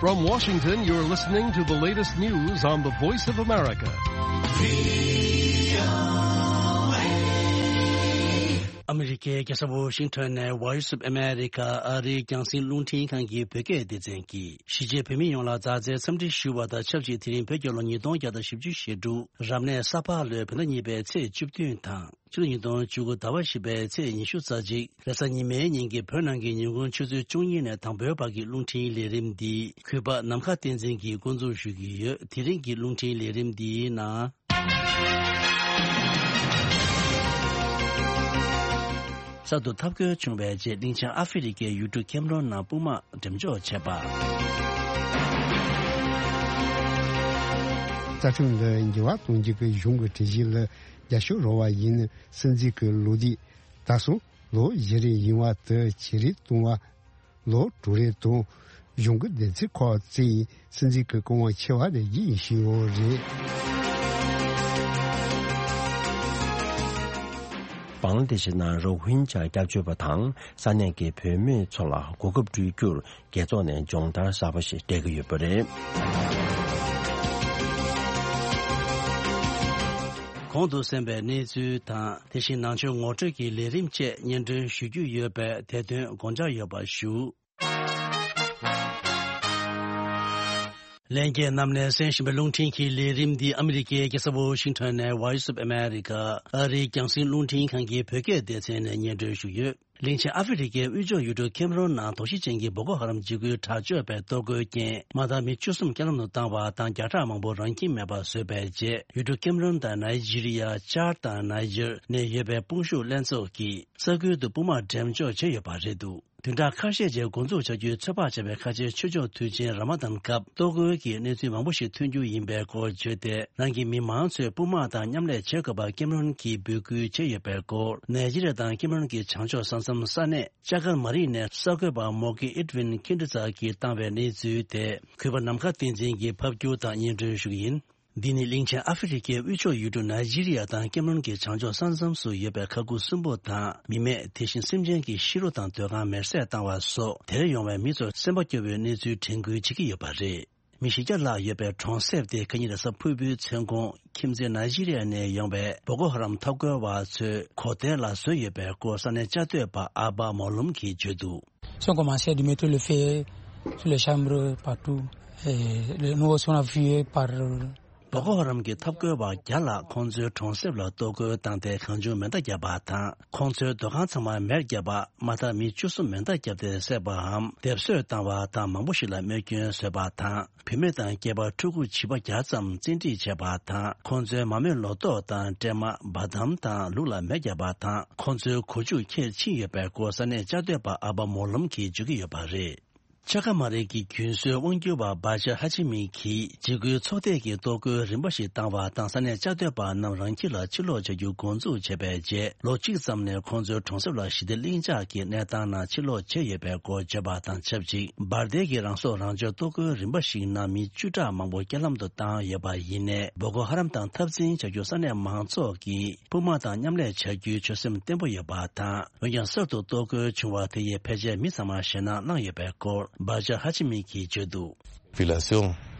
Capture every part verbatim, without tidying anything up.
From Washington, you're listening to the latest news on the Voice of America. ཨ་མི་རི་ཀའི་རྒྱལ་ས་ཝོ་ཤིང་ཊོན་ནས་Voice of America ཨ་རིའི་རྒྱང་སྲིང་རླུང་འཕྲིན་ཁང་གི་བོད་སྐད་སྡེ་ཚན་གྱིས་གཞིས་བྱེས་བོད་མི་ཡོངས་ལ་མཛའ་བརྩེའི་འཚམས་འདྲི་ཞུ་བ་དང་ཆབས་ཅིག་དེ་རིང་བོད་རྒྱལ་ལོ་ཉིས་སྟོང་བརྒྱ་དང་བཞི་བཅུ་ཞེ་དྲུག་རབ་གནས་ས་ཕག་ལོའི་བོད་ཟླ་གཉིས་པའི་ཚེས་བཅུ་བདུན་དང་། ཕྱི་ལོ་ཉིས་སྟོང་བཅུ་དགུ་ཟླ་བ་བཞི་པའི་ཚེས་ཉི་ཤུ་རྩ་གཅིག་རེས་གཟའ་ཉི་མའི་ཉིན་གྱི་བོད་ནང་གི་ཉིན་གུང་ཆུ་ཚོད་བཅུ་གཉིས་ནས་དང་པོའི་བར་གྱི་རླུང་འཕྲིན་ལས་རིམ་འདི་གུས་པ་ནམ་མཁའ་བསྟན་འཛིན་གྱིས་འགོ་འཛུགས་ཞུ་གི་ཡོད། དེ་རིང་གི་རླུང་འཕྲིན་ལས་རིམ་འདིའི་ནང་། གསར་དུ་འཐབ་རྒོལ་བྱུང་བའི་རྗེས་གླིང་ཆེན་ཨ་ཧྥེ་རི་ཀའི་ཡུལ་གྲུ་ཀེམ་རོན་ནང་དཔུང་དམག་འགྲེམས་འཇོག་བྱས་པ། རྩ་ཁྲིམས་ལ་འགྱུར་བ་གཏོང་རྒྱུ་གི་གཞུང་གི་གྲོས་གཞི་ལ་རྒྱབ་སྐྱོར་རོགས་པ་ཡིན། སྲིད་འཛིན་གྱི་ལོ་རྒྱུས། ད་སོང་ལོ་བཞི་རེ་ཡིན་བ་དེ་ཇེ་རིང་གཏོང་བ། ལོ་དྲུག་རེ་དང་གཞུང་གི་བདེན་ཚིག་ཁག་བརྩིས་ཡིན། སྲིད་འཛིན་གྱི་སྐུ་དབང་ཆེ་བ་རེ་བཞེས་ཡོད་རེད། བང་ལ་དེ་ཤི་ནང་རོ་ཧིན་ཇཱ་སྐྱབས་བཅོལ་བ་དང་ས་གནས་ཀྱི་བོད་མི་ཚོ་ལ་གོ་སྐབས་སྤྲོད་རྒྱུར་རྒྱལ་ཚོགས་ནས་སྦྱོང་བརྡར་གསར་པ་ཞིག་སྤྲད་ཀྱི་ཡོད་པ་རེད། གོང་དུ་གསན་པའི་གནས་ཚུལ་དང་། དེ་བཞིན་ནང་ཆོས་ངོ་སྤྲོད་ཀྱི་ལས་རིམ་བཅས་སྙན་སྒྲོན་ཞུ་རྒྱུ་ཡོད་པས་དེ་དོན་དགོངས་འཇགས་ཡོད་པ་ཞུ། ལྷན་རྒྱས་རྣམས་ནས་གསན་བཞིན་པའི་རླུང་འཕྲིན་གྱི་ལས་རིམ་འདི་ཨ་མི་རི་ཀའི་རྒྱལ་ས་ཝོ་ཤིང་ཊོན་ནས་Voice of America ཨ་རིའི་རྒྱང་སྲིང་རླུང་འཕྲིན་ཁང་གི་བོད་སྐད་སྡེ་ཚན་ནས་སྙན་སྒྲོན་ཞུས་ཡོད། གླིང་ཆེན་ཨ་ཧྥེ་རི་ཀའི་དབུས་ཕྱོགས་ཡུལ་གྲུ་ཀེམ་རོན་ནང་དོགས་གཞི་ཅན་གྱི་བོ་ཀོ་ཧ་རམ་འཇིགས་སྐུལ་དྲག་སྤྱོད་པའི་གཏོར་རྒོལ་རྐྱེན་མ་དག་མི་བཅུ་གསུམ་རྐྱེན་ལམ་དུ་བཏང་བ་དང་བརྒྱ་ཕྲག་མང་པོ་རང་ཁྱིམ་མེད་པར་བཟོས་པའི་རྗེས་ཡུལ་གྲུ་ཀེམ་རོན་དང་ནའི་ཇི་རི་ཡ། ཅཱཌ་དང་ནའི་ཇར་ནས་ཡོད་པའི་དཔུང་ཤུགས་ལྷན་ཚོགས་ཀྱིས་ས་ཁུལ་དུ་དཔུང་དམག་འགྲེམས་འཇོག་བྱས་ཡོད་པ་རེད་འདུག་བདུན་ཕྲག་ཁ་ཤས་རྗེས་འགོ་འཛུགས་བྱ་རྒྱུའི་ཚོད་དཔག་བྱས་པའི་ཁ་ཆེའི་ཆོས་ཕྱོགས་དུས་ཆེན་ར་མ་དན་སྐབས་གཏོར་རྒོལ་གྱི་གནས་ཚུལ་མང་པོ་ཞིག་ཐོན་རྒྱུ་ཡིན་པའི་སྐོར་བརྗོད་དེ། རང་གི་མི་མང་ཚོས་དཔུང་དམག་དང་མཉམ་ལས་བྱེད་དགོས་པར་ཀེམ་རོན་གྱིས་འབོད་སྐུལ་བྱས་ཡོད་པའི་སྐོར། ནའི་ཇི་རི་ཡ་དང་ཀེམ་རོན་གྱི་བྱང་ཕྱོགས་ས་མཚམས་ས་གནས་ཅ་ཀར་མ་རི་ནས་གསར་འགོད་པ་མོ་ཀི་ཨེད་ཝིན་ཁིན་ཏི་ཙ་གིས་བཏང་བའི་གནས་ཚུལ་དེ་གུས་པ་ནམ་མཁའ་བསྟན་འཛིན་གྱིས་ཕབ་སྒྱུར་དང་སྙན་སྒྲོན་ཞུ་གི་ཡིན། འདི་ནི་གླིང་ཆེན་ཨ་ཧྥེ་རི་ཀའི་དབུས་ཕྱོགས་ཡུལ་གྲུ་ནའི་ཇི་རི་ཡ་དང་ཀེམ་རོན་གྱི་བྱང་ཕྱོགས་ས་མཚམས་སུ་ཡོད་པའི་མཁའ་ཁུལ་གསུམ་པོ་དང་མི་མེད་དེ་བཞིན་སེམས་ཅན་གྱི་ཤི་རོ་དང་སྡོད་ཁང་མེར་སྲེག་བཏང་བ་སོགས་དེར་ཡོང་བའི་མི་ཚོར་སེམས་པ་སྐྱོ་བོའི་གནས་ཚུལ་དྲན་སྐུལ་བྱེད་ཀྱི་ཡོད་པ་རེད། མི་བཞི་བརྒྱ་ལྷག་ཡོད་པའི་གྲོང་གསེབ་དེ་ཁ་ཉིན་རེས་གཟའ་ཕུར་བུའི་མཚན་གུང་ཁྱིམ་མཚེས་ནའི་ཇི་རི་ཡ་ནས་ཡོང་བའི་བོ་ཀོ་ཧ་རམ་འཐབ་རྒོལ་བ་ཚོས་གོ་ཐལ་ལ་བཟོས་ཡོད་པའི་སྐོར་ས་གནས་བཅའ་སྡོད་པ་ཨ་བ་མོ་ལུམ་གྱིས་བརྗོད་འདུག Ils ont commencé de mettre le feu sur les chambres partout. Et le- nous aussi, on a vu par བོ་ཀོ་ཧ་རམ་གྱི་འཐབ་རྒོལ་བ་བརྒྱ་ལྷག་ཁོང་ཚོའི་གྲོང་གསེབ་ལ་གཏོར་རྒོལ་བཏང་སྟེ་གང་བྱུང་མེ་མདའ་བརྒྱབ་པ་དང་། ཁོང་ཚོའི་སྡོད་ཁང་ཚང་མར་མེར་བརྒྱབ་པ་མ་ཐག་མི་བཅུ་གསུམ་མེ་མདའ་བརྒྱབ་སྟེ་བསད་པའམ་སྡེབ་གསོད་བཏང་བ་དང་མང་པོ་ཞིག་ལ་རྨས་སྐྱོན་བཟོས་པ་དང་། བུད་མེད་དང་སྐྱེས་པ་ཕྲུ་གུ་བྱིས་པ་བརྒྱ་ཙམ་བཙན་ཁྲིད་བྱས་པ་དང་། ཁོང་ཚོའི་མ་རྨོས་ལོ་ཏོག་དང་སྲན་མ། བ་དམ་དང་ལུག་ལ་མེ་བརྒྱབ་པ་དང་། ཁོང་ཚོའི་གོ་ཆུ་ཁྱེར་ཕྱིན་ཡོད་པའི་སྐོར་ས་གནས་བཅའ་སྡོད་པ་ཨ་བ་མོ་ལོམ་གྱིས་བརྗོད་ཀྱི་ཡོད་པ་རེད། ཅ་ཀ་མ་རི་གི་རྒྱུན་སྲོལ་དབང་སྒྱུར་བ་བྷ་ཇར་ཧ་ཆི་མི་གིས་འཇིགས་སྐུལ་ཚོགས་སྡེ་གིས་གཏོར་རྒོལ་རིམ་པ་ཞིག་བཏང་བ་དང་ས་གནས་བཅའ་སྡོད་པ་རྣམས་རང་ཁྱིམ་ལ་ཕྱིར་ལོག་བྱ་རྒྱུ་འགོ་འཛུགས་བྱས་པའི་རྗེས་ལོ་གཅིག་ཙམ་ནས་ཁོང་ཚོའི་གྲོང་གསེབ་ལ་ཞི་བདེ་ལྷིང་འཇགས་ཀྱི་གནས་སྟངས་ནང་ཕྱིར་ལོག་བྱས་ཡོད་པའི་སྐོར་བརྗོད་པ་དང་ཆབས་ཅིག་འབར་མདེལ་གྱི་རང་སྲོག་རང་སྐྱོབ་གཏོར་རྒོལ་རིམ་པ་ཞིག་ནང་མི་བཅུ་ཕྲག་མང་པོ་རྐྱེན་ལམ་དུ་བཏང་ཡོད་པ་ཡིན་ནའི་བོ་ཀོ་ཧ་རམ་དང་འཐབ་འཛིང་བྱ་རྒྱུ་ས་གནས་མང་ཚོགས་ཀྱིས་དཔུང་དམག་དང་མཉམ་ལས་བྱ་རྒྱུའི་ཆོད་སེམས་བརྟན་པོ་ཡོད་པ་དང་། འོན་ཀྱང་གསར་དུ་གཏོར་རྒོལ་བྱུང་བ་དེ་ཡིས་ཕལ་ཆེར་མི་ཚང་མར་ཞེད་སྣང་བསླངས་ཡོད་པའི་སྐོར་བྷ་ཇར་ཧ་ཆི་མི་གིས་བརྗོད་འདུག Population,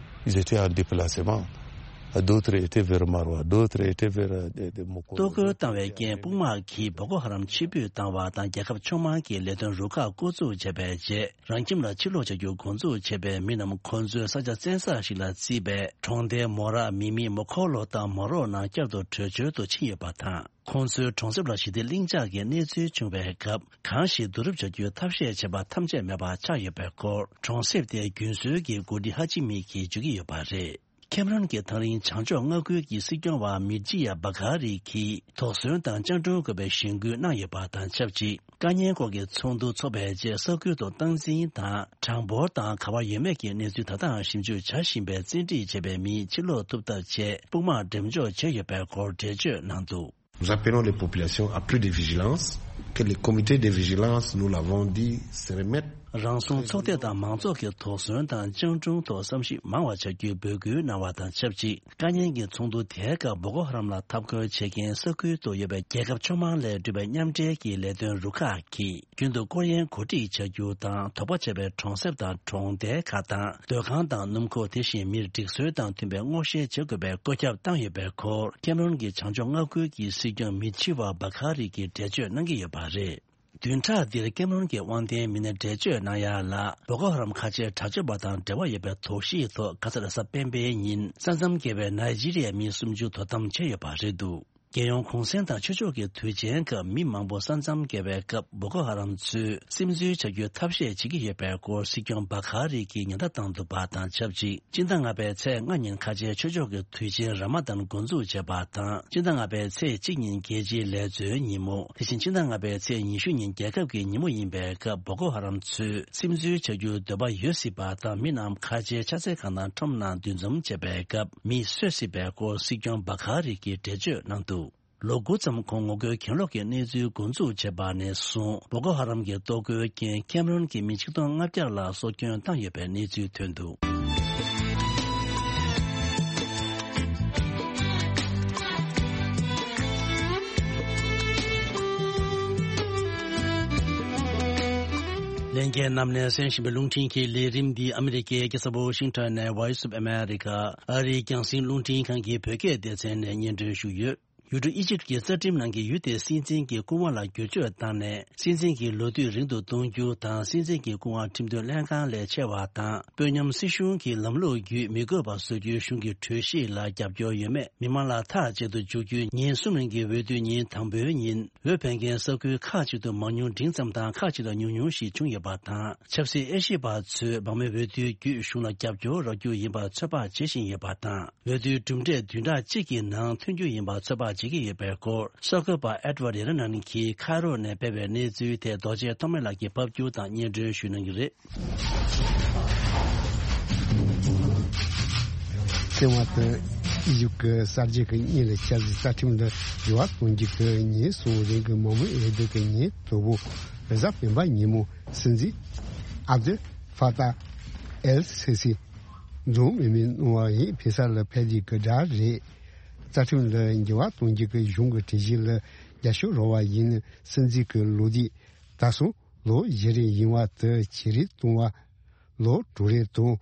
ils étaient en déplacement. D'autres étaient vers Maroua, d'autres étaient vers, euh, des, des Mokoro. གཏོར་རྒོལ་བཏང་བའི་རྐྱེན་དཔུང་དམག་གིས་བོ་ཀོ་ཧ་རམ་ཕྱིར་འབུད་བཏང་བ་དང་རྒྱལ་ཁབ་ཕྱོགས་མང་གི་ལས་དོན་རུ་ཁག་བསྐོ་འཛུགས་བྱས་པའི་རྗེས་རང་ཁྱིམ་ལ་ཕྱིར་ལོག་བྱ་རྒྱུ་འགོ་འཛུགས་བྱས་པའི་མི་རྣམས་ཁོང་ཚོའི་ས་ཆ་བཙན་ས་ཞིག་ལ་བརྩིས་པའི་གྲོང་རྡལ་མོ་ར། མི་མི། མོ་ཁོ་ལོ་དང་མོ་རོ་ནང་བསྐྱར་དུ་བྲོས་བྱོལ་དུ་ཕྱིན་ཡོད་པ་དང་། ཁོང་ཚོའི་གྲོང་གསེབ་ལ་ཞི་བདེ་ལྷིང་འཇགས་ཀྱི་གནས་ཚུལ་བྱུང་བའི་སྐབས་གང་ཞིག་བསྡུ་རུབ་བྱ་རྒྱུའི་ཐབས་ཤེས་བྱས་པ་ཐམས་ཅད་མེད་པ་ཆགས་ཡོད་པའི་སྐོར་གྲོང་གསེབ་དེའི་རྒྱུན་སྲོལ་གྱི་འགོ་ཁྲིད་ཧ་ཅི་མི་གིས་བརྗོད་ཀྱི་ཡོད་པ་རེད། ཁེམ་རོན་གྱི་ཐག་རིང་བྱང་ཕྱོགས་མངའ་ཁུལ་གྱི་སྲིད་སྐྱོང་བ་མིར་ཇི་ཡ་བ་གྷ་རི་གིས་དོགས་ཟོན་དང་སྤྱང་གྲུང་དགོས་པའི་གཞེན་སྐུལ་གནང་ཡོད་པ་དང་ཆབས་ཅིག་དཀའ་ཉེན་སྐོར་གྱི་ཚོགས་འདུ་འཚོགས་པའི་རྗེས་ས་ཁུལ་དུ་སྟངས་འཛིན་དང་གྲངས་འབོར་དང་ག་བ་ཡོད་མེད་ཀྱི་གནས་ཚུལ་ད་ལྟའང་ཞིབ་འཇུག་བྱ་བཞིན་པའི་བཙན་ཁྲིད་བྱས་པའི་མི་ཕྱིར་ལོག་ཐུབ་ཐབས་ཆེད་དཔུང་དམག་འགྲེམས་འཇོག་བྱས་ཡོད་པའི་སྐོར་འགྲེལ་བརྗོད་གནང་འདུག Nous appelons les populations à plus de vigilance. Que les comités de vigilance, nous l'avons dit, se remettent. རང་སྲུང་ཚོགས་སྡེ་དང་མང་ཚོགས་ཀྱི་དོགས་ཟོན་དང་སྤྱང་གྲུང་ཐོག་བསམ་གཞིག་མང་བ་བྱ་རྒྱུའི་འབོད་སྐུལ་གནང་བ་དང་ཆབས་ཅིག་དཀའ་ཉེན་གྱི་ཚོགས་འདུ་དེའི་སྐབས་བོ་ཀོ་ཧ་རམ་ལ་འཐབ་རྒོལ་བྱེད་མཁན་ས་ཁུལ་དུ་ཡོད་པའི་རྒྱལ་ཁབ་ཕྱོགས་མང་ལས་གྲུབ་པའི་མཉམ་འབྲེལ་གྱི་ལས་དོན་རུ་ཁག་གིས། རྒྱུན་དུ་སྐོར་གཡེང་གོ་སྒྲིག་བྱ་རྒྱུ་དང་དོགས་པ་ཆེ་བའི་གྲོང་གསེབ་དང་གྲོང་རྡལ་ཁག་དང་སྡོད་ཁང་དང་སྣུམ་འཁོར། དེ་བཞིན་མིར་སྒྲིག་སྲོལ་དང་མཐུན་པའི་སྔོག་བཤེར་བྱེད་དགོས་པའི་བཀོད་ཁྱབ་བཏང་ཡོད་པའི་སྐོར། ཁེམ་རོན་གྱི་བྱང་ཕྱོགས་མངའ་ཁུལ་གྱི་སྲིད་སྐྱོང་མི་ཆི་ཝ་བ་ཁ་རི་གིས་འགྲེལ་བརྗོད་གནང་གི་ཡོད་པ་རེད། བདུན་ཕྲག་འདིར་ཁེམ་རོན་གྱི་དབང་ལྡན་མི་སྣས་འགྲེལ་བརྗོད་གནང་ཡ་ལ། བོ་ཀོ་ཧ་རམ་ཁ་ཆེ་དྲག་སྤྱོད་པ་དང་འབྲེལ་བ་ཡོད་པའི་དོགས་གཞི་ཐོག་ག་ས་རེ་གཟའ་སྤེན་པའི་ཉིན་ས་མཚམས་བརྒལ་བའི་ནཱི་ཇི་རི་ཡའི་མི་སུམ་ཅུ་དོ་དམ་བྱས་ཡོད་པ་རེད་འདུག་རྒྱལ་ཡོངས་གུང་གསེང་དང་ཆོས་ཕྱོགས་ཀྱི་དུས་ཆེན་སྐབས་མི་མང་པོ་ས་མཚམས་བརྒལ་བའི་སྐབས་བོ་ཀོ་ཧ་རམ་ཚོས་སིམ་འཛུལ་བྱ་རྒྱུའི་ཐབས་ཤེས་བྱེད་ཀྱི་ཡོད་པའི་སྐོར་སྲིད་སྐྱོང་བ་ཁ་རི་གིས་ཉེན་བརྡ་བཏང་འདུག་པ་དང་ཆབས་ཅིག་སྤྱི་ཟླ་ལྔ་པའི་ཚེས་ལྔ་ཉིན་ཁ་ཆེའི་ཆོས་ཕྱོགས་ཀྱི་དུས་ཆེན་ར་མ་དཱན་འགོ་འཛུགས་བྱས་པ་དང་། སྤྱི་ཟླ་ལྔ་པའི་ཚེས་གཅིག་ཉིན་རྒྱལ་སྤྱིའི་ལས་བཟོའི་ཉིན་མོ། དེ་བཞིན་སྤྱི་ཟླ་ལྔ་པའི་ཚེས་ཉི་ཤུ་ཉིན་རྒྱལ་ཁབ་ཀྱི་ཉིན་མོ་ཡིན་པའི་སྐབས་བོ་ཀོ་ཧ་རམ་ཚོས་སིམ་འཛུལ་བྱ་རྒྱུའི་འདོད་པ་ཡོད་སྲིད་པ་དང་། མི་རྣམས་ཁ་ཆེའི་ཕྱག་འཚལ་ཁང་དང་ཁྲོམ་ནང་འདུ་འཛོམས་བྱས་པའི་སྐབས་མི་གསོད་སྲིད་པའི་སྐོར་སྲིད་སྐྱོང་བ་ཁ་རི་གིས་འགྲེལ་བརྗོད་གནང་འདུག་ལོ་དགུ་ཙམ་གོང་ངོ་རྒོལ་གྱེན་ལོག་གི་གནས་ཚུལ་འགོ་འཛུགས་བྱས་པ་ནས་བཟུང་བོ་ཀོ་ཧ་རམ་གྱི་གཏོར་རྒོལ་རྐྱེན་ཁེམ་རོན་གྱི་མི་ཆིག་སྟོང་ལྔ་བརྒྱ་ལ་སྲོག་སྐྱོན་བཏང་ཡོད་པའི་གནས་ཚུལ་ཐོན་འདུག་ལྷན་རྒྱས་རྣམས་ནས་གསན་བཞིན་པའི་རླུང་འཕྲིན་གྱི་ལས་རིམ་འདི་ཨ་མི་རི་ཀའི་རྒྱལ་ས་ཝ་ཤིང་ཊོན་ནས་Voice of America ཨ་རིའི་རྒྱང་སྲིང་རླུང་འཕྲིན་ཁང་གི་བོད་སྐད་སྡེ་ཚན་ནས་སྙན་སྒྲོན་ཞུས་ཡོད། ཡུལ་གྲུ་ཨི་ཇིབ་ཀྱི་རྩ་ཁྲིམས་ནང་གི་ཡུལ་དེའི་སྲིད་འཛིན་གྱི་སྐུ་དབང་ལ་བསྒྱུར་བཅོས་བཏང་ནས། སྲིད་འཛིན་གྱི་ལོ་དུས་རིང་དུ་གཏོང་རྒྱུ་དང་། སྲིད་འཛིན་གྱི་སྐུ་དབང་ཁྲིམས་དོན་ལྷན་ཁང་ལས་ཆེ་བ་དང་། དཔོན་ཉམས་སྲིད་གཞུང་གི་ལམ་ལུགས་བརྒྱུད་མི་དགོས་པ་བཟོ་རྒྱུའི་གཞུང་གི་གྲོས་གཞི་ལ་རྒྱབ་སྐྱོར་ཡོད་མེད་མི་མང་ལ་ཐག་བཅད་དུ་འཇུག་རྒྱུའི་ཉིན་གསུམ་རིང་གི་འོས་བསྡུ་ཉིན་དང་པོའི་ཉིན། འོས་འཕེན་མཁན་ས་ཁུལ་ཁག་ཅིག་ཏུ་མང་ཉུང་འབྲིང་ཙམ་དང་། ཁག་ཅིག་ཏུ་ཉུང་ཉུང་ཞིག་བྱུང་ཡོད་པ་དང་། ཆབ་སྲིད་དབྱེ་ཞིབ་པ་ཚོས་སྦགས་མོའི་འོས་བསྡུའི་བརྒྱུད་གཞུང་ལ་རྒྱབ་སྐྱོར་རག་རྒྱུ་ཡིན་པར་ཚོད་དཔག་བྱེད་བཞིན་ཡོད་པ་དང་། འོས་བསྡུའི་གྲུབ་འབྲས་བདུན་ཕྲག་གཅིག་གི་ནང་ཐོན་རྒྱུ་ཡིན་པར་ཚོད་དཔག་བྱེད་ཀྱི་ཡོད་པའི་སྐོར། གསར་འགོད་པ་ཨེད་ཝར་ཡེ་ར་ནན་གྱིས་ཁ་རོག་ནས་སྤེལ་བའི་གནས་ཚུལ་དེ་རྡོ་རྗེ་ཐོགས་མེད་ལགས་ཀྱིས་ཕབ་སྒྱུར་དང་སྙན་སྒྲོན་ཞུ་གནང་གི་རེད། ཐེ་ཝན་དུ་ཨི་ཇིབ་ཀྱི་གསར་བརྗེ་གི་སྔོན་ལ་ཆབ་སྲིད་རྩ་ཁྲིམས་ལ་འགྱུར་བ་གཏོང་རྒྱུ་གི་ཉིན་གསུམ་རིང་གི་མང་མོས་འོས་བསྡུ་གི་ཉིན་དང་པོ་རེས་གཟའ་སྤེན་པ་ཉིན་མོ་སྲིད་འཛིན་ཨབ་དུལ་ཧྥ་ཏཱ་ཨེལ་སི་སི་འཛོམས་མེད་མི་གནང་བ་ཡིན་ཕེ་ས་ལ་ཕེབས་རྒྱུ་གི་གྲས་རེད། རྩ་ཁྲིམས་ལ་འགྱུར་བ་གཏོང་རྒྱུ་གི་གཞུང་གི་གྲོས་གཞི་ལ་རྒྱབ་སྐྱོར་རོགས་པ་ཡིན་སྲིད་འཛིན་གྱི་ལོ་དུས་ད་སོང་ལོ་བཞི་རེ་ཡིན་བ་དེ་ཇེ་རིང་གཏོང་བ། ལོ་དྲུག་རེ་དང་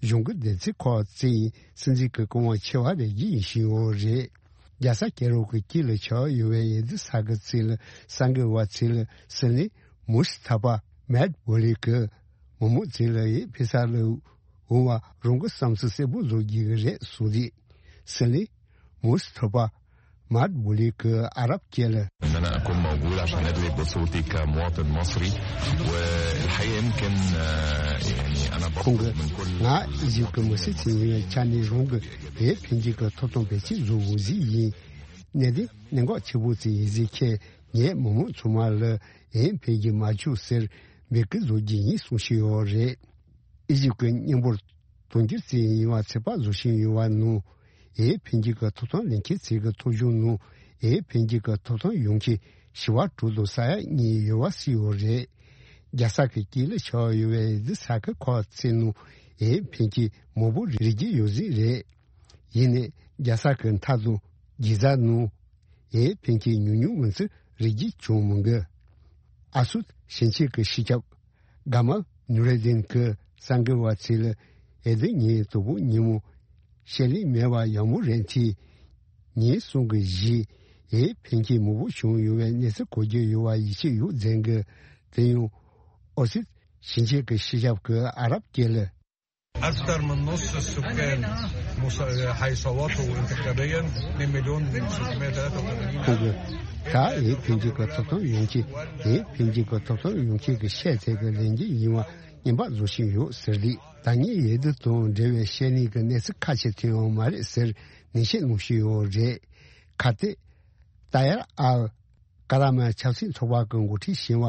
གཞུང་གི་བདུན་ཚིགས་ཁག་བརྩིས་ཡིན་སྲིད་འཛིན་གྱི་སྐུ་དབང་ཆེ་བ་རེ་བཞེས་ཡིན་ཞུས་ཡོད་རེད། རྒྱལ་ས་ཀེ་རོ་གི་དཀྱིལ་ལ་ཆགས་ཡོད་པའི་འོས་བསྡུ་ས་ཁུལ་ཚོ་ལ་གསར་འགོད་པ་ཚོ་ལ་སྲིད་བློན་མུ་སི་ཐ་ཕ་མེད་བོ་ལི་གིས་མི་མང་ཚོ་ལ་འོས་འཕེན་ས་ལ་འོང་བ་རང་གི་བསམ་ཚུལ་གསལ་པོ་བཟོ་རྒྱུ་རེད་གསུངས་རྗེས། སྲིད་བློན་མུ་སི་ཐ་ཕ་མཱད་བུ་ལི་གིས་ཨ་རབ་སྐད་ལ། إن أنا أكون موجود عشان أدلي بصوتي كمواطن مصري، والحقيقة يمكن، آه، يعني أنا ཁོང་གིས་ང་ཨི་ཇིབ་ཀྱི་མི་སེར་ཅིག་ཡིན་པའི་ཆ་ནས་རང་གི་འོས་འཕེན་རྒྱུ་གི་ཐོབ་ཐང་འབད་བརྩོན་བཟོ་དགོས་ཟིག་ཡིན། གནད་དོན་གནད་འགག་ཆེ་པོ་ཅིག་ཡིན་ཟིག་ཁྱེད་ངས་མི་མང་ཚང་མ་ལ་འོས་འཕེན་རྒྱུ་མ་བཅུག་ཟེར་འབོད་སྐུལ་བཟོ་རྒྱུ་ཡིན་གསུངས་བཞིན་ཡོད་རེད། ཨི་ཇིབ་ཀྱི་མཉམ་འབོར་དུང་ཕྱུར་ཙམ་ཡིན་པ་ཚོད་དཔག་བཟོ་བཞིན་ཡོད་པ་ནང་། འོས་འཕེན་རྒྱུ་གི་ཐོབ་ཐང་ལེན་མཁན་ཚོའི་གི་ཐོབ་གཞུང་ནང་འོས་འཕེན་རྒྱུ་གི་ཐོབ་ཐང་ཡོང་མཁན་བཞི་པ་དྲུག་དང་ས་ཡ་གཉིས་ཡོད་པ་སྲིད་ཡོད་རེད། རྒྱལ་ས་གི་དཀྱིལ་ལ་ཆགས་ཡོད་པའི་འོས་བསྡུ་ས་ཁུལ་ཁག་ཚོའི་ནང་འོས་འཕེན་མཁན་མང་པོ་རེད་རྒྱུ་ཡོད་ཟིག་རེད། ཡིན་ནའི་རྒྱལ་ས་གི་མཐའ་དང་དགེ་རྩ་ནང་འོས་འཕེན་མཁན་ཉུང་ཉུང་མིན་ཚུལ་རེ་གཅིག་ཀྱང་མི་འགོས། ཨ་སུད་ཞིང་ཆེན་གྱི་སྤྱི་ཁྱབ་གྷ་མལ་ནུར་ཨེ་དིན་གྱིས་གསར་འགོད་པ་ཚོ་ལ་འོས་བསྡུ་ཉིན་དང་པོ་ཉིན་མོ་བཤད་ལས་མེད་པ་ཡག་མོ་རེད་དེ། ཉིན་གསུམ་གྱི་རྗེས་འོས་འཕེན་མཁན་མང་པོ་བྱུང་ཡོད་པའི་གནས་ཚུལ་གོ་རྒྱུ་ཡོད་པ་ཡིད་ཆེས་ཡོད་ཟེར་གི། དེ་ཡང་ཨོ་སུད་ཞིང་ཆེན་གྱི་སྤྱི་ཁྱབ་ཀྱིས་ཨ་རབ་སྐད་ལ། أكثر من نص السكان مص-، حيصوتوا انتخابيا، اثنين مليون وستمية وتلاتة وتمانين ألف. ཁོང་གིས་ད་འོས་འཕེན་རྒྱུ་གི་ཐོབ་ཐང་ཡོང་ཆེད། འོས་འཕེན་རྒྱུ་གི་ཐོབ་ཐང་ཡོང་ཆེད་ཀྱི་ཤད་དེ་གི་ལེན་རྒྱུ་ཡིན་པ་སྙན་པ་བཟོ་བཞིན་ཡོད་ཟེར་རེད། ད་ངས་འོས་བསྡུ་དང་འབྲེལ་བའི་བཤད་ནས་ཀྱི་གནས་ཚུལ་ཁ་ཤས་ཐོན་ཡོད་མ་རེད་ཟེར་ནན་བཤད་གནང་བཞིན་ཡོད་རེད། ཁ་གཏད་ཏཱ་ཡར་ཨལ་ཀ་ར་མན་ཆབ་སྲིད་ཚོགས་པ་གི་འགོ་ཁྲིད་ཞི་བ་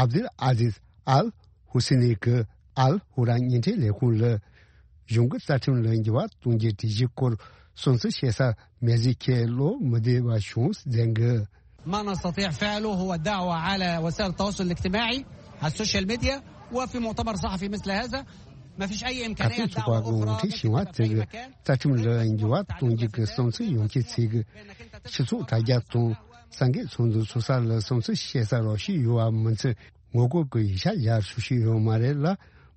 ཨབ་དུལ་ཨ་ཟིዝ་ཨལ་ཧུ་སི་ནི་གིས་ཨལ་ཧུ་ར་བརྙན་འཕྲིན་ལས་ཁུངས་ལ། གཞུང་གི་རྩ་ཁྲིམས་ལ་འགྱུར་བ་གཏོང་རྒྱུའི་སྒྲིག་གཞི་སྐོར་བསམ་ཚུལ་བཤད་ས་མེད་ཟིག་ཁྱེད་བློ་མི་བདེ་བ་བྱུང་ཟེར་གི། ما نستطيع فعله هو الدعوة على وسائل التواصل الاجتماعي، على السوشيال ميديا، وفي مؤتمر صحفي مثل هذا ما فيش أي إمكانية دعوة أخرى. ཁ་ཐུག་ཚོགས་པ་ངོ་སྤྲོད་ཞུ་བ་དེ་གི་རྩ་ཁྲིམས་ལ་འགྱུར་བ་གཏོང་རྒྱུ་གི་བསམ་ཚུལ་ཡོང་ཁུལ་ཚིག་གི་སྤྱི་ཚོགས་དྲ་རྒྱ་དང་། ས་འགུལ་ཚོགས་འདུ་ཚོགས་ས་ལ་བསམ་ཚུལ་བཤད་ས་རོགས་ཞུས་ཡོད་པ་མིན་ཚེ། ངོ་རྒོལ་གྱི་ཡིག་ཆ་ཡར་ཞུ་ཞུས་ཡོད་མ་རེད་ལ།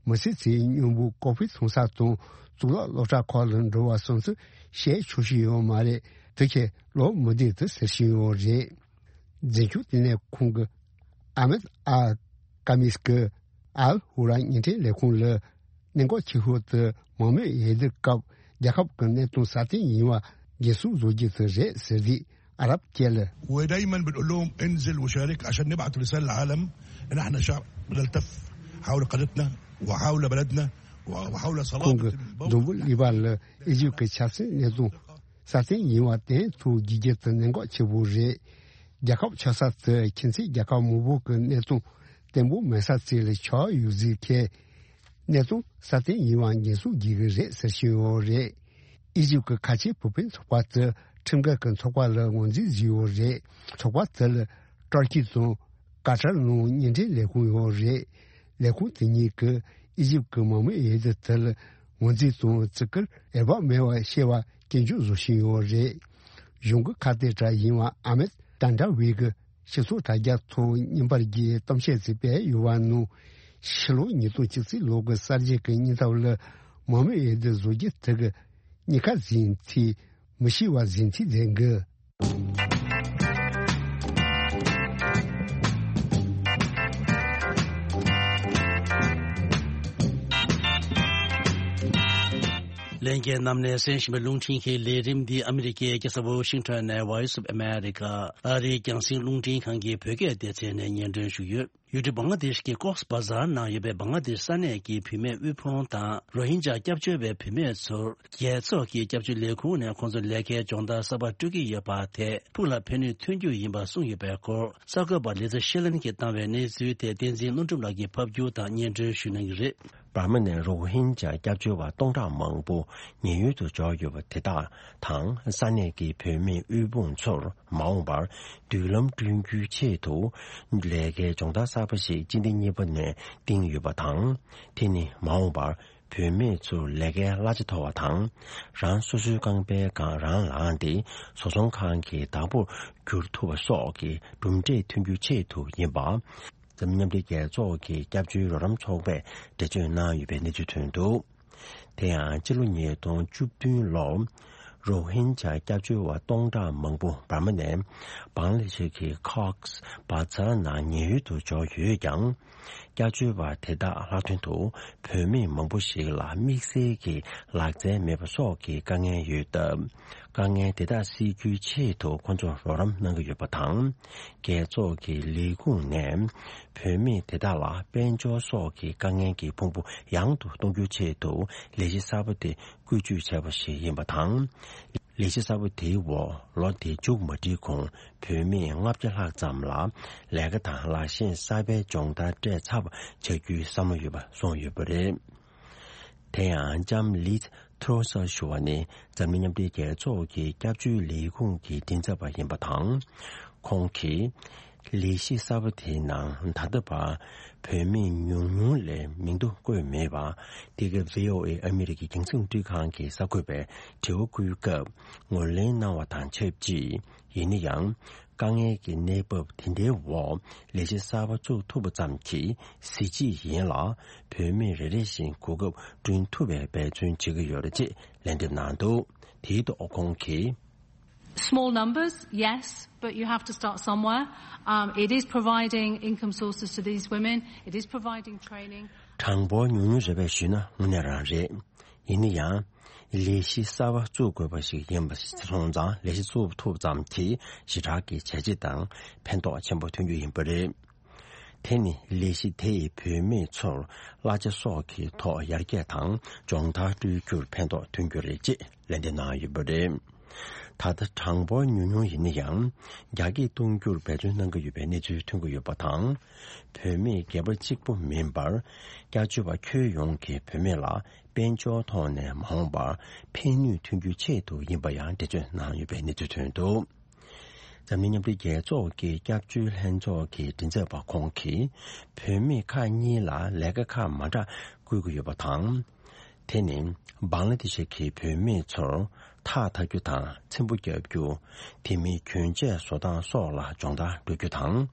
མི་ཚེ་ཚེའི་སྙིང་པོ་ཀོ་ཕི་ཚོང་ས་དང་གཙུག་ལག་སློབ་གྲྭ་ཁག་ལ་འགྲོ་བ་སོང་ཚུལ་བཤད་ཆོག་ཞུས་ཡོད་མ་རེད། དེ་ཁས་ལོ་མི་བདེ་དུ་ཟེར་བཞིན་ཡོད་རེད། འཛིན་སྐྱོང་ལྟེ་གནས་ཁོང་གི་ཨ་མེད་ཨ་ཀ་མིས་ཀི་ཨལ་ཧུ་ར་བརྙན་འཕྲིན་ལས་ཁུངས་ལ། གནད་འགག་ཆེ་ཤོས་དེ་མང་མོས་འོས་བསྡུ་སྐབས་རྒྱལ་ཁབ་ཀྱི་གནད་དོན་སྲ་བརྟན་ཡིན་པ་འགན་སྲུང་བཟོ་རྒྱུ་དེ་རེད་ཟེར་དུས། ཨ་རབ་སྐད་ལ། ودايما بنقول لهم: انزل وشارك عشان نبعث رسالة للعالم ان احنا شعب ملتف حول قضيتنا وحول بلدنا وحول ཁོང་གིས་འཛམ་བུ་གླིང་པ་ལ་ཨི་ཇིབ་ཀྱི་ཆབ་སྲིད་གནད་དོན་སྲ་བརྟན་ཡིན་པ་བསྟན་ཐུབ་རྒྱུ་དེ་གནད་འགག་ཆེ་པོ་རེད། རྒྱལ་ཁབ་ཆགས་ས་དེ་ཁྱིམ་མཚེས་རྒྱལ་ཁབ་མང་པོ་གི་གནད་དོན་བརྟན་པོ་མེད་ས་ཅིག་ལ་ཆགས་ཡོད་ཟེར་ཁས། གནད་དོན་སྲ་བརྟན་ཡིན་པ་འགན་སྲུང་བགྱིད་ཀྱི་རེད་ཟེར་བཞིན་ཡོད་རེད། ཨི་ཇིབ་ཀྱི་ཁ་ཆེའི་བུ་སྤུན་ཚོགས་པ་དེ་ཁྲིམས་འགལ་གྱི་ཚོགས་པ་ལ་ངོས་འཛིན་བཟོས་ཡོད་རེད། ཚོགས་པ་དེ་ལ་ཏུར་ཀི་དང་ཀ་ཏར་ནང་བརྙན་འཕྲིན་ལས་ཁུངས་ཡོད་རེད། ལས་ཁུངས་དེ་གཉིས་ཀྱིས་ཨི་ཇིབ་ཀྱི་མང་མོས་འོས་བསྡུ་དེ་ལ་ངོས་འཛིན་དང་བརྩི་བཀུར་འོས་བབ་མེད་པ་ཤེས་པ་སྐྱོན་བརྗོད་བཟོ་བཞིན་ཡོད་རེད། གཞུང་གི་ཁ་གཏད་གྲས་ཡིན་པ་ཨ་མེད་ཏན་ཏྲ་ཝི་གི་སྤྱི་ཚོགས་དྲ་རྒྱ་ཐོག་བརྙན་པར་གྱི་གཏམ་བཤད་ཅིག་སྤེལ་ཡོད་པ་ནང་། ཕྱི་ལོ་ཉིས་སྟོང་བཅུ་གཅིག་ལོ་གི་གསར་བརྗེ་གི་སྙིང་སྟོབས་ལ་མང་མོས་འོས་བསྡུ་བཟོ་རྒྱུ་དེ་གི་གཉིས་ཀ་ཟིན་ཚིག་མི་ཤེས་པ་ཟིན་ཚིག་ལྡན་གི། ལྷན་རྒྱས་རྣམས་ནས་གསན་བཞིན་པའི་རླུང་འཕྲིན་གྱི་ལས་རིམ་འདི་ཨ་མི་རི་ཀའི་རྒྱལ་ས་ཝོ་ཤིང་ཊོན་ནས་Voice of America ཨ་རིའི་རྒྱང་སྲིང་རླུང་འཕྲིན་ཁང་གི་བོད་སྐད་སྡེ་ཚན་ནས་སྙན་སྒྲོན་ཞུ་ཡོད། ཡུལ་གྲུ་བང་ལ་དེཤ་གི་ཀོགས་བ་ཛར་ནང་ཡོད་པའི་བང་ལ་དེཤ་ས་གནས་ཀྱི་བུད་མེད་དབུལ་ཕོངས་དང་རོ་ཧིན་ཇཱ་སྐྱབས་བཅོལ་བའི་བུད་མེད་ཚོར་རྒྱལ་ཚོགས་ཀྱི་སྐྱབས་བཅོལ་ལས་ཁུངས་ནས་ཁོང་ཚོར་ལས་ཀའི་སྦྱོང་བརྡར་གསར་པ་སྤྲོད་ཀྱི་ཡོད་པ་དེ་ཕུགས་ལ་ཕན་ནུས་ཐོན་རྒྱུ་ཡིན་པ་གསུངས་ཡོད་པའི་སྐོར། གསར་འགོད་པ་ལི་ཛི་ཤེ་ལན་གྱིས་བཏང་བའི་གནས་ཚུལ་དེ་བསྟན་འཛིན་ཀླུ་སྒྲུབ་ལགས་ཀྱིས་ཕབ་སྒྱུར་དང་སྙན་སྒྲོན་ཞུ་གནང་གི་རེད། འབར་མ་ནས་རོ་ཧིན་ཇཱ་སྐྱབས་བཅོལ་བ་སྟོང་ཕྲག་མང་པོ་ཉེན་གཡོལ་དུ་འབྱོར་ཡོད་པ་དེ་དག་དང་ས་གནས་ཀྱི་བོད་མི་དབུལ་ཕོངས་ཚོར་མ་འོངས་པར་མདུན་ལམ་བསྐྲུན་རྒྱུའི་ཆེད་དུ་ལས་ཀའི་སྦྱོང་བརྡར་གསར་པ་ཞིག་སྤྱི་ཟླ་གཉིས་པ་ནས་བཏིང་ཡོད་པ་དང་། དེ་ནི་མ་འོངས་པར་བུད་མེད་ཚོར་ལས་ཀའི་གླ་ཆ་མཐོ་བ་དང་། རང་སོ་སོའི་རྐང་པའི་སྒང་རང་ལངས་ཏེ་བཟོ་ཚོང་ཁང་གི་བདག་པོར་འགྱུར་ཐུབ་པ་སོགས་ཀྱི་གྲུབ་འབྲས་ཐོན་རྒྱུའི་ཆེད་དུ་ཡིན་པ། འཛམ་གླིང་མཉམ་འབྲེལ་རྒྱལ་ཚོགས་ཀྱི་སྐྱབས་བཅོལ་རོགས་རམ་ཚོགས་པས་འགྲེལ་བརྗོད་གནང་ཡོད་པའི་གནས་ཚུལ་ཐོན་འདུག་དེ་ཡང་སྤྱི་ལོ་ཉིས་སྟོང་བཅུ་བདུན་ལོར་རོ་ཧིན་ཇཱ་སྐྱབས་བཅོལ་བ་སྟོང་ཕྲག་མང་པོ་འབར་མ་ནས་བང་ལ་དེ་ཤ་གི་ཀོགས་བ་ཛར་ནང་ཉེན་གཡོལ་དུ་འབྱོར་ཡོད་ཀྱང་། སྐྱབས་བཅོལ་བ་དེ་དག་ལྷག་དོན་དུ་བུད་མེད་མང་པོ་ཞིག་ལ་དམིགས་བསལ་གྱི་ལག་རྩལ་མེད་པ་སོགས་ཀྱི་དཀའ་ངལ་ཡོད་སྟབས། དཀའ་ངལ་དེ་དག་སེལ་རྒྱུའི་ཆེད་དུ་ཁོ་ཚོར་རོགས་རམ་གནང་གི་ཡོད་པ་དང་། རྒྱལ་ཚོགས་ཀྱི་ལས་ཁུངས་ནས་བུད་མེད་དེ་དག་ལ་དཔལ་འབྱོར་སོགས་ཀྱི་དཀའ་ངལ་གྱི་ཕུང་པོ་ཡང་དུ་གཏོང་རྒྱུའི་ཆེད་དུ་ལས་གཞི་གསར་པ་དེ་བཀོལ་སྤྱོད་བྱས་པ་ཞིག་ཡིན་པ་དང་། ལས་གཞི་གསར་པ་དེའི་འོག་ལོ་དེ་མཇུག་མ་སྒྲིལ་གོང་བུད་མེད་ལྔ་བརྒྱ་ལྷག་ཙམ་ལ་ལས་ཀ་དང་ལག་ཤེས་གསར་པའི་སྦྱོང་བརྡར་སྤྲད་ཚར་བ་བྱ་རྒྱུའི་བསམ་བློ་ཡོད་པ་གསུངས་ཡོད་པ་རེད། དེ་ཡང་ལྕམ་ལིས་ཐོ་སར་ཞུ་བ་ནི་འཛམ་གླིང་མཉམ་འབྲེལ་རྒྱལ་ཚོགས་ཀྱི་སྐྱབས་བཅོལ་ལས་ཁུངས་ཀྱི་མགྲིན་ཚབ་པ་ཡིན་པ་དང་། ཁོང་གིས་ལས་གཞི་གསར་པ་དེའི་ནང་ད་ལྟ་བར་བུད་མེད་ཉུང་ཉུང་ལས་མིང་ཐོ་བཀོད་མེད་པ། འདི་ག་བྷི་ཨོ་ཨེ་ཨ་མི་རི་ཀའི་རྒྱང་སྲིང་རླུང་འཕྲིན་ཁང་གི་གསར་འགོད་པས་དྲི་བ་བཀོད་སྐབས་ངོས་ལེན་གནང་བ་དང་ཆབས་ཅིག་ཡིན་ན་ཡང་། དཀའ་ངལ་གྱི་གནས་བབ་དེ་འདྲའི་འོག་ལས་གཞི་གསར་པ་བཙུགས་ཐུབ་པ་ཙམ་གྱིས་གཟི་བརྗིད་ཡིན་ལ། བུད་མེད་རེ་རེ་བཞིན་གོ་སྐབས་བསྐྲུན་ཐུབ་པའི་འབད་བརྩོན་བྱེད་ཀྱི་ཡོད་རེད་ཅེས་ལན་འདེབས་གནང་འདུག་དེའི་ཐོག་ཁོང་གིས། Small numbers, yes, but you have to start somewhere. Um, it is providing income sources to these women. It is providing training. གྲངས་འབོར་ཉུང་ཉུང་རེད་པས་ཞུས་ན་དངོས་གནས་རང་རེད། ཡིན་ན་ཡང་། ལས་གཞི་གསར་པ་བཙུགས་དགོས་པ་ཞིག་ཡིན་པ་སོང་ཙང་ལས་གཞི་བཙུགས་ཐུབ་ཙམ་གྱིས་ཞེ་དྲག་གི་བྱས་རྗེས་དང་ཕན་ཐོགས་ཆེན་པོ་ཐོན་རྒྱུ་ཡིན་པ་རེད། དེ་ནི་ལས་གཞི་དེ་ཡིས་བུད་མེད་ཚོར་གླ་ཆ་སོགས་ཀྱི་ཐོག་ཡར་རྒྱས་དང་སྦྱོང་བརྡར་སྤྲོད་རྒྱུར་ཕན་ཐོགས་ཐོན་རྒྱུ་རེད་ཅེས་ལན་འདེབས་གནང་ཡོད་པ་རེད། ད་ལྟ་གྲངས་འབོར་ཉུང་ཉུང་ཡིན་ན་ཡང་རྒྱ་སྐྱེད་གཏོང་རྒྱུར་འབད་བརྩོན་གནང་གི་ཡོད་པའི་གནས་ཚུལ་ཐོན་གྱི་ཡོད་པ་དང་། བུད་མེད་སྒེར་པ་གཅིག་པུ་མིན་པར་སྐྱབས་བཅོལ་བ་ཁྱོན་ཡོངས་ཀྱི་བུད་མེད་ལ་དཔལ་འབྱོར་ཐོག་ནས་མ་འོངས་པར་ཕན་ནུས་ཐོན་རྒྱུའི་ཆེད་དུ་ཡིན་པ་ཡང་འགྲེལ་བརྗོད་གནང་ཡོད་པའི་གནས་ཚུལ་ཐོན་འདུག་འཛམ་གླིང་མཉམ་འབྲེལ་རྒྱལ་ཚོགས་ཀྱི་སྐྱབས་བཅོལ་ལྷན་ཚོགས་ཀྱི་མགྲིན་ཚབ་པ་ཁོང་གིས་བུད་མེད་ཁག་གཉིས་ལ་ལས་ཀ་ཁག་མ་འདྲ་བསྐུལ་གྱི་ཡོད་པ་དང་། དེ་ནི་བང་ལ་དེ་ཤ་གི་བུད་མེད་ཚོར་ཐགས་འཐག་རྒྱུ་དང་ཚེམ་བུ་བརྒྱབ་རྒྱུ། དེ་མིན་གྱོན་ཆས་བཟོ་སྟངས་སོགས་ལ་སྦྱོང་བརྡར་སྤྲོད་རྒྱུ་དང་།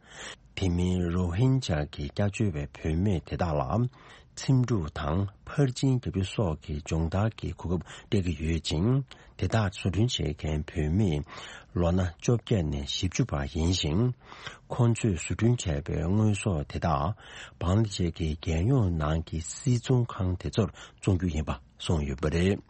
དེ་མིན་རོ་ཧིན་ཇཱ་གི་སྐྱབས་བཅོལ་བའི་བུད་མེད་དེ་དག་ལ་ཚེམ་དྲུབ་དང་ཕར་ཕྱིན་རྒྱག་རྒྱུ་སོགས་ཀྱི་སྦྱོང་བརྡར་གྱི་གོ་སྐབས་སྤྲད་ཀྱི་ཡོད་ཅིང་། དེ་དག་བཟོ་སྐྲུན་བྱེད་མཁན་བུད་མེད་ལོ་ན་བཅོ་བརྒྱད་ནས་བཞི་བཅུ་བར་ཡིན་ཞིང་། ཁོང་ཚོས་བཟོ་སྐྲུན་བྱས་པའི་དངོས་ཟོག་དེ་དག་བང་ལ་དེ་ཤ་གི་རྒྱལ་ཡོངས་ནང་གི་སིལ་ཚོང་ཁང་དེ་ཚོར་བཙོང་རྒྱུ་ཡིན་པ་གསུངས་ཡོད་པ་རེད།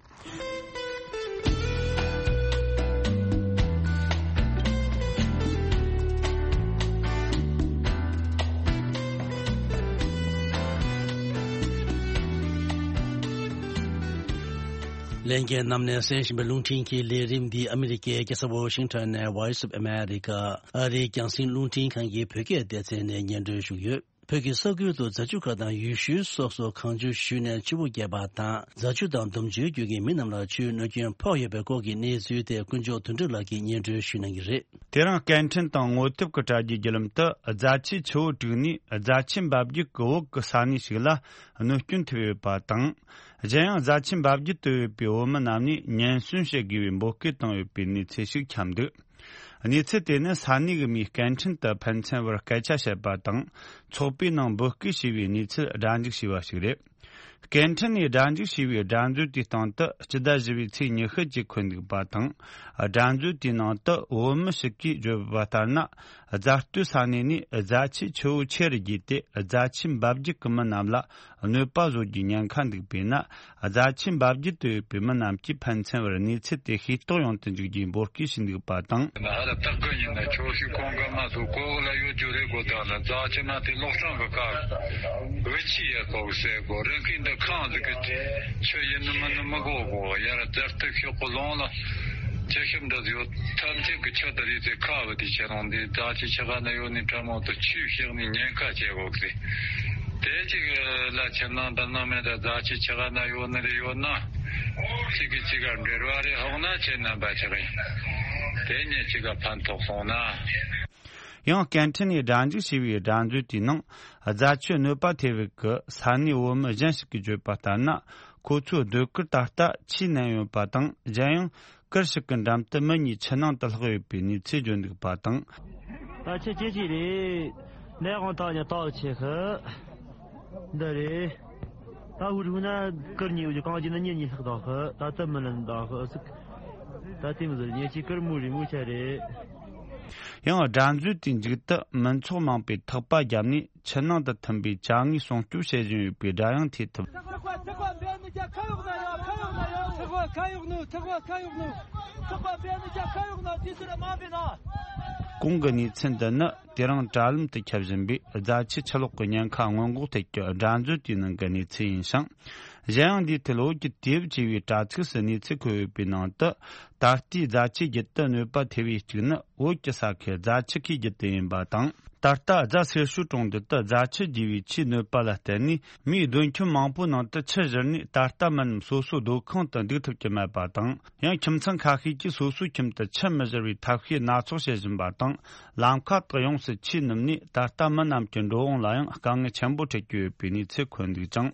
ལྷན་རྒྱས་རྣམས་ནས་གསན་བཞིན་པའི་རླུང་འཕྲིན་གྱི་ལས་རིམ་འདི་ཨ་མི་རི་ཀའི་རྒྱལ་ས་ཝ་ཤིང་ཊོན་ནས་Voice of America ཨ་རིའི་རྒྱང་སྲིང་རླུང་འཕྲིན་ཁང་གི་བོད་སྐད་སྡེ་ཚན་ནས་སྙན་སྒྲོན་ཞུས་ཡོད། བོད་ཀྱི་ས་ཁུལ་དུ་རྫ་ཆུ་ཁག་དང་ཡུལ་ཤུལ་སོགས་སུ་གངས་ཆུ་བཞུས་ནས་ཆུ་བོ་བརྒྱབ་པ་དང་། རྫ་ཆུ་དང་འདོམ་ཆུའི་རྒྱུད་ཀྱི་མི་རྣམས་ལ་ཆུའི་གནོད་སྐྱོན་ཕོག་ཡོད་པའི་སྐོར་གྱི་གནས་ཚུལ་དེ་ཀུན་མཆོག་དོན་གྲུབ་ལགས་ཀྱིས་སྙན་སྒྲོན་ཞུ་གནང་གི་རེད། དེ་རིང་སྐད་འཕྲིན་དང་ངོ་དེབ་ཀྱི་དྲ་རྒྱའི་བརྒྱུད་ལམ་དུ་རྫ་ཆུའི་ཆུ་བོ་དྲུག་ནས་རྫ་ཆུ་འབབ་རྒྱུད་ཀྱི་འོག་གི་ས་གནས་ཤིག་ལ་གནོད་སྐྱོན་ཐེབས་ཡོད་པ་དང་། གཞན་ཡང་རྫ་ཆུ་འབབ་རྒྱུད་དུ་ཡོད་པའི་བོད་མི་རྣམས་ནས་ཉེན་སྲུང་བྱེད་དགོས་པའི་འབོད་སྐུལ་བཏང་ཡོད་པའི་གནས་ཚུལ་ཞིག་ཁྱབ་འདུག་གནས་ཚུལ་དེ་ནི་ས་གནས་ཀྱི་མིས་སྐད་འཕྲིན་དུ་ཕན་ཚུན་བར་སྐད་ཆ་བཤད་པ་དང་། ཚོགས་པའི་ནང་འབོད་སྐུལ་བྱས་པའི་གནས་ཚུལ་སྒྲ་འཇུག་བྱས་པ་ཞིག་རེད། སྐད་འཕྲིན་ནས་སྒྲ་འཇུག་བྱས་པའི་སྒྲ་མཛོད་དེའི་སྟེང་དུ་སྤྱི་ཟླ་བཞི་པའི་ཚེས་ཉི་ཤུ་གཅིག་འཁོད་འདུག་པ་དང་། སྒྲ་མཛོད་དེའི་ནང་དུ་བོད་མི་ཞིག་གིས་བརྗོད་པ་ལྟར་ན། རྫ་སྟོད་ས་གནས་ནས་རྫ་ཆུའི་ཆུ་བོ་ཆེ་རུ་རྒྱས་ཏེ། རྫ་ཆུ་འབབ་རྒྱུད་ཀྱི་མི་རྣམས་ལ་གནོད་པ་བཟོ་རྒྱུའི་ཉེན་ཁ་འདུག་པས་ན། རྫ་ཆུ་འབབ་རྒྱུད་དུ་ཡོད་པའི་མི་རྣམས་ཀྱིས་ཕན་ཚུན་བར་གནས་ཚུལ་དེ་ཤེས་རྟོགས་ཡོང་དུ་འཇུག་རྒྱུའི་འབོད་སྐུལ་ཞུས་འདུག་པ་དང་། ཧ་ལ་སྟག་གི་ཉིན་ན་ཁྱོད་ཤི་ཁོང་གི་མ་སུ་གོ་གི་ལ་ཡོད་རྒྱུ་རེད་གོ། ད་ལ་རྫ་ཆུ་མ་དེ་ལོག་སྲང་གི་ཀ་བུ་ཆི་ཡ་གོ་གི་སེ་གོ་རིན་ཁིན་འདི་ཁང་ཟིག་གི་ཆུ་ཡིན་ནི་མིན་ནི་མི་གོ་གོ། ཡར་རྫ་སྟོད་ཤོག་གི་ལོང་ལ་ཆུ་ཤུབས་འདི་ཡོད། ཐམས་ཅད་ཀྱི་ཆུ་དེ་རེད་ཟེར། ཁ་བུ་དེ་ཁྱེད་རང་འདི་རྫ་ཆུ་ཆུ་ཁ་ན་ཡོད་ནི་དྲ་མོ་དུ་ཆུས་བཤིག་ནི་ཉེན་ཁ་ཆེ་གོ་གི་རེད། དེ་གཅིག་ལ་ཁྱིམ་ནང་དུ་ནང་མེད་ད་རྫ་ཆུ་ཆུ་ཁ་ན་ཡོད་ནི་རེད། ཡོད་ན་གཅིག་གིས་གཅིག་ག་འབྲེལ་བ་རེད། ཧོག་ན་ཁྱེད་རྣམ་པ་ཆགས་ཡིན། དེ་ཉིད་གཅིག་ག་ཕན་ཐོགས་སོང་ན། ཡང་སྐད་འཕྲིན་ནས་སྒྲ་འཇུག་བྱས་པའི་སྒྲ་མཛོད་དེའི་ནང་རྫ་ཆུ་གནོད་པ་ཐེབས་པའི་གི་ས་གནས་བོད་མི་གཞན་ཞིག་གིས་བརྗོད་པ་ལྟར་ན། ཁོ་ཚོའི་སྡོད་གུར་ད་ལྟ་ཆུས་མནན་ཡོད་པ་དང་། གཞན་ཡང་གུར་ཞིག་གི་འགྲམ་དུ་མི་གཉིས་ཆུ་ནང་དུ་ལྷག་ཡོད་པའི་གནས་ཚུལ་བརྗོད་འདུག་པ་དང་། ད་ཆུ་ཇེ་ཆེ་རེད། ནས་དབང་ཐག་ཉེ་ཐག་ཆེ་ཤི། འདི་རེད། ད་འུ་རུ་ན་གུར་གཉིས་འུ་ཅི་གང་ཅི་ན་གཉིས་གཉིས་ལྷག་ད་ཤི། ད་ལྟ་མི་ལན་ད་ཤི་ཟིག་ད་དེ་མི་ཟེར་ཉེ་ཆེ་གུར་མུ་རི་མུ་ཆ་རེད། ཡང་སྒྲ་མཛོད་དེའི་མཇུག་ཏུ་མི་ཚོགས་མང་པོས་ཐག་པ་བརྒྱབ་ནས་ཆུ་ནང་དུ་ཐིམ་པའི་ཅ་དངོས་སྲུང་སྐྱོབ་བྱེད་བཞིན་ཡོད་པའི་སྒྲ་ཡང་ཐོས་ཐུབ། ཐག་པ་ཐག་པ་འབེན་ནི་ཀྱ་ཁ་ཡོག་ན་ཡོད། ཁ་ཡོག་ན་ཡོད། ཐག་པ་ཁ་ཡོག་ནུ། ཐག་པ་ཁ་ཡོག་ནུ། ཐག་པ་འབེན་ནི་ཀྱ་ཁ་ཡོག་ན་དུས་སུ་ར་མ་འབེན་ན། གོང་གི་གནས་ཚུལ་འདི་ནི་དེ་རིང་དྲ་ལམ་དུ་ཁྱབ་བཞིན་པའི་རྫ་ཆུ་ཆུ་ལོག་གི་ཉེན་ཁ་སྔོན་འགོག་ཐད་ཀྱི་སྒྲ་མཛོད་དེའི་ནང་གི་གནས་ཚུལ་ཡིན་ཞིང་། གཞན་ཡང་འདིའི་ཐད་བོད་ཀྱི་དུས་བབ་ཅེས་པའི་དྲ་ཚིགས་སུ་གནས་ཚུལ་འཁོད་ཡོད་པའི་ནང་དུ། ད་ལྟའི་རྫ་ཆུའི་རྒྱུད་དུ་གནོད་པ་ཐེབས་པའི་གཅིག་ནི་བོད་ཀྱི་ས་ཁུལ་རྫ་ཆུ་ཁའི་རྒྱུད་དུ་ཡིན་པ་དང་། ད་ལྟ་རྫ་སེར་ཤོད་གྲོང་རྡལ་དུ་རྫ་ཆུ་རྒྱས་པའི་ཆུའི་གནོད་པ་ལ་བརྟེན་ནས་མིའི་སྡོད་ཁྱིམ་མང་པོའི་ནང་དུ་ཆུ་བཞུར་ནས། ད་ལྟ་མི་རྣམས་སོ་སོའི་སྡོད་ཁང་དུ་འདུག་ཐུབ་ཀྱི་མེད་པ་དང་། ཡང་ཁྱིམ་ཚང་ཁ་ཤས་ཀྱིས་སོ་སོའི་ཁྱིམ་དུ་ཆུ་མི་བཞུར་བའི་ཐབས་ཤེས་སྣ་ཚོགས་བྱེད་བཞིན་པ་དང་། ལམ་ཁ་དག་ཡོངས་སུ་ཆུས་བསྣུབས་ནས། ད་ལྟ་མི་རྣམས་ཀྱི་འགྲོ་འོང་ལ་ཡང་དཀའ་ངལ་ཆེན་པོ་འཕྲད་ཀྱི་ཡོད་པའི་གནས་ཚུལ་འཁོད་འདུག་ཅིང་།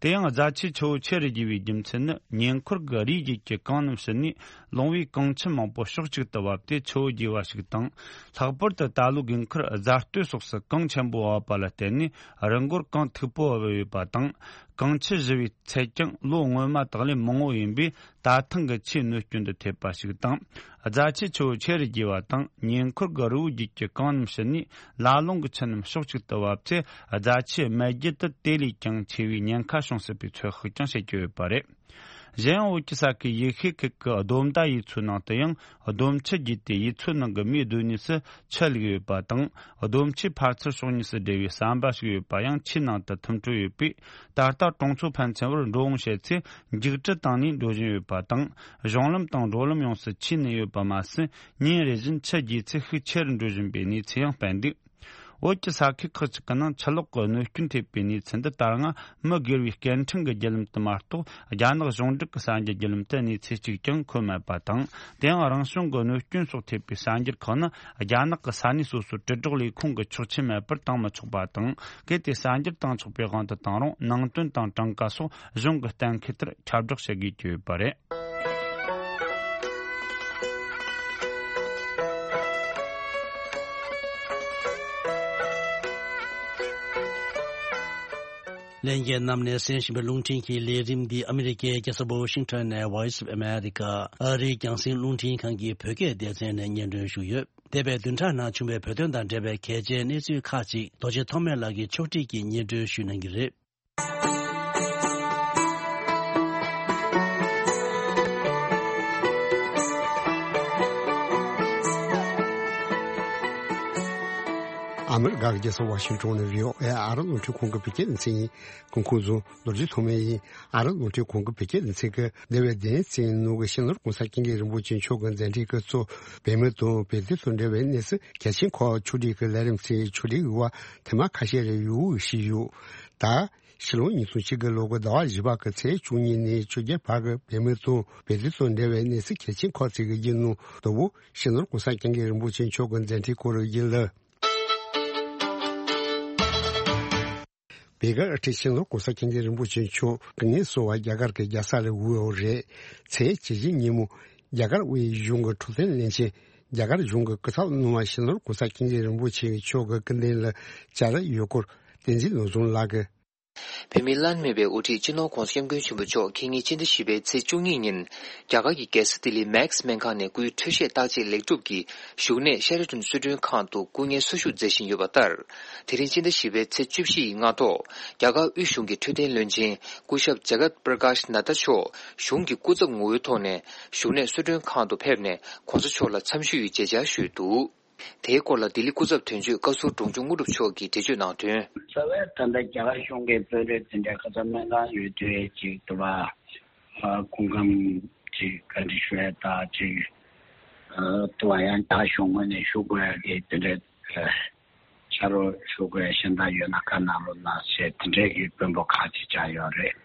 དེ་ཡང་རྫ་ཆུའི་ཆུ་བོ་ཆེ་རུ་རྒྱས་པའི་རྒྱུ་མཚན་ནི། ཉེ་འཁོར་གྱི་རིའི་རྒྱུད་ཀྱི་གངས་རྣམས་ཞུ་ནས། ལུང་པའི་གངས་ཆུ་མང་པོ་ཕྱོགས་གཅིག་ཏུ་བབས་ཏེ་ཆུ་བོ་རྒྱས་པ་ཞིག་དང་། ལྷག་པར་དུ་ད་ལོའི་དགུན་ཁར་རྫ་སྟོད་སོགས་སུ་གངས་ཆེན་པོ་བབས་པ་ལ་བརྟེན་ནས། རི་མགོར་གངས་མཐུག་པོ་བབས་ཡོད་པ་དང་། གངས་ཆུ་བཞུར་བའི་ཚད་ཀྱང་ལོ་སྔོན་མ་དག་ལས་མང་བོ་ཡིན་པས། ད་ཐེངས་ཀྱི་ཆུའི་གནོད་སྐྱོན་དུ་ཐེབས་པ་ཞིག་དང་། རྫ་ཆུའི་ཆུ་བོ་ཆེ་རུ་རྒྱས་པ་དང་། ཉེ་འཁོར་གྱི་རི་བོའི་རྒྱུད་ཀྱི་གངས་རྣམས་ཞུ་ནས། ལ་ལུང་གི་ཆུ་རྣམས་ཕྱོགས་གཅིག་ཏུ་བབས་ཚེ། རྫ་ཆུའི་རྨ་རྒྱུད་དུ་དེ་ལས་ཀྱང་ཆེ་བའི་ཉེན་ཁ་བྱུང་སྲིད་པའི་ཚོད་དཔག་ཀྱང་བྱེད་ཀྱི་ཡོད་པ་རེད། གཞན་ཡང་། བོད་ཀྱི་ས་ཁུལ་ཡུལ་ཤུལ་ཁུལ་གྱི་སྡོམ་མདའ་ཡུལ་ཚོའི་ནང་དུ་ཡང་། སྡོམ་ཆུ་རྒྱས་ཏེ། ཡུལ་ཚོའི་ནང་གི་མིའི་སྡོད་གནས་སུ་ཆུ་བླུགས་ཡོད་པ་དང་། སྡོམ་ཆུའི་ཕར་ཚུར་ཕྱོགས་གཉིས་སུ་སྦྲེལ་བའི་ཟམ་པ་ཞིག་ཡོད་པ་ཡང་ཆུའི་ནང་དུ་ཐིམ་འཕྲོ་ཡོད་པས། ད་ལྟ་གྲོང་ཚོ་ཕན་ཚུན་བར་འགྲོ་འོང་བྱེད་ཚེ། འཇིགས་སྐྲག་བཏང་ནས་འགྲོ་བཞིན་ཡོད་པ་དང་། གཞུང་ལམ་དང་འགྲོ་ལམ་ཡོངས་སུ་ཆུས་བསྣུབས་ཡོད་པ་མ་ཟད། ཉིན་རེ་བཞིན་ཆུ་རྒྱས་ཚད་ཤུགས་ཆེ་རུ་འགྲོ་བཞིན་པའི་གནས་ཚུལ་ཡང་སྤེལ་འདུག་བོད་ཀྱི་ས་ཁུལ་ཁག་ཅིག་གི་ནང་ཆུ་ལོག་གི་གནོད་སྐྱོན་ཐེབས་པའི་གནས་ཚུལ་འདི་ལྟར་སྔ་མི་སྒེར་བའི་སྐད་འཕྲིན་གྱི་བརྒྱུད་ལམ་དུ་མ་གཏོགས། རྒྱ་ནག་གཞུང་འབྲེལ་གྱི་གསར་འགྱུར་བརྒྱུད་ལམ་དུ་གནས་ཚུལ་གཅིག་ཀྱང་འཁོད་མེད་པ་དང་། དེ་ཡང་རང་བྱུང་གི་གནོད་སྐྱོན་སོགས་ཐེབས་པའི་གསར་འགྱུར་ཁག་ནི་རྒྱ་ནག་གི་ས་གནས་སོ་སོའི་དྲིལ་སྒྲོག་ལས་ཁུངས་ཀྱིས་ཆོག་མཆན་མེད་པར་བཏང་མི་ཆོག་པ་དང་། གལ་ཏེ་གསར་འགྱུར་བཏང་ཆོག་པའི་དབང་དུ་བཏང་རུང་ནང་དོན་དང་གྲངས་ཀ་སོགས་གཞུང་གི་གཏན་འཁེལ་ལྟར་ཁྱབ་བསྒྲགས་བྱེད་དགོས་ཀྱི་ཡོད་པ་རེད། ལྷན་རྒྱས་རྣམས་ནས་གསན་བཞིན་པའི་རླུང་འཕྲིན་གྱི་ལས་རིམ་འདི་ཨ་མི་རི་ཀའི་རྒྱལ་ས་ཝ་ཤིང་ཊོན་ནས་Voice of America ཨ་རིའི་རྒྱང་སྲིང་རླུང་འཕྲིན་ཁང་གི་བོད་སྐད་སྡེ་ཚན་ནས་སྙན་སྒྲོན་ཞུས་ཡོད། འདས་པའི་བདུན་ཕྲག་ནང་བྱུང་བའི་བོད་དོན་དང་འབྲེལ་བའི་གལ་ཆེའི་གནས་ཚུལ་ཁག་ཅིག་རྡོ་རྗེ་ཐོགས་མེད་ལགས་ཀྱིས་ཕྱོགས་སྒྲིག་གིས་སྙན་སྒྲོན་ཞུ་གནང་གི་རེད། ཨ་མི་རི་ཀ་གི་རྒྱལ་ས་ཝ་ཤིང་ཊོན་ནས་བྷི་ཨོ་ཨེ་ཨ་རི་རླུང་འཕྲིན་ཁང་གི་བོད་སྐད་སྡེ་ཚན་ཡིན། སྐུ་ཁམས་བཟང་། རྡོ་རྗེ་ཐོགས་མེད་ཡིན། ཨ་རི་རླུང་འཕྲིན་ཁང་གི་བོད་སྐད་སྡེ་ཚན་གྱིས་འདས་པའི་བདུན་ཕྲག་ནང་གི་ཕྱི་ནང་གོང་ས་སྐྱབས་མགོན་རིན་པོ་ཆེ་མཆོག་གི་མཛད་འཕྲིན་སྐབས་སུ་བོད་མི་དང་བོད་དོན་དང་འབྲེལ་བའི་གནས་ཚུལ་གལ་ཆེན་ཁག་ཕྱོགས་སྒྲིག་གི་ལས་རིམ་ཚོའི་ཕྱོགས་སྒྲིག་ཡོད་པ་ཐེངས་མ་ཁ་ཤས་རེ་ཡོད་ཞུས་ཡོད། ད་ཕྱི་ལོ་ཉིས་སྟོང་བཅུ་དགུ་ལོ་གི་ཟླ་བ་བཞི་པ་གི་ཚེས་བཅུ་གཉིས་ནས་བཅོ་བརྒྱད་བར་གྱི་བོད་མི་དང་བོད་དོན་དང་འབྲེལ་བའི་གནས་ཚུལ་གལ་ཆེན་ཁག་ཅིག་གི་རྒྱུན་ནང་དུ་བོད་ཕྱི་ནང་གོང་ས་སྐྱབས་མགོན་རིན་པོ་ཆེ་མཆོག་གི་མཛད་འཕྲིན་སྐོར་ཡིན་ལ། བོད་ཀྱི་དབུ་ཁྲིད་སྤྱི་ནོར་༸གོང་ས་༸སྐྱབས་མགོན་རིན་པོ་ཆེ་མཆོག་སྐུ་ངལ་གསོ་བར་རྒྱ་གར་གྱི་རྒྱལ་ས་ལ་བབས་ཡོད་རེད། ཚེས་བཅུ་བཞི་ཉིན་མོ་རྒྱ་གར་དབུས་གཞུང་གི་འཕྲོད་བསྟེན་བློན་ཆེན་རྒྱ་གར་གཞུང་གི་སྐུ་ཚབ་གནང་བར་སྤྱི་ནོར་༸གོང་ས་༸སྐྱབས་མགོན་རིན་པོ་ཆེ་མཆོག་གི་སྐུ་མདུན་ལ་བཅར་ཡོད་སྐོར་བསྟན་འཛིན་བློ་བཟང་ལགས་ཀྱིས། བོད་མིའི་བླ་ན་མེད་པའི་དབུ་ཁྲིད་སྤྱི་ནོར་༸གོང་ས་༸སྐྱབས་མགོན་ཆེན་པོ་མཆོག་ཁ་ཉིན་ཕྱི་ཟླ་བཞི་པའི་ཚེས་བཅུ་གཉིས་ཉིན་རྒྱ་གར་གྱི་རྒྱལ་ས་ལྡི་ལི་མེག་སྨན་ཁང་ནས་སྐུའི་འཕྲོད་བཞེས་བརྟག་དཔྱད་ལེགས་གྲུབ་ཀྱིས་བཞུགས་གནས་ཤ་རི་ཊོན་གསོལ་མགྲོན་ཁང་དུ་སྐུ་ངལ་གསོ་བཞུགས་མཛད་བཞིན་ཡོད་པ་ལྟར། དེ་རིང་ཕྱི་ཟླ་བཞི་པའི་ཚེས་བཅུ་བཞི་ཡི་སྔ་ཐོག་རྒྱ་གར་དབུས་གཞུང་གི་འཕྲོད་བསྟེན་བློན་ཆེན་སྐུ་ཞབས་ཇ་གཏ་པྲ་ཀཱཤ་ནད་ད་མཆོག་གཞུང་གི་སྐུ་ཚབ་ངོ་བོའི་ཐོག་ནས་བཞུགས་གནས་གསོལ་མགྲོན་ཁང་དུ་ཕེབས་ནས་༸གོང་ས་མཆོག་ལ་འཚམས་ཞུའི་མཇལ་བཅར་ཞུས་འདུག་དེའི་སྐོར་ལ་ལྡི་ལི་སྐུ་ཚབ་དོན་གཅོད་བཀའ་ཟུར་འབྲོང་ཆུང་དངོས་གྲུབ་མཆོག་གིས་འགྲེལ་བརྗོད་གནང་དོན། རྩ་བའི་ད་ལྟ་རྒྱ་གར་གཞུང་གི་དཔོན་རིགས་དེ་འདྲའི་ཁ་སང་སྨན་ཁང་ཡོད་དུས་ཅིག་ཏུ་བ། སྐུ་ཁམས་ཅིག་བཀའ་འདྲི་ཞུ་ཡ་ད་ཅིག་ཏུ་བ་ཡང་རྒྱ་གཞུང་ངོས་ནས་ཞུ་དགོས་ཡ་གི་དེ་འདྲའི་ཕྱག་རོགས་ཞུ་དགོས་ཡ་གཞན་དག་ཡོད་ན་བཀའ་གནང་རོགས་གནང་ཞེས་དེ་འདྲའི་གི་དཔོན་པོ་ཁག་ཅིག་བཅར་ཡོད་རེད།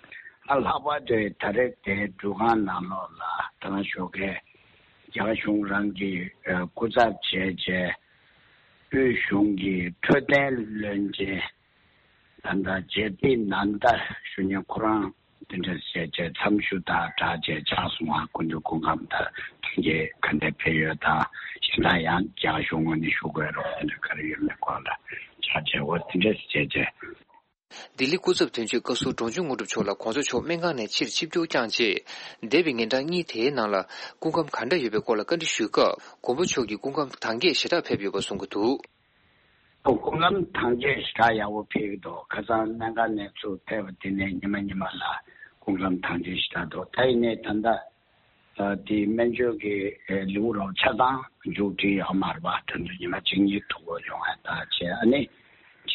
ཨ་ལྷག་པར་དུ་ད་རེས་དེ་འགྲུལ་ཁང་ནང་ལོགས་ལ་ད་ག་ཞོགས་ཀས། རྒྱ་གར་གཞུང་རང་གི་སྐུ་ཚབ་བྱས་རྗེས་དབུས་གཞུང་གི་འཕྲོད་བསྟེན་བློན་ཆེན་ད་ལྟ་ཇེ་པི་ནན་ད་ཞུ་མཁན་ཁོ་རང་དེ་འདྲ་བྱས་རྗེས་འཚམས་ཞུ་དང་སྦྲགས་རྗེས་ཕྱག་སོང་བ་སྐུ་མདུན་སྐུ་ཁམས་དང་ཐུགས་རྗེ་ག་འདྲ་ཕེབས་ཡོད་དང་གཞན་དག་ཡང་རྒྱ་གར་གཞུང་ངོས་ནས་ཞུ་དགོས་རོགས་དེ་འདྲ་ག་རེ་ཡོད་མེད་སྐོར་ལ་སྦྲགས་རྗེས་འོ་དེ་འདྲ་བྱས་རྗེས། ལྡི་ལི་སྐུ་ཚབ་དོན་གཅོད་བཀའ་ཟུར་འབྲོང་ཆུང་དངོས་གྲུབ་མཆོག་ལ་༸གོང་ས་མཆོག་སྨན་ཁང་ནས་ཕྱིར་ཆིབས་བསྒྱུར་བསྐྱངས་རྗེས། འདས་པའི་ཉིན་གྲངས་གཉིས་དེའི་ནང་ལ་སྐུ་ཁམས་ག་འདྲ་ཡོད་པའི་སྐོར་ལ་བཀའ་འདྲི་ཞུས་སྐབས། མགོན་པོ་མཆོག་གི་སྐུ་ཁམས་དྭངས་སྐྱེད་ཞེ་དྲག་ཕེབས་ཡོད་པ་གསུང་གི་འདུག་སྐུ་ཁམས་དྭངས་སྐྱེད་ཞེ་དྲག་ཡག་པོ་ཕེབས་ཀྱི་འདུག་ཁ་སང་སྨན་ཁང་ནས་ཚུར་ཕེབས་པ་དེ་ནས་ཉི་མ་ཉི་མ་ལ་སྐུ་ཁམས་དྭངས་སྐྱེད་ཞེ་དྲག་འདུག་ད་ཡིན་ནའི་ད་ལྟ། དེའི་སྨན་བཅོས་ཀྱི་ལེའུ་རོགས་ཆ་ཚང་མཇུག་སྒྲིལ་ཡོད་མ་རེད་པ། དོན་དུ་ཉི་མ་གཅིག་གཉིས་ཐུག་དགོས་ཡོང་ཡ་ད་བྱས་ཨ་ནི་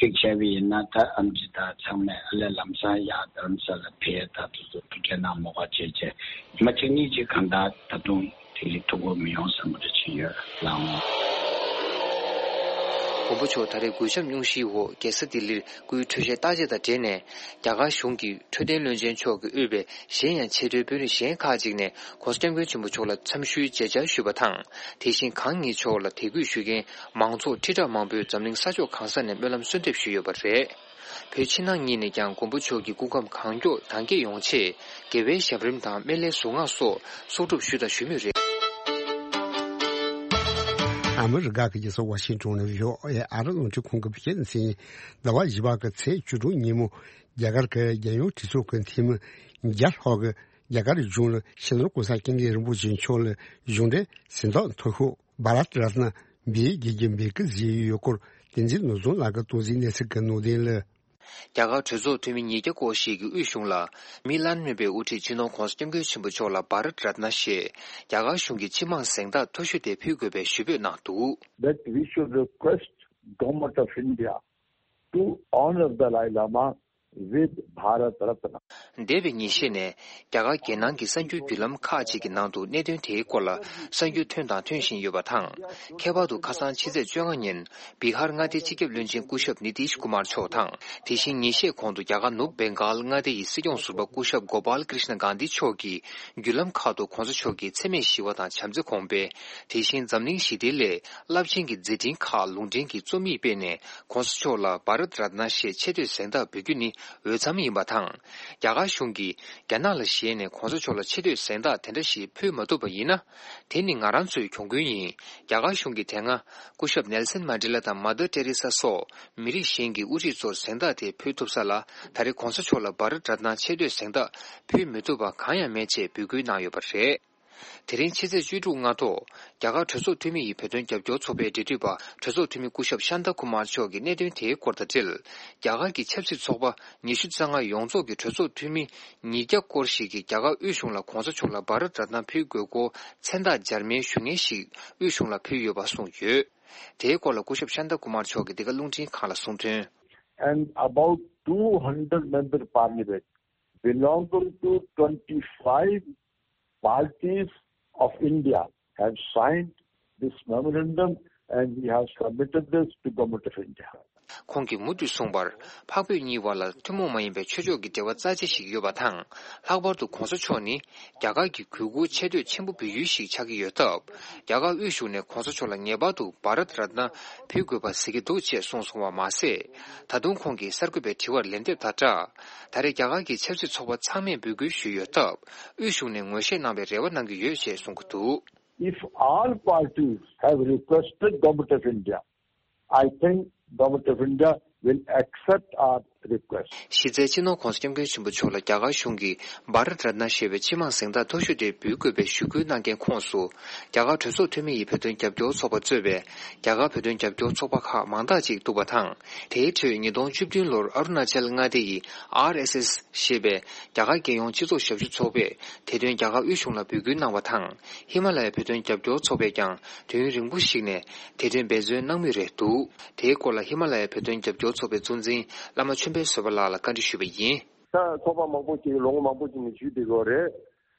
གཅིག་བྱས་པ་ཡིན་ན་ད་ཨམ་ཆི་ད་ཚང་མས་ཨ་ལས་ལམ་སང་ཡར་རྡ་རམ་ས་ལ་ཕེབས་ད་དུ་ཚོ་ཐུགས་རྗེ་གནང་མོ་ག་བྱས་བྱས་ཉི་མ་གཅིག་གཉིས་ཅིག་གང་ལྟར་ད་དུང་དེ་ལས་ཐུག་དགོས་མི་ཡོང་བསམ་པ་རེ་བྱས་ཡོད་ལགས་འོང་། མགོན་པོ་མཆོག་ད་རེས་གུས་ཞབས་སྙུང་གཞིའི་འོག་རྒྱལ་ས་ལྡི་ལིར་སྐུའི་འཕྲོད་བཞེས་བརྟག་དཔྱད་དང་འབྲེལ་ནས་རྒྱ་གར་གཞུང་གི་འཕྲོད་བསྟེན་བློན་ཆེན་མཆོག་གིས་དབུས་པའི་གཞན་ཡང་ཆེས་མཐོའི་དཔོན་རིགས་གཞན་ཁག་ཅིག་ནས་༸གོང་ས་༸སྐྱབས་མགོན་ཆེན་པོ་མཆོག་ལ་འཚམས་ཞུའི་མཇལ་བཅར་ཞུས་པ་དང་། དེ་བཞིན་གང་ཉིད་མཆོག་ལ་དད་གུས་ཞུ་མཁན་མང་ཚོགས་ཁྲི་ཕྲག་མང་པོས་འཛམ་གླིང་ས་ཕྱོགས་གང་ས་ནས་སྨོན་ལམ་གསོལ་འདེབས་ཞུས་ཡོད་པ་རེད། བོད་ཕྱི་ནང་གཉིས་ནས་ཀྱང་མགོན་པོ་མཆོག་གི་སྐུ་ཁམས་གང་མགྱོགས་དྭངས་སྐྱེད་ཡོང་ཆེད་དགེ་བའི་ཞབས་རིམ་དང་སྨན་བླའི་གཟུངས་སྔགས་སོགས་གསོག་སྒྲུབ་ཞུས་དང་ཞུ་མུས་རེད། ཨ་མི་རི་ཀ་གི་རྒྱལ་ས་ཝ་ཤིང་ཊོན་ནས་བྷི་ཨོ་ཨེ་ཨ་རི་རླུང་འཕྲིན་ཁང་གི་བོད་སྐད་སྡེ་ཚན། ཟླ་བ་བཞི་པ་གི་ཚེས་བཅུ་དྲུག་ཉིན་མོ་རྒྱ་གར་གྱི་རྒྱལ་ཡོངས་གྲོས་ཚོགས་ཀྱི་འཐུས་མི་བརྒྱ་ལྷག་གིས་རྒྱ་གར་གཞུང་ལ་སྤྱི་ནོར་༸གོང་ས་༸སྐྱབས་མགོན་རིན་པོ་ཆེ་མཆོག་ལ་གཞུང་འབྲེལ་གཟེངས་རྟགས་མཐོ་ཤོས་བྷ་རཏ་རཏ་ན་འབུལ་དགོས་ཀྱི་འབོད་སྐུལ་བཟོས་ཡོད་སྐོར་བསྟན་འཛིན་བློ་བཟང་ལགས་ཀྱིས་སྟོང་འཛིན་གནས་ཚུལ་གྱི་ནང་དོན་ལ། རྒྱ་གར་གྲོས་ཚོགས་འཐུས་མི་ཉིས་བརྒྱ་སྐོར་ཞིག་གིས་དབུས་གཞུང་ལ་མི་བླ་ན་མེད་པའི་དབུ་ཁྲིད་སྤྱི་ནོར་༸གོང་ས་༸སྐྱབས་མགོན་ཆེན་པོ་མཆོག་ལ་བྷ་རཏ་རཏ་ན་ཞེས་རྒྱ་གར་གཞུང་གི་སྤྱི་དམངས་གཟེངས་རྟགས་མཐོ་ཤོས་དེ་ཕུལ་དགོས་པའི་ཞུ་འབོད་གནང་འདུག That we should request Government of India to honor Dalai Lama with Bharat Ratna. འདས་པའི་ཉིན་ཤས་ནས་རྒྱ་གར་རྒྱལ་ནང་གི་གསར་འགྱུར་བརྒྱུད་ལམ་ཁག་ཅིག་གི་ནང་དུ་གནད་དོན་དེའི་སྐོར་ལ་གསར་འགྱུར་ཐོན་དང་ཐོན་བཞིན་ཡོད་པ་དང་། ཁྱད་པར་དུ་ཁ་སང་ཕྱི་ཚེས་བཅོ་ལྔ་ཉིན་བི་ཧར་མངའ་སྡེའི་སྤྱི་ཁྱབ་བློན་ཆེན་སྐུ་ཞབས་ནི་ཏིཤ་ཀུ་མར་མཆོག་དང་། དེ་བཞིན་ཉིན་ཤས་གོང་དུ་རྒྱ་གར་ནུབ་བེང་གཱལ་མངའ་སྡེ་ཡི་སྲིད་སྐྱོང་ཟུར་པ་སྐུ་ཞབས་གོ་པཱལ་ཀྲིཤ་ན་གྷན་དྷི་མཆོག་གིས་བརྒྱུད་ལམ་ཁག་ཏུ་གོང་ས་མཆོག་གི་འཚེ་མེད་ཞི་བ་དང་བྱམས་བརྩེ་གོང་འཕེལ། དེ་བཞིན་འཛམ་གླིང་ཞི་བདེའི་སླད་རླབས་ཆེན་གྱི་མཛད་འཕྲིན་ཁག་ལུང་འདྲེན་གྱི་རྩོམ་ཡིག་སྤེལ་ནས། གོང་ས་མཆོག་ལ་བྷ་རད་རཏ་ན་ཞེས་ཆེ་བསྟོད་གཟེངས་རྟགས་འབུལ་རྒྱུ་ནི་འོས་འཚམ་ཡིན་པ་དང་། རྒྱ་གར་གཞུང་གིས་རྒྱ་ནག་ལ་ཞེད་ནས་གོང་ས་མཆོག་ལ་ཆེ་བསྟོད་གཟེངས་རྟགས་དེ་འདྲ་ཞིག་ཕུལ་མ་ཐུབ་པ་ཡིན་ན། དེ་ནི་ང་རང་ཚོའི་གྱོང་གུན་ཡིན། རྒྱ་གར་གཞུང་གིས་དེ་སྔ་སྐུ་ཞབས་ནེལ་སན་མན་ཌེ་ལ་དང་མ་དར་ཏེ་རེ་ས་སོགས་མི་རིགས་གཞན་གྱི་དབུ་ཁྲིད་ཚོར་གཟེངས་རྟགས་དེ་ཕུལ་ཐུབ་ས་ལ། ད་རེས་གོང་ས་མཆོག་ལ་བྷ་རད་རཏ་ན་ཆེ་བསྟོད་གཟེངས་རྟགས་ཕུལ་མི་ཐུབ་པ་གང་ཡང་མེད་ཅེས་འབོད་སྐུལ་གནང་ཡོད་པ་རེད། དེ་རིང་ཕྱི་ཚེས་བཅུ་དྲུག་སྔ་དྲོ། རྒྱ་གར་གྲོས་ཚོགས་འཐུས་མི་ཡི་བོད་དོན་རྒྱབ་སྐྱོར་ཚོགས་པའི་འབྲེལ་མཐུད་པ་གྲོས་ཚོགས་འཐུས་མི་སྐུ་ཞབས་ཤཱན་ཏཱ་ཀུ་མར་མཆོག་གིས་གནད་དོན་དེའི་སྐོར་དང་འབྲེལ། རྒྱ་གར་གྱི་ཆབ་སྲིད་ཚོགས་པ་ཉི་ཤུ་རྩ་ལྔ་ཡོངས་རྫོགས་ཀྱི་གྲོས་ཚོགས་འཐུས་མི་ཉིས་བརྒྱ་སྐོར་ཞིག་གིས་རྒྱ་གར་དབུས་གཞུང་ལ་གོང་ས་མཆོག་ལ་བྷ་རད་རཏ་ན་ཕུལ་དགོས་སྐོར་མཚན་རྟགས་འཇར་མན་ཞུ་སྙན་ཞིག་དབུས་གཞུང་ལ་ཕུལ་ཡོད་པ་གསུངས་ཡོད། དེའི་སྐོར་ལ་སྐུ་ཞབས་ཤཱན་ཏཱ་ཀུ་མར་མཆོག་གིས་འདི་ག་རླུང་འཕྲིན་ཁང་ལ་གསུངས་དོན། And about two hundred member parliament belonging to twenty-five parties of India have signed this memorandum and we have submitted this to Government of India. ཁོང་གིས་མུ་མཐུད་གསུངས་པར། འཕགས་བོད་གཉིས་བར་ལ་ཐུན་མོང་མ་ཡིན་པའི་ཆོས་ཕྱོགས་ཀྱི་འབྲེལ་བ་རྩ་ཆེ་ཞིག་ཡོད་པ་དང་། ལྷག་པར་དུ་གོང་ས་མཆོག་ནི་རྒྱ་གར་གྱི་གུས་བཀུར་ཆེ་བསྟོད་ཆེན་པོ་འབུལ་ཡུལ་ཞིག་ཆགས་ཀྱི་ཡོད་སྟབས། རྒྱ་གར་དབུས་གཞུང་ནས་གོང་ས་མཆོག་ལ་ངེས་པར་དུ་བྷ་རད་རཏ་ན་ཕུལ་དགོས་པ་གཟིགས་ཀྱི་འདུག་ཅེས་གསུངས་སོང་བ་མ་ཟད། ད་དུང་ཁོང་གིས་གསར་འགོད་པའི་དྲི་བར་ལན་འདེབས་དང་སྦྲགས། ད་རེས་རྒྱ་གར་གྱི་ཆབ་སྲིད་ཚོགས་པ་ཚང་མས་འབོད་སྐུལ་ཞུས་ཡོད་སྟབས། དབུས་གཞུང་ནས་ངོས་བཞེས་གནང་བའི་རེ་བ་གནང་གི་ཡོད་ཅེས་གསུང་གི་འདུག། If all parties have requested Government of India, I think Government of India will accept our request. གཞི་རྩའི་སྤྱི་ནོར་༧གོང་ས་༧སྐྱབས་མགོན་ཆེན་པོ་མཆོག་ལ་རྒྱ་གར་གཞུང་གིས་བྷ་རད་རཏ་ན་ཞེས་པའི་སྤྱི་དམངས་གཟེངས་རྟགས་མཐོ་ཤོས་དེ་འབུལ་དགོས་པའི་ཞུ་སྐུལ་གནང་མཁན་ཁོངས་སུ། རྒྱ་གར་གྲོས་ཚོགས་འཐུས་མི་ཡི་བོད་དོན་རྒྱབ་སྐྱོར་ཚོགས་པ་གཙོས་པའི་རྒྱ་གར་བོད་དོན་རྒྱབ་སྐྱོར་ཚོགས་པ་ཁག་མང་དག་ཅིག་འདུག་པ་དང་། དེའི་ཁྲོད་ཉིས་སྟོང་བཅུ་བདུན་ལོར་ཨ་རུ་ན་ཅལ་མངའ་སྡེ་ཡི་ཨར་ཨེས་ཨེས་ཞེས་པའི་རྒྱ་གར་རྒྱལ་ཡོངས་སྤྱི་ཚོགས་ཞབས་ཞུ་ཚོགས་པས་དེ་དོན་རྒྱ་གར་དབུས་གཞུང་ལ་འབོད་སྐུལ་གནང་བ་དང་། ཧི་མ་ལ་ཡའི་བོད་དོན་རྒྱབ་སྐྱོར་ཚོགས་པས་ཀྱང་དུས་ཡུན་རིང་པོ་ཞིག་ནས་དེ་དོན་འབད་བརྩོན་གནང་མུས་རེད་འདུག། དེའི་སྐོར་ལ་ཧི་མ་ལ་ཡའི་བོད་དོན་རྒྱབ་སྐྱོར་ཚོགས་པའི་གཙོ་འཛིན་བླ་མ་ཆོས་འཕེལ་བཟོད་པ་ལགས་ལ་བཀའ་འདྲི་ཞུས་པ་ཡིན། ད་ཚོགས་པ་མང་པོ་ཅིག་ལོ་ངོ་མང་པོ་ཅིག་ནས་ཞུས་བསྡད་ཡོད་རེད།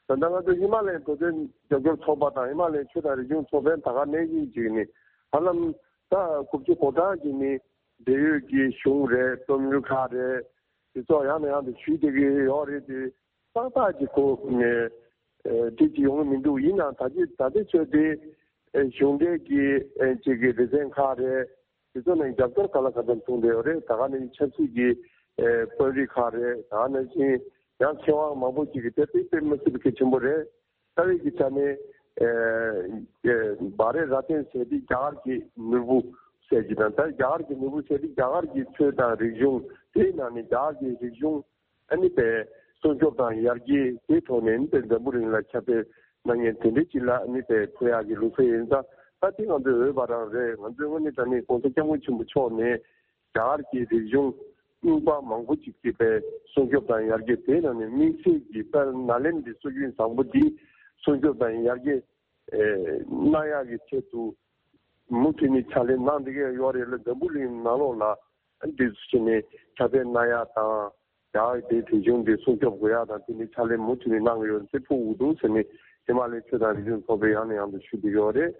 ད་ལྟ་ང་ཚོ་ཧི་མ་ལ་ཡའི་བོད་དོན་རྒྱབ་སྐྱོར་ཚོགས་པ་དང་ཧི་མ་ལ་ཡའི་ཆོས་དང་རིག་གཞུང་ཚོགས་པའི་ད་ག་ནང་བཞིན་ཅིག་ནི་ཧ་ལམ་ད་དགུ་བཅུ་གོ་གྲངས་ཀྱི་ནི་འབྲེལ་ཡོད་ཀྱི་གཞུང་རེད། རྩོམ་ཡིག་ཁག་རེད། དེ་ཚོ་ཡང་ནས་ཡང་དུ་ཞུས་བསྡད་ཀྱི་ཡོད་རེད་དེ། ཏག་ཏག་ཅིག་ཁོ་ནས་ཨེ་དེ་ཅིག་ཡོང་གི་མི་འདུག། ཡིན་ནའང་ད་ཅི་ད་ལྟའི་ཆོས་དེ་ཨེ་གཞུང་འབྲེལ་གྱི་ཨེ་ཅིག་གི་སྡེ་ཚན་ཁག་རེད། དེ་ཚོ་ནས་རྒྱབ་སྐྱོར་ག་ལ་ག་ཚོད་བྱུང་བསྡད་ཡོད་རེད། ད་ག་ནས་ཆབ་སྲིད་ཀྱི་ཨེ་དཔོན་རིགས་ཁག་རེད། ད་ག་ནང་བཞིན་ཡང་མཁས་དབང་མང་པོ་ཅིག་གིས་དེ་དཔེ་དཔེ་མི་སྲིད་པའི་གལ་ཆེན་པོ་རེད། རྩ་བའི་གི་ཆ་ནས་ཨེ་ཨེ་བྷ་རེ་ར་ཏན་ཟེར་དེ་རྒྱ་གར་གྱི་ནོར་བུ་ཟེར་གྱི་དང་། ད་རྒྱ་གར་གྱི་ནོར་བུ་ཟེར་དེ་རྒྱ་གར་གྱི་ཆོས་དང་རིག་གཞུང་། དེའི་ནང་ནས་རྒྱ་གར་གྱི་རིག་གཞུང་ཨ་ནི་པའི་སྲུང་སྐྱོབ་དང་ཡར་རྒྱས་དེའི་ཐོག་ནས་ཨ་ནི་པའི་འཛམ་བུ་གླིང་ལ་ཁྱབ་སྤེལ་གནང་མཁན་དེ་འདྲའི་ཅིག་ལ་ཨ་ནི་པའི་ཕུལ་ཡག་གི་ལུགས་སྲོལ་ཡིན་ཙང་། ད་དེ་ང་ཚོའི་འོས་པ་རང་རེད། ང་ཚོའི་དངོས་གནས་དྲང་གནས་༧གོང་ས་༧སྐྱབས་མགོན་ཆེན་པོ་མཆོག་ནས་རྒྱ་གར་གྱི་རིག་གཞུང་རྙིང་པ་མང་པོ་ཅིག་གི་པའི་སྲུང་སྐྱོབ་དང་ཡར་རྒྱས། དེའི་ནང་ནས་དམིགས་བསལ་གྱི་དཔལ་ནཱ་ལེནྡྲའི་སྲོལ་རྒྱུན་བཟང་པོ་འདི་སྲུང་སྐྱོབ་དང་ཡར་རྒྱས་ཨེ་གནང་ཡག་གི་ཆེད་དུ་མུ་མཐུད་ནས་ཕྱག་ལས་གནང་བསྡད་ཀྱི་ཡོད་རེད་ལ། འཛམ་བུ་གླིང་ནང་ལོགས་ལ་འདི་ཚོ་བྱས་ནས་ཁྱབ་སྤེལ་གནང་ཡག་དང་། རྒྱ་གར་དེའི་རིག་གཞུང་འདི་སྲུང་སྐྱོབ་དགོས་ཡག་དང་། དེ་ནི་ཕྱག་ལས་མུ་མཐུད་ནས་གནང་གི་ཡོད་ཚེ་ཕུགས་འུ་དུ་ཟེར་ནས་ཧི་མ་ལའི་ཆོས་དང་རིག་གཞུང་ཚོགས་པས་ཡང་ནས་ཡང་དུ་ཞུ་བསྡད་ཀྱི་ཡོད་རེད།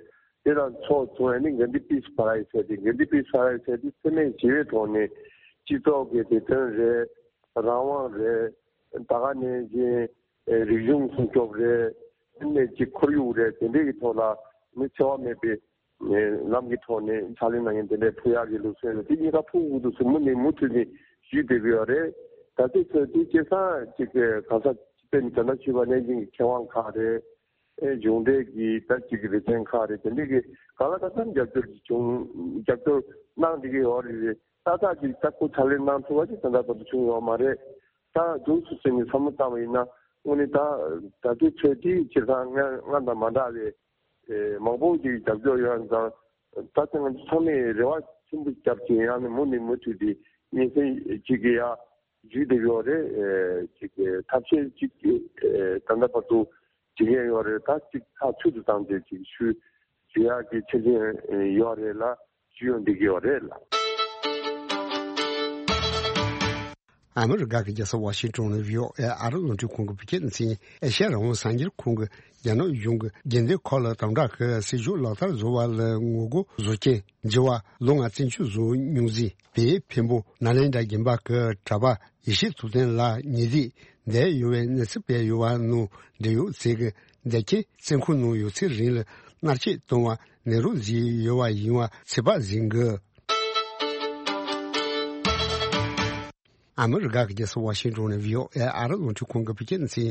དེ་དང་ཕྱོགས་མཚུངས་ཨ་ནི་གྷན་དྷི་པིས་པ་རའི་ཟེར་ཏེ། གྷན་དྷི་པིས་པ་རའི་ཟེར་ཏེ་འཚེ་མེད་ཞི་བའི་ཐོག་ནས་སྤྱི་ཚོགས་ཀྱི་བདེ་དོན་རེད། རང་དབང་རེད། ད་ག་ནང་བཞིན་རིག་གཞུང་སྲུང་སྐྱོབ་རེད། དེ་ནས་ཅིག་ཁོར་ཡུག་རེད། དེ་འདྲའི་གི་ཐོག་ལ་ནི་འཚེ་བ་མེད་པའི་ལམ་གྱི་ཐོག་ནས་ཕྱག་ལས་གནང་མཁན་དེ་འདྲའི་ཕུལ་ཡག་གི་ལུགས་སྲོལ་རེད། དེ་གཉིས་ཀ་ཕུགས་འུ་དུ་ཟེར་མུ་ནས་མུ་མཐུད་ནས་ཞུས་བསྡད་ཀྱི་ཡོད་རེད། ད་ལྟའི་ཆར་དེ་སྐལ་བཟང་ཅིག་གི་ག་ས་དཔེར་ན་ད་ལྟ་ཞུས་པ་ནང་བཞིན་གྱི་མཁས་དབང་ཁག་རེད། ཨེ་གཞུང་འབྲེལ་གྱི་ད་ཅིག་གི་སྡེ་ཚན་ཁག་རེད། དེ་འདྲའི་གི་གང་ལ་གང་འཚམ་རྒྱབ་སྐྱོར་ཅིག་བྱུང་། རྒྱབ་སྐྱོར་གནང་བསྡད་ཀྱི་ཡོད་རེད། ཏག་ཏག་ཅིག་ད་ཁོ་ཕྱག་ལས་གནང་ཐུབ་པ་ཅིག་ད་ལྟ་བར་དུ་བྱུང་ཡོད་མ་རེད། ད་རྫུན་སུ་ཟེར་ནས་བསམ་བློ་བཏང་བ་ཡིན་ན། དངོས་གནས་ད་ད་ལྟའི་ཆོས་འདི་སྤྱིར་བཏང་སྔ་སྔ་དང་མ་འདྲ་བའི་ཨེ་མང་པོ་ཅིག་རྒྱབ་སྐྱོར་ཡོད་ཙང་། ད་ལྟ་ང་ཚོ་ཚང་མས་རེ་བ་ཆེན་པོ་བརྒྱབ་ཅིང་ཡང་ནས་མུ་ནས་མུ་མཐུད་དེ་སྙན་སེང་ཅིག་གི་ཡ་ཞུས་བསྡད་ཡོད་རེད། ཨེ་ཅིག་ཐབས་ཤེས་ཅིག་ཨེ་ད་ལྟ་བར་དུ་བྱེད་མཁན་ཡོད་རེད། ད་ཅིག་ཐག་ཆོད་དུ་བཏང་སྟེ་ཅིག་ཞུ་ཞུ་ཡག་གི་ཆ་རྐྱེན་ཡོད་རེད་ལ། ཞུ་ཡོང་བསྡད་ཀྱི་ཡོད་རེད་ལ། ཨ་མི་རི་ཀ་གི་རྒྱལ་ས་ཝ་ཤིང་ཏོན་ནས་བྷི་ཨོ་ཨེ་ཨ་རི་རླུང་འཕྲིན་ཁང་གི་བོད་སྐད་སྡེ་ཚན། ཨེ་ཤ་ཡ་རང་དབང་གསར་འགྱུར་ཁང་གིས་རྒྱ་ནག་གཞུང་གིས་རྒྱུན་ལྡན་འཁོར་ལོ་དམ་དྲག་གི་སྲིད་ཇུས་ལག་བསྟར་བཟོ་བ་ལ་ངོ་རྒོལ་བཟོ་མཁན་འགྱུར་བ་ལོ་ལྔ་བཙན་བྱོལ་བཟོ་མྱོང་མཛད་པའི་འཕན་པོ་ནཱ་ལེནྡྲ་དགོན་པ་གི་གྲྭ་པ་ཡེ་ཤེས་ཐུབ་བསྟན་ལགས་ཉེ་དུས་འདས་ཡོད་པའི་གནས་ཚུལ་སྤེལ་ཡོད་པ་ནང་འབྲེལ་ཡོད་ཚོས་ཀྱི་འདེད་ཁྱེད་བཙོན་ཁང་ནང་ཡོད་ཚད་རིང་ལ་མནར་གཅོད་གཏོང་བ་ནད་རོགས་བཟོས་ཡོད་པ་ཡིན་པ་ཚོད་དཔག་བཟོ་གི། ཨ་མི་རི་ཀ་གི་རྒྱལ་ས་ཝ་ཤིང་ཏོན་ནས་བྷི་ཨོ་ཨེ་ཨ་རི་རླུང་འཕྲིན་ཁང་གི་བོད་སྐད་སྡེ་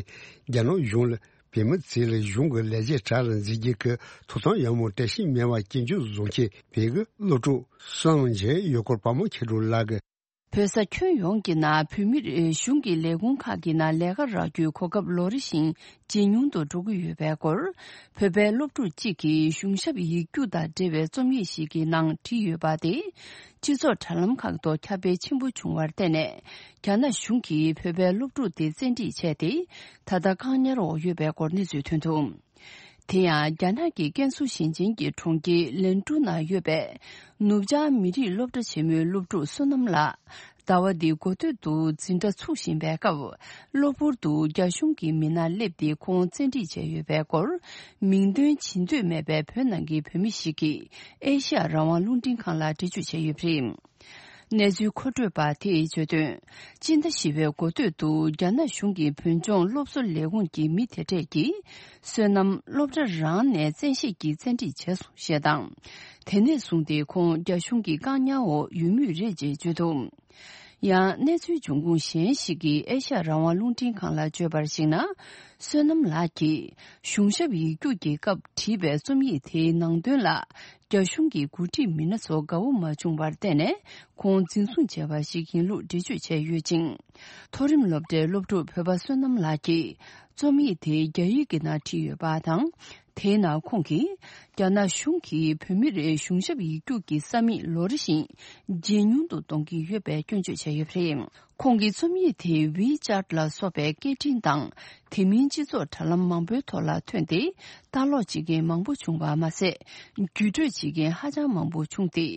ཚན། རྒྱ་ནག་གཞུང་ལ་བོད་མི་ཚོ་ལ་གཞུང་གི་ལས་བྱེད་གྲལ་ལ་འཛུལ་རྒྱུ་གི་ཐོབ་ཐང་ཡང་མོ་བཀྲ་ཤིས་མེད་པ་སྐྱོན་བརྗོད་བཟོ་མཁན་བོད་ཀྱི་སློབ་ཕྲུག་གསུམ་མཇལ་ཡོད་སྐོར་པ་མོ་ཁྱེད་དྲུག་ལགས་ཀྱིས། བོད་ས་ཁྱོན་ཡོངས་ཀྱི་ནང་བོད་མིར་གཞུང་གི་ལས་ཁུངས་ཁག་གི་ནང་ལས་ཀ་རག་རྒྱུའི་གོ་སྐབས་ལོ་རེ་བཞིན་ཇེ་ཉུང་དུ་འགྲོ་གི་ཡོད་པའི་སྐོར། བོད་པའི་སློབ་ཕྲུག་ཅིག་གིས་གཞུང་ཞབས་ཡིག་རྒྱུགས་དང་འབྲེལ་བའི་རྩོམ་ཡིག་ཞིག་གི་ནང་བྲིས་ཡོད་པ་དེ། སྤྱི་ཚོགས་དྲ་ལམ་ཁག་ཏུ་ཁྱབ་སྤེལ་ཆེན་པོ་བྱུང་བར་བརྟེན་ནས། རྒྱ་ནག་གཞུང་གིས་བོད་པའི་སློབ་ཕྲུག་དེ་བཙན་ཁྲིད་བྱས་ཏེ། ད་ལྟ་བཀག་ཉར་འོག་ཡོད་པའི་སྐོར་གནས་ཚུལ་ཐོན་འདུག་དེ་ཡང་རྒྱ་ནག་གི་ཀན་སུའུ་ཞིང་ཆེན་གྱི་གྲོང་ཁྱེར་ལན་ཀྲུའུ་ནང་ཡོད་པའི་ནུབ་བྱང་མི་རིགས་སློབ་གྲྭ་ཆེན་མོའི་སློབ་ཕྲུག་བསོད་ནམས་ལགས། ཟླ་བ་འདིའི་འགོ་སྟོད་དུ་འཛིན་གྲྭ་ཚུགས་བཞིན་པའི་སྐབས། གློ་བུར་དུ་རྒྱ་གཞུང་གི་མི་སྣ་སླེབས་ཏེ་ཁོང་བཙན་ཁྲིད་བྱས་ཡོད་པའི་སྐོར། མིང་འདོན་བྱེད་འདོད་མེད་པའི་བོད་ནང་གི་བོད་མི་ཞིག་གིས་ཨེ་ཤ་ཡ་རང་དབང་རླུང་འཕྲིན་ཁང་ལ་འགྲེལ་བརྗོད་བྱས་ཡོད་པ་རེད། གནས་ཚུལ་མཁོ་སྤྲོད་པ་དེས་བརྗོད་དོན། སྤྱི་ཟླ་བཞི་པའི་འགོ་སྟོད་དུ་རྒྱ་ནག་གཞུང་གི་བོད་ལྗོངས་སློབ་གསོ་ལས་ཁུངས་ཀྱི་མི་དེ་གྲས་ཀྱིས། བསོད་ནམས་སློབ་གྲྭ་རང་ནས་བཙན་ཤེད་ཀྱིས་བཙན་ཁྲིད་བྱས་སོང་ཞེས་དང་། དེ་ནས་བཟུང་སྟེ་ཁོང་རྒྱ་གཞུང་གི་བཀག་ཉར་འོག་ཡོད་མུས་རེད་ཅེས་བརྗོད་འདུག་ཡང་གནས་ཚུལ་འབྱུང་ཁུངས་གཞན་ཞིག་གིས་ཨེ་ཤ་ཡ་རང་དབང་རླུང་འཕྲིན་ཁང་ལ་བརྗོད་པར་གཞིགས་ན། བསོད་ནམས་ལགས་ཀྱིས་གཞུང་ཞབས་ཡིག་རྒྱུགས་ཀྱི་སྐབས་བྲིས་པའི་རྩོམ་ཡིག་དེའི་ནང་དོན་ལ། རྒྱ་གཞུང་གི་འགོ་ཁྲིད་མི་སྣ་ཚོ་དགའ་བོ་མ་བྱུང་བར་བརྟེན་ནས་ཁོང་འཛིན་བཟུང་བྱས་པ་ཞིག་ཡིན་ལུགས་འགྲེལ་བརྗོད་བྱས་ཡོད་ཅིང་། མཐོ་རིམ་སློབ་གྲྭའི་སློབ་ཕྲུག་བོད་པ་བསོད་ནམས་ལགས་ཀྱིས་རྩོམ་ཡིག་དེ་རྒྱ་ཡིག་གི་ནང་བྲིས་ཡོད་པ་དང་། དེའི་ནང་ཁོང་གིས་རྒྱ་ནག་གཞུང་གིས་བོད་མིར་གཞུང་ཞབས་ཡིག་རྒྱུགས་ཀྱི་ས་མིག་ལོ་རེ་བཞིན་ཇེ་ཉུང་དུ་གཏོང་གི་ཡོད་པའི་སྐྱོན་བརྗོད་བྱས་ཡོད་པ་རེད། ཁོང་གི་རྩོམ་ཡིག་དེ་ཝི་ཅཱཊ་ལ་སོགས་པའི་སྐད་འཕྲིན་དང་། དེ་མིན་སྤྱི་ཚོགས་དྲ་ལམ་མང་པོའི་ཐོག་ལ་ཐོན་ཏེ། ལྟ་ཀློག་བྱེད་མཁན་མང་པོ་བྱུང་བ་མ་ཟད། བརྒྱུད་སྤྲོད་བྱེད་མཁན་ཧ་ཅང་མང་པོ་བྱུང་སྟེ།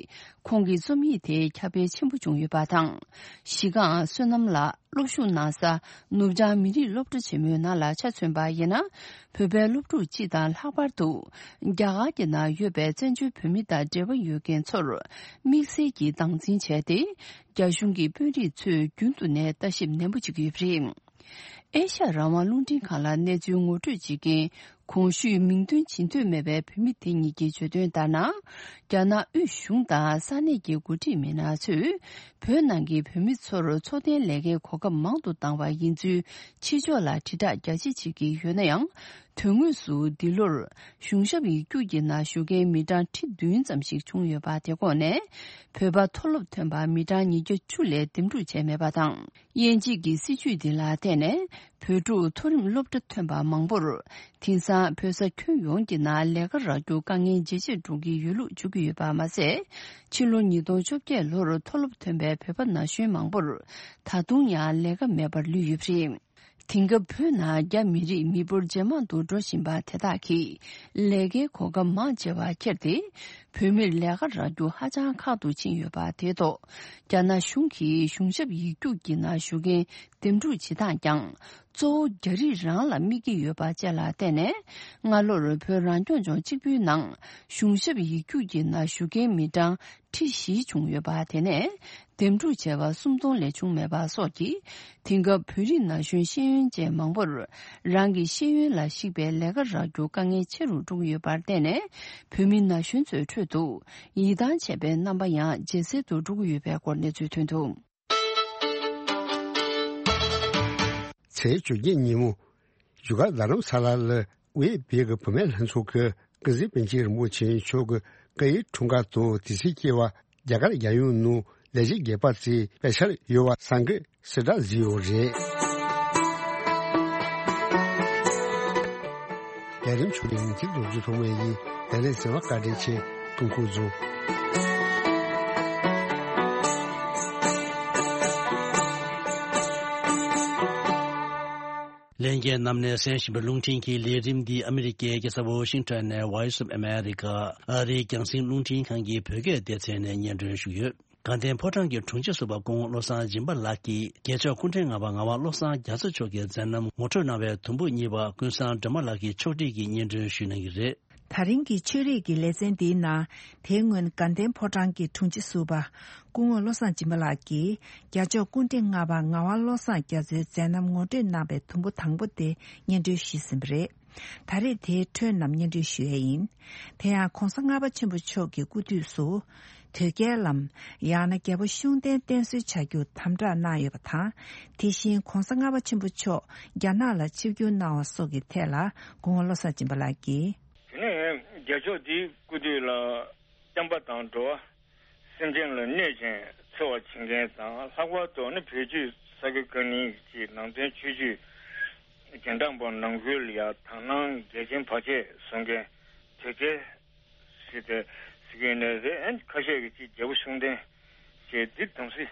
ཁོང་གི་རྩོམ་ཡིག་དེ་ཁྱབ་སྤེལ་ཆེན་པོ་བྱུང་ཡོད་པ་དང་། གཞི་རྐང་བསོད་ནམས་ལགས་སློབ་ཞུགས་གནང་ས་ནུབ་བྱང་མི་རིགས་སློབ་གྲྭ་ཆེན་མོའི་ནང་ལ་ཆ་མཚོན་པ་ཡིན་ན། བོད་པའི་སློབ་ཕྲུག་སྤྱི་དང་ལྷག་པར་དུ། རྒྱ་གར་གྱི་ནང་ཡོད་པའི་བཙན་བྱོལ་བོད་མི་དང་འབྲེལ་བ་ཡོད་མཁན་ཚོར། དམིགས་བསལ་གྱིས་སྟངས་འཛིན་བྱས་ཏེ། རྒྱ་གཞུང་གི་དཔོན་རིགས་ཚོས་རྒྱུན་དུ་ནས་ལྟ་ཞིབ་ནན་པོ་བྱེད་ཀྱི་ཡོད་པ་རེད། ཨེ་ཤ་ཡ་རང་དབང་རླུང་འཕྲིན་ཁང་ལ་གནས་ཚུལ་ངོ་སྤྲོད་བྱེད་མཁན་གོང་ཞུས་མིང་འདོན་བྱེད་འདོད་མེད་པའི་བོད་མི་དེ་ཉིད་ཀྱིས་བརྗོད་དོན་ལྟར་ན། རྒྱ་ནག་དབུས་གཞུང་དང་ས་གནས་ཀྱི་འགོ་ཁྲིད་མི་སྣ་ཚོས་བོད་ནང་གི་བོད་མི་ཚོར་འཚོ་རྟེན་ལས་ཀའི་གོ་སྐབས་མང་དུ་བཏང་བ་ཡིན་ཚུལ་ཕྱི་ཕྱོགས་ལ་དྲིལ་བསྒྲགས་རྒྱ་ཆེ་བྱེད་ཀྱི་ཡོད་ན་ཡང་། དོན་དངོས་སུ་འདི་ལོར་གཞུང་ཞབས་ཡིག་རྒྱུགས་ཀྱི་ནང་ཞུགས་མཁན་མི་གྲངས་ཁྲི་བདུན་ཙམ་ཞིག་བྱུང་ཡོད་པ་དེ་ཁོངས་ནས་བོད་པ་མཐོ་སློབ་ཐོན་པ་མི་གྲངས་ཉིས་བརྒྱ་བཅུ་ལས་འདེམས་སྒྲུག་བྱས་མེད་པ་དང་། དབྱེ་འབྱེད་ཀྱི་སྲིད་བྱུས་འདི་ལ་བརྟེན་ནས་བོད་ཕྲུག་མཐོ་རིམ་སློབ་གྲྭ་ཐོན་པ་མང་པོར་དེང་སང་བོད་ས་ཁྱོན་ཡོངས་ཀྱི་ནང་ལས་ཀ་རག་རྒྱུ་དཀའ་ངལ་ཇེ་ཆེར་འགྲོ་གི་ཡོད་ལུགས་བརྗོད་ཀྱི་ཡོད་པ་མ་ཟད། ཕྱི་ལོ་ཉིས་སྟོང་བཅོ་བརྒྱད་ལོར་མཐོ་སློབ་ཐོན་པའི་བོད་པ་ན་གཞོན་མང་པོར་ད་དུང་ཡང་ལས་ཀ་མེད་པར་ལུས་ཡོད་པ་རེད། དེང་སྐབས་བོད་ནང་རྒྱ་མི་རིགས་མི་འབོར་ཇེ་མང་དུ་འགྲོ་བཞིན་པ་དེ་དག་གིས་ལས་ཀའི་གོ་སྐབས་མང་ཆེ་བ་ཁྱེར་ཏེ། བོད་མིར་ལས་ཀ་རག་རྒྱུ་ཧ་ཅང་ཁག་ཏུ་ཕྱིན་ཡོད་པ་དེ་ཐོག་རྒྱ་ནག་གཞུང་གིས་གཞུང་ཞབས་ཡིག་རྒྱུགས་ཀྱི་ནང་ཞུགས་མཁན་འདེམས་སྒྲུག་བྱེད་སྟངས་ཀྱང་གཙོ་བོ་རྒྱ་རིགས་རང་ལ་དམིགས་ཀྱི་ཡོད་པ་བཅས་ལ་བརྟེན་ནས། སྔ་ལོར་བོད་རང་སྐྱོང་ལྗོངས་གཅིག་པུའི་ནང་གཞུང་ཞབས་ཡིག་རྒྱུགས་ཀྱི་ནང་ཞུགས་མཁན་མི་གྲངས་ཁྲི་བཞི་བྱུང་ཡོད་པ་དེ་ནས། འདེམས་སྒྲུག་བྱས་པ་སུམ་སྟོང་ལས་བྱུང་མེད་པ་སོགས་ཀྱིས། དེང་སྐབས་བོད་རིགས་ན་གཞོན་ཤེས་ཡོན་ཅན་མང་པོར་རང་གི་ཤེས་ཡོན་ལ་གཞིགས་པའི་ལས་ཀ་རག་རྒྱུ་དཀའ་ངལ་ཆེ་རུ་འགྲོ་གི་ཡོད་པར་བརྟེན་ནས། བོད་མི་ན་གཞོན་ཚོའི་ཁྲོད་དུ་ཡིད་ཐང་ཆད་པའི་རྣམ་པ་ཡང་ཇེ་གསལ་དུ་འགྲོ་གི་ཡོད་པའི་སྐོར་གནས་ཚུལ་ཐོན་འདུག་ཚེས་བཅོ་བརྒྱད་ཉིན་མོ། བཞུགས་སྒར་རྡ་རམ་ས་ལ་ལ་དབུས་བོད་ཀྱི་བུད་མེད་ལྷན་ཚོགས་ཀྱི་ཀུན་གཟིགས་པཎ་ཆེན་རིན་པོ་ཆེ་མཆོག་གི་སྐུ་ཡི་འཁྲུངས་སྐར་དང་དུས་ཚིགས་བཅས་པ་རྒྱ་གར་རྒྱལ་ཡོངས་ནང་ལས་བྱེད་དགོས་པ་བཅས་སྤེལ་འཆར་ཡོད་པ་གསར་འགོད་གསལ་བསྒྲགས་བཟོས་ཡོད་རེད། ལས་རིམ་ཆུ་རིང་ཚིག་ཏུ་རྒྱུ་ཐོག་མའི་ཡིན། ལས་རིམ་ཟིན་པ་བཀའ་དྲིན་ཆེ། ཐུགས་ཁུར་བཟུང་། ལྷན་རྒྱས་རྣམས་ནས་གསན་བཞིན་པའི་རླུང་འཕྲིན་གྱི་ལས་རིམ་འདི་ཨ་མི་རི་ཀའི་རྒྱལ་ས་ཝོ་ཤིང་ཊོན་ནས་Voice of America ཨ་རིའི་རྒྱང་སྲིང་རླུང་འཕྲིན་ཁང་གི་བོད་སྐད་སྡེ་ཚན་ནས་སྙན་སྒྲོན་ཞུས་ཡོད། དགའ་ལྡན་ཕོ་བྲང་གི་དྲུང་ཆེ་ཟུར་པ་སྐུ་ངོ་བློ་བཟང་སྦྱིན་པ་ལགས་ཀྱིས་རྒྱལ་མཆོག་སྐུ་ཕྲེང་ལྔ་པ་ངག་དབང་བློ་བཟང་རྒྱ་མཚོ་མཆོག་གི་མཛད་རྣམ་ངོ་སྤྲོད་གནང་བའི་དུམ་བུ་གཉིས་པ་ཀུན་བཟང་སྒྲོལ་མ་ལགས་ཀྱིས་ཕྱོགས་སྒྲིག་གིས་སྙན་སྒྲོན་ཞུ་གནང་གི་རེད། ད་རིང་གི་ཆོས་རིག་གི་ལེ་ཚན་འདིའི་ནང་། དེའི་སྔོན་དགའ་ལྡན་ཕོ་བྲང་གི་དྲུང་ཆེ་ཟུར་པ་སྐུ་ངོ་བློ་བཟང་སྦྱིན་པ་ལགས་ཀྱིས་རྒྱལ་མཆོག་སྐུ་ཕྲེང་ལྔ་པ་ངག་དབང་བློ་བཟང་རྒྱ་མཚོའི་མཛད་རྣམ་ངོ་སྤྲོད་གནང་བའི་དུམ་བུ་དང་པོ་དེ་སྙན་སྒྲོན་ཞུས་ཟིན་པ་རེད། ད་རེས་དེའི་འཕྲོས་རྣམས་སྙན་སྒྲོན་ཞུ་ཡས་ཡིན། དེ་ཡང་གོང་ས་ལྔ་པ་ཆེན་པོ་མཆོག་གི་སྐུ་དུས་སུ། དོལ་རྒྱལ་ལམ། ཡང་ན་རྒྱལ་པོ་ཤུགས་ལྡན་བསྟེན་གསོལ་བྱ་རྒྱུར་དམ་བསྒྲགས་གནང་ཡོད་པ་དང་། དེ་བཞིན་གོང་ས་ལྔ་པ་ཆེན་པོ་མཆོག་རྒྱ་ནག་ལ་ཆིབས་བསྒྱུར་གནང་བ་སོགས་ཀྱི་ཐད་ལ་སྐུ་ངོ་བློ་བཟང་སྦྱིན་པ་ལགས་ཀྱིས། དེ་ནས་རྒྱལ་མཆོག་འདིའི་སྐུ་དུས་ལ་བསྟན་པ་དང་འགྲོ་བ་སེམས་ཅན་ལ་གནོད་ཅིང་འཚེ་བ་བྱེད་མཁན་དང་། ལྷག་པར་དུ་ནི་བོད་བརྒྱུད་ས་དགེ་བཀའ་རྙིང་གི་ནང་དོན་ཆོས་བརྒྱུད་རྒྱན་དྲངས་པ་ནང་ཁུལ་ལ་ཡང་དག་སྣང་འགལ་རྐྱེན་བར་ཆད་བཟོ་མཁན་དོལ་རྒྱལ་ཟེར་ཏེ་ཟེར་གྱི་ཡོད་ནའི་རེད། ཨ་ནི་ཁ་ཤས་ཀྱིས་ཅིག་རྒྱལ་པོ་ཤུགས་ལྡན་ཞེས་འདི་དམ་སྲི་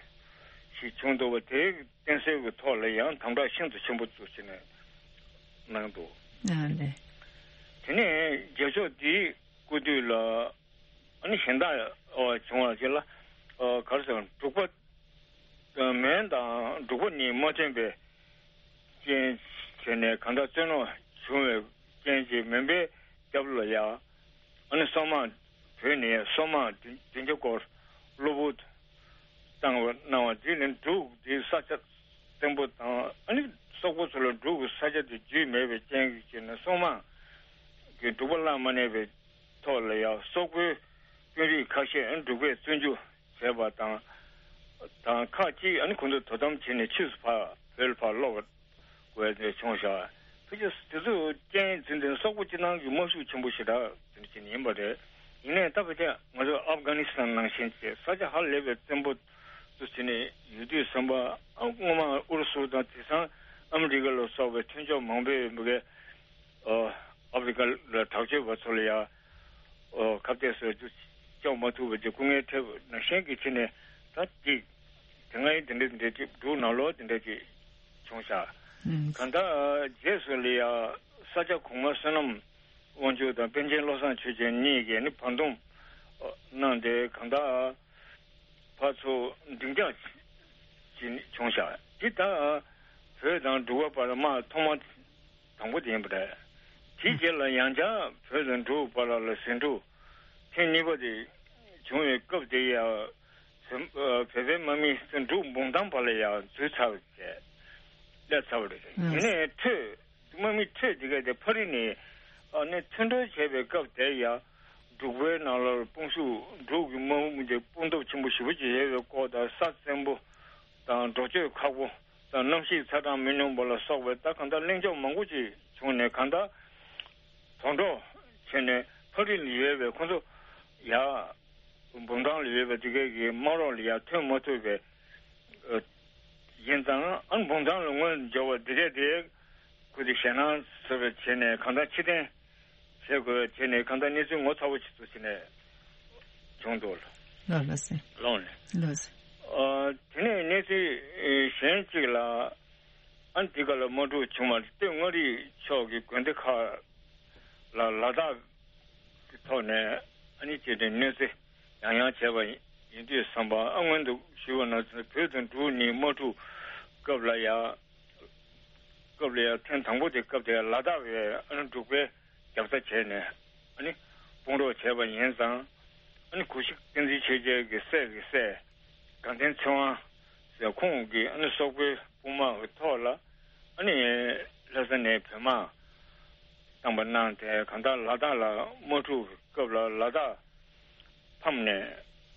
ཞིག་བྱུང་འདུག་པ། དེའི་བསྟེན་གསོལ་གྱི་ཐོག་ལ་ཡང་དམ་བསྒྲགས་ཤིན་ཏུ་ཆེན་པོ་བཙུགས་བྱས་ནས་གནང་འདུག། ཨ་ལེ། དེ་ནས་རྒྱལ་མཆོག་འདིའི་སྐུ་དུས་ལ་ཨ་ནི་གཞན་དག་བྱུང་བ་ཞིག་ལ། ག་རེ་ཟེར། འབྲུག་པ་མོན་དང་འབྲུག་པ་གཉིས་མ་མཐུན་པའི་རྐྱེན་བྱས་ནས་གང་ལྟར་བཙན་གནོན་བྱུང་བའི་རྐྱེན་གྱིས་མོན་པའི་རྒྱབ་ལ་ཡང་ཨ་ནི་སོག་དམག། བོད་ནས་སོག་དམག་བདུན་བདུན་བརྒྱ་སྐོར་གློ་བུར་བཏང་བ་གནང་བ་འདི་ནི་འབྲུག་འདི་ས་ཆ་བཙན་པོ་དང་ཨ་ནི་སོག་པོ་ཚོ་ལ་འབྲུག་གི་ས་ཆ་དེ་རྒྱུས་མེད་པའི་རྐྱེན་གྱིས་བྱས་ནས་སོག་དམག་གིས་འབྲུག་པ་ལ་མ་གནས་པའི་ཐོག་ལ་ཡང་སོག་པོའི་དཔོན་རིགས་ཁ་ཤས་ཨ་ནི་འབྲུག་པས་བཙོན་འཇུག་བྱས་པ་དང་། དང་ཁག་ཅིག་ཨ་ནི་ཁོང་ཚོ་དོ་དམ་བྱས་ནས་ཕྱིས་སུ་ཕར་བོད་ལ་ཕར་ལོག་དགོས་དེ་བྱུང་ཤག། ཕལ་ཆེར་དེ་ཚོ་རྐྱེན་འཛིན་དེ་སོག་པོ་སྤྱི་བཏང་གི་དམག་ཤུགས་ཆེན་པོ་ཞེ་དྲག་དེ་འདྲ་བྱས་ནས་ཡིན་པ་རེད། ཡིན་ནའི་ད་ཕལ་ཆེར་ང་ཚོ་ཨབ་གྷ་ནི་སི་ཐན་ནང་བཞིན་བྱས་ས་ཆ་ཧ་ལས་པའི་བཙན་པོ་ཚོ་བྱས་ནས་ཡོད་དུས་ཙམ་པ། ཨ་སྔོན་མ་ཨུ་རུ་སུ་དང་དེང་སང་ཨ་མི་རི་ཀ་ལ་སོགས་པའི་མཐུན་ཕྱོགས་མང་པོས་མི་གའི་ཨ་ཨ་ཕི་རི་ཀ་ལ་དྲག་སྤྱོད་པ་ཚོ་ལ་ཡང་ཨོ་ཁ་གཏད་བཟོ་རྒྱུ་བཅོ་མ་ཐུབ་པ་ཅིག་སྐུ་ངལ་འཕྲད་པ་ནང་བཞིན་གྱི་ཕྱི་ནས་ད་ཅིག་དེ་སྔའི་དེ་འདྲ་དེ་འདྲ་ཅིག་འབྲུག་ནང་ལོགས་དེ་འདྲ་ཅིག་བྱུང་ཤག། ཨང་། གང་ལྟར་རྗེས་སུ་ལ་ཡང་ས་སྐྱ་གོང་མ་བསོད་ནམས་དབང་ཕྱུག་དང་པཎ་ཆེན་བློ་བཟང་ཆོས་རྒྱན་གཉིས་ཀྱིས་ནི་བར་འདུམ་གནང་སྟེ་གང་ལྟར། ཕར་ཚུར་འགྲིག་འཇགས་བྱུང་ཤག། འདི་ད་བོད་དང་འབྲུག་པ་བར་དམག་ཐོག་མ་དང་པོ་དེ་ཡིན་པ་རེད། དེའི་རྗེས་ལ་ཡང་བསྐྱར་བོད་དང་འབྲུག་བར་ལ་ཟིང་འཁྲུག་ཐེངས་གཉིས་པ་དེ་བྱུང་བའི་སྐབས་དེ་ཡང་བོད་བོད་པའི་དམག་མི་འབྲུག་འབུམ་ཐང་བར་ལ་ཡང་འཛུལ་ཚར་བ་རེད། སླེབས་ཚར་བ་རེད། ཨང་། དེ་ནས་འཕྲོས། དམག་མི་འཕྲོས་དེ་ག་དེ་ཕ་རི་ནས་ཨ་ནི་མཐུན་གྲོས་བྱས་པའི་སྐབས་དེར་ཡང་འབྲུག་པའི་ནང་ལ་དཔུང་ཤུགས། འབྲུག་གི་དམག་མི་དེ་དཔུང་སྟོབས་ཆེན་པོ་ཞེ་པོ་ཅིག་ཡོད་པའི་སྐོར་དང་། ས་བཙན་པོ་དང་། འགྲོ་སྐྱོད་ཁག་པོ་དང་། གནམ་གཤིས་ཚ་གྲང་མི་སྙོམས་པ་ལ་སོགས་པའི་ད་གང་ལྟར་གླེང་ཕྱོགས་མང་པོ་ཅིག་བྱུང་ནས། གང་ལྟར་དོག་འགྲོ་བྱས་ནས་ཕ་རི་ལ་ཡོད་པའི་ཁོང་ཚོ་ཡར་འབུམ་ཐང་ལ་ཡོད་པའི་དེ་གའི་གི་དམག་རོགས་ལ་ཡར་ཐོན་མ་ཐུབ་པའི་ཡིན་ཙང་། ཨ་ནི་འབུམ་ཐང་ལ་སྔོན་འབྱོར་བ་འདི་གས་དེ་ཁུ་དེ་ཞེད་སྣང་ཟེར་བ་བྱས་ནས་གང་ལྟར་ཕྱིར་འཐེན་བྱེད་དགོས་བྱས་ནས་གང་ལྟར་གནས་ཚུལ་ངོ་ཚ་བོ་ཞིག་ཏུ་བྱས་ནས་བྱུང་འདུག་ལ། ལགས་ལགས་སེ། ལོང་ནས། ལགས་སེ། ཨ་དེ་ནས་གནས་ཚུལ་གཞན་གཅིག་ལ། ཨ་ནི་དེ་ག་ལ་དམག་འཁྲུག་བྱུང་བ་སྟོད་མངའ་རིས་ཕྱོགས་ཀྱི་དགོན་སྡེ་ཁག་ལ་ལ་དྭགས་ཀྱི་ཐོག་ནས་ཨ་ནི་ཅིག་ནས་གནོད་འཚེ་ཡང་ཡང་བྱས་པ་ཡིན་དུས་ཙམ་པ། ཨ་སྔོན་དུ་ཞུས་པ་ནང་བཞིན་བོད་དང་འབྲུག་གཉིས་དམག་འཁྲུག་སྐབས་ལ་ཡང་སྐབས་ལ་ཡང་ཐེངས་དང་པོ་དེ་སྐབས་དེ་ལ་དྭགས་པའི་ཨ་ནི་འབྲུག་པའི་རྒྱབ་རྩ་བྱས་ནས་ཨ་ནི་དཔུང་རོགས་བྱས་པ་ཡིན་ཙང་། ཨ་ནི་གུ་ཤྲི་བསྟན་འཛིན་ཆོས་རྒྱལ་གྱི་སྲས་ཀྱི་སྲས་དགའ་ལྡན་ཚེ་དབང་ཟེར་ཁོང་གིས་ཨ་ནི་སོག་པོའི་དཔུང་དམག་གི་ཐོག་ལ་ཨ་ནི་ལྷ་ས་ནས་བོད་དམག་བཏང་པ་གནང་སྟེ། གང་ལྟར་ལ་དྭགས་ལ་དམག་འཁྲུག་གི་སྐབས་ལ་ལ་དྭགས་ཕམ་ནས།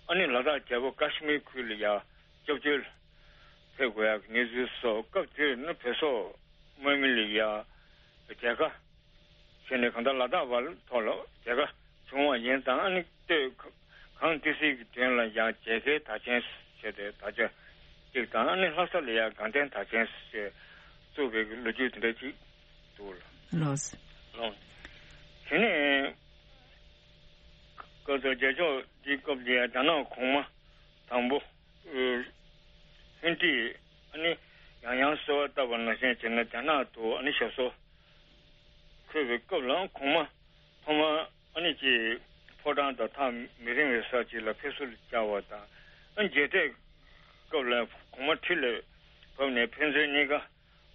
ཨ་ནི་ལ་དྭགས་རྒྱལ་པོ་ཀ་ཤི་མིར་ཁུལ་ལ་ཡང་སྐྱབས་བཅོལ་ཕེབས་དགོས་ཡག་གི་གནས་ཚུལ་སོགས། སྐབས་དེར་ནི་བོད་སོག་དམག་མི་ལ་ཡང་མཇལ་ཁ་བྱས་ནས་གང་ལྟར་ལ་དྭགས་བར་ཐོག་ལ་མཇལ་ཁ་བྱུང་བ་ཡིན་ཙང་། ཨ་ནི་སྟོད་གངས་ཏི་སེ་གི་དོན་ལ་ཡང་མཇལ་ཁའི་དར་ཆེན་ཞེས་ཏེ་དར་ཆ་གཅིག་དང་། ཨ་ནི་ལྷ་ས་ལ་ཡང་དགའ་ལྡན་དར་ཆེན་ཞེས་བཙུགས་པའི་ལོ་རྒྱུས་དེ་འདྲ་ཅིག་འདུག་ལ། ལགས་སོ། ལགས། དེ་ནས་སྐབས་དེར་རྒྱལ་མཆོག་འདིའི་སྐབས་དེར་རྒྱ་ནག་གོང་མ་དང་པོ་ཧུན་ཏི་ཨ་ནི་ཡང་ཡང་གསོལ་བ་བཏབ་པ་ནང་བཞིན་བྱས་ནས་རྒྱ་ནག་ཏུ་ཨ་ནི་ཞབས་སོར་འཁོད་པའི་སྐབས་ལ། གོང་མ་ཐོག་མར་ཨ་ནི་ཅིག་ཕོ་བྲང་དང་ཐག་མི་རིང་བའི་ས་ཅིག་ལ་ཕེབས་བསུར་བཅར་བ་དང་ ཨ་མཇལ་འཕྲད་སྐབས་ལ་གོང་མ་ཁྲི་ལ་བབས་ནས་ཕན་ཚུན་གཉིས་ཀ་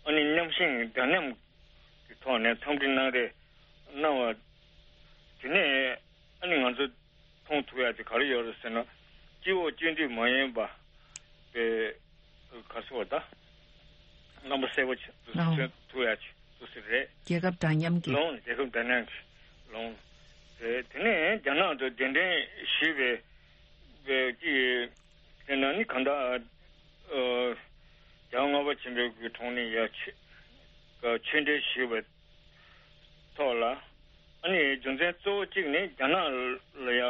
ཨ་ནི་མཉམ་ཞུགས་འདྲ་མཉམ་གྱི་ཐོག་ནས་འཚམས་འདྲི་གནང་རེས་གནང་བ་དེ་ནས་ཨ་ནི་ང་ཚོ་མཐོང་ཐུབ་ཡ་དེ་ག་རེ་ཡོད་རེད་ཟེར་ན། སྤྱི་འོག་སྤྱི་འཐུས་མ་ཡིན་པ་པའི་ག་སོགས་ད་རྣམ་པ་གསལ་པོ་ཆེ་ལོང་ཐུབ་ཡ་ཆེ་ཐུབ་སྲིད་རེད། རྒྱལ་ཁབ་འདྲ་མཉམ་གྱི་ལོང་རྒྱལ་ཁབ་འདྲ་མཉམ་གྱི་ལོང་། དེ་དེ་ནས་རྒྱ་ནག་ཏུ་གདན་འདྲེན་ཞུས་པའི་པའི་ཀྱི་དེ་ན་ནི་གང་ལྟར་རྒྱལ་བ་ལྔ་པ་ཆེན་པོའི་གི་དྲུང་ནས་ཡ་ཆོས་ཆོས་འབྲེལ་ཞུས་པའི་ཐོག་ལ། ཨ་ནི་རྒྱུ་མཚན་གཙོ་བོ་གཅིག་ནི་རྒྱ་ནག་ལ་ཡ་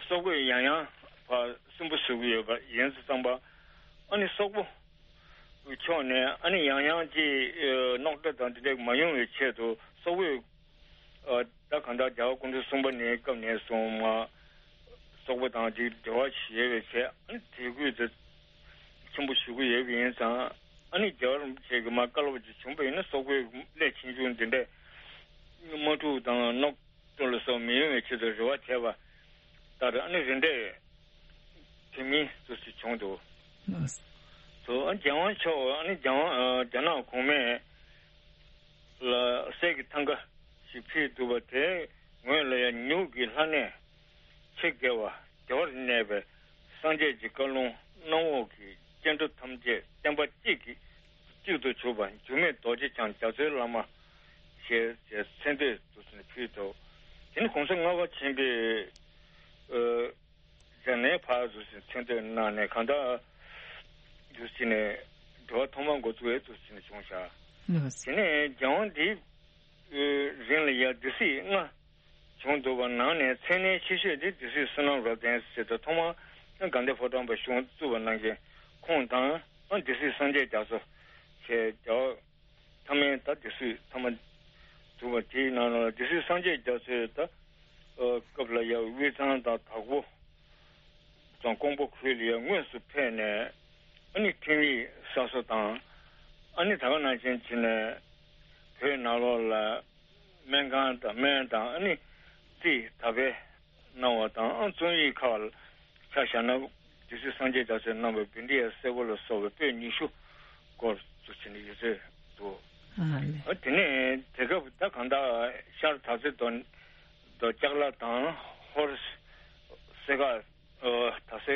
སོག་པོས་ཡང་ཡང་ཕར་སུན་པོ་བཟོ་གི་ཡོད་པ་ཡིན་ཙང་པ། ཨ་ནི་སོག་པོ་ཕྱོགས་ནས་ཨ་ནི་ཡང་ཡང་གི་རྙོག་དྲ་དང་དེ་འདྲ་མ་ཡོང་བའི་ཆེད་དུ་སོག་པོས་ད་གང་ལྟར་རྒྱལ་བ་སྐུ་ཕྲེང་གསུམ་པ་ནས་སྐབས་ནས་བཟུང་མ་སོག་པོ་དང་དེ་འབྲེལ་བ་ཡོད་པའི་ཆེད་ཨ་ནི་དད་གུས་དེ་ཆེན་པོ་ཞུ་གི་ཡོད་པ་ཡིན་ཙང་། ཨ་ནི་རྒྱལ་བ་རིན་པོ་ཆེ་གི་མ་བཀའ་སློབ་ཅིག་བྱུང་པ་ཡིན་ན་སོག་པོའི་སླད་ཕྱིན་ཆད་འདི་འདྲའི་དམག་འཁྲུག་དང་རྙོག་དྲ་ལ་སོགས་མི་ཡོང་བའི་ཆེད་དུ་རེ་བ་བྱས་པ་ལྟར་ཨ་ནི་རེ་འདྲའི་དེ་མིན་དུ་ཞིག་བྱུང་འདུག་ལགས། དུ་ཨ་རྒྱལ་དབང་མཆོག་ཨ་ནི་རྒྱལ་དབང་ཨ་རྒྱ་ནག་གོང་མས་ལ་གསེར་གྱི་ཐང་ག་ཞིག་ཕུལ་འདུག་པ་དེའི་ངོས་ལ་ཡང་ནེའུ་ཡོག་གི་ལྷ་གནས་ཆེ་དགེ་བ་བདེ་བར་གནས་པའི་སངས་རྒྱས་ཀྱི་བཀའ་ལུང་གནམ་འོག་གི་སྐྱེ་འགྲོ་ཐམས་ཅད་བསྟན་པ་གཅིག་གི་གཅིག་ཏུ་གྱུར་པ་འགྱུར་མེད་རྡོ་རྗེ་འཆང་རྒྱ་མཚོའི་བླ་མ་ཞེས་མཚན་བསྟོད་དུ་ཕུལ་འདུག་དེ་ནི་གོང་ས་ལྔ་པ་ཆེན་པོས་ཨ་རྒྱ་ནས་ཕར་དུ་མཚན་བསྟོད་གནང་ནས་གང་ལྟར་དུ་ཕྱིན་ནས་འབྲེལ་བ་ཐོག་མར་འགོ་བཙུགས་ཡས་དུ་ཕྱིན་ནས་བྱུང་བཞག་ལགས། དེ་ནས་རྒྱལ་དབང་འདིའི་རིང་ལ་ཡང་སྡེ་སྲིད་ལྔ་བྱུང་འདུག་པ་ནང་ནས་མཚན་གནས་ཆེ་ཤོས་དེ་སྡེ་སྲིད་བསོད་ནམས་རབ་བརྟན་ཟེར་ཏེ་ཐོག་མར་དགའ་ལྡན་ཕོ་བྲང་པ་གཞུང་བཙུགས་པ་ནང་བཞིན་ཁོང་དང་སྡེ་སྲིད་སངས་རྒྱས་རྒྱ་མཚོ་ཞེས་རྒྱལ་བ་ཐ་མའི་ད་སྡེ་སྲིད་ཐ་མ་བཙུགས་པ་དེའི་ནང་ལ་སྡེ་སྲིད་སངས་རྒྱས་རྒྱ་མཚོའི་ད་སྐབས་ལ་ཡང་དབུས་གཙང་དང་དྭགས་པོ་དང་ཀོང་པོ་ཁུལ་ལ་ཡང་དངོས་སུ་ཕེབས་ནས་ཨ་ནི་ཁྲིམས་ཡིག་གསར་བཟོ་དང་། ཨ་ནི་ད་ག་ནང་བཞིན་བྱས་ནས་བོད་ནང་ལོགས་ལ་སྨན་ཁང་དང་སྨན་དང་ཨ་ནི་རྩིས་ད་སྤེལ་གནང་བ་དང་། ཨ་རྩོམ་ཡིག་ཁག་ལ་ཆ་བཞག་ན་སྡེ་སྲིད་སངས་རྒྱས་རྒྱ་མཚོས་གནང་བའི་བཻ་ཌཱི་ཡ་སེར་པོ་ལ་སོགས་པའི་པོད་ཉི་ཤུ་སྐོར་དུ་ཕྱིན་ནས་ཡོད་ཚོད་འདུག་ཨ་ལེ། ཨ་དེ་ནས་དེ་སྐབས་ད་གང་ལྟར་ཤར་དར་རྩེ་རྡོ་རྡོ་ལྕགས་ལ་དང་ཧོར་སེ་ཁ་ཨ་ད་སེ་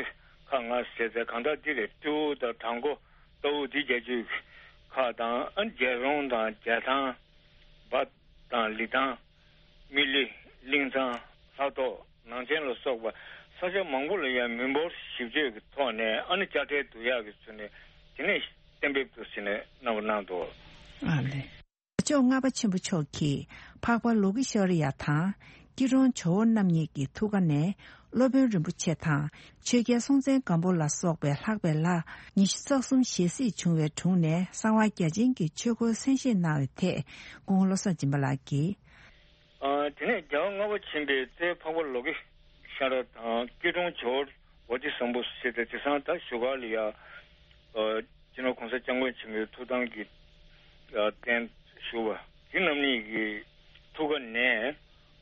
ཁ་ང་ཟེར་ཚེ་གང་ལྟར་འདི་རེད། སྤྲེའུ་དང་བྲག་མགོ་ལྟ་བུ་འདི་རྒྱལ་རྒྱུད་ཁག་དང་། ཨ་རྒྱལ་རོང་དང་རྒྱལ་ཐང་འབའ་དང་ལི་ཐང་། མི་ལི། གླིང་ཚང་། ལྷ་ཐོག་ནང་ཆེན་ལ་སོགས་པ་ས་ཆ་མང་པོ་ལ་ཡང་མི་འབོར་ཞིབ་དཔྱོད་ཀྱི་ཐོག་ནས་ཨ་ནི་དཔྱ་ཁྲལ་བསྡུ་ཡག་གི་ཚུལ་ནས་དེ་ནས་གཏན་འབེབས་དུ་ཟིན་ནས་གནང་བ་གནང་འདུག་ཨ་ལེ། ལྕོག་ལྔ་པ་ཆེན་པོ་མཆོག་གིས་འཕགས་པ་ལོ་ཀི་ཤྭ་རི་ཡ་དང་སྐྱིད་གྲོང་ཇོ་བོ་རྣམ་གཉིས་ཀྱི་ཐུགས་ཀ་ནས་སློབ་དཔོན་རིན་པོ་ཆེ་དང་ཆོས་རྒྱལ་སྲོང་བཙན་སྒམ་པོ་ལ་སོགས་པའི་ལྷག་པའི་ལྷ་ཉི་ཤུ་རྩ་གསུམ་ཞལ་གཟིགས་བྱུང་བའི་དྲུང་ནས་གསང་བ་རྒྱ་ཆེན་གྱི་ཆོས་སྐོར་གསན་བཞེས་གནང་བའི་ཐད་སྐུ་ངོ་བློ་བཟང་སྦྱིན་པ་ལགས་ཀྱིས། ཨ་དེ་ནས་རྒྱལ་བ་ལྔ་པ་ཆེན་པོའི་རྩེ་འཕགས་པ་ལོ་ཀི་ཤྭ་ར་དང་སྐྱིད་གྲོང་ཇོ་བོ་བོ་དྷི་སམ་བྷུ་ཟེར་ཏེ་དེང་སང་ད་བཞུགས་སྒར་ལ་ཡ་ཨ་སྤྱི་ནོར་གོང་ས་སྐྱབས་མགོན་ཆེན་པོའི་ཐུགས་དམ་གྱི་ཨ་རྟེན་བཞུགས་པ་དེ་རྣམ་གཉིས་ཀྱི་ཐུགས་ཀ་ནས་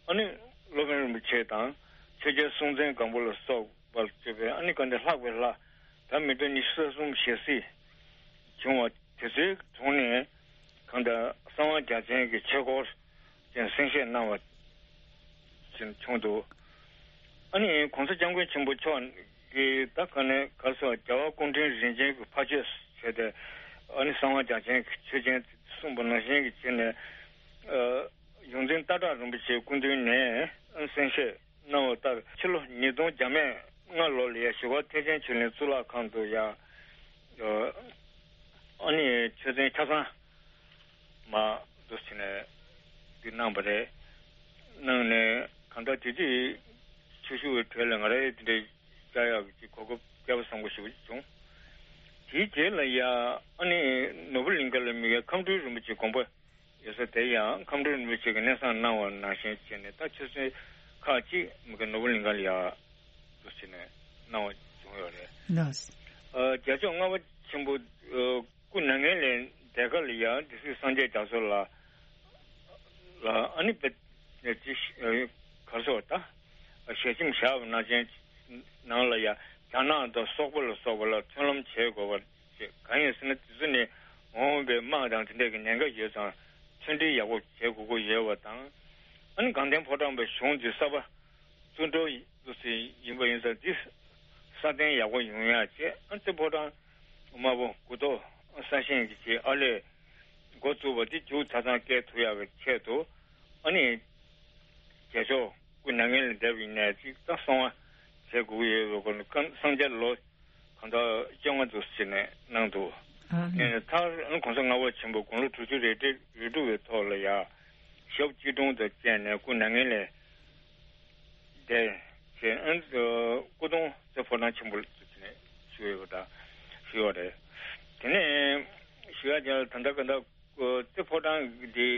ཨ་ནི་སློབ་དཔོན་རིན་པོ་ཆེ་དང་ཆོས་རྒྱལ་སྲོང་བཙན་སྒམ་པོ་ལ་སོགས་པར་བརྗོད་པའི་ཨ་ནི་ག་འདྲ་ལྷག་པའི་ལྷ་ད་མི་འདྲ་ཉི་ཤུ་རྩ་གསུམ་ཞལ་གཟིགས་བྱུང་བ་དེ་ཚོའི་དྲུང་ནས་གང་ལྟར་གསང་བ་རྒྱ་ཅན་གྱི་ཆོས་སྐོར་ཅན་གསན་བཞེས་གནང་བ་ཅན་བྱུང་འདུག་ཨ་ནི་གོང་ས་སྐྱབས་མགོན་ཆེན་པོ་མཆོག་གིས་ད་ག་ནས་ག་སོགས་རྒྱལ་བ་སྐུ་ཕྲེང་རིམ་བྱོན་གྱི་ཕ་ཆོས་བྱས་ཏེ་ཨ་ནི་གསང་བ་རྒྱ་ཅན་གྱི་ཆོས་ཅན་གསུངས་པ་ནང་བཞིན་གྱི་བྱས་ནས་ཨ་ཡོངས་འཛིན་སྟག་བྲག་རིན་པོ་ཆེའི་སྐུ་མདུན་ནས་གསན་བཞེས་གནང་བ་ལྟར་ཕྱི་ལོ་ཉིས་སྟོང་བརྒྱ་མེད་ལྔ་ལོ་ལ་ཡང་བཞུགས་སྒར་ཐེག་ཆེན་ཆོས་གླིང་གཙུག་ལག་ཁང་དུ་ཡང་ཨ་ནི་ཆོས་ཚན་ཆ་ཚང་མ་འདུ་བྱས་ནས་འདི་གནང་བ་རེད། གནང་ནས་གང་ལྟར་དེ་དུས་ཆོས་ཞུ་བའི་གྲས་ལ་ང་རང་དེ་འདྲའི་བཅར་ཡག་གི་གོ་སྐབས་བསྐལ་པ་བཟང་པོ་ཞིག་བྱུང་། དེའི་རྗེས་ལ་ཡང་ཨ་ནི་ནོར་བུ་གླིང་ཁ་ལ་དམིགས་ཡུལ་ཁམས་སྤྲུལ་རིན་པོ་ཆེའི་དགོངས་པ་ཡོད་ས་དེ་ཡང་ཁམས་སྤྲུལ་རིན་པོ་ཆེ་གིས་གནས་བཟང་གནང་བ་ནང་བཞིན་བྱས་ནས་ད་ཆོས་ཚན་ཁག་ཅིག་མི་དགེ་ནོར་བུ་གླིང་ཁ་ལ་ཡག་འདུག་བྱས་ནས་གནང་བ་བྱུང་ཡོད་རེད། ལགས། ཨ་རྒྱལ་མཆོག་ལྔ་པ་ཆེན་པོ་ཨ་སྐུ་མྱ་ངན་ལས་འདས་སྐབས་ལ་ཡང་སྡེ་སྲིད་སངས་རྒྱས་རྒྱ་མཚོ་ལ་ལ་ཨ་ནི་བེ་ཅི་གར་སོགས་ད་ཞལ་ཆེམས་བཞག་པ་ནང་བཞིན་ནང་ལ་ཡང་ རྒྱ་ནག་དང་སོག་པོ་ལ་སོགས་པ་ལ་མཐུན་ལམ་བྱེད་དགོས་པ་ཞིག་གང་ཡིན་ཟེར་ན། དེ་ཚོ་ནི་མ་འོངས་པའི་དམག་དང་དེ་འདྲ་གི་ཉེན་ཁ་ཡོད་ཙང་མཐུན་སྒྲིལ་ཡག་པོ་བྱེད་དགོས་ཀྱི་ཡོད་པ་དང་། ཨ་ནི་དགའ་ལྡན་ཕོ་བྲང་པའི་གཞུང་འདི་གསར་པ་བཙུགས་འགྲོ་ཡི་འདུག་ཟེར་ཡིན་པ་ཡིན་ཙང་། འདི་སྲ་བརྟན་ཡག་པོ་ཡོང་ཡག་བྱས། ཨ་རྩེ་ཕོ་བྲང་དམར་པོ་མགུ་ཏོ་གསར་བཞེངས་ཀྱི་ཆེད་ཨ་ལས་འགོ་བཙུགས་པ་འདི་མཇུག་ཆ་ཚང་སྐྱེལ་ཐུབ་ཡག་གི་ཆེད་དུ། ཨ་ནི་རྒྱལ་མཆོག་སྐུ་མྱ་ངན་ལས་འདས་པ་ཡིན་ནའི་ཅིག་ད་གསང་བ་བྱེད་དགོས་ཀྱི་ཡོད་པའི་སྐོར་ནས། སྐབས་སངས་རྒྱས་ལོ་གང་ལྟར་བཅོ་ལྔ་འདུག་ཟེར་ནས་གནང་འདུག་ཨ་ནི་མཐར་ཨ་ནི་གོང་ས་ལྔ་པ་ཆེན་པོ་དགུང་ལོ་དྲུག་ཅུ་རེ་རེ་རེ་དྲུག་པའི་ཐོག་ལ་ཡ་ཞབས་སྐྱིལ་ཀྲུང་དང་བཅས་ནས་སྐུ་མྱ་ངན་ལས་འདས་བྱས། ཨ་ནི་སྐུ་གདུང་རྩེ་ཕོ་བྲང་ཆེན་པོ་ལ་བཞུགས་ནས་བཞུགས་ཡོད་པ་དང་བཞུགས་པ་རེད། དེ་ནས་ཞུ་ཡ་དེ་ལ། ད་ལྟ་ག་ད་རྩེ་ཕོ་བྲང་འདི་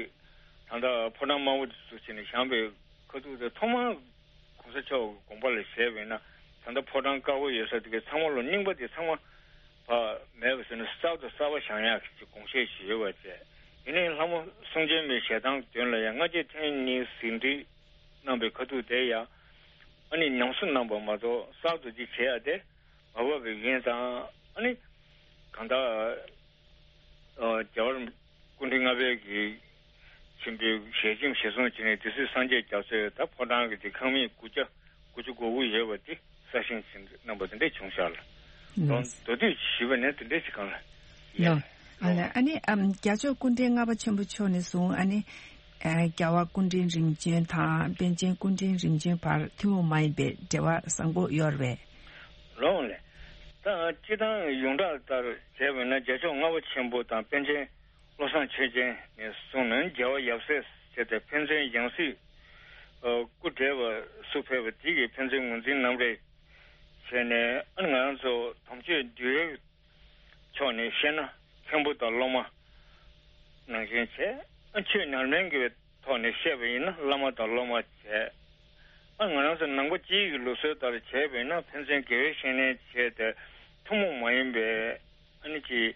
ད་ལྟ་ཕོ་བྲང་དམར་པོ་འདི་ཚུར་ཕྱིན་ནས་བཞེངས་པའི་ཁ་ཐུག་དེ་ཐོག་མར་གོང་ས་མཆོག་གི་དགོངས་པ་ལ་བཞེས་པ་ཡིན་ན། ད་ལྟ་ཕོ་བྲང་དཀར་པོ་ཡོད་ས་དེ་གའི་ཚང་མ་ལོ་རྙིང་པ་དེ་ཚང་མ་ཕར་མེད་པ་བཟོས་ནས་གསར་དུ་གསར་པ་བཞེངས་ཡག་གི་དགོངས་བཞེས་ཞིག་ཡོད་པ་བྱས། ཡིན་ནའི་ལྷ་མོ་གསུང་བྱོན་མའི་ཞལ་ཐང་མདུན་ལ་ཡང་ལྔ་བརྒྱ་ཐེངས་གཉིས་ཟིན་བྲིས་གནང་པའི་ཁ་ཐུག་དེ་ཡང་ཨ་ནི་ཉམས་གསོ་གནང་པ་མ་གཏོགས་གསར་དུ་ཅིག་བྱེད་ཡ་དེ་མ་བབས་པ་ཡིན་ཙང་། ཨ་ནི་གང་ལྟར་ཨ་རྒྱལ་བ་རིན་པོ་ཆེ་སྐུ་ཕྲེང་ལྔ་པའི་གི་ཆེན་པོའི་ཞལ་ཆེམས་ཞལ་གསུང་བྱས་ནས། དེ་སྲིད་སངས་རྒྱས་རྒྱ་མཚོས་ད་ཕོ་བྲང་གི་དེ་ཁང་མིག་དགུ་བརྒྱ་དགུ་བཅུ་གོ་དགུ་ཡོད་པ་དེ་གསར་བཞེངས་བྱས་གནང་པ་དེ་འདྲ་བྱུང་ཤག་ལ། ལོ། མདོར་བསྡུས་ཞུས་པ་ནི་དེ་འདྲ་ཞིག་གང་ལ། ལོ། ཡ། ཨ་ལ། ཨ་ནི་ཨམ་རྒྱལ་མཆོག་སྐུ་ཕྲེང་ལྔ་པ་ཆེན་པོ་མཆོག་ནས་བཟུང་། ཨ་ནི་ཨ་རྒྱལ་བ་སྐུ་ཕྲེང་རིམ་བྱོན་དང་པཎ་ཆེན་སྐུ་ཕྲེང་རིམ་བྱོན་བར་ཐུན་མོང་མ་ཡིན་པའི་འབྲེལ་བ་བཟང་པོ་ཡོད་རེད་པས། ལོང་ལས། ད་སྤྱིར་བཏང་ཡོངས་གྲགས་ལྟར་བྱས་པ་ན། རྒྱལ་མཆོག་ལྔ་པ་ཆེན་པོ་དང་པཎ་ཆེན་བློ་བཟང་ཆོས་རྒྱན་ནས་བཟུང་ནས། རྒྱལ་བ་ཡབ་སྲས་བྱས་ཏེ་ཕན་ཚུན་ཡང་སྲིད་སྐུ་བགྲེས་པ་སུ་ཕེབས་པ་དེ་གིས་ཕན་ཚུན་ངོས་འཛིན་གནང་རེས་བྱས་ནས། ཨ་ནི་ང་རང་ཚོ་དམ་ཆོས་འདུལ་བའི་ཕྱོགས་ནས་བཤད་ན་མཁན་པོ་དང་སློབ་མ་ནང་བཞིན་བྱས། ཨ་ཆོས་ཉམས་ལེན་གྱི་ཐོག་ནས་བཤད་པ་ཡིན་ན་བླ་མ་དང་སློབ་མ་བྱས། ཨ་ང་རང་ཚོ་ནང་པ་སྤྱིའི་གི་ལུགས་སྲོལ་ལྟར་བྱས་པ་ཡིན་ན་ཕན་ཚུན་དགེ་བའི་བཤེས་གཉེན་བྱས་ཏེ་ཐུན་མོང་མ་ཡིན་པའི་ཨ་ནི་ཅིག་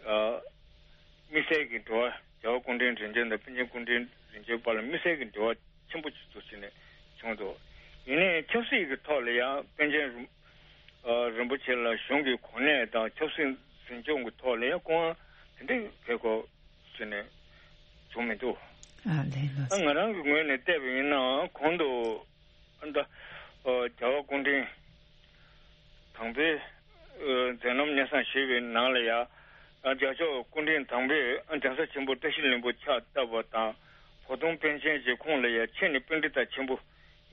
ཨ་དམིགས་བསལ་གྱི་འབྲེལ་བ། རྒྱལ་བ་སྐུ་ཕྲེང་རིམ་བྱོན་དང་པཎ་ཆེན་སྐུ་ཕྲེང་རིམ་བྱོན་བར་ལ་དམིགས་བསལ་གྱི་འབྲེལ་བ་ཆེན་པོ་ཅིག་ཏུ་ཕྱིན་ནས་བྱུང་འདུག་ཡིན་ནའི་ཆབ་སྲིད་ཀྱི་ཐོག་ལ་ཡང་པཎ་ཆེན་རིན་ཨ་རིན་པོ་ཆེ་ལ་གཞུང་གི་གོ་གནས་དང་ཆབ་སྲིད་འཛིན་སྐྱོང་གི་ཐོག་ལ་ཡང་སྐུ་དབང་དེ་འདྲའི་བྱེད་སྒོ་ཟེར་ནས་བྱུང་མི་འདུག་ཨ་ལས། ལགས་ཨ་སོ། ང་རང་གི་ངོས་ནས་བལྟས་པ་ཡིན་ན། གོང་དུ་ཨ་ད་ཨ་རྒྱལ་བ་སྐུ་ཕྲེང་དང་པོའི་ཨ་མཛད་རྣམ་སྙན་སེང་ཞུས་པའི་ནང་ལ་ཡང་། ཨ་རྒྱལ་མཆོག་སྐུ་ཕྲེང་དང་པོས་ཨ་གདན་ས་ཆེན་པོ་བཀྲ་ཤིས་ལྷུན་པོ་ཕྱག་བཏབ་པ་དང་། བོ་དོང་པཎ་ཆེན་གྱི་ཁོངས་ལ་ཡང་ཁྱེད་ནི་པཎྜི་ཏ་ཆེན་པོ་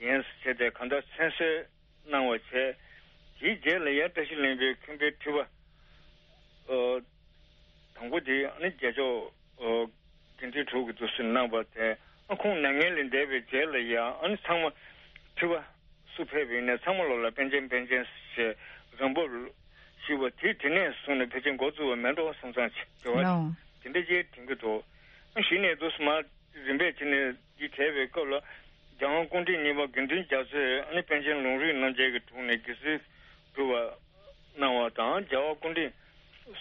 ཡིན་ཟེར་ཏེ་གང་ལྟར་མཚན་གསོལ་གནང་བ་བྱས། དེའི་རྗེས་ལ་ཡང་བཀྲ་ཤིས་ལྷུན་པོའི་མཁན་པོའི་ཁྲི་པ་ཨ་དང་པོ་དེ་ཨ་ནི་རྒྱལ་མཆོག་ཨ་དགེ་འདུན་གྲུབ་ཀྱིས་འདུག་སེ་གནང་བ་དེ། ཨ་ཁོང་མྱ་ངན་ལས་འདས་པའི་རྗེས་ལ་ཡང་ཨ་ནི་ཚང་མ་ཁྲི་པ་སུ་ཕེབས་པ་ཡིན་ནའི་ཚང་མ་ལོག་ལ་པཎ་ཆེན་པཎ་ཆེན་ཞེས་རང་བབས་ཞུས་པ་དེ་དེ་ནས་བཟུང་ནས་ཕལ་ཆེར་འགོ་བཙུགས་པ་མེད་འགྲོ་བསམ་བསམ་བྱེད་པ་ལའོ། དེ་འདྲ་ཅིག་དྲན་གྱི་འདུག་ཨ་གཞི་ནས་འདུག་སེ་མར་རིམ་པས་ཕྱིན་ནས་འདི་བྱས་པའི་སྐབས་ལ། རྒྱལ་དབང་སྐུ་ཕྲེང་གཉིས་པ་དགེ་འདུན་རྒྱ་མཚོས་ཨ་ནི་པཎ་ཆེན་ལུང་རིགས་རྣམ་རྒྱལ་གྱི་དྲུང་ནས་དགེ་ཚུལ་སྒྲུབ་པ་གནང་བ་དང་། རྒྱལ་བ་སྐུ་ཕྲེང་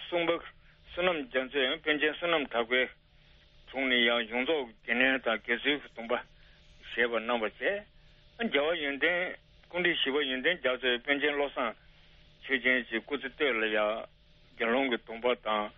གསུམ་པ་བསོད་ནམས་རྒྱ་མཚོས་པཎ་ཆེན་བསོད་ནམས་གྲགས་པའི་དྲུང་ནས་ཡང་གཞུང་ཚོགས་ཀྱི་སྡེ་སྣོད་དང་དགེ་ཚུལ་གྱི་སྡོམ་པ་བཞེས་པ་གནང་བ་བཅས། རྒྱལ་བ་ཡོན་ཏན་སྐུ་ཕྲེང་བཞི་པ་ཡོན་ཏན་རྒྱ་མཚོས་པཎ་ཆེན་བློ་བཟང་ཆོས་རྒྱན་གྱི་སྐུ་ཚེ་སྟོད་ལ་ཡང་དགེ་སློང་གི་སྡོམ་པ་དང་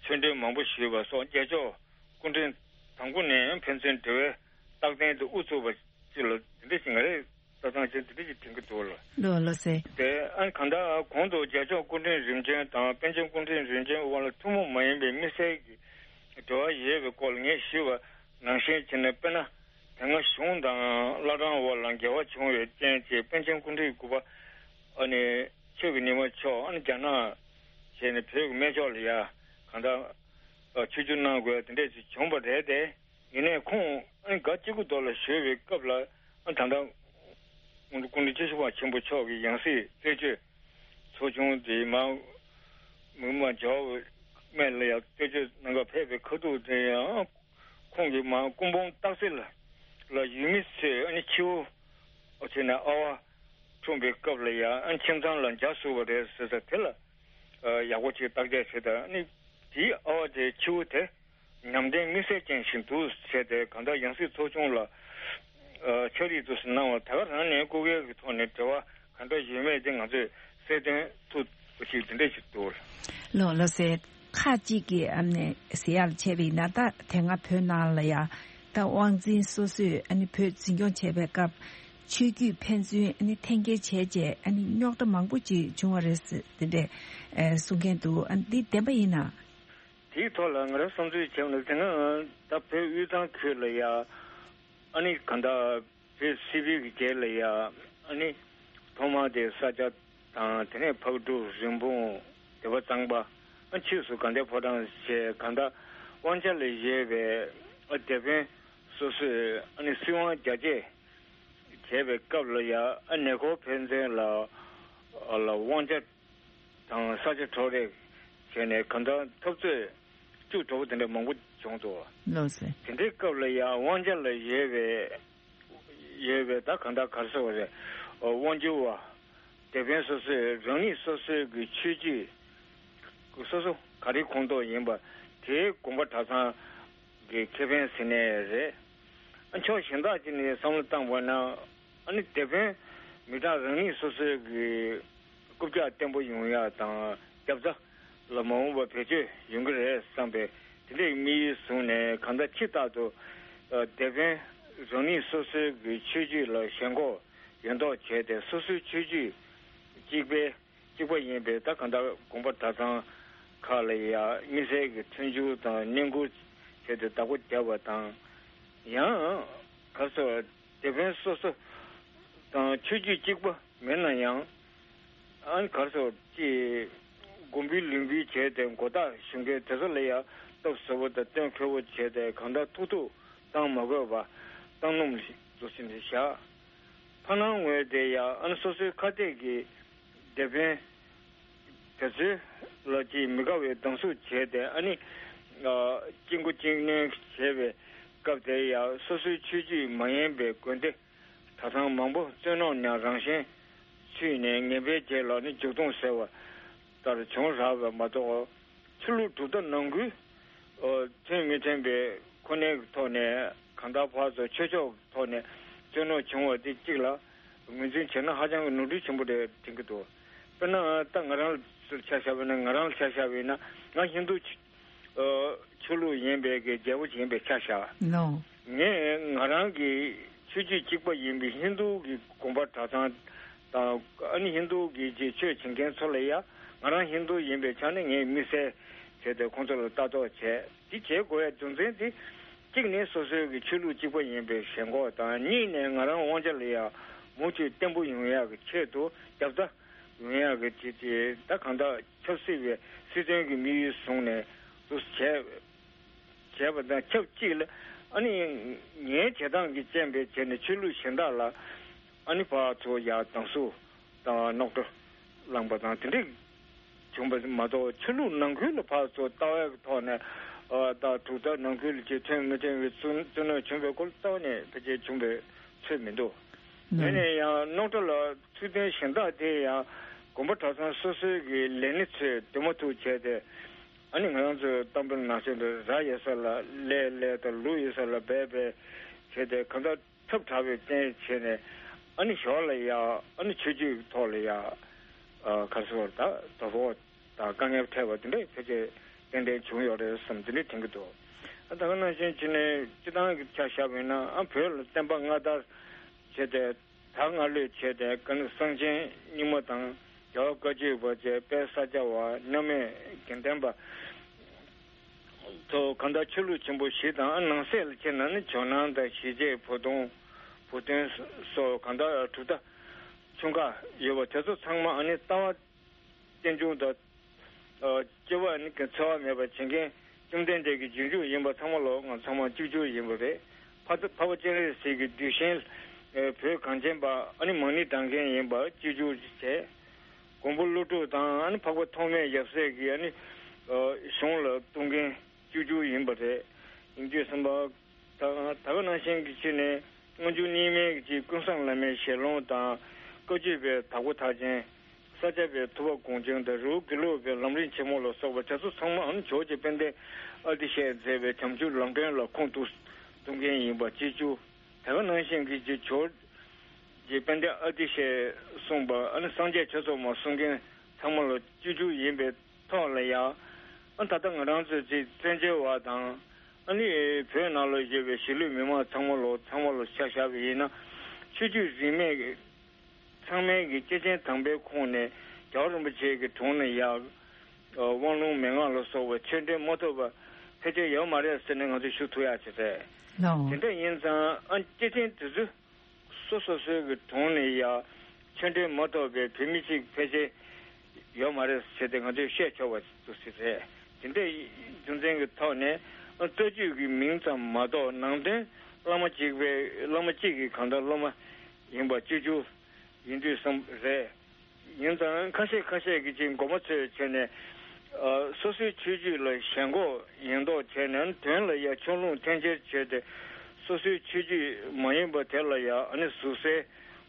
ཆོས་འབྲེལ་མང་པོ་ཞུས་པ་སོགས། རྒྱལ་མཆོག་སྐུ་ཕྲེང་དང་པོ་ནས་ཕན་ཚུན་འབྲེལ་བའི་རྟགས་མཚན་དེ་དབུ་ཚུགས་པ་ཅིག་ལ་དེ་འདྲ་ཞིག་ང་རེ་ལྟ་སྟངས་ཅན་དེ་འདྲ་ཞིག་དྲན་གྱི་འདུག་ལ། ལོ་ལོ་ཟེར། དེ་ཨ་གང་ལྟར་གོང་དུ་རྒྱལ་མཆོག་སྐུ་ཕྲེང་རིམ་བྱོན་དང་པཎ་ཆེན་སྐུ་ཕྲེང་རིམ་བྱོན་དབར་ལ་ཐུན་མོང་མ་ཡིན་པའི་དམིགས་བསལ་གྱི་འབྲེལ་བ་ཡོད་པའི་སྐོར་ལ་ངས་ཞུས་པ་ནང་བཞིན་བྱས་ནས། དཔེར་ན་དེ་སྔ་གཞུང་དང་བླ་བྲང་དབར་ལ་འགལ་བ་བྱུང་བའི་རྐྱེན་གྱིས་པཎ་ཆེན་སྐུ་ཕྲེང་དགུ་པ་ཨ་ནི་ཆོས་ཀྱི་ཉི་མ་མཆོག་ཨ་ནི་རྒྱ་ནག་བྱས་ནས་བོད་ཀྱི་སྨད་ཕྱོགས་ལ་ཡ་གང་ལྟར་ཆིབས་བསྒྱུར་གནང་དགོས་དེ་འདྲས་ཅིག་བྱུང་བ་རེད་དེ། ཡིན་ནའི་ཁོང་ཨ་ནི་སྒ་སྐྱེ་རྒུ་མདོ་ལ་བཞུགས་པའི་སྐབས་ལ། ཨ་ད་ལྟ་སྐུ་ཕྲེང་བཅུ་བཞི་པ་ཆེན་པོ་མཆོག་གི་ཡང་སྲིད་རྩད་གཅོད་ཚོགས་ཆུང་དེ་མར་མི་མང་རྒྱལ་བ་སྨད་ལ་ཡང་རྩད་གཅོད་གནང་གར་ཕེབས་པའི་ཁ་ཐུག་དེ་ཡང་། ཁོང་གིས་མར་སྐུ་འབུམ་སྟག་རྩེ་ལ་ལ་ཡུལ་མི་ཚོས་ཨ་ནི་ཁྱེའུ་ཨ་ཚོས་ནས་ཨ་བ་འཁྲུངས་པའི་སྐབས་ལ་ཡང་ཨ་ནི་ཁྱིམ་ཚང་ལ་འཇའ་ཟུག་པ་རེད་ཟེར་ས་དེ་ལ་ཡག་པོ་ཅིག་བརྟག་དཔྱད་བྱས་དང་། ཨ་ནི་དེའི་ཨ་བ་དེའི་ཁྱེའུ་དེ་ཉམས་ལྡན་དམིགས་བསལ་ཅན་ཞིག་འདུག་བྱས་ཏེ། གང་ལྟར་ཡང་སྲིད་ཚོགས་ཆུང་ལ་ཕྱག་བྲིས་འདུག་སེ་གནང་བ་དེ་ག་རང་ནས་སྐུ་སྒེར་གྱི་ཐོག་ནས་འབྲེལ་བ་ གང་འདྲ་ཡོད་མེད་དེ་ང་ཚོས་གསལ་སྟོན་ཐུབ་པ་ཞིག་དེ་འདྲ་ཞིག་འདུག་ལགས། ལགས་སོ། ཁག་ཅིག་གིས་ཨ་ནི་ཟེར་ཡག་ལ་བྱས་པ་ཡིན་ན། ད་དེ་སྔ་བོད་ནང་ལ་ཡ་ད་དབང་འཛིན་སོ་སོས་ཨ་ནི་བོད་འཛིན་སྐྱོང་བྱས་པའི་སྐབས་ཆོས་བརྒྱུད་ཕན་ཚུན་ཨ་ནི་འཐེན་འཁྱེར་བྱས་རྗེས་ཨ་ནི་རྙོག་དྲ་མང་པོ་ཅིག་བྱུང་བ་རེད་ཟེར་དེ་འདྲས་ཨེ་གསུང་མཁན་འདུག་ཨ་ནི་འདི་བདེན་པ་ཡིན་ན། དེའི་ཐོག་ལ་ང་རང་བསམ་ཚུལ་བྱས་ན། དེ་སྔ་ད་བོད་དབུས་གཙང་ཁུལ་ལ་ཡ་ཨ་ནི་གང་ལྟར་བོད་སིལ་བུའི་གི་རྗེས་ལ་ཡ་ཨ་ནི་ཐོག་མར་དེ་ས་སྐྱ་དང་། དེ་ནས་ཕག་གྲུ། རིན་སྤུངས། སྡེ་པ་གཙང་པ། ཨ་ཕྱིས་སུ་དགའ་ལྡན་ཕོ་བྲང་བཅས་གང་ལྟར་དབང་ཆ་ལ་བཞེས་པའི་ཨ་སྡེ་དཔོན་སོ་སོས་ཨ་ནི་སྲིད་དབང་རྒྱ་སྐྱེད་བྱས་པའི་སྐབས་ལ་ཡ་ཨ་ཉེ་འཁོར་ཕན་ཚུན་ལ་ལ་དབང་ཆ་དང་ས་ཆ་འཕྲོག་རེས་བྱས་ནས་གང་ལྟར་འཐབ་རྩོད་སྐྱུག་བྲོ་བོ་དེ་འདྲ་མང་པོ་བྱུང་འདུག་ལགས་སོ། དེ་འདྲའི་སྐབས་ལ་ཡང་དབང་ཆ་ལ་ཡོད་པའི་ཡོད་པའི་ད་གང་ལྟར་ག་རེ་ཟེར་བ་རེད། དབང་སྒྱུར་བ་སྡེ་དཔོན་སོ་སོས་རང་ཉིད་སོ་སོའི་གི་ཆོས་བརྒྱུད་སོ་སོ་ག་རེ་ཁོངས་གཏོགས་ཡིན་པ་དེའི་དགོན་པ་གྲྭ་ཚང་གི་ཁེ་ཕན་ཟེར་ནའི་རེད། ཨ་ཕྱོགས་གཞན་དག་ཅིག་ནས་བསམ་བློ་བཏང་བ་ན། ཨ་ནི་དེ་ཕན་མི་གྲངས་རང་ཉིད་སོ་སོའི་གི་རྐུབ་བཀྱག་བརྟན་པོ་ཡོང་ཡག་དང་རྒྱབ་རྩ་ལ་མ་འོངས་པར་བེད་སྤྱོད་ཡོང་གི་རེད་བསམ་པའི་དེ་འདྲའི་དམིགས་ཡུལ་བཟུང་ནས། གང་ལྟར་ཕྱི་ལྟར་དུ་ཨ་དེ་ཕན་རང་ཉིད་སོ་སོའི་གི་ཆོས་བརྒྱུད་ལ་ཞེན་ཁོག་ཡོད་མདོག་བྱས་ཏེ། སོ་སོའི་ཆོས་བརྒྱུད་གཅིག་པའི་གཅིག་པ་ཡིན་པའི་ད་གང་ལྟར་དགོན་པ་གྲྭ་ཚང་ཁག་ལ་ཡ་དམིགས་བསལ་གྱི་མཐུན་འགྱུར་དང་བསྙེན་བཀུར་བྱས་ཏེ་བདག་པོ་བརྒྱབ་པ་དང་། ཡང་ག་རེ་ཟེར། དེ་ཕན་སོ་སོ་དང་ཆོས་བརྒྱུད་གཅིག་པ་མིན་ན་ཡང་། ཨ་ནི་ག་རེ་ཟེར། ཅིག་དགོན་པའི་ལུང་པའི་བྱས་ཏེ་མགོ་བཏགས་ཞུ་མཁན་དེ་ཚོ་ལ་ཡ་སྟབས་བཟབ་པོ་དང་གཏན་འཁེལ་བོ་བྱས་ཏེ། གང་ལྟར་ཐུག་ཐུག་བཏང་མ་དགོས་པ་བཏང་སྣུམ་འདུག་སེ་བཞག་ཕ་ནང་ངོས་དེ་ཡ་ཨ་ནི་སོ་སོའི་ཁ་གཏད་ཀྱི་དེ་ཕན་དེ་ཚོའི་ལ་ཅིག་མི་དགའ་བའི་སྡང་ཟུག་བྱས་ཏེ། ཨ་ནི་ཨ་གཅིག་མགོ་གཅིག་གནོན་བྱས་པའི་སྐབས་དེ་ཡ་སོ་སོའི་ཆོས་བརྒྱུད་མ་ཡིན་པའི་དགོན་སྡེ་གྲྭ་ཚང་མང་པོ་བཙན་གནོན་ནས་རང་བཞིན་ཚུད་ནས་ངན་པའི་རྗེས་ལ་ནི་མཇུག་སྡོམ་ཟེར་བ་ལྟར་བྱུང་རག་པ་མ་གཏོགས། ཆོས་ལུགས་གྲུབ་མཐའ་ནང་ཁུལ་ཨ་མཐུན་མི་མཐུན་པའི་ཁོ་ནའི་ཐོག་ནས། གང་ལྟར་ཕར་ཚུར་ཆོས་ཕྱོགས་ཐོག་ནས་བཙན་གནོན་བྱུང་བ་དེ་གཅིག་ལ་ངོས་འཛིན་བྱས་ན་ཧ་ཅང་གི་ནོར་འཁྲུལ་ཆེན་པོ་རེད་དྲན་གྱི་འདུག་དཔེར་ན་ད་ང་རང་ལ་ཆ་བཞག་པ་ན། ང་རང་ལ་ཆ་བཞག་པ་ཡིན་ན། ང་ཧིན་རྡུ་ཆོས་ཨ་ཆོས་ལུགས་ཡིན་པའི་གི་རྒྱལ་པོ་ཞིག་ཡིན་པའི་ཆ་བཞག་ལོ། ངས་ང་རང་གི་ཆོས་བརྒྱུད་གཅིག་པ་ཡིན་པའི་ཧིན་རྡུ་གི་དགོན་པ་གྲྭ་ཚང་དང་། ཨ་ནི་ཧིན་རྡུ་གི་ཆོས་བྱེད་མཁན་ཚོ་ལ་ཡ། ང་རང་ཧིན་རྡུ་ཡིན་པའི་ཆ་ནས་ངས་དམིགས་བསལ་བྱས་ཏེ་ཁོང་ཚོ་ལ་ལྟ་རྟོག་བྱས། དེ་བྱེད་དགོས་ཡ་རྒྱུ་མཚན་དེ། གཅིག་ནི་སོ་སོའི་གི་ཆོས་ལུགས་གཅིག་པ་ཡིན་པའི་ཞེན་ཁོག་དང་། གཉིས་ནས་ང་རང་དབང་ཆ་ལ་ཡ་མུ་མཐུད་བརྟན་པོ་ཡོང་ཡག་གི་ཆེད་དུ། རྒྱབ་རྩ་ཡོང་ཡག་གི་ཆེད་དུ། ད་གང་ལྟར་ཆབ་སྲིད་པའི་སྲིད་དོན་གྱི་དམིགས་ཡུལ་བཟུང་ནས་འདུག་སེ་བྱས། བྱས་པ་དང་ཆབས་ཅིག་ལ། ཨ་ནི་ངའི་བྱེད་སྟངས་ཀྱི་རྐྱེན་པས་བྱས་ནས་ཆོས་ལུགས་གཞན་དག་ལ་ཨ་ནི་ཕར་ཚུར་ཡ་སྡང་ཟུག་དང་རྙོག་དྲ་བསླངས་པ་དང་དེ་འདྲ་བྱུང་བ་མ་གཏོགས། ཆོས་ལུགས་ནང་ཁུལ་ལ་ཕར་ཚུར་ལྟ་བའི་ཐོག་ནས། ཨ་ད་གྲུབ་མཐའ་ནང་ཁུལ་གྱི་མཐུན་མི་མཐུན་པའི་བཙུན་བཙུན་གནོན་བྱུང་བའི་སྐོར་ལ་ལྟ་བ་ནས་ཕལ་ཆེར་བྱུང་བའི་ཚོད་མི་འདུག་ཡིན་ནའང་རྙོག་དྲ་ལ་ཚུལ་མཐུན་གཞན་དག་དེ་ཡང་དགོན་པ་གྲྭ་ཚང་སོ་སོའི་གི་ལས་སྣེ་ཚོས་འདུན་མ་ཐུབ་བྱས་ཏེ། ཨ་ནི་ང་རང་ཚོའི་གཏམ་དཔེ་ནང་བཞིན་དུ་ར་ཡོད་ས་ལ་ལས་ལས་དང་། ལུག་ཡོད་ས་ལ་སྦལ་སྦལ་བྱས་ཏེ། གང་ལྟར་ཁྱབ་བསྒྲགས་པའི་རྐྱེན་བྱས་ནས། ཨ་ནི་ཞོར་ལ་ཡ་ཨ་ནི་ཆོས་བརྒྱུད་ཐོག་ལ་ཡ་ཨ་ག་རེ་ཟེར་བ། ད་དོ་ཕོག་དང་དཀའ་ངལ་འཕྲད་པ་དེ་འདྲ་ཕལ་ཆེར་ཏན་ཏན་བྱུང་ཡོད་རེད་བསམ། དེ་འདྲ་དྲན་གྱི་འདུག་ཨ་ད་ག་ནང་བཞིན་བྱས་ནས་སྤྱིར་བཏང་གི་ཆ་བཞག་པ་ཡིན་ན། ཨ་བོད་ལ་བསྟན་པ་སྔ་དར་བྱས་ཏེ། ད་སྔ་ལོས་བྱས་ཏེ། ཀ་ནི་གསང་ཆེན་རྙིང་མ་དང་། རྒྱལ་བ་བཀའ་བརྒྱུད་པ་བཅས། དཔལ་ས་སྐྱ་བ། མཉམ་མེད་དགེ་ལྡན་པ་ཚོ། གང་ལྟར་ཆོས་ལུགས་ཆེན་པོ་བཞི་དང་། ཨ་ནང་གསེས་ལ་ཕྱིན་ན་ནི་ཇོ་ནང་དང་། ཞི་བྱེད། བུ་སྟོན། བུ་སྟོན་སོགས་གང་ལྟར་གྲུབ་མཐའ་ཆུང་ཁག་ཡོད་པ་དེ་ཚོ་ཚང་མ་ཨ་ནི་ལྟ་བ་རྟེན་འབྱུང་དང་། ཨ་སྐྱེ་བ་ནི་འཚེ་བ་མེད་པར་བྱེད་མཁན་བཅོམ་ལྡན་འདས་ཀྱི་རྗེས་འཇུག་ཡིན་པ་ཚང་མ་ལོ། ང་ཚང་མ་གཅིག་གྱུར་ཡིན་པ་རེད། འཕགས་འཕགས་པ་སྤྱན་རས་གཟིགས་ཀྱི་གདུལ་ཞིང་། ཨ་བོད་གངས་ཅན་པ། ཨ་ནི་མང་ནི་དྲང་མཁན་ཡིན་པ་གཅིག་གྱུར་བྱས། མགོན་པོ་ཀླུ་སྒྲུབ་དང་། ཨ་ནི་འཕགས་པ་ཐོགས་མེད་ཡབ་སྲས་ཀྱི་ཨ་ནི་ཨ་གཞུང་ལ་ལྟུང་མཁན་གཅིག་གྱུར་ཡིན་པ་རེད། ཡིན་དུས་ཙམ་པ། ད་ད་ག་ནང་བཞིན་གྱི་ཕྱིར་ནས། སྔོན་འཇུག་རྙིང་མའི་གི་ཀུན་བཟང་བླ་མའི་ཞལ་ལུང་དང་། བཀའ་བརྒྱུད་པའི་དྭགས་པོ་ཐར་ཆེན། ས་སྐྱ་པའི་ཐུབ་པ་དགོངས་ཆེན་དང་། རི་བོ་དགེ་ལུགས་པའི་ལམ་རིམ་ཆེན་མོ་ལ་སོགས་པ་དེ་ཚོ་ཚང་མའམ་ཇོ་བོ་རྗེ་དཔལ་ལྡན་ཨ་ཏི་ཤས་མཛད་པའི་བྱམས་ཆུབ་ལམ་སྒྲོན་ལ་ཁུངས་གཏུགས་གཏུགས་མཁན་ཡིན་པ་གཅིག་གྱུར། དེ་ག་ནང་བཞིན་གྱི་ཇོ་ ཅེས་དཔལ་ལྡན་ཨ་ཏི་ཤས་གསུངས་པ། ཨ་ནི་སངས་རྒྱས་ཆོས་ཚོགས་མ་གསུང་མཁན་ཚང་མ་ལ་བཅོས་བསྒྱུར་ཡིན་པའི་ཐོག་ལ་ཡང་། ཨ་ད་ལྟ་ང་རང་ཚོའི་ཅིག་བཙན་བྱོལ་བ་དང་། ཨ་ནི་བོད་ནང་ལ་ཡོད་པའི་གཞིས་ལུས་མི་མང་ཚང་མ་ལ་ཚང་མ་ལ་ཆ་བཞག་པ་ཡིན་ན། ཆོས་བརྒྱུད་རིས་མེད་ཀྱི་ཚང་མའི་གི་སྐྱེས་ཆེན་དམ་པའི་ཁོངས་ནས་རྒྱལ་བ་རིན་པོ་ཆེ་གི་དྲུང་ནས་ཡང་། ཨ་དབང་ལུང་མན་ངག་ལ་སོགས་པའི་ཆོས་འབྲེལ་མ་ཐོབ་པ་ཕལ་ཆེར་ཡོད་མ་རེད་ཟེར་ནས་ང་ཚོས་ཞུ་ཐུབ་ཡག་ཅིག་རེད། ལགས། དེ་འདྲ་ཡིན་ཙང་། ཨ་སྐྱེས་ཆེན་དེ་ཚོས་སོ་སོ་སོའི་གི་དྲུང་ནས་ཡང་ཆོས་འབྲེལ་མ་ཐོབ་པའི་བོད་མི་གཅིག་ཕལ་ཆེར་ཡོད་མ་རེད་ཟེར་ཏེ་ང་ཚོས་བཤད་ཆོག་པ་ཅིག་རེད། དེ་འདྲའི་རྒྱུ་མཚན་གྱི་ཐོག་ནས། ཨ་རྩ་རྒྱུད་ཀྱི་མིང་ཙམ་མ་གཏོགས་ནང་དོན་བླ་མ་གཅིག་པའི། བླ་མ་གཅིག་གི་གང་ལྟར་སློབ་མ་ཡིན་པ་བཅོས་བསྒྱུར་ཡིན་དུས་བསམ་རེད། ཡིན་ཙང་ཁ་ཤས་ཁ་ཤས་ཀྱིས་ཅིག་མགོ་མ་ཚོས་བྱས་ནས། ཨ་སོ་སོའི་ཆོས་བརྒྱུད་ལ་ཞེན་ཁོག་ཡིན་མདོག་བྱས་ནས། དོན་ལ་ཡང་ཕྱོགས་ལྷུང་འཐེན་འཁྱེར་བྱས་ཏེ། སོ་སོའི་ཆོས་བརྒྱུད་མ་ཡིན་པ་དེ་ལ་ཡང་ཨ་ནི་ཟུར་ཟའི་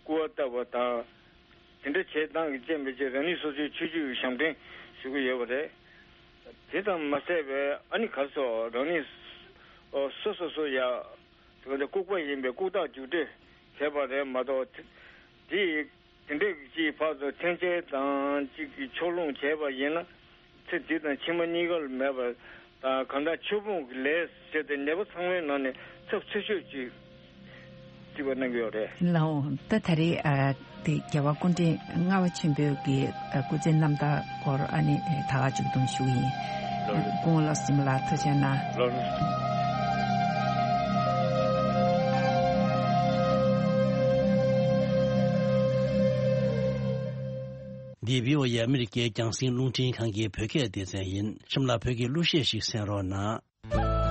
སྐུར་བ་བཏབ་པ་དང་། དེ་འདྲ་བྱེད་སྟངས་ཀྱི་རྐྱེན་པས་ཅིག་རང་ཉིད་སོ་སོའི་ཆོས་བརྒྱུད་ཀྱི་ཞབས་འདྲེན་ཞུ་གི་ཡོད་པ་རེད། དེ་ཙམ་མ་ཟད་པའི་ཨ་ནི་ག་རེ་ཟེར། རང་ཉིད་སོ་སོ་སོ་ཡ་ལྐུགས་པ་ཡིན་པའི་ལྐུགས་རྟགས་རྒྱུགས་སྤྲོད་བྱས་པ་རེད་མ་གཏོགས། དེ་དེ་དེ་འདྲའི་ཅིག་ཕར་ཚུར་འཐེན་འཁྱེར་དང་ཅིག་གི་ཕྱོགས་ལྷུང་བྱས་པ་ཡིན་ན། ཚེ་འདི་དང་ཕྱི་མ་གཉིས་ཀར་མེད་པ་དང་། གང་ལྟར་ཆོས་སྤོང་གི་ལས་ཟེར་ཏེ་ནད་པ་ཚང་མའི་ནང་ནས་ཚབས་ཆེ་ཤོས་ཅིག་རྩིས་པ་གནང་གི་ཡོད་རེད། ལགས་འོ། ད་ད་རེས་ཨ་དེ་རྒྱལ་བ་སྐུ་ཕྲེང་ལྔ་པ་ཆེན་པོའི་གི་ཨ་སྐུ་ཚེའི་རྣམ་ཐར་སྐོར་ཨ་ནི་ད་ག་ཅིག་དུ་ཞུ་གི་ཡིན། ལགས་རེད། སྐུ་ངོ་བློ་བཟང་སྲིན་མོ་ལགས་ཐུགས་རྗེ་གནང་། ལགས་རེད། འདི་བྷི་ཨོ་ཨེ་ཨ་མི་རི་ཀའི་རྒྱང་སྲིང་རླུང་འཕྲིན་ཁང་གི་བོད་སྐད་སྡེ་ཚན་ཡིན། གཤམ་ལ་བོད་ཀྱི་གླུ་གཞས་ཤིག་གསན་རོགས་གནང་།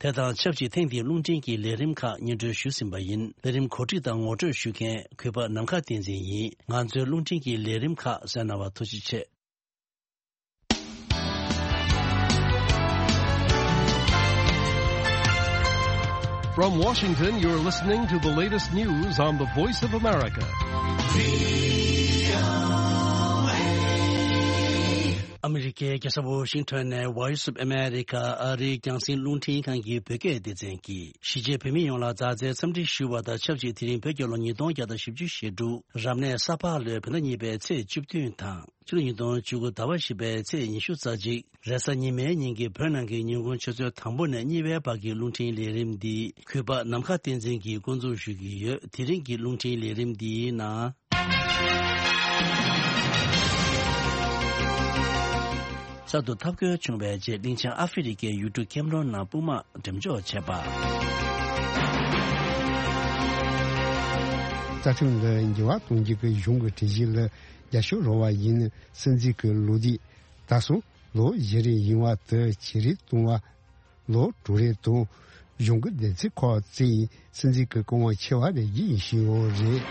དེ་དང་ཆབས་ཅིག་ཐེངས་འདིའི་རླུང་འཕྲིན་གྱི་ལས་རིམ་ཁག་སྙན་སྒྲོན་ཞུས་ཟིན་པ་ཡིན། ལས་རིམ་གོ་སྒྲིག་དང་ངོ་སྤྲོད་ཞུ་མཁན་གུས་པ་ནམ་མཁའ་བསྟན་འཛིན་ཡིན། ང་ཚོའི་རླུང་འཕྲིན་གྱི་ལས་རིམ་ཁག་གསན་གནང་བར་ཐུགས་རྗེ་ཆེ། From Washington, you're listening to the latest news on the Voice of America. ཨ་མི་རི་ཀའི་རྒྱལ་ས་ཝོ་ཤིང་ཊོན་ནས་Voice of America ཨ་རིའི་རྒྱང་སྲིང་རླུང་འཕྲིན་ཁང་གི་བོད་སྐད་སྡེ་ཚན་གྱིས་གཞིས་བྱེས་བོད་མི་ཡོངས་ལ་མཛའ་བརྩེའི་འཚམས་འདྲི་ཞུ་བ་དང་ཆབས་ཅིག་དེ་རིང་བོད་རྒྱལ་ལོ་ཉིས་སྟོང་བརྒྱ་དང་བཞི་བཅུ་ཞེ་དྲུག་རབ་གནས་ས་ཕག་ལོའི་བོད་ཟླ་གཉིས་པའི་ཚེས་བཅུ་བདུན་དང་། ཕྱི་ལོ་ཉིས་སྟོང་བཅུ་དགུ་ཟླ་བ་བཞི་པའི་ཚེས་ཉི་ཤུ་རྩ་གཅིག་རེས་གཟའ་ཉི་མའི་ཉིན་གྱི་བོད་ནང་གི་ཉིན་གུང་ཆུ་ཚོད་དང་པོ་ནས་གཉིས་པའི་བར་གྱི་རླུང་འཕྲིན་ལས་རིམ་འདི་གུས་པ་ནམ་མཁའ་བསྟན་འཛིན་གྱིས་འགོ་འཛུགས་ཞུ་གི་ཡོད། དེ་རིང་གི་རླུང་འཕྲིན་ལས་རིམ་འདིའི་ནང་། གསར་དུ་འཐབ་རྒོལ་བྱུང་བའི་རྗེས་གླིང་ཆེན་ཨ་ཧྥེ་རི་ཀའི་ཡུལ་གྲུ་ཁེམ་རོན་ནང་དཔུང་དམག་འགྲེམས་འཇོག་བྱས་པ། རྩ་ཁྲིམས་ལ་འགྱུར་བ་གཏོང་རྒྱུ་གི་གཞུང་གི་གྲོས་གཞི་ལ་རྒྱབ་སྐྱོར་རོགས་པ་ཡིན། སྲིད་འཛིན་གྱི་ལོ་རྒྱུས། ད་སོ་ལོ་བཞི་རེ་ཡིན་བ་དུ་ཆེ་རེ་གཏོང་བ། ལོ་དྲུག་རེ་དང་གཞུང་གི་སྡེ་ཚན་ཁག་བཙུགས་ཡིན། སྲིད་འཛིན་གྱི་སྐུ་དབང་ཆེ་བ་རེ་བཞིན་ཞུ་ཡོད་རེད།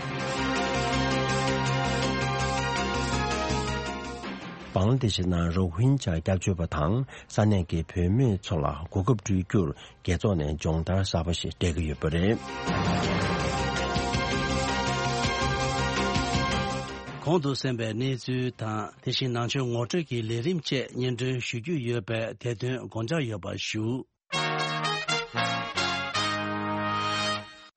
བང་ལ་དེ་ཤི་ནང་རོ་ཧིན་ཇཱ་སྐྱབས་བཅོལ་བ་དང་ས་གནས་ཀྱི་བོད་མི་ཚོ་ལ་གོ་སྐབས་སྤྲོད་རྒྱུར་རྒྱལ་ཚོགས་ནས་སྦྱོང་བརྡར་གསར་པ་ཞིག་སྤྲད་ཀྱི་ཡོད་པ་རེད། གོང་དུ་གསན་པའི་གནས་ཚུལ་དང་དེ་བཞིན་ནང་ཆོས་ངོ་སྤྲོད་ཀྱི་ལས་རིམ་བཅས་སྙན་སྒྲོན་ཞུ་རྒྱུ་ཡོད་པས་དེ་དོན་དགོངས་འཇགས་ཡོད་པ་ཞུ།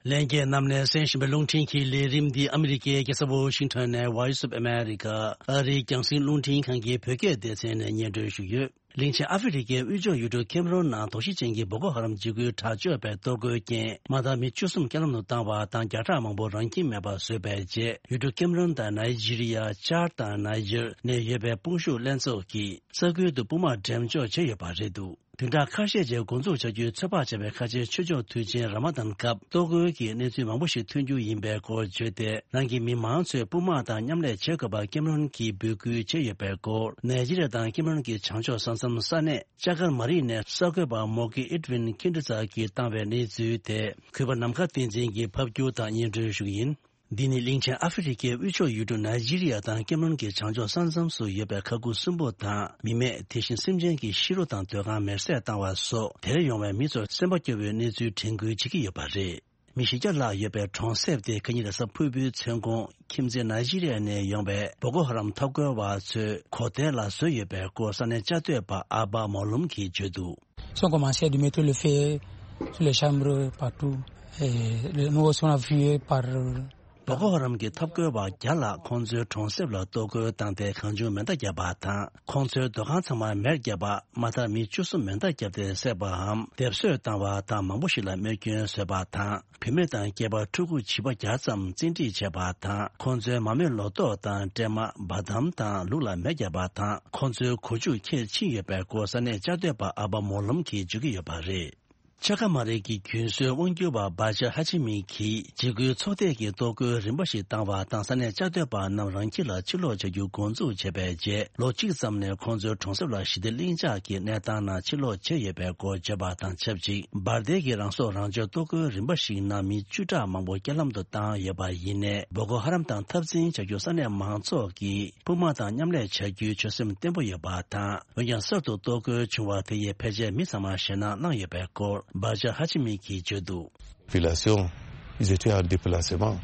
ལྷན་རྒྱས་རྣམས་ནས་གསན་བཞིན་པའི་རླུང་འཕྲིན་གྱི་ལས་རིམ་འདི་ཨ་མི་རི་ཀའི་རྒྱལ་ས་ཝོ་ཤིང་ཊོན་ནས་Voice of America ཨ་རིའི་རྒྱང་སྲིང་རླུང་འཕྲིན་ཁང་གི་བོད་སྐད་སྡེ་ཚན་ནས་སྙན་སྒྲོན་ཞུས་ཡོད། གླིང་ཆེན་ཨ་ཧྥེ་རི་ཀའི་དབུས་ཕྱོགས་ཡུལ་གྲུ་ཁེམ་རོན་ནང་དོགས་གཞི་ཅན་གྱི་བོ་ཀོ་ཧ་རམ་འཇིགས་སྐུལ་དྲག་སྤྱོད་པས་གཏོར་རྒོལ་རྐྱེན་མ་དག་མི་བཅུ་གསུམ་རྐྱེན་ལམ་དུ་བཏང་བ་དང་བརྒྱ་ཕྲག་མང་པོ་རང་ཁྱིམ་མེད་པར་བཟོས་པའི་རྗེས་ཡུལ་གྲུ་ཁེམ་རོན་དང་ནཱི་ཇི་རི་ཡ། ཅཱཌ་དང་ནཱི་ཇར་ནས་ཡོད་པའི་དཔུང་ཤུགས་ལྷན་ཚོགས་ཀྱིས་ས་ཁུལ་དུ་དཔུང་དམག་འགྲེམས་འཇོག་བྱས་ཡོད་པ་རེད་འདུག་བདུན་ཕྲག་ཁ་ཤས་རྗེས་འགོ་འཛུགས་བྱ་རྒྱུའི་ཚོད་དཔག་བྱས་པའི་ཁ་ཆེའི་ཆོས་ཕྱོགས་དུས་ཆེན་ར་མ་དཱན་སྐབས་གཏོར་རྒོལ་གྱི་གནས་ཚུལ་མང་པོ་ཞིག་ཐོན་རྒྱུ་ཡིན་པའི་སྐོར་བརྗོད་དེ། རང་གི་མི་མང་ཚོས་དཔུང་དམག་དང་མཉམ་ལས་བྱེད་དགོས་པར་ཀེམ་རོན་གྱིས་འབོད་སྐུལ་བྱས་ཡོད་པའི་སྐོར། ནཱི་ཇི་རི་ཡ་དང་ཀེམ་རོན་གྱི་བྱང་ཕྱོགས་ས་མཚམས་ས་གནས་ཅ་ཀར་མ་རི་ནས་གསར་འགོད་པ་མོ་གི་ཨེད་ཝིན་ཁིན་ཏི་ཙ་གིས་བཏང་བའི་གནས་ཚུལ་དེ་གུས་པ་ནམ་མཁའ་བསྟན་འཛིན་གྱིས་ཕབ་སྒྱུར་དང་སྙན་སྒྲོན་ཞུ་གི་ཡིན། འདི་ནི་གླིང་ཆེན་ཨ་ཧྥེ་རི་ཀའི་དབུས་ཕྱོགས་ཡུལ་གྲུ་ནཱི་ཇི་རི་ཡ་དང་ཀེམ་རོན་གྱི་བྱང་ཕྱོགས་ས་མཚམས་སུ་ཡོད་པའི་ཁ་ཁུག་གསུམ་པོ་དང་མི་མེད་དེ་བཞིན་སེམས་ཅན་གྱི་ཤི་རོ་དང་སྡོད་ཁང་མེར་སྲེག་བཏང་བ་སོགས་དེར་ཡོང་བའི་མི་ཚོར་སེམས་པ་སྐྱོ་བོའི་གནས་ཚུལ་དྲན་སྐུལ་བྱེད་ཀྱི་ཡོད་པ་རེད། མི་བཞི་བརྒྱ་ལྷག་ཡོད་པའི་གྲོང་གསེབ་དེ་ཁ་ཉིན་རེས་གཟའ་ཕུར་བུའི་མཚན་གུང་ཁྱིམ་མཚེས་ནཱི་ཇི་རི་ཡ་ནས་ཡོང་བའི་བོ་ཀོ་ཧ་རམ་འཐབ་རྒོལ་བ་ཚོས་གོ་ཐལ་ལ་བཟོས་ཡོད་པའི་སྐོར་ས་གནས་བཅའ་སྡོད་པ་ཨ་བ་མོ་ལུམ་གྱིས་བརྗོད་འདུག Ils ont commencé de mettre le feu sur les chambres partout. Et le- nous aussi, on a vu par. བོ་ཀོ་ཧ་རམ་གྱི་འཐབ་རྒོལ་བ་བརྒྱ་ལྷག་ཁོང་ཚོའི་གྲོང་གསེབ་ལ་གཏོར་རྒོལ་བཏང་སྟེ་གང་བྱུང་མེ་མདའ་བརྒྱབ་པ་དང་། ཁོང་ཚོའི་སྡོད་ཁང་ཚང་མ་མེར་བརྒྱབ་པ། མ་མཐར་མི་བཅུ་གསུམ་མེ་མདའ་བརྒྱབ་སྟེ་བསད་པའམ་སྡེབ་གསོད་བཏང་བ་དང་མང་པོ་ཞིག་ལ་རྨས་སྐྱོན་བཟོས་པ་དང་། བུད་མེད་དང་སྐྱེས་པ་ཕྲུ་གུ་བྱིས་པ་བརྒྱ་ཙམ་བཙན་ཁྲིད་བྱས་པ་དང་། ཁོང་ཚོའི་མ་རྨོས་ལོ་ཏོག་དང་སྲན་མ། བ་དམ་དང་ལུག་ལ་མེ་བརྒྱབ་པ་དང་། ཁོང་ཚོའི་གོ་ཆུ་ཁྱེར་ཕྱིན་ཡོད་པའི་སྐོར་ས་གནས་བཅའ་སྡོད་པ་ཨ་བ་མོ་ལུམ་གྱིས་བརྗོད་ཀྱི་ཡོད་པ་རེད། ཆ་ཁ་མ་རེད་ཀྱི་རྒྱུན་སྲོལ་དབང་སྒྱུར་བ་བྷ་ཇ་ཧ་ཆི་མི་གིས་འཇིགས་སྐུལ་ཚོགས་སྡེ་གིས་གཏོར་རྒོལ་རིམ་པ་ཞིག་བཏང་བ་དང་ས་གནས་བཅའ་སྡོད་པ་རྣམས་རང་ཁྱིམ་ལ་ཕྱིར་ལོག་བྱ་རྒྱུ་འགོ་འཛུགས་བྱས་པའི་རྗེས་ལོ་གཅིག་ཙམ་ནས་ཁོང་ཚོའི་གྲོང་གསེབ་ལ་ཞི་བདེ་ལྷིང་འཇགས་ཀྱི་གནས་སྟངས་ནང་ཕྱིར་ལོག་བྱས་ཡོད་པའི་སྐོར་བརྗོད་པ་དང་ཆབས་ཅིག་འབར་མདེལ་གྱི་རང་སྲོག་རང་གཅོད་གཏོར་རྒོལ་རིམ་པ་ཞིག་ནང་མི་བཅུ་ཕྲག་མང་པོ་རྐྱེན་ལམ་དུ་བཏང་ཡོད་པ་ཡིན་ནའི་བོ་ཀོ་ཧ་རམ་དང་འཐབ་འཛིང་བྱ་རྒྱུ་ས་གནས་མང་ཚོགས་ཀྱིས་དཔུང་དམག་དང་མཉམ་ལས་བྱ་རྒྱུའི་ཆོད་སེམས་བརྟན་པོ་ཡོད་པ་དང་། འོན་ཀྱང་གསར་དུ་གཏོར་རྒོལ་བྱུང་བ་དེ་ཡིས་ཕལ་ཆེར་མི་ཚང་མ་ཞེད་སྣང་གནང་ཡོད་པའི་སྐོར་བྷ་ཇ་ཧ་ཆི་མི་གིས་བརྗོད་འདུག Population, ils étaient en déplacement.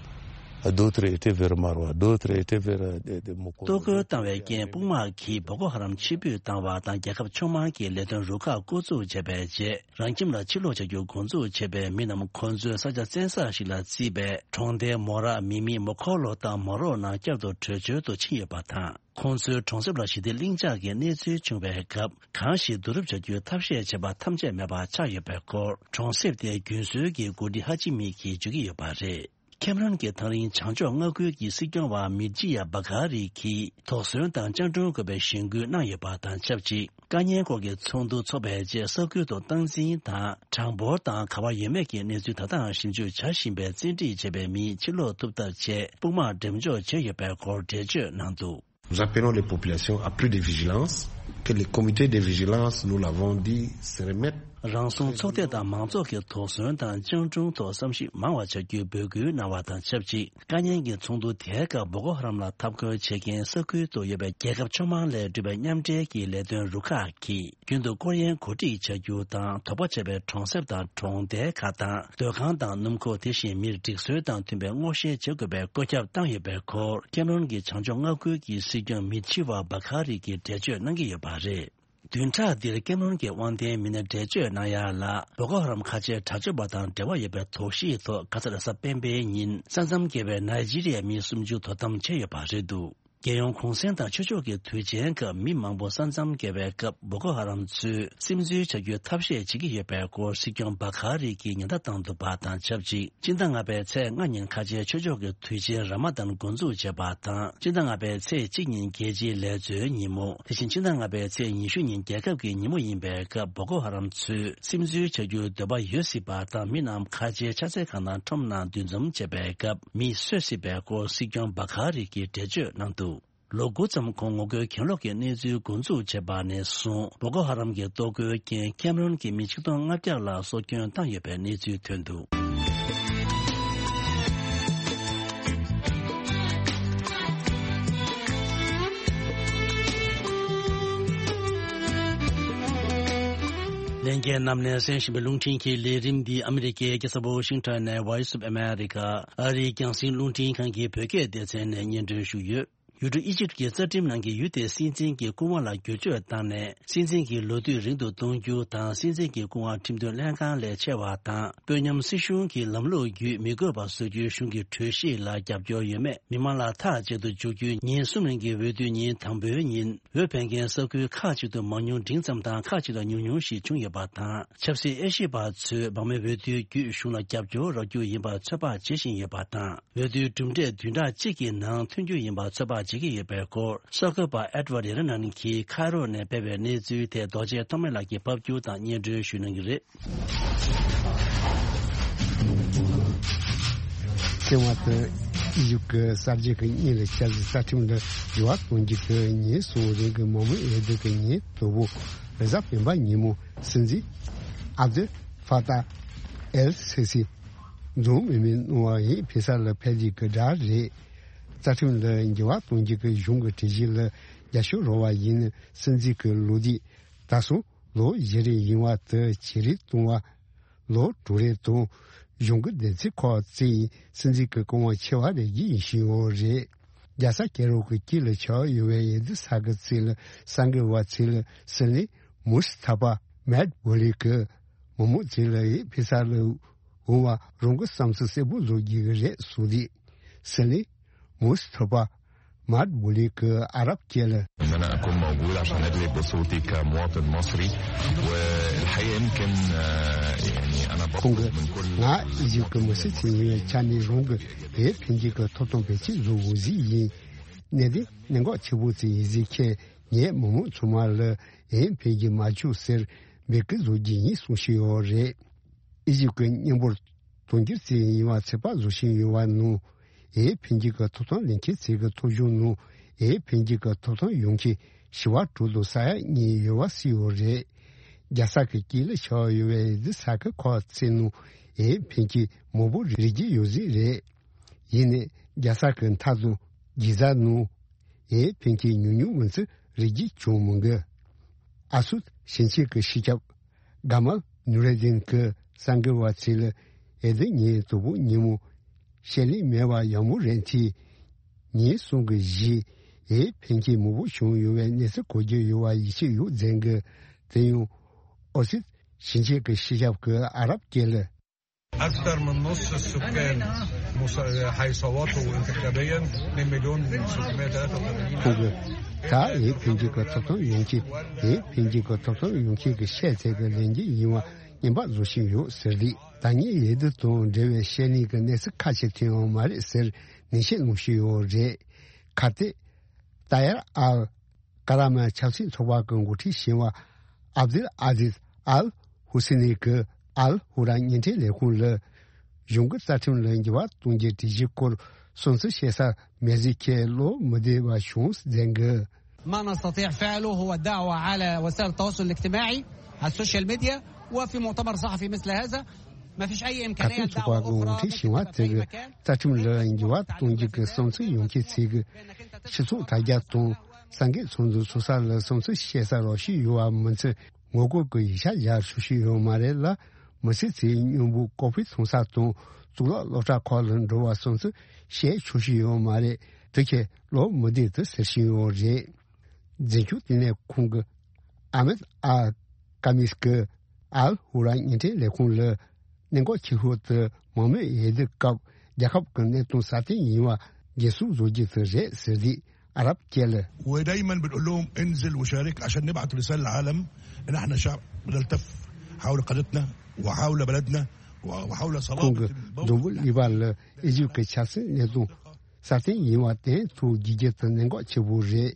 D'autres étaient vers Maroua, d'autres étaient vers, euh, des, des Mokoro. གཏོར་རྒོལ་བཏང་བའི་རྐྱེན་དཔུང་དམག་གིས་བོ་ཀོ་ཧ་རམ་ཕྱིར་འབུད་བཏང་བ་དང་རྒྱལ་ཁབ་ཕྱོགས་མང་གི་ལས་དོན་རུ་ཁག་བསྐོ་འཛུགས་བྱས་པའི་རྗེས་རང་ཁྱིམ་ལ་ཕྱིར་ལོག་བྱ་རྒྱུ་འགོ་འཛུགས་བྱས་པའི་མི་རྣམས་ཁོང་ཚོའི་ས་ཆ་བཙན་ས་ཞིག་ལ་བརྩིས་པའི་གྲོང་རྡལ་མོ་ར་མི་མི་མོ་ཁོ་ལོ་དང་མོ་རོ་ནང་བསྐྱར་དུ་བྲོས་བྱོལ་དུ་ཕྱིན་ཡོད་པ་དང་། ཁོང་ཚོའི་གྲོང་གསེབ་ལ་ཞི་བདེ་ལྷིང་འཇགས་ཀྱི་གནས་ཚུལ་བྱུང་བའི་སྐབས་གང་ཞིག་བསྡུ་རུབ་བྱ་རྒྱུའི་ཐབས་ཤེས་བྱས་པ་ཐམས་ཅད་མེད་པ་ཆགས་ཡོད་པའི་སྐོར་གྲོང་གསེབ་དེའི་རྒྱུན་སྲོལ་གྱི་འགོ་ཁྲིད་ཧ་ཅི་མི་གིས་བརྗོད་ཀྱི་ཡོད་པ་རེད། ཁེམ་རོན་གྱི་ཐག་རིང་བྱང་ཕྱོགས་མངའ་ཁུལ་གྱི་སྲིད་སྐྱོང་བ་མི་ཇི་ཡ་བ་གྷ་རི་གིས་དོགས་ཟོན་དང་སྤྱང་གྲུང་དགོས་པའི་གཞེན་སྐུལ་གནང་ཡོད་པ་དང་ཆབས་ཅིག་དཀའ་ཉེན་སྐོར་གྱི་ཚོགས་འདུ་འཚོགས་པའི་རྗེས་ས་ཁུལ་དུ་སྟངས་འཛིན་དང་གྲངས་འབོར་དང་ག་བ་ཡོད་མེད་ཀྱི་གནས་ཚུལ་ད་ལྟའང་ཞིབ་འཇུག་བྱ་བཞིན་པའི་བཙན་ཁྲིད་བྱས་པའི་མིས་ཕྱིར་ལོག་ཐུབ་ཐབས་ཆེད་དཔུང་དམག་འགྲེམས་འཇོག་བྱས་ཡོད་པའི་སྐོར་འགྲེལ་བརྗོད་གནང་འདུག Nous appelons les populations à plus de vigilance. que les comités de vigilance, nous l'avons dit, se remettent. རང་སྲུང་ཚོགས་སྡེ་དང་མང་ཚོགས་ཀྱི་དོགས་ཟོན་དང་སྤྱང་གྲུང་ཐོག་བསམ་གཞིག་མང་བ་བྱ་རྒྱུའི་འབོད་སྐུལ་གནང་བ་དང་ཆབས་ཅིག་དཀའ་ཉེན་གྱི་ཚོགས་འདུ་དེའི་སྐབས་བོ་ཀོ་ཧ་རམ་ལ་འཐབ་རྒོལ་བྱེད་མཁན་ས་ཁུལ་དུ་ཡོད་པའི་རྒྱལ་ཁབ་ཕྱོགས་མང་ལས་གྲུབ་པའི་མཉམ་འབྲེལ་གྱི་ལས་དོན་རུ་ཁག་གིས། རྒྱུན་དུ་སྐོར་གཡེང་གོ་སྒྲིག་བྱ་རྒྱུ་དང་དོགས་པ་བྱས་པའི་གྲོང་གསེབ་དང་གྲོང་རྡལ་ཁག་དང་སྡོད་ཁང་དང་སྣུམ་འཁོར། དེ་བཞིན་མིར་སྒྲིག་སྲོལ་དང་མཐུན་པའི་སྔོག་བཤེར་བྱེད་དགོས་པའི་བཀོད་ཁྱབ་བཏང་ཡོད་པའི་སྐོར་ཁེམ་རོན་གྱི་བྱང་ཕྱོགས་མངའ་ཁུལ་གྱི་སྲིད་སྐྱོང་མི་ཆི་ཝ་བ་ཁ་རི་གིས་འགྲེལ་བརྗོད་གནང་གི་ཡོད་པ་རེད། བདུན་ཕྲག་འདིར་ཀེམ་རོན་གྱི་དབང་ལྡན་མི་སྣས་འགྲེལ་བརྗོད་གནང་ཡ་ལ། བོ་ཀོ་ཧ་རམ་ཁ་ཆེའི་དྲག་སྤྱོད་པ་དང་འབྲེལ་བ་ཡོད་པའི་དོགས་གཞིའི་ཐོག་ག་ས་རེ་གཟའ་སྤེན་པའི་ཉིན་ས་མཚམས་བརྒལ་བའི་ནཱི་ཇི་རི་ཡའི་མི་སུམ་ཅུ་དོ་དམ་བྱས་ཡོད་པ་རེད་འདུག་རྒྱལ་ཡོངས་གུང་སེང་དང་ཆོས་ཕྱོགས་ཀྱི་དུས་ཆེན་སྐབས་མི་མང་པོ་ས་མཚམས་བརྒལ་བའི་སྐབས་བོ་ཀོ་ཧ་རམ་ཚོས་སིམ་འཛུལ་བྱ་རྒྱུའི་ཐབས་ཤེས་བྱེད་ཀྱི་ཡོད་པའི་སྐོར་སྲིད་སྐྱོང་བ་ཁ་རི་གིས་ཉེན་བརྡ་བཏང་འདུག་པ་དང་ཆབས་ཅིག་སྤྱི་ཟླ་ལྔ་པའི་ཚེས་ལྔ་ཉིན་ཁ་ཆེའི་ཆོས་ཕྱོགས་ཀྱི་དུས་ཆེན་ར་མ་དཱན་འགོ་འཛུགས་བྱས་པ་དང་། སྤྱི་ཟླ་ལྔ་པའི་ཚེས་གཅིག་ཉིན་རྒྱལ་སྤྱིའི་ལས་བཟོའི་ཉིན་མོ། དེ་བཞིན་སྤྱི་ཟླ་ལྔ་པའི་ཚེས་ཉི་ཤུ་ཉིན་རྒྱལ་ཁབ་ཀྱི་ཉིན་མོ་ཡིན་པའི་སྐབས་བོ་ཀོ་ཧ་རམ་ཚོས་སིམ་འཛུལ་བྱ་རྒྱུའི་འདོད་པ་ཡོད་སྲིད་པ་དང་། མི་རྣམས་ཁ་ཆེའི་ཕྱག་འཚལ་ཁང་དང་ཁྲོམ་ནང་འདུ་འཛོམས་བྱས་པའི་སྐབས་མི་གསོད་སྲིད་པའི་སྐོར་སྲིད་སྐྱོང་བ་ཁ་རི་གིས་འགྲེལ་བརྗོད་གནང་འདུག་ལོ་དགུ་ཙམ་གོང་ངོ་རྒོལ་གྱེན་ལོག་གི་གནས་ཚུལ་འགོ་འཛུགས་བྱས་པ་ནས་བཟུང་བོ་ཀོ་ཧ་རམ་གྱི་གཏོར་རྒོལ་རྐྱེན་ཁེམ་རོན་གྱི་མི་ཆིག་སྟོང་ལྔ་བརྒྱ་ལ་སྲོག་སྐྱོན་བཏང་ཡོད་པའི་གནས་ཚུལ་ཐོན་འདུག་ལྷན་རྒྱས་རྣམས་ནས་གསན་བཞིན་པའི་རླུང་འཕྲིན་གྱི་ལས་རིམ་འདི་ཨ་མི་རི་ཀའི་རྒྱལ་ས་ཝ་ཤིང་ཊོན་ནས་Voice of America ཨ་རིའི་རྒྱང་སྲིང་རླུང་འཕྲིན་ཁང་གི་བོད་སྐད་སྡེ་ཚན་ནས་སྙན་སྒྲོན་ཞུས་ཡོད། ཡུལ་གྲུ་ཨི་ཇིབ་ཀྱི་རྩ་ཁྲིམས་ནང་གི་ཡུལ་དེའི་སྲིད་འཛིན་གྱི་སྐུ་དབང་ལ་བསྒྱུར་བཅོས་བཏང་ནས། སྲིད་འཛིན་གྱི་ལོ་དུས་རིང་དུ་གཏོང་རྒྱུ་དང་། སྲིད་འཛིན་གྱི་སྐུ་དབང་ཁྲིམས་དོན་ལྷན་ཁང་ལས་ཆེ་བ་དང་། དཔོན་ཉམས་སྲིད་གཞུང་གི་ལམ་ལུགས་བརྒྱུད་མི་དགོས་པ་བཟོ་རྒྱུའི་གཞུང་གི་གྲོས་གཞི་ལ་རྒྱབ་སྐྱོར་ཡོད་མེད་མི་མང་ལ་ཐག་བཅད་དུ་འཇུག་རྒྱུའི་ཉིན་གསུམ་རིང་གི་འོས་བསྡུའི་ཉིན་དང་པོའི་ཉིན། འོས་འཕེན་མཁན་ས་ཁུལ་ཁག་ཅིག་ཏུ་མང་ཉུང་འབྲིང་ཙམ་དང་། ཁག་ཅིག་ལ་ཉུང་ཉུང་ཞིག་བྱུང་ཡོད་པ་དང་། ཆབ་སྲིད་དབྱེ་ཞིབ་པ་ཚོས་འབར་མའི་འོས་བསྡུའི་བརྒྱུད་གཞུང་ལ་རྒྱབ་སྐྱོར་རག་རྒྱུ་ཡིན་པར་ཚོད་དཔག་བྱེད་བཞིན་ཡོད་པ་དང་། འོས་བསྡུའི་གྲུབ་འབྲས་བདུན་ཕྲག་གཅིག་གི་ནང་ཐོན་རྒྱུ་ཡིན་པར་ཚོད་དཔག་བྱེད་ཀྱི་ཡོད་པའི་སྐོར། གསར་འགོད་པ་ཨེད་ཝར་ཌི་ཡེ་ར་ནན་གྱིས་ཁའི་རོ་ནས་སྤེལ་བའི་གནས་ཚུལ་དེ་རྡོ་རྗེ་ཐོགས་མེད་ལགས་ཀྱིས་ཕབ་སྒྱུར་དང་སྙན་སྒྲོན་ཞུ་གནང་གི་རེད། ཐེངས་མ་དེ་ཨི་ཇིབ་ཀྱི་གསར་བརྗེ་གི་སྙིང་ལ་ཆ་ཟིག་རྩ་ཁྲིམས་ལ་འགྱུར་བ་གཏོང་རྒྱུ་གི་ཉིན་གསུམ་རིང་གི་མང་མོས་འོས་བསྡུ་གི་ཉིན་དང་པོ་རེས་གཟའ་སྤེན་པ་ཉིན་མོ་སྲིད་འཛིན་ཨབ་དུལ་ཧྥ་ཏཱ་ཨེལ་སི་སི་འཛོམས་མེད་མེད་གནང་བ་ཡིན་ཕེ་ས་ལ་ཕེབས་རྒྱུ་གི་གྲས་རེད། རྩ་ཁྲིམས་ལ་འགྱུར་བ་གཏོང་རྒྱུ་གི་གཞུང་གི་གྲོས་གཞི་ལ་རྒྱབ་སྐྱོར་རོགས་པ་ཡིན་སྲིད་འཛིན་གྱི་ལོ་དུས་ད་སོ་ལོ་བཞི་རེ་ཡིན་བ་དེ་ཇེ་རིང་གཏོང་བ། ལོ་དྲུག་རེ་དང་གཞུང་གི་བདུན་ཚིགས་ཁག་བརྩིས་ཡིན་སྲིད་འཛིན་གྱི་སྐུ་དབང་ཆེ་བ་རེ་བཞི་ཡིན་བཞིན་ཡོད་རེད། རྒྱལ་ས་ཀེ་རོ་གི་དཀྱིལ་ལ་ཆགས་ཡོད་པའི་འོས་བསྡུ་ས་ཁུལ་ཚོ་ལ་གསར་འགོད་པ་ཚོ་ལ་སྲིད་བློན་མུ་སི་ཐ་པ་མེད་བྷོ་ལི་གིས་མི་མང་ཚོ་ལ་འོས་ཕེ་ས་ལ་འོང་བ་རང་གི་བསམ་ཚུལ་གསལ་པོ་བཟོ་རྒྱུ་གི་རེད་གསུངས་དུས། སྲིད་བློན་མུ་སི་ཐ་པ་མཱད་བྷོ་ལི་གིས་ཨ་རབ་སྐད་ལ། إن أنا أكون موجود عشان أجلب بصوتي كمواطن مصري. والحقيقة يمكن، آه، يعني أنا ཁོང་གིས་ང་ཨི་ཇིབ་ཀྱི་མི་སེར་ཅིག་ཡིན་པའི་ཆ་ནས་རང་གི་འོས་འཕེན་རྒྱུ་གི་ཐོབ་ཐང་འབད་བརྩོན་བཟོ་དགོས་ཟིག་ཡིན། གནད་དོན་གནད་འགག་ཆེ་པོ་ཅིག་ཡིན་ཟིག་ཁྱེད་ངས་མི་མང་ཚང་མ་ལ་འོས་འཕེན་རྒྱུ་མ་བཅུག་ཟེར་འབོད་སྐུལ་བཟོ་རྒྱུ་ཡིན་གསུངས་བཞིན་ཡོད་རེད། ཨི་ཇིབ་ཀྱི་མཉམ་པོར་དོན་འཁྱོལ་བྱས་ཡིན་པ་ཚོད་དཔག་བཟོ་བཞིན་ཡོད་པ་ནང་། འོས་འཕེན་རྒྱུ་གི་ཐོབ་ཐང་ལེན་མཁན་ཚོ་གི་ཐོབ་གཞུང་ནང་འོས་འཕེན་རྒྱུ་གི་ཐོབ་ཐང་ཡོད་མཁན་བྱེ་བ་དྲུག་དང་ས་ཡ་གཉིས་ཡོད་པ་གསལ་ཡོད་རེད། རྒྱལ་ས་གི་དཀྱིལ་ལ་ཆགས་ཡོད་པའི་འོས་བསྡུ་ས་ཁུལ་ཁག་ཚོའི་ནང་འོས་འཕེན་མཁན་མང་པོ་རེད་ཀྱི་ཡོད་ཟིག་རེད། ཡིན་ནའི་རྒྱལ་ས་གི་མཐའ་དང་རྒྱལ་ས་ནང་འོས་འཕེན་མཁན་ཉུང་ཉུང་མིན་ཚུལ་རེ་ཞིག་བྱུང་མི་འདུག་ཨ་སུད་ཞིང་ཆེན་གྱི་སྤྱི་ཁྱབ་གྷ་མལ་ནུར་ཨེ་དིན་གྱིས་གསར་འགོད་པ་ཚོ་ལ་འོས་བསྡུ་ཉིན་དང་པོ་ཉིན་མོ་བཤད་ལན་མེད་པར་ཡང་མོ་རེ་འཐེན། ཉིན་གསུམ་གྱི་རྗེས་འོས་འཕེན་མཁན་མང་པོ་བྱུང་ཡོད་པའི་གནས་ཚུལ་གོ་རྒྱུ་ཡོད་པ་ཡིད་ཆེས་ཡོད་ཟེར་གི། དེ་ཡང་ཨོ་སུད་ཞིང་ཆེན་གྱི་སྤྱི་ཁྱབ་ཀྱིས་ཨ་རབ་སྐད་ལ། أكثر من نص السكان مص-، حيصوتوا انتخابيا، اثنين مليون وستمية وثلاثة وثمانين ཁོང་གིས་ད་འོས་འཕེན་རྒྱུ་གི་ཐོབ་ཐང་ཡོད་མཁན། འོས་འཕེན་རྒྱུ་གི་ཐོབ་ཐང་ཡོད་མཁན་གྱི་ཤེས་ཚད་ཀྱི་ལས་འགན་ཡིན་པ་སྙན་པ་བཟོ་བཞིན་ཡོད་ཟེར་ཏེ། ད་ངས་འོས་བསྡུ་དང་འབྲེལ་བའི་བཤད་ལན་གྱི་གནས་ཚུལ་ཁ་ཤས་ཐོན་ཡོད་མ་རེད་ཟེར་ནན་བཤད་གནང་བཞིན་ཡོད་རེད། གལ་ཏེ་ཏཱ་ཡར་ཨལ་ཀ་ར་མན་ཆབ་སྲིད་ཚོགས་པ་གི་འགོ་ཁྲིད་གཞོན་པ་ཨབ་དུལ་ཨ་ཟིዝ་ཨལ་ཧུ་སེ་ནི་གིས་ཨལ་ཧུ་ར་བརྙན་འཕྲིན་ལས་ཁུངས་ལ་གཞུང་གི་རྩ་ཁྲིམས་ལ་འགྱུར་བ་གཏོང་རྒྱུའི་སྒྲིག་གཞི་སྐོར་སུན་གཙེར་བྱེད་ས་མེད་ཟེར་ཁྱེད་བློ་མི་བདེ་བ་བྱུང་ཟེར་གི། ما نستطيع فعله هو الدعوة على وسائل التواصل الاجتماعي، على السوشيال ميديا، وفي مؤتمر صحفي مثل هذا ما فيش أي إمكانية لدعوة أخرى. ཁ་ཐུག་ཚོགས་པ་གི་ངོ་འཕྲད་བྱུང་བ་དེ་གི་རྩ་ཁྲིམས་ལ་འགྱུར་བ་གཏོང་རྒྱུ་གི་བསམ་ཚུལ་ཡོང་མཁན་ཚོས་གི་སྤྱི་ཚོགས་དྲ་རྒྱ་དང་སངས་རྒྱས་ཚོགས་འདུ་ཚོགས་ས་ལ་བསམ་ཚུལ་བཤད་ས་རོགས་ཞུས་ཡོད་པ་མིན་ཚེ་ངོ་རྒོལ་གི་ཡིག་ཆ་ཡར་ཞུ་ཞུས་ཡོད་མ་རེད་ལ། མི་སེར་ཚོའི་སྙོན་པོ་ཀོ་ཕི་མཐོང་ས་དང་གཙུག་ལག་སློབ་གྲྭ་ཁག་ལ་འགྲོ་བ་སོང་ཚུལ་བཤད་ཆོག་ཞུས་ཡོད་མ་རེད། དེ་ཁས་ལོ་མི་བདེ་དུ་ཟེར་བཞིན་ཡོད་རེད། འཛིན་སྐྱོང་ལྟེ་གནས་ཁོངས་ཀྱི་ཨ་མེད་ཨ་ཀ་མིས་ཀྱི་ཨལ་ཧུ་ར་བརྙན་འཕྲིན་ལས་ཁུངས་ལ་གནད་འགག་ཆེ་ཤོས་དེ་མང་མོས་འོས་བསྡུ་སྐབས་རྒྱལ་ཁབ་ཀྱི་གནད་དོན་སྲ་བརྟན་ཡིན་པ་འགན་སྲུང་བཟོ་རྒྱུ་དེ་རེད་ཟེར་དུས། ཨ་རབ་སྐད་ལ། ودايما بنقول لهم انزل وشارك عشان نبعث رسالة للعالم ان احنا شعب نلتف حول قضيتنا وحول بلدنا وحول ཁོང་གིས་འཛམ་བུ་གླིང་པ་ལ་ཨི་ཇིབ་ཀྱི་ཆབ་སྲིད་གནད་དོན་སྲ་བརྟན་ཡིན་པ་དེ་ཐུགས་དགྱེས་རྒྱུ་དེ་གནད་འགག་ཆེ་པོ་རེད།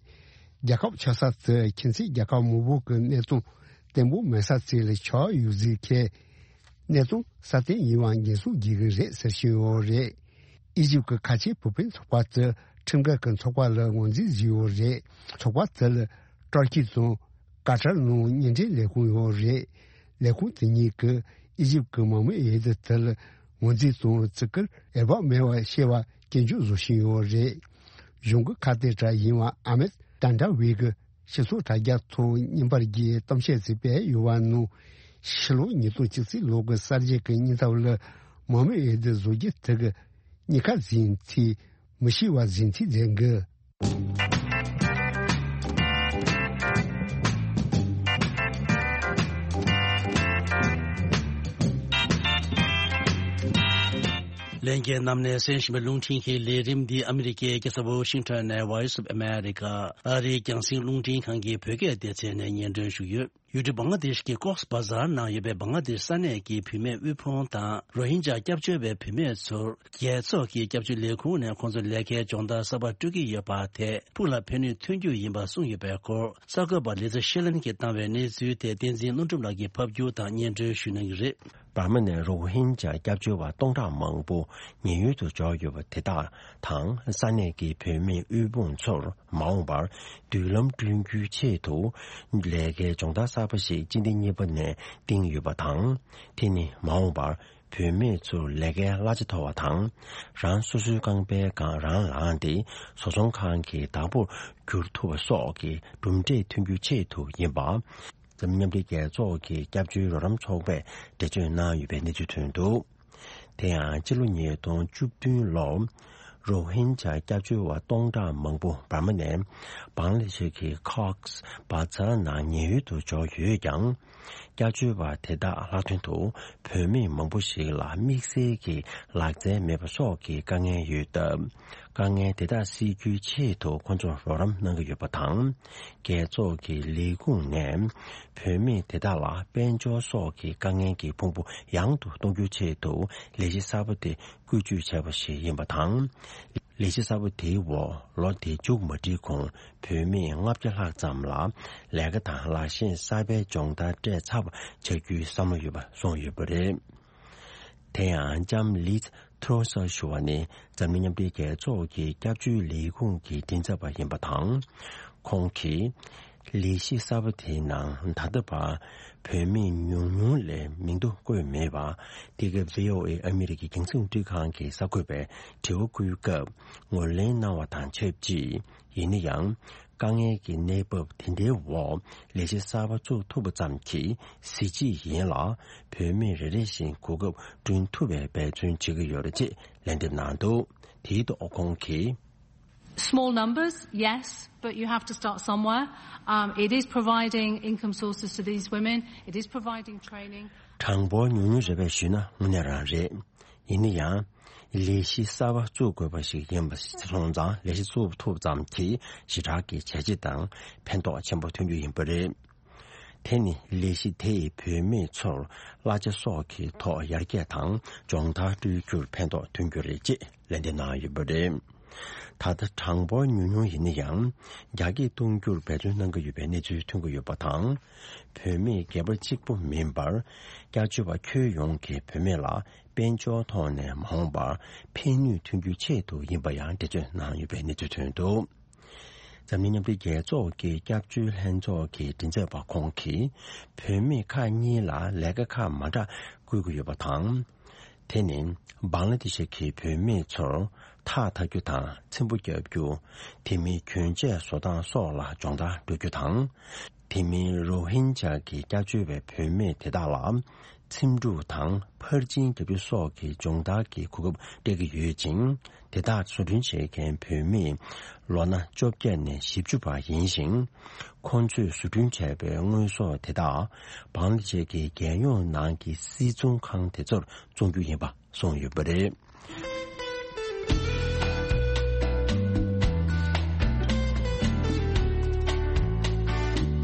རྒྱལ་ཁབ་ཆགས་ས་དེ་ཁྱིམ་མཚེས་རྒྱལ་ཁབ་མང་པོ་གི་གནད་དོན་བརྟན་པོ་མེད་ས་ཚོ་ལ་ཆགས་ཡོད་ཟེར་མཁན། གནད་དོན་སྲ་བརྟན་ཡིན་པ་འགན་སྲུང་བྱེད་ཀྱི་རེད་ཟེར་བཞིན་ཡོད་རེད། ཨི་ཇིབ་ཀྱི་ཁ་ཆེའི་བུ་སྤུན་ཚོགས་པ་དེ་ཁྲིམས་འགལ་གྱི་ཚོགས་པ་ལ་ངོས་འཛིན་བཟོས་ཡོད་རེད། ཚོགས་པ་དེ་ལ་ཏུར་ཀི་དང་ཀ་ཏར་ནང་བརྙན་འཕྲིན་ལས་ཁུངས་ཡོད་རེད། ལས་ཁུངས་དེ་གཉིས་ཀྱིས་ཨི་ཇིབ་ཀྱི་མང་མོས་འོས་བསྡུ་དེ་ལ་ངོས་འཛིན་དང་བརྩི་བཀུར་འོས་བབ་མེད་པ་བཤད་པ་སྐྱོན་བརྗོད་བཟོ་བཞིན་ཡོད་རེད། གཞུང་གི་ཁ་གཏད་གྲས་ཡིན་པ་ཨ་མེད་ཏན་ཏྲ་ཝི་གི་སྤྱི་ཚོགས་དྲ་རྒྱ་ཐོག་བརྙན་པར་གྱི་གཏམ་བཤད་ཅིག་སྤེལ་ཡོད་པ་ནང་། ཕྱི་ལོ་ཉིས་སྟོང་བཅུ་གཅིག་ལོ་གི་གསར་བརྗེ་གི་སྙིང་སྟོབས་ལ་མང་མོས་འོས་བསྡུ་བཟོ་རྒྱུ་དེ་གི་གཉིས་ཀ་ཟིན་ཚིག་མི་ཤེས་པ་ཟིན་ཚིག་ཟེར་གི། ལྷན་རྒྱས་རྣམས་ནས་གསན་བཞིན་པའི་རླུང་འཕྲིན་གྱི་ལས་རིམ་འདི་ཨ་མི་རི་ཀའི་རྒྱལ་ས་ཝ་ཤིང་ཊོན་ནས་Voice of America ཨ་རིའི་རྒྱང་སྲིང་རླུང་འཕྲིན་ཁང་གི་བོད་སྐད་སྡེ་ཚན་ནས་སྙན་སྒྲོན་ཞུ་གི་ཡོད། ཡུལ་གྲུ་བང་ལ་དེཤ་གི་ཀོགས་བ་ཛར་ནང་ཡོད་པའི་བང་ལ་དེཤ་ས་གནས་ཀྱི་བུད་མེད་དབུལ་ཕོངས་དང་རོ་ཧིན་ཇཱ་སྐྱབས་བཅོལ་བའི་བུད་མེད་ཚོར་རྒྱལ་ཚོགས་ཀྱི་སྐྱབས་བཅོལ་ལས་ཁུངས་ནས་ཁོང་ཚོར་ལས་ཀའི་སྦྱོང་བརྡར་གསར་པ་སྤྲོད་ཀྱི་ཡོད་པ་དེ་ཕུགས་ལ་ཕན་ནུས་ཐོན་རྒྱུ་ཡིན་པ་གསུངས་ཡོད་པའི་སྐོར། གསར་འགོད་པ་ལི་ཛི་ཤེ་ལན་གྱིས་བཏང་བའི་གནས་ཚུལ་དེ་བསྟན་འཛིན་ཀླུ་སྒྲུབ་ལགས་ཀྱིས་ཕབ་སྒྱུར་དང་སྙན་སྒྲོན་ཞུ་གནང་གི་རེད། འབར་མ་ནས་རོ་ཧིན་ཇཱ་སྐྱབས་བཅོལ་བ་སྟོང་ཕྲག་མང་པོ་ཉེན་གཡོལ་དུ་འབྱོར་ཡོད་པ་དེ་དག་དང་ས་གནས་ཀྱི་བོད་མི་དབུལ་ཕོངས་ཚོར་མ་འོངས་པར་མདུན་ལམ་བསྐྲུན་རྒྱུའི་ཆེད་དུ་ལས་ཀའི་སྦྱོང་བརྡར་གསར་པ་ཞིག་སྤྱི་ཟླ་གཉིས་པ་ནས་བཏིང་ཡོད་པ་དང་། དེ་ནི་མ་འོངས་པར་བུད་མེད་ཚོར་ལས་ཀའི་གླ་ཆ་མཐོ་བ་དང་། རང་སོ་སོའི་རྐང་པའི་སྒང་རང་ལངས་ཏེ་བཟོ་ཚོང་ཁང་གི་བདག་པོར་འགྱུར་ཐུབ་པ་སོགས་ཀྱི་གྲུབ་འབྲས་ཐོན་རྒྱུའི་ཆེད་དུ་ཡིན་པ། འཛམ་གླིང་མཉམ་འབྲེལ་རྒྱལ་ཚོགས་ཀྱི་སྐྱབས་བཅོལ་རོགས་རམ་ཚོགས་པས་འགྲེལ་བརྗོད་གནང་ཡོད་པའི་གནས་ཚུལ་ཐོན་འདུག་དེ་ཡང་ཕྱི་ལོ་ཉིས་སྟོང་བཅུ་བདུན་ལོར་རོ་ཧིན་ཇཱ་སྐྱབས་བཅོལ་བ་སྟོང་ཕྲག་མང་པོ་འབར་མ་ནས་བང་ལ་དེཤ་གི་ཀོགས་བ་ཛར་ནང་ཉེན་གཡོལ་དུ་འབྱོར་ཡོད་ཀྱང་། སྐྱབས་བཅོལ་བ་དེ་དག་ལྷག་དོན་དུ་བུད་མེད་མང་པོ་ཞིག་ལ་དམིགས་བསལ་གྱི་ལག་རྩལ་མེད་པ་སོགས་ཀྱི་དཀའ་ངལ་ཡོད་སྟབས། དཀའ་ངལ་དེ་དག་སེལ་རྒྱུའི་ཆེད་དུ་ཁོང་ཚོར་རོགས་རམ་གནང་གི་ཡོད་པ་དང་། རྒྱལ་ཚོགས་ཀྱི་ལས་ཁུངས་ནས་བུད་མེད་དེ་དག་ལ་དཔལ་འབྱོར་སོགས་ཀྱི་དཀའ་ངལ་གྱི་ཕུང་པོ་ཡང་དུ་གཏོང་རྒྱུའི་ཆེད་དུ་ལས་གཞི་གསར་པ་དེ་བཀོལ་སྤྱོད་བྱས་པ་ཞིག་ཡིན་པ་དང་། ལས་གཞི་གསར་པ་དེའི་འོག་ལོ་དེ་མཇུག་མ་སྒྲིལ་གོང་བུད་མེད་ལྔ་བརྒྱ་ལྷག་ཙམ་ལ་ལས་ཀ་དང་ལག་ཤེས་གསར་པའི་སྦྱོང་བརྡར་སྤྲད་ཚར་བ་ཆགས་རྒྱུའི་བསམ་བློ་ཡོད་པ་གསུངས་ཡོད་པ་རེད། དེ་ཡང་ལྕམ་ལིཛ་ཐྲོ་སར་ཞུ་བ་ནི་འཛམ་གླིང་མཉམ་འབྲེལ་རྒྱལ་ཚོགས་ཀྱི་སྐྱབས་བཅོལ་ལས་ཁུངས་ཀྱི་མགྲིན་ཚབ་པ་ཡིན་པ་དང་། ཁོང་གིས་ལས་གཞི་གསར་པ་དེའི་ནང་ད་ལྟ་བར་བུད་མེད་ཉུང་ཉུང་ལས་མིང་ཐོ་བཀོད་མེད་པ། འདི་ག་བྷི་ཨོ་ཨེ་ཨ་མི་རི་ཀའི་རྒྱང་སྲིང་རླུང་འཕྲིན་ཁང་གི་གསར་འགོད་པས་དྲི་བ་བཀོད་སྐབས་ངོས་ལེན་གནང་བ་དང་ཆབས་ཅིག་ཡིན་ན་ཡང་། དཀའ་ངལ་གྱི་གནས་བབ་དེ་འདྲའི་འོག་ལས་གཞི་གསར་པ་བཙུགས་ཐུབ་པ་ཙམ་གྱིས་གཟི་བརྗིད་ཡིན་ལ། བུད་མེད་རེ་རེ་བཞིན་གོ་སྐབས་བསྐྲུན་ཐུབ་པའི་འབད་བརྩོན་བྱེད་ཀྱི་ཡོད་རེད་ཅེས་ལན་འདེབས་གནང་འདུག་དེའི་ཐོག་ཁོང་གིས། Small numbers, yes, but you have to start somewhere. Um, it is providing income sources to these women. It is providing training. གྲངས་འབོར་ཉུང་ཉུང་རེད་པས་ཞུས་ན་དངོས་གནས་རང་རེད། ཡིན་ན་ཡང་། ལས་གཞི་གསར་པ་བཙུགས་དགོས་པ་ཞིག་ཡིན་པ་སོང་ཙང་ལས་གཞི་བཙུགས་ཐུབ་ཙམ་གྱིས་ཞེ་དྲག་གི་བྱས་རྗེས་དང་ཕན་ཐོགས་ཆེན་པོ་ཐོན་རྒྱུ་ཡིན་པ་རེད། དེ་ནི་ལས་གཞི་དེ་ཡིས་བུད་མེད་ཚོར་གླ་ཆ་སོགས་ཀྱི་ཐོག་ཡར་རྒྱས་དང་སྦྱོང་བརྡར་སྤྲོད་རྒྱུར་ཕན་ཐོགས་ཐོན་རྒྱུ་རེད་ཅེས་ལན་འདེབས་གནང་ཡོད་པ་རེད། ད་ལྟ་གྲངས་འབོར་ཉུང་ཉུང་ཡིན་ན་ཡང་རྒྱ་སྐྱེད་གཏོང་རྒྱུར་འབད་བརྩོན་གནང་གི་ཡོད་པའི་གནས་ཚུལ་ཐོན་གྱི་ཡོད་པ་དང་། བུད་མེད་སྒེར་པ་གཅིག་པུ་མིན་པར། སྐྱབས་བཅོལ་བ་ཁྱོན་ཡོངས་ཀྱི་བུད་མེད་ལ་དཔལ་འབྱོར་ཐོག་ནས་མ་འོངས་པར་ཕན་ནུས་ཐོན་རྒྱུའི་ཆེད་དུ་ཡིན་པ་ཡང་འགྲེལ་བརྗོད་གནང་ཡོད་པའི་གནས་ཚུལ་ཐོན་འདུག་འཛམ་གླིང་མཉམ་འབྲེལ་རྒྱལ་ཚོགས་ཀྱི་སྐྱབས་བཅོལ་ལྷན་ཚོགས་ཀྱི་མགྲིན་ཚབ་པ་ཁོང་གིས། བུད་མེད་ཁག་གཉིས་ལ་ལས་ཀ་ཁག་མ་འདྲ་བསྐུལ་གྱི་ཡོད་པ་དང་། དེ་ནི་བང་ལ་དེ་ཤ་གི་བུད་མེད་ཚོར་ཐགས་འཐག་རྒྱུ་དང་། ཚེམ་བུ་རྒྱག་རྒྱུ། དེ་མིན་གྱོན་ཆས་བཟོ་སྟངས་སོགས་ལ་སྦྱོང་བརྡར་སྤྲོད་རྒྱུ་དང་། དེ་མིན་རོ་ཧིན་ཇཱ་གི་སྐྱབས་བཅོལ་བའི་བུད་མེད་དེ་དག་ལ། ཚེམ་དྲུབ་དང་ཕར་ཕྱིན་རྒྱག་རྒྱུ་སོགས་ཀྱི་སྦྱོང་བརྡར་གྱི་གོ་སྐབས་སྤྲད་ཀྱི་ཡོད་ཅིང་། དེ་དག་བཟོ་སྐྲུན་བྱེད་མཁན་བུད་མེད་ལོ་ན་བཅོ་བརྒྱད་ནས་བཞི་བཅུ་བར་ཡིན་ཞིང་། ཁོང་ཚོས་བཟོ་སྐྲུན་བྱས་པའི་དངོས་ཟོག་དེ་དག་བང་ལ་དེ་ཤ་གི་རྒྱལ་ཡོངས་ནང་གི་སིལ་ཚོང་ཁང་དེ་ཚོར་བཙོང་རྒྱུ་ཡིན་པ་གསུངས་ཡོད་པ་རེད།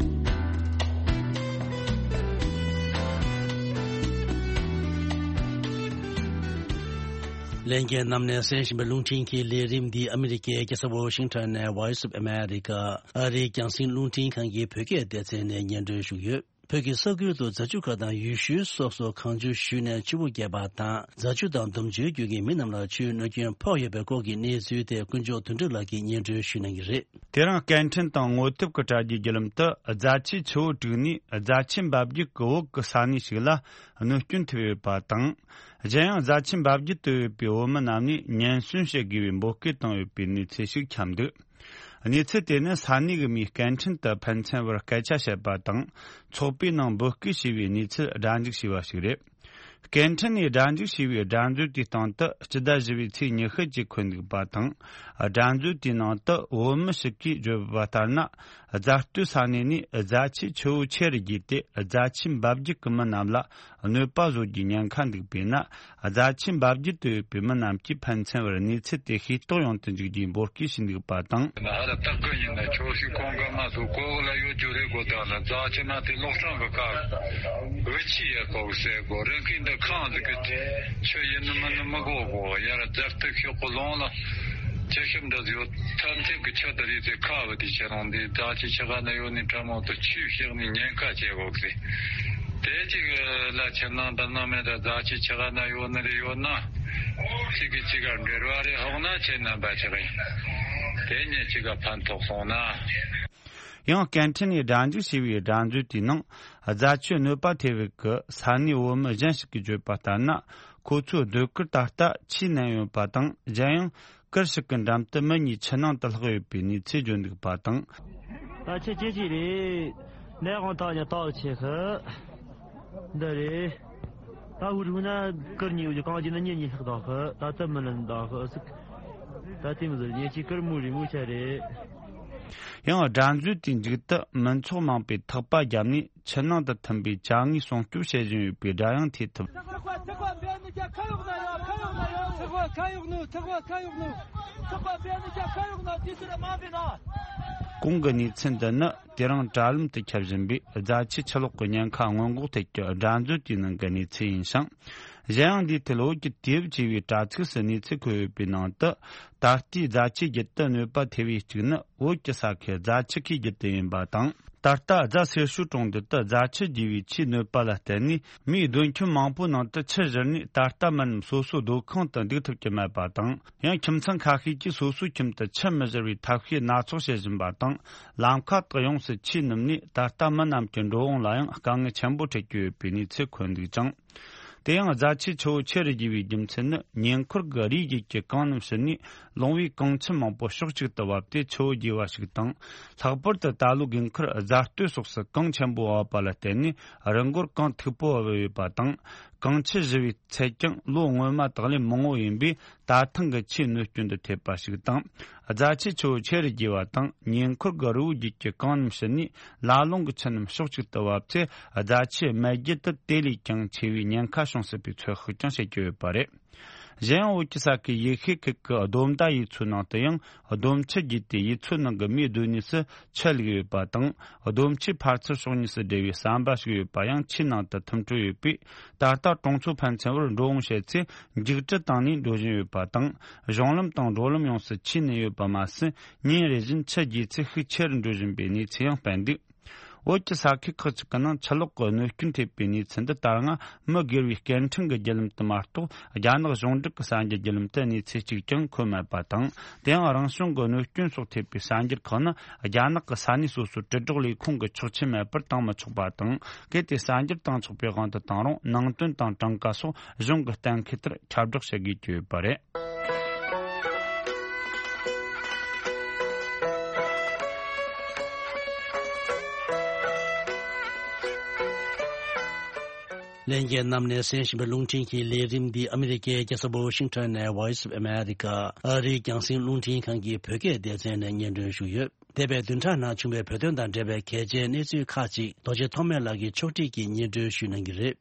ལྷན་རྒྱས་རྣམས་ནས་གསན་བཞིན་པའི་རླུང་འཕྲིན་གྱི་ལས་རིམ་འདི་ཨ་མི་རི་ཀའི་རྒྱལ་ས་ཝོ་ཤིང་ཊོན་ནས་Voice of America ཨ་རིའི་རྒྱང་སྲིང་རླུང་འཕྲིན་ཁང་གི་བོད་སྐད་སྡེ་ཚན་ནས་སྙན་སྒྲོན་ཞུས་ཡོད། བོད་ཀྱི་ས་ཁུལ་དུ་རྫ་ཆུ་ཁ་དང་ཡུལ་ཤུལ་སོགས་སུ་གངས་ཆུ་བཞུས་ནས་ཆུ་བོ་རྒྱས་པ་དང་། རྫ་ཆུ་དང་འདོམ་ཆུའི་རྒྱུད་ཀྱི་མི་རྣམས་ལ་ཆུའི་གནོད་སྐྱོན་ཕོག་ཡོད་པའི་སྐོར་གྱི་གནས་ཚུལ་དེ་དཀོན་མཆོག་དོན་གྲུབ་ལགས་ཀྱིས་སྙན་སྒྲོན་ཞུ་གནང་གི་རེད། དེ་རིང་སྐད་འཕྲིན་དང་ངོ་དེབ་ཀྱི་དྲ་རྒྱའི་བརྒྱུད་ལམ་དུ་རྫ་ཆུའི་ཆུ་བོ་དྲུག་ནས་རྫ་ཆུ་འབབ་རྒྱུད་ཀྱི་འོག་གི་ས་གནས་ཤིག་ལ་གནོད་སྐྱོན་ཐེབས་ཡོད་པ་དང་། གཞན་ཡང་རྫ་ཆུ་འབབ་རྒྱུད་དུ་ཡོད་པའི་བོད་མི་རྣམས་ནས་ཉེན་སྲུང་བྱེད་དགོས་པའི་འབོད་སྐུལ་བཏང་ཡོད་པའི་གནས་ཚུལ་ཞིག་ཁྱབ་འདུག་གནས་ཚུལ་དེ་ནི་ས་གནས་ཀྱི་མིས་སྐད་འཕྲིན་དུ་ཕན་ཚུན་བར་སྐད་ཆ་བཤད་པ་དང་། ཚོགས་པའི་ནང་འབོད་སྐུལ་བྱས་པའི་གནས་ཚུལ་སྒྲ་འཇུག་བྱས་པ་ཞིག་རེད། སྐད་འཕྲིན་ནས་སྒྲ་འཇུག་བྱས་པའི་སྒྲ་མཛོད་དེའི་སྟེང་དུ་སྤྱི་ཟླ་བཞི་པའི་ཚེས་ཉི་ཤུ་གཅིག་འཁོད་འདུག་པ་དང་། སྒྲ་མཛོད་དེའི་ནང་དུ་བོད་མི་ཞིག་གིས་བརྗོད་པ་ལྟར་ན། རྫ་སྟོད་ས་གནས་ནས་རྫ་ཆུའི་ཆུ་བོ་ཆེ་རུ་རྒྱས་ཏེ། རྫ་ཆུ་འབབ་རྒྱུད་ཀྱི་མི་རྣམས་ལ་གནོད་པ་བཟོ་རྒྱུའི་ཉེན་ཁ་འདུག་པས་ན། རྫ་ཆུ་འབབ་རྒྱུད་དུ་ཡོད་པའི་མི་རྣམས་ཀྱིས་ཕན་ཚུན་བར་གནས་ཚུལ་དེ་ཤེས་རྟོགས་ཡོང་དུ་འཇུག་རྒྱུའི་འབོད་སྐུལ་ཞུས་འདུག་པ་དང་། ཧ་ར་སྟག་གི་ཡིན་ན་ཁྱོད་ཤི་ཁོང་ག་མ་སུ་གོ་གོ་ལ་ཡོད་རྒྱུ་རེད་གོ། ད་ལ་རྫ་ཆུ་མ་དེ་ལོག་སྲང་གི་ཁ་འུ་ཆི་ཡ་གོ་གི་ཟེར་གོ། རང་གིས་འདི་ཁང་ཟིག་གི་ཆུ་ཡིན་ནི་མིན་ནི་མི་གོ་གོ། ཡར་རྫ་སྟོད་ཤོག་གི་ལོང་ལ་ཆུ་ཤུབས་འདྲ་ཡོད། ཐམས་ཅད་ཀྱི་ཆུ་དེ་རིགས་དེ་ཁ་བ་དེ་ཁྱེད་རང་འདི་རྫ་ཆུ་ཆུ་ཁ་ན་ཡོད་ནི་ཁྲ་མོ་དུ་ཆུ་བཤིག་ནི་ཉེན་ཁ་ཆེ་གོ་གི་ཟེར། དེ་གཅིག་ལ་ཁྱེད་རྣམ་པ་རྣམ་མེད་ད་རྫ་ཆུ་ཆུ་ཁ་ན་ཡོད་ནི་རེད་ཡོད་ན། གཅིག་གིས་གཅིག་ག་འབྲེལ་བ་རེ་ཧོག་ན་ཁྱེད་རྣམ་པ་ཆགས་ཡིན། དེ་ཉིད་གཅིག་ག་ཕན་ཐོགས་སོང་ན། ཡང་སྐད་འཕྲིན་ནས་སྒྲ་འཇུག་བྱས་པའི་སྒྲ་མཛོད་དེའི་ནང་། རྫ་ཆུ་གནོད་པ་ཐེབས་པའི་གི་ས་གནས་བོད་མི་གཞན་ཞིག་གིས་བརྗོད་པ་ལྟར་ན། ཁོ་ཚོའི་སྡོད་གུར་ད་ལྟ་ཆུས་མནན་ཡོད་པ་དང་། གཞན་ཡང་། གུར་ཞིག་གི་འགྲམ་དུ་མི་གཉིས་ཆུ་ནང་དུ་ལྷག་ཡོད་པའི་གནས་ཚུལ་བརྗོད་འདུག་པ་དང་། ད་ཆུ་ཇེ་ཆེ་རེད། ནས་དབང་ཐག་ཉེ་ཐག་ཆེ་ཤི། འདི་རེད། ད་འུ་རུ་ན་གུར་གཉིས་འུ་ཅུ་གང་ཅི་ན་གཉིས་གཉིས་ལྷག་དང་ཤི། ད་ཙམ་མི་ལན་དང་ཤི་ཟིག་ད་དེ་མི་ཟེར་ཉེ་ཆི་གུར་མུ་རེ་མུ་ཆ་རེད། ཡང་སྒྲ་མཛོད་དེའི་མཇུག་ཏུ་མི་ཚོགས་མང་པོས་ཐག་པ་བརྒྱབ་ནས། ཆུ་ནང་དུ་ཐིམ་པའི་ཅ་དངོས་སྲུང་སྐྱོབ་བྱེད་བཞིན་ཡོད་པའི་སྒྲ་ཡང་ཐོས་ཐུབ། གོང་གི་གནས་ཚུལ་འདི་ནི་དེ་རིང་དྲ་ལམ་དུ་ཁྱབ་བཞིན་པའི་རྫ་ཆུ་ཆུ་ལོག་གི་ཉེན་ཁ་སྔོན་འགོག་ཐད་ཀྱི་སྒྲ་མཛོད་དེའི་ནང་གི་གནས་ཚུལ་ཡིན་ཞིང་། གཞན་ཡང་འདིའི་ཐད་བོད་ཀྱི་དུས་བབ་ཅེས་པའི་དྲ་ཚིགས་སུ་གནས་ཚུལ་འཁོད་ཡོད་པའི་ནང་དུ། ད་ལྟའི་རྫ་ཆུའི་རྒྱུད་དུ་གནོད་པ་ཐེབས་པའི་གཅིག་ནི། བོད་ཀྱི་ས་ཁུལ་རྫ་ཆུ་ཁའི་རྒྱུད་དུ་ཡིན་པ་དང་། ད་ལྟ་རྫ་སེར་ཤུལ་གྲོང་རྡལ་དུ་རྫ་ཆུ་རྒྱས་པའི་ཆུའི་གནོད་པ་ལ་བརྟེན་ནས། མིའི་སྡོད་ཁྱིམ་མང་པོའི་ནང་དུ་ཆུ་བཞུར་ནས། ད་ལྟ་མི་རྣམས་སོ་སོའི་སྡོད་ཁང་དུ་འདུག་ཐུབ་ཀྱི་མེད་པ་དང་། ཡང་ཁྱིམ་ཚང་ཁ་ཤས་ཀྱིས་སོ་སོའི་ཁྱིམ་དུ་ཆུ་མི་བཞུར་བའི་ཐབས་ཤེས་སྣ་ཚོགས་བྱེད་བཞིན་པ་དང་། ལམ་ཁ་དག་ཡོངས་སུ་ཆུས་བསྣུབས་ནས། ད་ལྟ་མི་རྣམས་ཀྱི་འགྲོ་འོང་ལ་ཡང་དཀའ་ངལ་ཆེན་པོ་འཕྲད་ཀྱི་ཡོད་པའི་གནས་ཚུལ་འཁོད་འདུག་ཅིང་། དེ་ཡང་རྫ་ཆུའི་ཆུ་བོ་ཆེ་རུ་རྒྱས་པའི་རྒྱུ་མཚན་ནི། ཉེ་འཁོར་གྱི་རིའི་རྒྱུད་ཀྱི་གངས་རྣམས་ཞུ་ནས། ལུང་པའི་གངས་ཆུ་མང་པོ་ཕྱོགས་གཅིག་ཏུ་བབས་ཏེ་ཆུ་བོ་རྒྱས་པ་ཞིག་དང་། ལྷག་པར་དུ་ད་ལོའི་དགུན་ཁར་རྫ་སྟོད་སོགས་སུ་གངས་ཆེན་པོ་བབས་པ་ལ་བརྟེན་ནས། རི་མགོར་གངས་མཐུག་པོ་བབས་ཡོད་པ་དང་། གངས་ཆུ་བཞུར་བའི་ཚད་ཀྱང་ལོ་སྔོན་མ་དག་ལས་མང་བོ་ཡིན་པས། ད་ཐེངས་ཀྱི་ཆུའི་གནོད་སྐྱོན་དུ་ཐེབས་པ་ཞིག་དང་། རྫ་ཆུའི་ཆུ་བོ་ཆེ་རུ་རྒྱས་པ་དང་། ཉེ་འཁོར་གྱི་རི་བོའི་རྒྱུད་ཀྱི་གངས་རྣམས་ཞུ་ནས། ལ་ལུང་གི་ཆུ་རྣམས་ཕྱོགས་གཅིག་ཏུ་བབས་ཚེ། རྫ་ཆུའི་རྨ་རྒྱུད་དུ་དེ་ལས་ཀྱང་ཆེ་བའི་ཉེན་ཁ་བྱུང་སྲིད་པའི་ཚོད་དཔག་ཀྱང་བྱེད་ཀྱི་ཡོད་པ་རེད། གཞན་ཡང་། བོད་ཀྱི་ས་ཁུལ་ཡུལ་ཤུལ་ཁུལ་གྱི་སྡོམ་མདའ་ཡུལ་ཚོའི་ནང་དུ་ཡང་། སྡོམ་ཆུ་རྒྱས་ཏེ། ཡུལ་ཚོའི་ནང་གི་མིའི་སྡོད་གནས་སུ་ཆུ་བླུགས་ཡོད་པ་དང་། སྡོམ་ཆུའི་ཕར་ཚུར་ཕྱོགས་གཉིས་སུ་སྦྲེལ་བའི་ཟམ་པ་ཞིག་ཡོད་པ་ཡང་ཆུའི་ནང་དུ་ཐིམ་འཕྲོ་ཡོད་པས། ད་ལྟ་གྲོང་ཚོ་ཕན་ཚུན་བར་འགྲོ་འོང་བྱེད་ཚེ། འཇིགས་སྐྲག་བཏང་ནས་འགྲོ་བཞིན་ཡོད་པ་དང་། གཞུང་ལམ་དང་འགྲོ་ལམ་ཡོངས་སུ་ཆུས་མནན་ཡོད་པ་མ་ཟད། ཉིན་རེ་བཞིན་ཆུ་རྒྱས་ཚད་ཤུགས་ཆེ་རུ་འགྲོ་བཞིན་པའི་གནས་ཚུལ་ཡང་སྤེལ་འདུག་བོད་ཀྱི་ས་ཁུལ་ཁག་ཅིག་གི་ནང་ཆུ་ལོག་གི་གནོད་སྐྱོན་ཐེབས་པའི་གནས་ཚུལ་འདི་ལྟར་སྔ་མི་སྒེར་བའི་སྐད་འཕྲིན་གྱི་བརྒྱུད་ལམ་དུ་མ་གཏོགས། རྒྱ་ནག་གཞུང་འབྲེལ་གྱི་གསར་འགྱུར་བརྒྱུད་ལམ་དུ་གནས་ཚུལ་གཅིག་ཀྱང་འཁོད་མེད་པ་དང་། དེ་ཡང་རང་བྱུང་གི་གནོད་སྐྱོན་སོགས་ཐེབས་པའི་གསར་འགྱུར་ཁག་ནི་རྒྱ་ནག་གི་ས་གནས་སོ་སོའི་དྲིལ་སྒྲོག་ལས་ཁུངས་ཀྱིས་ཆོག་མཆན་མེད་པར་བཏང་མི་ཆོག་པ་དང་། གལ་ཏེ་གསར་འགྱུར་བཏང་ཆོག་པའི་དབང་དུ་བཏང་རུང་ནང་དོན་དང་གྲངས་ཀ་སོགས་གཞུང་གི་གཏན་འཁེལ་ལྟར་ཁྱབ་བསྒྲགས་བྱེད་དགོས་ཀྱི་ཡོད་པ་རེད། ལྷན་རྒྱས་རྣམས་ནས་གསན་བཞིན་པའི་རླུང་འཕྲིན་གྱི་ལས་རིམ་འདི་ཨ་མི་རི་ཀའི་རྒྱལ་ས་ཝ་ཤིང་ཊོན་ནས་Voice of America ཨ་རིའི་རྒྱང་སྲིང་རླུང་འཕྲིན་ཁང་གི་བོད་སྐད་སྡེ་ཚན་ནས་སྙན་སྒྲོན་ཞུས་ཡོད། འདས་པའི་བདུན་ཕྲག་ནང་བྱུང་བའི་བོད་དོན་དང་འབྲེལ་བའི་གལ་ཆེའི་གནས་ཚུལ་ཁག་ཅིག་རྡོ་རྗེ་ཐོགས་མེད་ལགས་ཀྱིས་ཕྱོགས་སྒྲིག་གིས་སྙན་སྒྲོན་ཞུ་གནང་གི་རེད།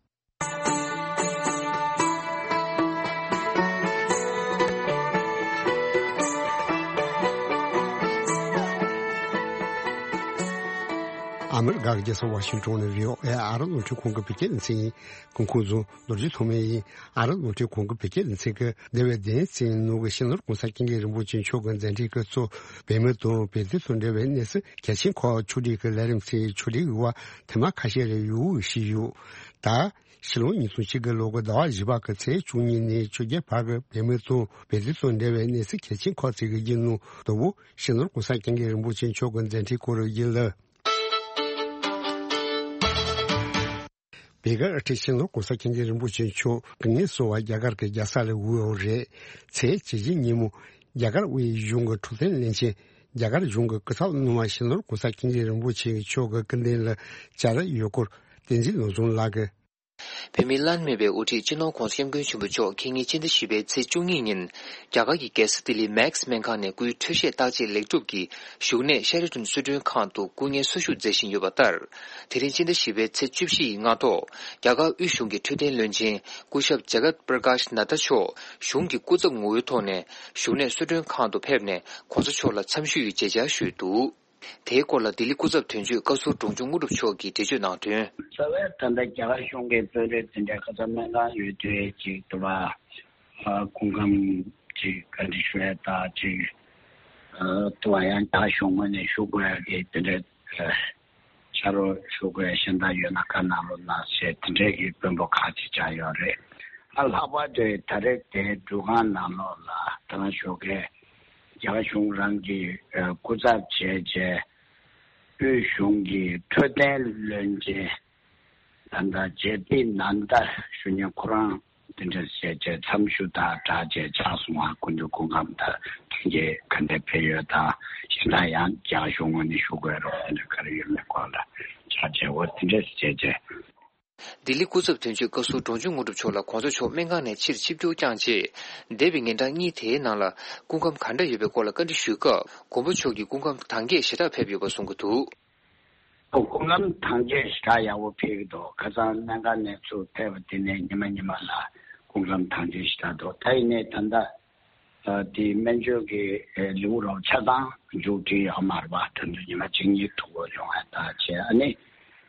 ཨ་མི་རི་ཀ་གི་རྒྱལ་ས་ཝ་ཤིང་ཊོན་ནས་བྷི་ཨོ་ཨེ་ཨ་རི་རླུང་འཕྲིན་ཁང་གི་བོད་སྐད་སྡེ་ཚན་ཡིན། སྐུ་ཁམས་བཟང་། རྡོ་རྗེ་ཐོགས་མེད་ཡིན། ཨ་རི་རླུང་འཕྲིན་ཁང་གི་བོད་སྐད་སྡེ་ཚན་གྱིས་འདས་པའི་བདུན་ཕྲག་ནང་གི་སྤྱི་ནོར་༸གོང་ས་༸སྐྱབས་མགོན་རིན་པོ་ཆེ་མཆོག་གི་མཛད་འཕྲིན་སྐབས་སུ་བོད་མི་དང་བོད་དོན་དང་འབྲེལ་བའི་གནས་ཚུལ་གལ་ཆེན་ཁག་ཕྱོགས་སྒྲིག་གི་ལས་རིམ་ཚོའི་ཕྱོགས་སྒྲིག་གི་བར་ཐེངས་མ་ཁ་ཤས་རེ་ཡོང་བཞིན་ཡོད། ད་ཕྱི་ལོ་ཉིས་སྟོང་བཅུ་དགུ་ལོ་གི་ཟླ་བ་བཞི་པ་གི་ཚེས་བཅུ་གཉིས་ནས་བཅོ་བརྒྱད་བར་གྱི་བོད་མི་དང་བོད་དོན་དང་འབྲེལ་བའི་གནས་ཚུལ་གལ་ཆེན་ཁག་ཅིག་གི་རྒྱུན་ནང་དང་པོ་སྤྱི་ནོར་༸གོང་ས་༸སྐྱབས་མགོན་རིན་པོ་ཆེ་མཆོག་གི་མཛད་འཕྲིན་སྐོར་རེ་ཡིན་ལ། བོད་ཀྱི་དབུ་ཁྲིད་སྤྱི་ནོར་༸གོང་ས་༸སྐྱབས་མགོན་རིན་པོ་ཆེ་མཆོག་སྐུ་ངལ་གསོ་བར་རྒྱ་གར་གྱི་རྒྱལ་ས་ལ་བབས་ཡོད་རེད། ཚེས་བཅུ་བཞི་ཉིན་མོ་རྒྱ་གར་དབུས་གཞུང་གི་འཕྲོད་བསྟེན་བློན་ཆེན། རྒྱ་གར་གཞུང་གི་སྐུ་ཚབ་སྣང་བ་སྤྱི་ནོར་༸གོང་ས་༸སྐྱབས་མགོན་རིན་པོ་ཆེ་མཆོག་གི་སྐུ་མདུན་ལ་བཅར་ཡོད་སྐོར་བསྟན་འཛིན་བློ་བཟང་ལགས་ཀྱིས། བོད་མིའི་བླ་ན་མེད་པའི་དབུ་ཁྲིད་སྤྱི་ནོར་༸གོང་ས་༸སྐྱབས་མགོན་ཆེན་པོ་མཆོག་ཁ་ཉིན་ཕྱི་ཟླ་བཞི་པའི་ཚེས་བཅུ་གཉིས་ཉིན་རྒྱ་གར་གྱི་རྒྱལ་ས་ལྡི་ལི་མེག་སྨན་ཁང་ནས་སྐུའི་འཕྲོད་བཞེས་བརྟག་དཔྱད་ལེགས་གྲུབ་ཀྱིས་བཞུགས་གནས་ཤ་རི་ཊོན་གསོལ་མགྲོན་ཁང་དུ་སྐུ་ངལ་གསོ་བཞུགས་མཛད་བཞིན་ཡོད་པ་ལྟར། དེ་རིང་ཕྱི་ཟླ་བཞི་པའི་ཚེས་བཅུ་བཞི་ཡི་སྔ་ཐོག་རྒྱ་གར་དབུས་གཞུང་གི་འཕྲོད་བསྟེན་བློན་ཆེན་སྐུ་ཞབས་ཇ་གཏ་པྲ་ཀཱཤ་ནད་ད་མཆོག་གཞུང་གི་སྐུ་ཚབ་ངོ་བོའི་ཐོག་ནས་བཞུགས་གནས་གསོལ་མགྲོན་ཁང་དུ་ཕེབས་ནས་༸གོང་ས་མཆོག་ལ་འཚམས་ཞུའི་མཇལ་བཅར་ཞུས་འདུག་དེའི་སྐོར་ལ་ལྡི་ལི་སྐུ་ཚབ་དོན་གཅོད་བཀའ་ཟུར་འབྲོང་ཆུང་དངོས་གྲུབ་མཆོག་གིས་འགྲེལ་བརྗོད་གནང་དོན། རྩ་བའི་ད་ལྟ་རྒྱ་གར་གཞུང་གི་དཔོན་རིགས་དེ་འདྲའི་ཁ་སང་སྨན་ཁང་ཡོད་དུས་ཅིག་ཏུ་བ། སྐུ་ཁམས་ཅིག་བཀའ་འདྲི་ཞུ་ཡ་ད་ཅིག་ཏུ་བ་ཡང་རྒྱ་གཞུང་ངོས་ནས་ཞུ་དགོས་ཡ་གི་དེ་འདྲའི་ཕྱག་རོགས་ཞུ་དགོས་ཡ་གཞན་དག་ཡོད་ན་བཀའ་གནང་རོགས་གནང་ཞེས་དེ་འདྲའི་གི་དཔོན་པོ་ཁག་ཅིག་བཅར་ཡོད་རེད། ཨ་ལྷག་པར་དུ་ད་རེས་དེ་འགྲུལ་ཁང་ནང་ལོགས་ལ་ད་ཞོགས་ཀས། རྒྱ་གར་གཞུང་རང་གི་སྐུ་ཚབ་བྱས་རྗེས་དབུས་གཞུང་གི་འཕྲོད་བསྟེན་བློན་ཆེན་ད་ལྟ་ཇེ་པི་ནན་ད་ཞུ་མཁན་ཁོ་རང་དེ་འདྲ་བྱས་རྗེས་འཚམས་ཞུ་དང་སྦྲགས་རྗེས་ཕྱག་སོང་བ་སྐུ་མདུན་སྐུ་ཁམས་དང་ཐུགས་རྗེ་ག་འདྲ་ཕེབས་ཡོད་དང་གཞན་དག་ཡང་རྒྱ་གར་གཞུང་ངོས་ནས་ཞུ་དགོས་རོགས་དེ་འདྲ་ག་རེ་ཡོད་མེད་སྐོར་ལ་ཕྱག་རྗེས་འོ་དེ་འདྲ་བྱས་རྗེས། ལྡི་ལི་སྐུ་ཚབ་དོན་གཅོད་བཀའ་ཟུར་འབྲོང་ཆུང་དངོས་གྲུབ་མཆོག་ལ་༸གོང་ས་མཆོག་སྨན་ཁང་ནས་ཕྱིར་ཆིབས་བསྒྱུར་བསྐྱངས་རྗེས། འདས་པའི་ཉིན་གྲངས་གཉིས་དེའི་ནང་ལ་སྐུ་ཁམས་ག་འདྲ་ཡོད་པའི་སྐོར་ལ་བཀའ་འདྲི་ཞུས་སྐབས། མགོན་པོ་མཆོག་གི་སྐུ་ཁམས་དྭངས་སྐྱེད་ཞེ་དྲག་ཕེབས་ཡོད་པ་གསུང་གི་འདུག་སྐུ་ཁམས་དྭངས་སྐྱེད་ཞེ་དྲག་ཡག་པོ་ཕེབས་ཀྱི་འདུག་ཁ་སང་སྨན་ཁང་ནས་ཚུར་ཕེབས་པ་དེ་ནས་ཉི་མ་ཉི་མ་ལ་སྐུ་ཁམས་དྭངས་སྐྱེད་ཞེ་དྲག་འདུག་ད་ཡིན་ནའི་ད་ལྟ། དེའི་སྨན་བཅོས་ཀྱི་ལེའུ་རོབ་ཆ་ཚང་མཇུག་སྒྲིལ་ཡོད་མ་རེད་པ། ད་དུང་ཉི་མ་གཅིག་གཉིས་ཐུག་དགོས་ཡོང་ཡ་ད་བྱས་ཨ་ནི་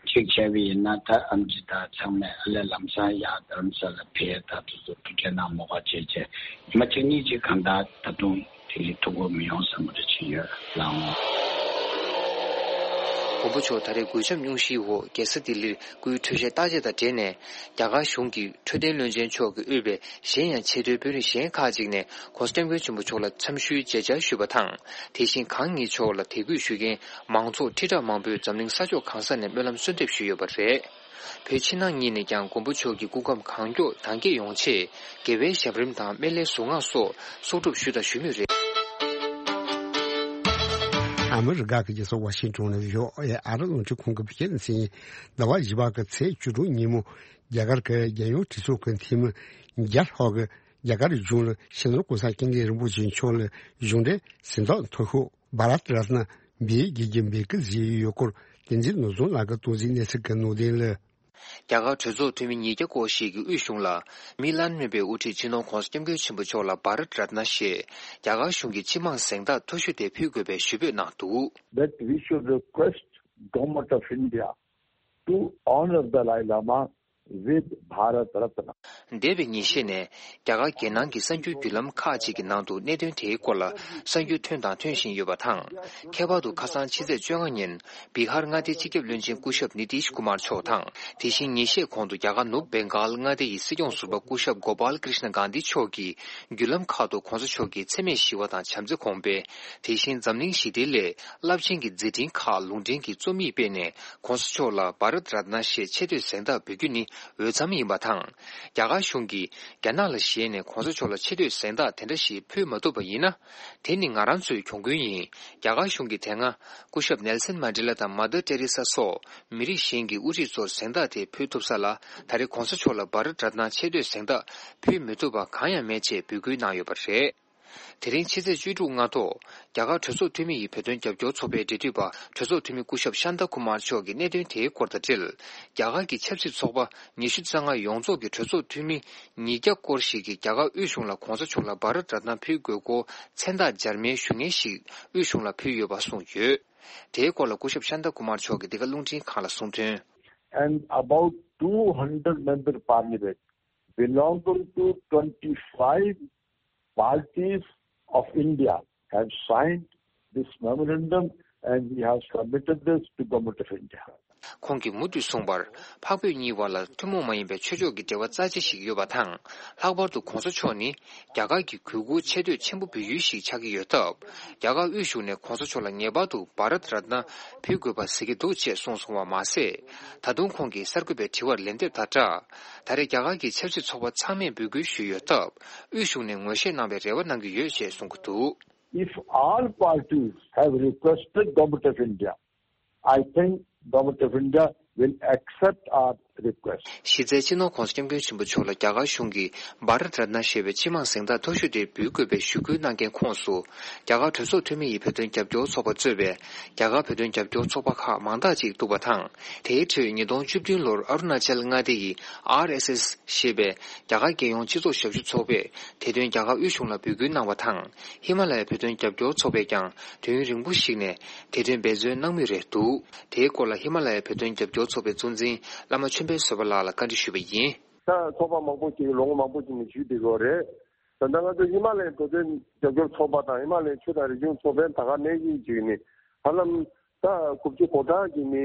གཅིག་བྱས་པ་ཡིན་ན་ད་ཨམ་ཆི་ད་ཚང་མས་ཨ་ལས་ལམ་སང་ཡར་རྡ་རམ་ས་ལ་ཕེབས་ད་དུ་ཚོ་ཐུགས་ཁྲལ་གནང་མོ་ག་བྱས་བྱས་ཉི་མ་གཅིག་གཉིས་ཅིག་གང་ལྟར་ད་དུང་དེ་ལས་ཐུག་དགོས་མི་ཡོང་བསམ་པ་འདྲ་ཅིག་ཡོད་ལགས་འོང་། མགོན་པོ་མཆོག་ད་རེས་གོད་ཆག་སྙུང་གཞིའི་འོག་རྒྱལ་ས་ལྡི་ལིར་སྐུའི་འཕྲོད་བཞེས་བརྟག་དཔྱད་དང་འབྲེལ་ནས་རྒྱ་གར་གཞུང་གི་འཕྲོད་བསྟེན་བློན་ཆེན་མཆོག་གིས་དབུས་པའི་གཞན་ཡང་ཆེས་མཐོའི་དཔོན་རིགས་གཞན་ཁག་ཅིག་ནས་༸གོང་ས་༸སྐྱབས་མགོན་ཆེན་པོ་མཆོག་ལ་འཚམས་ཞུའི་མཇལ་བཅར་ཞུས་པ་དང་། དེ་བཞིན་གང་ཉིད་མཆོག་ལ་དད་གུས་ཞུ་མཁན་མང་ཚོགས་ཁྲི་ཕྲག་མང་པོས་འཛམ་གླིང་ས་ཕྱོགས་གང་ས་ནས་སྨོན་ལམ་གསོལ་འདེབས་ཞུས་ཡོད་པ་རེད། བོད་ཕྱི་ནང་གཉིས་ནས་ཀྱང་མགོན་པོ་མཆོག་གི་སྐུ་ཁམས་གང་མགྱོགས་དྭངས་སྐྱེད་ཡོང་ཆེད་དགེ་བའི་ཞབས་རིམ་དང་སྨན་བླའི་གཟུངས་སྔགས་སོགས་གསོག་སྒྲུབ་ཞུས་དང་ཞུ་མུས་རེད། ཨ་མི་རི་ཀ་གི་རྒྱལ་ས་ཝ་ཤིང་ཊོན་ནས་བྷི་ཨོ་ཨེ་ཨ་རི་རླུང་འཕྲིན་ཁང་གི་བོད་སྐད་སྡེ་ཚན་ཡིན། ཟླ་བ་བཞི་པ་གི་ཚེས་བཅུ་དྲུག་ཉིན་མོ། རྒྱ་གར་གྱི་རྒྱལ་ཡོངས་གྲོས་ཚོགས་ཀྱི་འཐུས་མི་བརྒྱ་ལྷག་གིས་རྒྱ་གར་གཞུང་ལ་སྤྱི་ནོར་༸གོང་ས་༸སྐྱབས་མགོན་རིན་པོ་ཆེ་མཆོག་ལ་གཞུང་འབྲེལ་གཟེངས་རྟགས་མཐོ་ཤོས་བྷ་རཏ་རཏ་ན་འབུལ་དགོས་ཀྱི་འབོད་སྐུལ་བྱས་ཡོད་སྐོར་བསྟན་འཛིན་བློ་བཟང་ལགས་ཀྱིས་གཏོང་འཛིན་གནས་ཚུལ་གྱི་ནང་དོན་ལ། རྒྱ་གར་གྲོས་ཚོགས་འཐུས་མི་ཉིས་བརྒྱ་སྐོར་ཞིག་གིས་དབུས་གཞུང་ལ་མི་བླ་ན་མེད་པའི་དབུ་ཁྲིད་སྤྱི་ནོར་༸གོང་ས་༸སྐྱབས་མགོན་ཆེན་པོ་མཆོག་ལ་བྷ་རཏ་རཏ་ན་ཞེས་རྒྱ་གར་གཞུང་གི་སྤྱི་དམངས་གཟེངས་རྟགས་མཐོ་ཤོས་དེ་ཕུལ་དགོས་པའི་ཞུ་འབོད་གནང་འདུག That we should request Government of India to honor Dalai Lama with Bharat Ratna. འདས་པའི་ཉིན་ཤས་ནས་རྒྱ་གར་རྒྱལ་ནང་གི་གསར་འགྱུར་བརྒྱུད་ལམ་ཁག་ཅིག་གི་ནང་དུ་གནད་དོན་དེའི་སྐོར་ལ་གསར་འགྱུར་ཐོན་དང་ཐོན་བཞིན་ཡོད་པ་དང་། ཁྱད་པར་དུ་ཁ་སང་ཕྱི་ཚེས་བཅོ་ལྔ་ཉིན་བི་ཧར་མངའ་སྡེའི་སྤྱི་ཁྱབ་བློན་ཆེན་སྐུ་ཞབས་ནི་ཏིཤ་ཀུ་མར་མཆོག་དང་། དེ་བཞིན་ཉིན་ཤས་གོང་དུ་རྒྱ་གར་ནུབ་བེང་གཱལ་མངའ་སྡེ་ཡི་སྲིད་སྐྱོང་ཟུར་པ་སྐུ་ཞབས་གོ་པཱལ་ཀྲིཤ་ན་གྷན་དྷི་མཆོག་གིས་བརྒྱུད་ལམ་ཁག་ཏུ་གོང་ས་མཆོག་གི་འཚེ་མེད་ཞི་བ་དང་བྱམས་བརྩེ་གོང་སྤེལ། དེ་བཞིན་འཛམ་གླིང་ཞི་བདེའི་སླད་རླབས་ཆེན་གྱི་མཛད་འཕྲིན་ཁག་ལུང་འདྲེན་གྱི་རྩོམ་ཡིག་སྤེལ་ནས། གོང་ས་མཆོག་ལ་བྷ་རཏ་རཏ་ན་ཞེས་ཆེ་བསྟོད་གཟེངས་རྟགས་འབུལ་རྒྱུ་ནི་འོས་འཚམ་ཡིན་པ་དང་། རྒྱ་གར་གཞུང་གིས་རྒྱ་ནག་ལ་ཞེད་ནས་གོང་ས་མཆོག་ལ་ཆེ་བསྟོད་གཟེངས་རྟགས་དེ་འདྲ་ཞིག་ཕུལ་མ་ཐུབ་པ་ཡིན་ན། དེ་ནི་ང་རང་ཚོའི་གྱོང་གུན་ཡིན། རྒྱ་གར་གཞུང་གིས་དེ་སྔ་སྐུ་ཞབས་ནེལ་སན་མན་ཌེ་ལ་དང་མ་དར་ཏེ་རེ་ས་སོགས་མི་རིགས་གཞན་གྱི་དབུ་ཁྲིད་ཚོར་གཟེངས་རྟགས་དེ་ཕུལ་ཐུབ་ས་ལ། ད་རེས་གོང་ས་མཆོག་ལ་བྷ་རཏ་རཏ་ན་ཆེ་བསྟོད་གཟེངས་རྟགས་ཕུལ་མི་ཐུབ་པ་གང་ཡང་མེད་ཅེས་འབོད་སྐུལ་གནང་ཡོད་པ་རེད། དེ་རིང་ཕྱི་ཚེས་བཅུ་དྲུག་སྔ་དྲོ། རྒྱ་གར་གྲོས་ཚོགས་འཐུས་མི་ཡི་བོད་དོན་རྒྱབ་སྐྱོར་ཚོགས་པའི་འབྲེལ་མཐུད་པ་གྲོས་ཚོགས་འཐུས་མི་སྐུ་ཞབས་ཤཱན་ཏཱ་ཀུ་མར་མཆོག་གིས་གནད་དོན་དེའི་སྐོར་དང་འབྲེལ། རྒྱ་གར་གྱི་ཆབ་སྲིད་ཚོགས་པ་ཉི་ཤུ་རྩ་ལྔ་ཡོངས་རྫོགས་ཀྱི་གྲོས་ཚོགས་འཐུས་མི་ཉིས་བརྒྱ་སྐོར་ཞིག་གིས་རྒྱ་གར་དབུས་གཞུང་ལ་གོང་ས་མཆོག་ལ་བྷ་རཏ་རཏ་ན་ཕུལ་དགོས་སྐོར་མཚན་རྟགས་འབྱར་མའི་ཞུ་སྙན་ཞིག་དབུས་གཞུང་ལ་ཕུལ་ཡོད་པ་གསུངས་ཡོད། དེའི་སྐོར་ལ་སྐུ་ཞབས་ཤཱན་ཏཱ་ཀུ་མར་མཆོག་གིས་འདི་ག་རླུང་འཕྲིན་ཁང་ལ་གསུངས་དོན། And about two hundred member parliament belonging to twenty-five parties of India have signed this memorandum and we have submitted this to Government of India. ཁོང་གིས་མུ་མཐུད་གསུངས་པར། འཕགས་བོད་གཉིས་བར་ལ་ཐུན་མོང་མ་ཡིན་པའི་ཆོས་ཕྱོགས་ཀྱི་འབྲེལ་བ་རྩ་ཆེ་ཞིག་ཡོད་པ་དང་། ལྷག་པར་དུ་གོང་ས་མཆོག་ནི་རྒྱ་གར་གྱི་གུས་བཀུར་ཆེ་བསྟོད་ཆེན་པོ་འབུལ་ཡུལ་ཞིག་ཆགས་ཀྱི་ཡོད་སྟབས། རྒྱ་གར་དབུས་གཞུང་ནས་གོང་ས་མཆོག་ལ་ངེས་པར་དུ་བྷ་རཏ་རཏ་ན་ཕུལ་དགོས་པ་གཟིགས་ཀྱི་འདུག་ཅེས་གསུངས་སོང་བ་མ་ཟད། ད་དུང་ཁོང་གིས་གསར་འགོད་པའི་དྲི་བར་ལན་འདེབས་དང་སྦྲགས། ད་རེས་རྒྱ་གར་གྱི་ཆབ་སྲིད་ཚོགས་པ་ཚང་མས་འབོད་སྐུལ་ཞུས་ཡོད་སྟབས། དབུས་གཞུང་ནས་ངོས་བཞེས་གནང་བའི་རེ་བ་གནང་གི་ཡོད་ཅེས་གསུང་གི་འདུག If all parties have requested Government of India, I think Government of India will accept our request. གཞི་རྩའི་སྤྱི་ནོར་༸གོང་ས་༸སྐྱབས་མགོན་ཆེན་པོ་མཆོག་ལ་རྒྱ་གར་གཞུང་གིས་བྷ་རཏ་རཏ་ན་ཞེས་པའི་སྤྱི་དམངས་གཟེངས་རྟགས་མཐོ་ཤོས་དེ་འབུལ་དགོས་པའི་ཞུ་སྐུལ་གནང་མཁན་ཁོངས་སུ། རྒྱ་གར་གྲོས་ཚོགས་འཐུས་མི་ཡི་བོད་དོན་རྒྱབ་སྐྱོར་ཚོགས་པ་གཙོས་པའི་རྒྱ་གར་བོད་དོན་རྒྱབ་སྐྱོར་ཚོགས་པ་ཁག་མང་དག་ཅིག་འདུག་པ་དང་། དེའི་ཁྲོད་ཉིས་སྟོང་བཅུ་བདུན་ལོར་ཨ་རུ་ན་ཅལ་མངའ་སྡེ་ཡི་ཨར་ཨེས་ཨེས་ཞེས་པའི་རྒྱ་གར་རྒྱལ་ཡོངས་སྤྱི་ཚོགས་ཞབས་ཞུ་ཚོགས་པས་དེ་དོན་རྒྱ་གར་དབུས་གཞུང་ལ་འབོད་སྐུལ་གནང་བ་དང་། ཧི་མ་ལ་ཡའི་བོད་དོན་རྒྱབ་སྐྱོར་ཚོགས་པས་ཀྱང་དུས་ཡུན་རིང་པོ་ཞིག་ནས་དེ་དོན་འབད་བརྩོན་གནང་མུས་རེད་འདུག་དེའི་སྐོར་ལ་ཧི་མ་ལ་ཡའི་བོད་དོན་རྒྱབ་སྐྱོར་ཚོགས་པའི་གཙོ་འཛིན་བླ་མ་ཆོས་འཕེལ་བཟོད་པ་ལགས་ལ་བཀའ་འདྲི་ཞུས་པ་ཡིན། ད་ཚོགས་པ་མང་པོ་ཅིག་ལོ་ངོ་མང་པོ་ཅིག་ནས་ཞུས་བསྡད་ཡོད་རེད། ད་ལྟ་ང་ཚོ་ཧི་མ་ལ་ཡའི་བོད་དོན་རྒྱབ་སྐྱོར་ཚོགས་པ་དང་ཧི་མ་ལ་ཡའི་ཆོས་དང་རིག་གཞུང་ཚོགས་པའི་ད་ག་ནང་བཞིན་ཅིག་ནི་ཧ་ལམ་ད་དགུ་བཅུ་གོ་གྲངས་ཀྱི་ནི་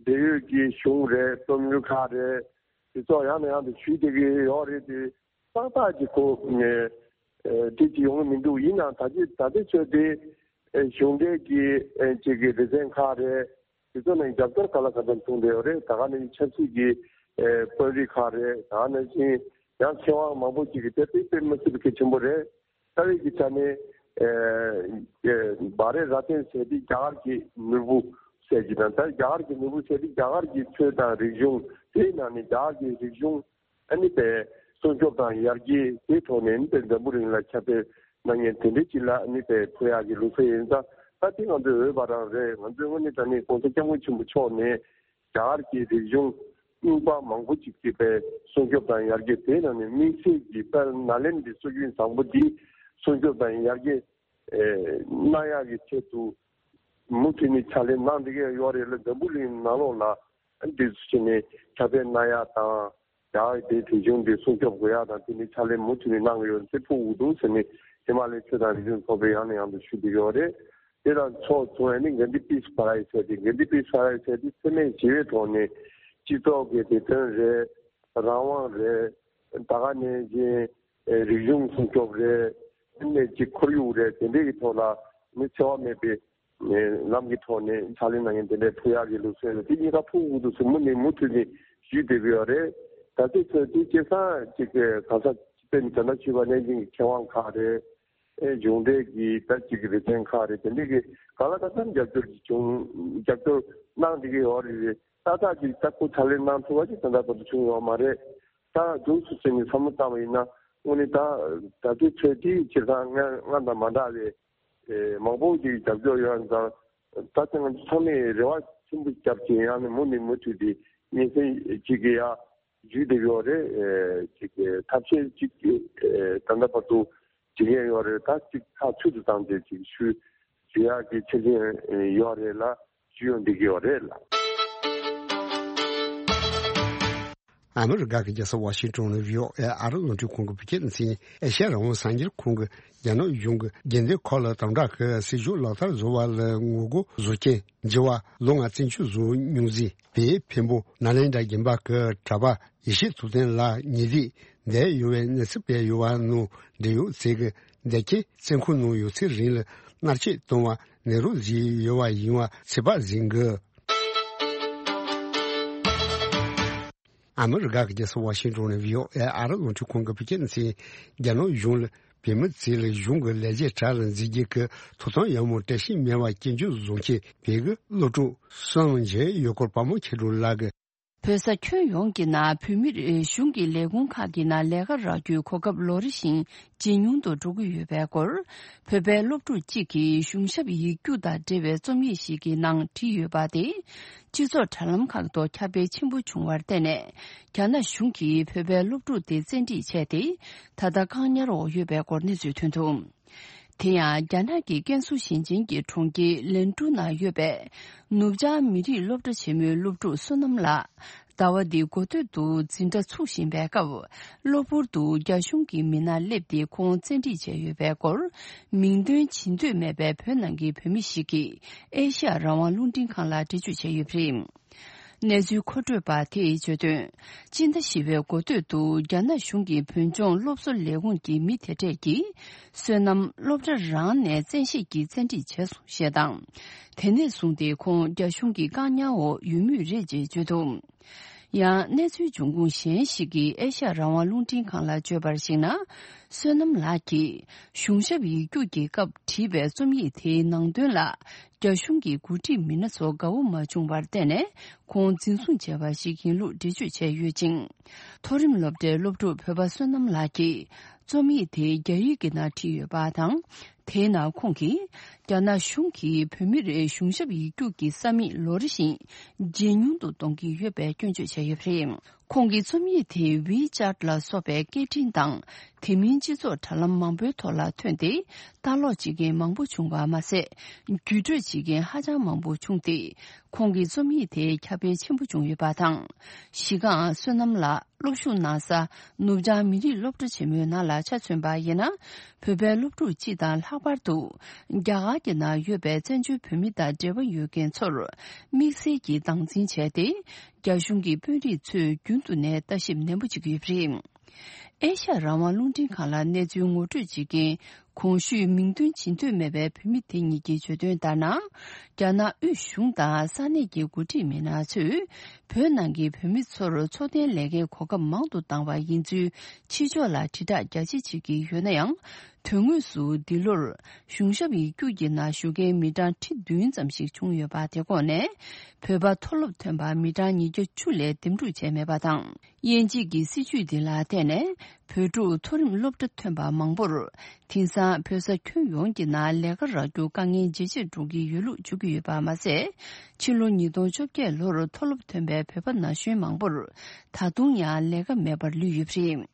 འབྲེལ་ཡོད་ཀྱི་གཞུང་རེད། རྩོམ་ཡིག་ཁག་རེད། དེ་ཚོ་ཡང་ནས་ཡང་དུ་ཞུས་བསྡད་ཀྱི་ཡོད་རེད་དེ། ཏག་ཏག་ཅིག་གོ་ནས་ཨེ་འགྲིག་ཅིག་ཡོང་གི་མི་འདུག་ཡིན་ནའང་ད་ཅི་ད་ལྟའི་ཆོས་དེ་ཨེ་གཞུང་འབྲེལ་གྱི་ཨེ་ཅིག་གི་སྡེ་ཚན་ཁག་རེད། དེ་ཚོ་ནས་རྒྱབ་སྐྱོར་ག་ལ་ག་ཚོད་བྱུང་བསྡད་ཡོད་རེད། ད་ག་ནང་བཞིན་ཆབ་སྲིད་ཀྱི་ཨེ་དཔོན་རིགས་ཁག་རེད། ད་ག་ནང་བཞིན་ཡང་ཚེ་དབང་མང་པོ་ཅིག་གིས་དེ་དཔེ་དཔེ་མི་སྲིད་པའི་གལ་ཆེན་པོ་རེད། རྩ་བའི་གི་ཆ་ནས་ཨེ་ཨེ་བྷ་རེ་ར་ཏན་ཟེར་དེ་རྒྱ་གར་གྱི་ནོར་བུ་ཟེར་གྱི་དང་། ད་རྒྱ་གར་གྱི་ནོར་བུ་ཟེར་དེ་རྒྱ་གར་གྱི་ཆོས་དང་རིག་གཞུང་། དེའི་ནང་ནས་རྒྱ་གར་གྱི་རིག་གཞུང་ཨ་ནི་པའི་སྲུང་སྐྱོབ་དང་ཡར་རྒྱས་དེའི་ཐོག་ནས་ཨ་ནི་པའི་འཛམ་བུ་གླིང་ལ་ཁྱབ་སྤེལ་གནང་མཁན་དེ་འདྲའི་ཅིག་ལ་ཨ་ནི་པའི་ཕུལ་ཡག་གི་ལུགས་སྲོལ་ཡིན་ཙང་། ད་དེ་ང་ཚོའི་འོས་པ་རང་རེད། ང་ཚོའི་དངོས་གནས་དྲང་གནས་༸གོང་ས་༸སྐྱབས་མགོན་ཆེན་པོ་མཆོག་ནས་རྒྱ་གར་གྱི་རིག་གཞུང་རྙིང་པ་མང་པོ་ཅིག་གི་པའི་སྲུང་སྐྱོབ་དང་ཡར་རྒྱས། དེའི་ནང་ནས་དམིགས་བསལ་གྱི་དཔལ་ནཱ་ལེནྡྲའི་སྲོལ་རྒྱུན་བཟང་པོ་འདི་སྲུང་སྐྱོབ་དང་ཡར་རྒྱས་ཨེ་གནང་ཡག་གི་ཆེད་དུ་མུ་མཐུད་ནས་ཕྱག་ལས་གནང་བསྡད་ཀྱི་ཡོད་རེད་ལ། འཛམ་བུ་གླིང་ནང་ལོགས་ལ་འདི་ཚོ་བྱས་ནས་ཁྱབ་སྤེལ་གནང་ཡག་དང་། རྒྱ་གར་དེའི་རིག་གཞུང་འདི་སྲུང་སྐྱོབ་དགོས་ཡག་དང་། དེ་ནི་ཕྱག་ལས་མུ་མཐུད་ནས་གནང་གི་ཡོད་ཚུལ་ཕུལ་དགོས་འདུག་ཟེར་ནས་ཧི་མ་ལ་ཡའི་ཆོས་དང་རིག་གཞུང་ཚོགས་པས་ཡང་ནས་ཡང་དུ་ཞུ་བསྡད་ཀྱི་ཡོད་རེད། དེ་དང་ཕྱོགས་མཚུངས་ནས་གྷན་དྷི་པིས་པ་རའེ་ཛི་ཟེར་ཏེ། གྷན་དྷི་པིས་པ་རའེ་ཛི་ཟེར་ཏེ་འཚེ་མེད་ཞི་བའི་ཐོག་ནས་སྤྱི་ཚོགས་ཀྱི་བདེ་དོན་རེད། རང་དབང་རེད། ད་ག་ནང་བཞིན་རིག་གཞུང་སྲུང་སྐྱོབ་རེད། དེ་ནས་ཅིག་ཁོར་ཡུག་རེད། དེ་འདྲའི་གི་ཐོག་ལ་ནི་འཚེ་བ་མེད་པའི་ལམ་གྱི་ཐོག་ནས་ཕྱག་ལས་གནང་མཁན་དེ་འདྲའི་ཕུལ་ཡག་གི་ལུགས་སྲོལ་རེད། དེ་གཉིས་ཀ་ཕུལ་དགོས་འདུག་ཟེར་མུ་ནས་མུ་མཐུད་ནས་ཞུས་བསྡད་ཀྱི་ཡོད་རེད། ད་ལྟའི་ཆར་དེ་སྐྱེས་སང་ཅིག་ག་ས་དཔེར་ན་ད་ལྟ་ཞུས་པ་ནང་བཞིན་གྱི་མཁས་དབང་ཁག་རེད། ཨེ་གཞུང་འབྲེལ་གྱི་ད་ཅིག་གི་སྡེ་ཚན་ཁག་རེད། དེ་འདྲའི་གི་གང་ལ་གང་འཚམ་རྒྱབ་སྐྱོར་གྱི་བྱུང་། རྒྱབ་སྐྱོར་གནང་བསྡད་ཀྱི་ཡོད་རེད། ཏག་ཏག་ཅིག་ད་ཁོ་ཕྱག་ལས་གནང་ཐུབ་པ་ཅིག་ད་ལྟ་བར་དུ་བྱུང་ཡོད་མ་རེད། ད་འདུག་སེ་བྱས་ནས་བསམ་བློ་བཏང་བ་ཡིན་ན། དངོས་གནས་ད་ད་ལྟའི་ཆོས་འདི་སྤྱིར་བཏང་སྔ་སྔ་དང་མ་འདྲ་བའི་ཨེ་མང་པོ་ཅིག་རྒྱབ་སྐྱོར་ཡོད་ཙང་། ད་ལྟ་ང་ཚོ་ཚང་མས་རེ་བ་ཆེན་པོ་བརྒྱབ་ཅིང་ཡང་ནས་མུ་ནས་མུ་མཐུད་དེ་སྙན་སེང་ཅིག་གི་ཡ་ཞུས་བསྡད་ཡོད་རེད། ཨེ་ཅིག་གི་ཐབས་ཤེས་ཅིག་ཨེ་ད་ལྟ་བར་དུ་བྱེད་མཁན་ཡོད་རེད། ད་ཅིག་ཐག་ཆོད་དུ་བཏང་སྟེ་ཅིག་ཞུ་ཞུ་ཡག་གི་ཆ་རྐྱེན་ཡོད་རེད་ལ། ཞུ་ཡོང་བསྡད་ཀྱི་ཡོད་རེད་ལ། ཨ་མི་རི་ཀ་གི་རྒྱལ་ས་ཝ་ཤིང་ཊོན་ནས་བྷི་ཨོ་ཨེ་ཨ་རི་རླུང་འཕྲིན་ཁང་གི་བོད་སྐད་སྡེ་ཚན། ཨེ་ཤ་ཡ་རང་དབང་གསར་འགྱུར་ཁང་གིས་རྒྱ་ནག་གཞུང་གིས་རྒྱལ་མཚན་ཁོ་ལ་དམ་དྲག་གི་སྲིད་བྱུས་ལག་བསྟར་བཟོ་བ་ལ་ངོ་རྒོལ་བཟོ་མཁན་འགྱུར་བ་ལོ་ལྔ་བཙན་བྱོལ་བཟོ་མྱོང་མཛད་པའི་འཕན་པོ་ནཱ་ལེནྡྲ་དགོན་པ་གི་གྲྭ་པ་ཡེ་ཤེས་ཐུབ་བསྟན་ལགས་ཉེ་འདབས་བསྡད་ཡོད་པའི་གནས་ཚུལ་སྤེལ་ཡོད་པ་ནང་འབྲེལ་ཡོད་ཚོས་ཀྱིས་འདེད་ཁྱེར་བཙོན་ཁང་ནང་ཡོད་ཚད་རིང་ལ་མནར་གཅོད་བཏང་བ་ནད་རོ་བཟོས་ཡོད་པ་ཡིན་པ་ཚོད་དཔག་བྱེད་ཀྱི། ཨ་མི་རི་ཀ་གི་རྒྱལ་ས་ཝ་ཤིང་ཊོན་ནས་བྷི་ཨོ་ཨེ་ཨ་རི་རླུང་འཕྲིན་ཁང་གི་བོད་སྐད་སྡེ་ཚན། རྒྱ་ནག་གཞུང་ལ་བོད་མི་ཚོ་ལ་གཞུང་གི་ལས་བྱེད་དྲག་ལ་འཛིན་རྒྱུ་གི་ཐོབ་ཐང་ཡང་མོ་བཀྲ་ཤིས་མེད་པ་སྐྱོན་བརྗོད་བཟོ་མཁན་བོད་ཀྱི་སློབ་ཕྲུག་བསོད་ནམས་རྒྱལ་ཡོད་སྐོར་དཔའ་མོ་མཁྱེན་སྒྲོན་ལགས་ཀྱིས། བོད་ས་ཁྱོན་ཡོངས་ཀྱི་ནང་བོད་མིར་གཞུང་གི་ལས་ཁུངས་ཁག་གི་ནང་ལས་ཀ་རག་རྒྱུའི་གོ་སྐབས་ལོ་རེ་བཞིན་ཇེ་ཉུང་དུ་འགྲོ་གི་ཡོད་པའི་སྐོར། བོད་པའི་སློབ་ཕྲུག་ཅིག་གིས་གཞུང་ཞབས་ཡིག་རྒྱུགས་དང་འབྲེལ་བའི་རྩོམ་ཡིག་ཞིག་གི་ནང་བྲིས་ཡོད་པ་དེ། སྤྱི་ཚོགས་དྲ་ལམ་ཁག་ཏུ་ཁྱབ་སྤེལ་ཆེན་པོ་བྱུང་བར་བརྟེན་ནས། རྒྱ་ནག་གཞུང་གིས་བོད་པའི་སློབ་ཕྲུག་དེ་བཙན་ཁྲིད་བྱས་ཏེ། ད་ལྟ་བཀག་ཉར་འོག་ཡོད་པའི་སྐོར་གནས་ཚུལ་ཐོན་འདུག་དེ་ཡང་རྒྱ་ནག་གི་ཀན་སུའུ་ཞིང་ཆེན་གྱི་གྲོང་ཁྱེར་ལན་ཀྲུའུ་ནང་ཡོད་པའི་ནུབ་བྱང་མི་རིགས་སློབ་གྲྭ་ཆེན་མོའི་སློབ་ཕྲུག་བསོད་ནམས་ལགས། ཟླ་བ་འདིའི་འགོ་སྟོད་དུ་འཛིན་གྲྭ་ཚུགས་བཞིན་པའི་སྐབས། གློ་བུར་དུ་རྒྱ་གཞུང་གི་མི་སྣར་སླེབས་ཏེ་ཁོང་བཙན་ཁྲིད་བྱས་ཡོད་པའི་སྐོར། མིང་འདོན་བྱེད་འདོད་མེད་པའི་བོད་ནང་གི་བོད་མི་ཞིག་གིས་ཨེ་ཤ་ཡ་རང་དབང་རླུང་འཕྲིན་ཁང་ལ་འགྲེལ་བརྗོད་བྱས་ཡོད་པ་རེད། གནས་ཚུལ་མཁོ་སྤྲོད་པ་དེས་བརྗོད་དོན། སྤྱི་ཟླ་བཞི་པའི་འགོ་སྟོད་དུ་རྒྱ་ནག་གཞུང་གི་བོད་ལྗོངས་སློབ་གསོ་ལས་ཁུངས་ཀྱི་མི་དེ་གྲས་ཀྱིས། བསོད་ནམས་སློབ་གྲྭ་རང་ནས་བཙན་ཤེད་ཀྱིས་བཙན་ཁྲིད་བྱས་སོང་ཞེས་དང་། དེ་ནས་བཟུང་སྟེ་ཁོང་རྒྱ་གཞུང་གི་བཀག་ཉར་འོག་ཡོད་མུས་རེད་ཅེས་བརྗོད་འདུག་ཡང་གནས་ཚུལ་འབྱུང་ཁུངས་གཞན་ཞིག་གིས་ཨེ་ཤ་ཡ་རང་དབང་རླུང་འཕྲིན་ཁང་ལ་བརྗོད་པར་གཞིགས་ན། བསོད་ནམས་ལགས་ཀྱིས་གཞུང་ཞབས་ཡིག་རྒྱུགས་ཀྱི་སྐབས་བྲིས་པའི་རྩོམ་ཡིག་དེའི་ནང་དོན་ལ། རྒྱ་གཞུང་གི་འགོ་ཁྲིད་མི་སྣ་ཚོ་དགའ་བོ་མ་བྱུང་བར་བརྟེན་ནས། ཁོང་འཛིན་བཟུང་བྱས་པ་ཞིག་ཡིན་ལུགས་འགྲེལ་བརྗོད་བྱས་ཡོད་ཅིང་། མཐོ་རིམ་སློབ་གྲྭའི་སློབ་ཕྲུག་བོད་པ་བསོད་ནམས་ལགས་ཀྱིས། རྩོམ་ཡིག་དེ་རྒྱ་ཡིག་གི་ནང་བྲིས་ཡོད་པ་དང་། དེའི་ནང་ཁོང་གིས། རྒྱ་ནག་གཞུང་གིས་བོད་མིར་གཞུང་ཞབས་ཡིག་རྒྱུགས་ཀྱི་ས་མིག་ལོ་རེ་བཞིན་ཇེ་ཉུང་དུ་གཏོང་གི་ཡོད་པའི་སྐྱོན་བརྗོད་བྱས་ཡོད་པ་རེད། ཁོང་གི་རྩོམ་ཡིག་དེ་ཝི་ཅཱཊ་ལ་སོགས་པའི་སྐད་འཕྲིན་དང་། དེ་མིན་སྤྱི་ཚོགས་དྲ་ལམ་མང་པོའི་ཐོག་ལ་ཐོན་ཏེ། ལྟ་ཀློག་བྱེད་མཁན་མང་པོ་བྱུང་བ་མ་ཟད། བརྒྱུད་སྤྲོད་བྱེད་མཁན་ཧ་ཅང་མང་པོ་བྱུང་སྟེ། ཁོང་གི་རྩོམ་ཡིག་དེ་ཁྱབ་སྤེལ་ཆེན་པོ་བྱུང་ཡོད་པ་དང་། གཞི་རྐང་བསོད་ནམས་ལགས་སློབ་ཞུགས་གནང་ས་ནུབ་བྱང་མི་རིགས་སློབ་གྲྭ་ཆེན་མོའི་ནང་ལ་ཆ་མཚོན་པ་ཡིན་ན། བོད་པའི་སློབ་ཕྲུག་སྤྱི་དང་ལྷག་པར་དུ། རྒྱ་གར་གྱི་ནང་ཡོད་པའི་བཙན་བྱོལ་བོད་མི་དང་འབྲེལ་བ་ཡོད་མཁན་ཚོར། དམིགས་བསལ་གྱིས་སྟངས་འཛིན་བྱས་ཏེ། རྒྱ་གཞུང་གི་དཔོན་རིགས་ཚོས་རྒྱུན་དུ་ནས་ལྟ་ཞིབ་ནན་པོ་བྱེད་ཀྱི་ཡོད་པ་རེད། ཨེ་ཤ་ཡ་རང་དབང་རླུང་འཕྲིན་ཁང་ལ་གནས་ཚུལ་ངོ་སྤྲོད་བྱེད་མཁན་གོང་ཞུས་མིང་འདོན་བྱེད་འདོད་མེད་པའི་བོད་མི་དེ་གཉིས་ཀྱིས་བརྗོད་དོན་ལྟར་ན། རྒྱ་ནག་དབུས་གཞུང་དང་ས་གནས་ཀྱི་འགོ་ཁྲིད་མི་སྣ་ཚོས་བོད་ནང་གི་བོད་མི་ཚོར་འཚོ་རྟེན་ལས་ཀའི་གོ་སྐབས་མང་དུ་བཏང་བ་ཡིན་ཚུལ་ཕྱི་ཕྱོགས་ལ་དྲིལ་བསྒྲགས་རྒྱ་ཆེ་བྱེད་ཀྱི་ཡོད་ན་ཡང་། དོན་དངོས་སུ་འདི་ལོར་གཞུང་ཞབས་ཡིག་རྒྱུགས་ཀྱི་ནང་ཞུགས་མཁན་མི་གྲངས་ཁྲི་བདུན་ཙམ་ཞིག་བྱུང་ཡོད་པ་དེ་ཁོངས་ནས་བོད་པ་མཐོ་སློབ་ཐོན་པ་མི་གྲངས་ཉིས་བརྒྱ་བཅུ་ལས་འདེམས་སྒྲུག་བྱས་མེད་པ་དང་། དབྱེ་འབྱེད་ཀྱི་སྲིད་བྱུས་འདི་ལ་བརྟེན་ནས་བོད་ཕྲུག་མཐོ་རིམ་སློབ་གྲྭ་ཐོན་པ་མང་པོར་དེང་སང་བོད་ས་ཁྱོན་ཡོངས་ཀྱི་ནང་ལས་ཀ་རག་རྒྱུ་དཀའ་ངལ་ཇེ་ཆེར་འགྲོ་གི་ཡོད་ལུགས་བརྗོད་ཀྱི་ཡོད་པ་མ་ཟད། ཕྱི་ལོ་ཉིས་སྟོང་བཅོ་བརྒྱད་ལོར་མཐོ་སློབ་ཐོན་པའི་བོད་པ་ན་གཞོན་མང་པོར་ད་དུང་ཡང་ལས་ཀ་མེད་པར་ལུས་ཡོད་པ་རེད།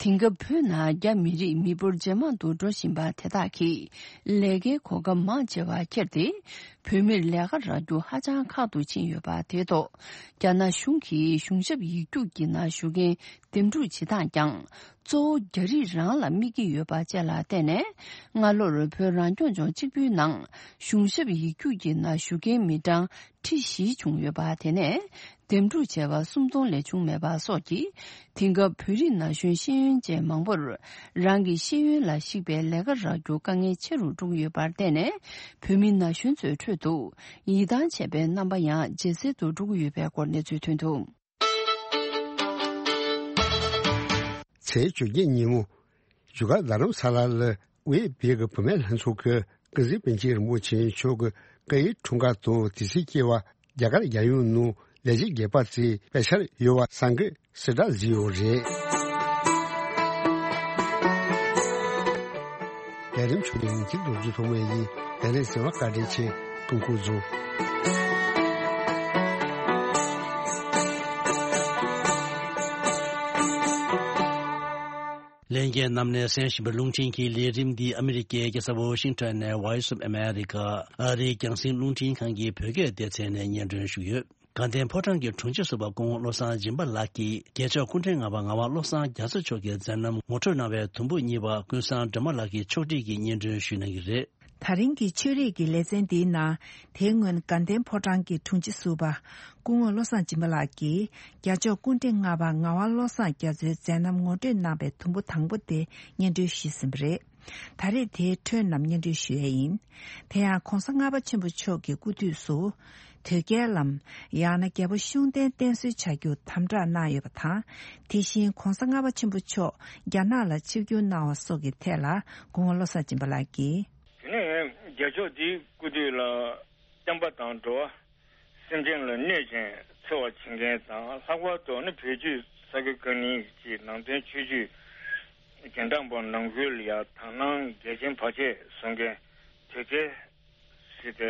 དེང་སྐབས་བོད་ནང་རྒྱ་མི་རིགས་མི་འབོར་ཇེ་མང་དུ་འགྲོ་བཞིན་པ་དེ་དག་གིས་ལས་ཀའི་གོ་སྐབས་མང་ཆེ་བ་ཁྱེར་ཏེ། བོད་མིར་ལས་ཀ་རག་རྒྱུ་ཧ་ཅང་ཁག་ཏུ་ཕྱིན་ཡོད་པ་དེ་ཐོག་རྒྱ་ནག་གཞུང་གིས་གཞུང་ཞབས་ཡིག་རྒྱུགས་ཀྱི་ནང་ཞུགས་མཁན་འདེམས་སྒྲུག་བྱེད་སྟངས་ཀྱང་གཙོ་བོ་རྒྱ་རིགས་རང་ལ་དམིགས་ཀྱི་ཡོད་པ་བཅས་ལ་བརྟེན་ནས། སྔ་ལོར་བོད་རང་སྐྱོང་ལྗོངས་གཅིག་པུའི་ནང་གཞུང་ཞབས་ཡིག་རྒྱུགས་ཀྱི་ནང་ཞུགས་མཁན་མི་གྲངས་ཁྲི་བཞི་བྱུང་ཡོད་པ། དེ་ནས་འདེམས་སྒྲུག་བྱས་པ་སུམ་སྟོང་ལས་བྱུང་མེད་པ་སོགས་ཀྱིས། དེང་སྐབས་བོད་རིགས་ན་གཞོན་ཤེས་ཡོན་ཅན་མང་པོར་རང་གི་ཤེས་ཡོན་ལ་གཞིགས་པའི་ལས་ཀ་རག་རྒྱུ་དཀའ་ངལ་ཆེ་རུ་འགྲོ་གི་ཡོད་པར་བརྟེན་ནས། བོད་མི་ན་གཞོན་ཚོའི་ཁྲོད་དུ་ཡིད་ཐང་ཆད་པའི་རྣམ་པ་ཡང་ཇེ་གསལ་དུ་འགྲོ་གི་ཡོད་པའི་སྐོར་གནས་ཚུལ་ཐོན་འདུག་ཚེས་བཅོ་བརྒྱད་ཉིན་མོ། བཞུགས་སྒར་རྡ་རམ་ས་ལ་ལ་དབུས་བོད་ཀྱི་བུད་མེད་ལྷན་ཚོགས་ཀྱི་ཀུན་གཟིགས་པཎ་ཆེན་རིན་པོ་ཆེ་མཆོག་གི་བཀའ་ཡི་འཁྲུངས་སྐར་དང་དུས་ཚིགས་བཅས་པ་རྒྱ་གར་རྒྱལ་ཡོངས་ནང་ལས་བྱེད་དགོས་པ་ཚོས་དཔེ་འཆར་ཡོད་པ་གསར་འགོད་གསལ་བསྒྲགས་བཟོས་ཡོད་རེད། ལས་རིམ་ཆུ་ལེན་གྱི་རྡོ་རྗེ་ཐོགས་མེད་ཡིན། ལས་རིམ་གསན་པ་བཀའ་དྲིན་ཆེ། ཐུགས་ཁུར་བཟུང་། ལྷན་རྒྱས་རྣམས་ནས་གསན་བཞིན་པའི་རླུང་འཕྲིན་གྱི་ལས་རིམ་འདི་ཨ་མི་རི་ཀའི་རྒྱལ་ས་ཝོ་ཤིང་ཊོན་ནས་Voice of America ཨ་རིའི་རྒྱང་སྲིང་རླུང་འཕྲིན་ཁང་གི་བོད་སྐད་སྡེ་ཚན་ནས་སྙན་སྒྲོན་ཞུས་ཡོད། དགའ་ལྡན་ཕོ་བྲང་གི་དྲུང་ཆེ་ཟུར་པ་སྐུ་ངོ་བློ་བཟང་སྦྱིན་པ་ལགས་ཀྱིས་རྒྱལ་མཆོག་སྐུ་ཕྲེང་ལྔ་པ་ངག་དབང་བློ་བཟང་རྒྱ་མཚོ་མཆོག་གི་མཛད་རྣམ་ངོ་སྤྲོད་གནང་བའི་དུམ་བུ་གཉིས་པ་ཀུན་བཟང་སྒྲོལ་མ་ལགས་ཀྱིས་ཕྱོགས་སྒྲིག་གིས་སྙན་སྒྲོན་ཞུས་གནང་གི་རེད། ད་རིང་གི་ཆོས་རིག་གི་ལེ་ཚན་འདིའི་ནང་། དེའི་སྔོན་དགའ་ལྡན་ཕོ་བྲང་གི་དྲུང་ཆེ་ཟུར་པ་སྐུ་ངོ་བློ་བཟང་སྦྱིན་པ་ལགས་ཀྱིས་རྒྱལ་མཆོག་སྐུ་ཕྲེང་ལྔ་པ་ངག་དབང་བློ་བཟང་རྒྱ་མཚོའི་མཛད་རྣམ་ངོ་སྤྲོད་གནང་བའི་དུམ་བུ་དང་པོ་དེ་སྙན་སྒྲོན་ཞུས་ཟིན་པ་རེད། ད་རེས་དེའི་འཕྲོས་རྣམས་སྙན་སྒྲོན་ཞུ་ཡས་ཡིན། དེ་ཡང་གོང་ས་ལྔ་པ་ཆེན་པོ་མཆོག་གི་སྐུ་དུས་སུ། དོལ་རྒྱལ་ལམ། ཡང་ན་རྒྱལ་པོ་ཤུགས་ལྡན་བསྟེན་གསོལ་བྱ་རྒྱུ་དམ་བསྒྲགས་གནང་ཡོད་པ་དང་། དེ་བཞིན་གོང་ས་ལྔ་པ་ཆེན་པོ་མཆོག་རྒྱ་ནག་ལ་ཆིབས་བསྒྱུར་གནང་བ་སོགས་ཀྱི་ཐད་ལ་སྐུ་ངོ་བློ་བཟང་སྦྱིན་པ་ལགས་ཀྱིས། དེ་ནས་རྒྱལ་མཆོག་འདིའི་སྐུ་དུས་ལ། བསྟན་པ་དང་འགྲོ་བ། སེམས་ཅན་ལ་གནོད་ཅིང་འཚེ་བ་བྱེད་མཁན་དང་། ལྷག་པར་དུ་ནི་བོད་བརྒྱུད་ས་དགེ་བཀའ་རྙིང་གི་ནང་དོན་ཆོས་བརྒྱུད་རྒྱན་དྲངས་པ་ནང་ཁུལ་ལ་ཡང་དག་སྣང་འགལ་རྐྱེན་བར་ཆད་བཟོ་མཁན་དོལ་རྒྱལ་ཟེར་ཏེ་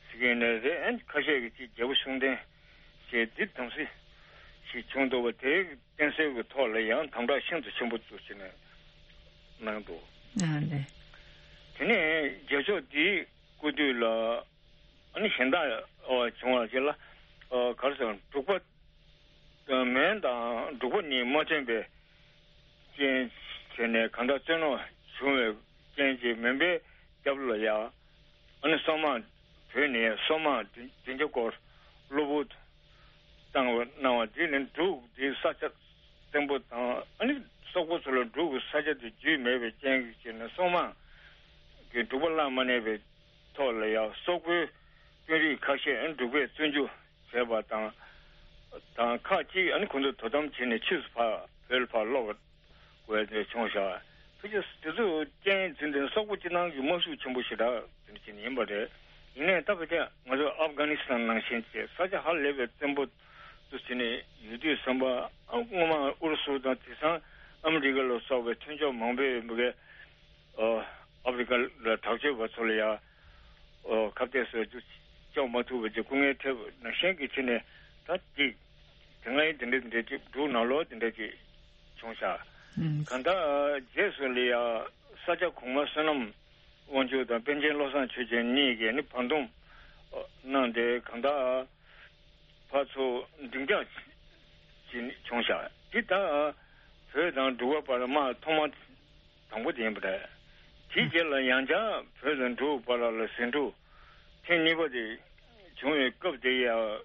ཟེར་གྱི་ཡོད་ནའི་རེད། ཨ་ནི་ཁ་ཤས་ཀྱིས་ཅིག་རྒྱལ་པོ་ཤུགས་ལྡན་ཞེས་འདི་དམ་སྲི་ཞིག་བྱུང་འདུག་པ། དེའི་བསྟེན་གསོལ་གྱི་ཐོག་ལ་ཡང་དམ་བསྒྲགས་ཤིན་ཏུ་ཆེན་པོ་བཙུགས་བྱས་ནས་གནང་འདུག། ཨ་ལེ། དེ་ནས་རྒྱལ་མཆོག་འདིའི་སྐུ་དུས་ལ། ཨ་ནི་གཞན་དག་བྱུང་བ་ཞིག་ལ། ག་རེ་ཟེར། འབྲུག་པ། མོན་དང་འབྲུག་པ་གཉིས་མ་མཐུན་པའི་རྐྱེན་བྱས་ནས་གང་ལྟར་རྩོད་གླེང་བྱུང་བའི་རྐྱེན་གྱིས་མོན་པའི་རྒྱབ་ལ་ཡ། ཨ་ནི་སོག་དམག་བོད་ནས་སོག་དམག་བདུན་བརྒྱ་སྐོར་གློ་བུར་དུ་བཏང་བ་གནང་བ་དེ་ནི་འབྲུག་དེའི་ས་ཆ་བཙན་པོ་དང་། ཨ་ནི་སོག་པོ་ཚོ་ལ་འབྲུག་གི་ས་ཆ་དེ་རྒྱུས་མེད་པའི་རྐྱེན་གྱིས་བྱས་ནས་སོག་དམག་གིས་འབྲུག་པ་བརླག་མ་ནུས་པའི་ཐོག་ལ་ཡང་སོག་པོའི་དཔོན་རིགས་ཁ་ཤས་འབྲུག་པས་བཙོན་འཇུག་བྱས་པ་དང་། དང་ཁག་ཅིག་ཨ་ནི་ཁོང་ཚོ་དོ་དམ་བྱས་ནས་ཕྱིས་སུ་ཕར་བོད་ལ་ཕར་ལོག་དགོས་དེ་བྱུང་ཤག། ཕལ་ཆེར་དེ་ཚོ་རྐྱེན་འཛིན་དེ་སོག་པོ་སྤྱི་བཏང་གི་དམག་ཤུགས་ཆེན་པོ་ཞེ་དྲག་དེ་འདྲ་ཅིག་ཡིན་པ་རེད། ཡིན་ནའི་ད་ཕལ་ཆེར་ང་ཚོ་ཨབ་གྷ་ནི་སི་ཐན་ནང་བཞིན་བྱས་ས་ཆ་ཧ་ལས་པའི་བཙན་པོ་དུ་བྱས་ནས་ཡོད་དུས་ཙམ་པ། ཨ་སྔོན་མ་ཨུ་རུ་སུ་དང་དེང་སང་ཨ་མི་རི་ཀ་ལ་སོགས་པའི་མཐུན་ཕྱོགས་མང་པོས་མི་གའི། ཨ་ཨ་ཕི་རི་ཀ་ལ་དྲག་སྤྱོད་པ་ཚོ་ལ་ཡང་ཨ་ཁ་གཏད་བཟོ་རྒྱུ་བཅོ་མ་ཐུབ་པ་ཅིག་སྐུ་ངལ་འཕྲད་པ་ནང་བཞིན་གྱི་ཕྱིར་ནས། ད་ཅིག་དེ་སྔའི་དེ་འདྲ་དེ་འདྲ་ཅིག་འབྲུག་ནང་ལོགས་དེ་འདྲ་ཅིག་བྱུང་ཤག། ཨང་། གང་ལྟར་རྗེས་སུ་ལ་ཡང་ས་སྐྱ་གོང་མ་བསོད་ནམས་དབང་ཕྱུག་དང་པཎ་ཆེན་བློ་བཟང་ཆོས་རྒྱན་གཉིས་ཀྱིས་ནི་བར་འདུམ་གནང་སྟེ། གང་ལྟར་ཕར་ཚུར་འགྲིག་འཇགས་ཅིག་བྱུང་ཤག། འདི་ད་བོད་དང་འབྲུག་པ་བར་དམག་ཐོག་མ་དང་པོ་དེ་ཡིན་པ་རེད། དེའི་རྗེས་ལ་ཡང་བསྐྱར་བོད་དང་འབྲུག་བར་ལ་ཟིང་འཁྲུག་ཐེངས་གཉིས་པ་དེ་བྱུང་བའི་སྐབས་དེ་ཡང་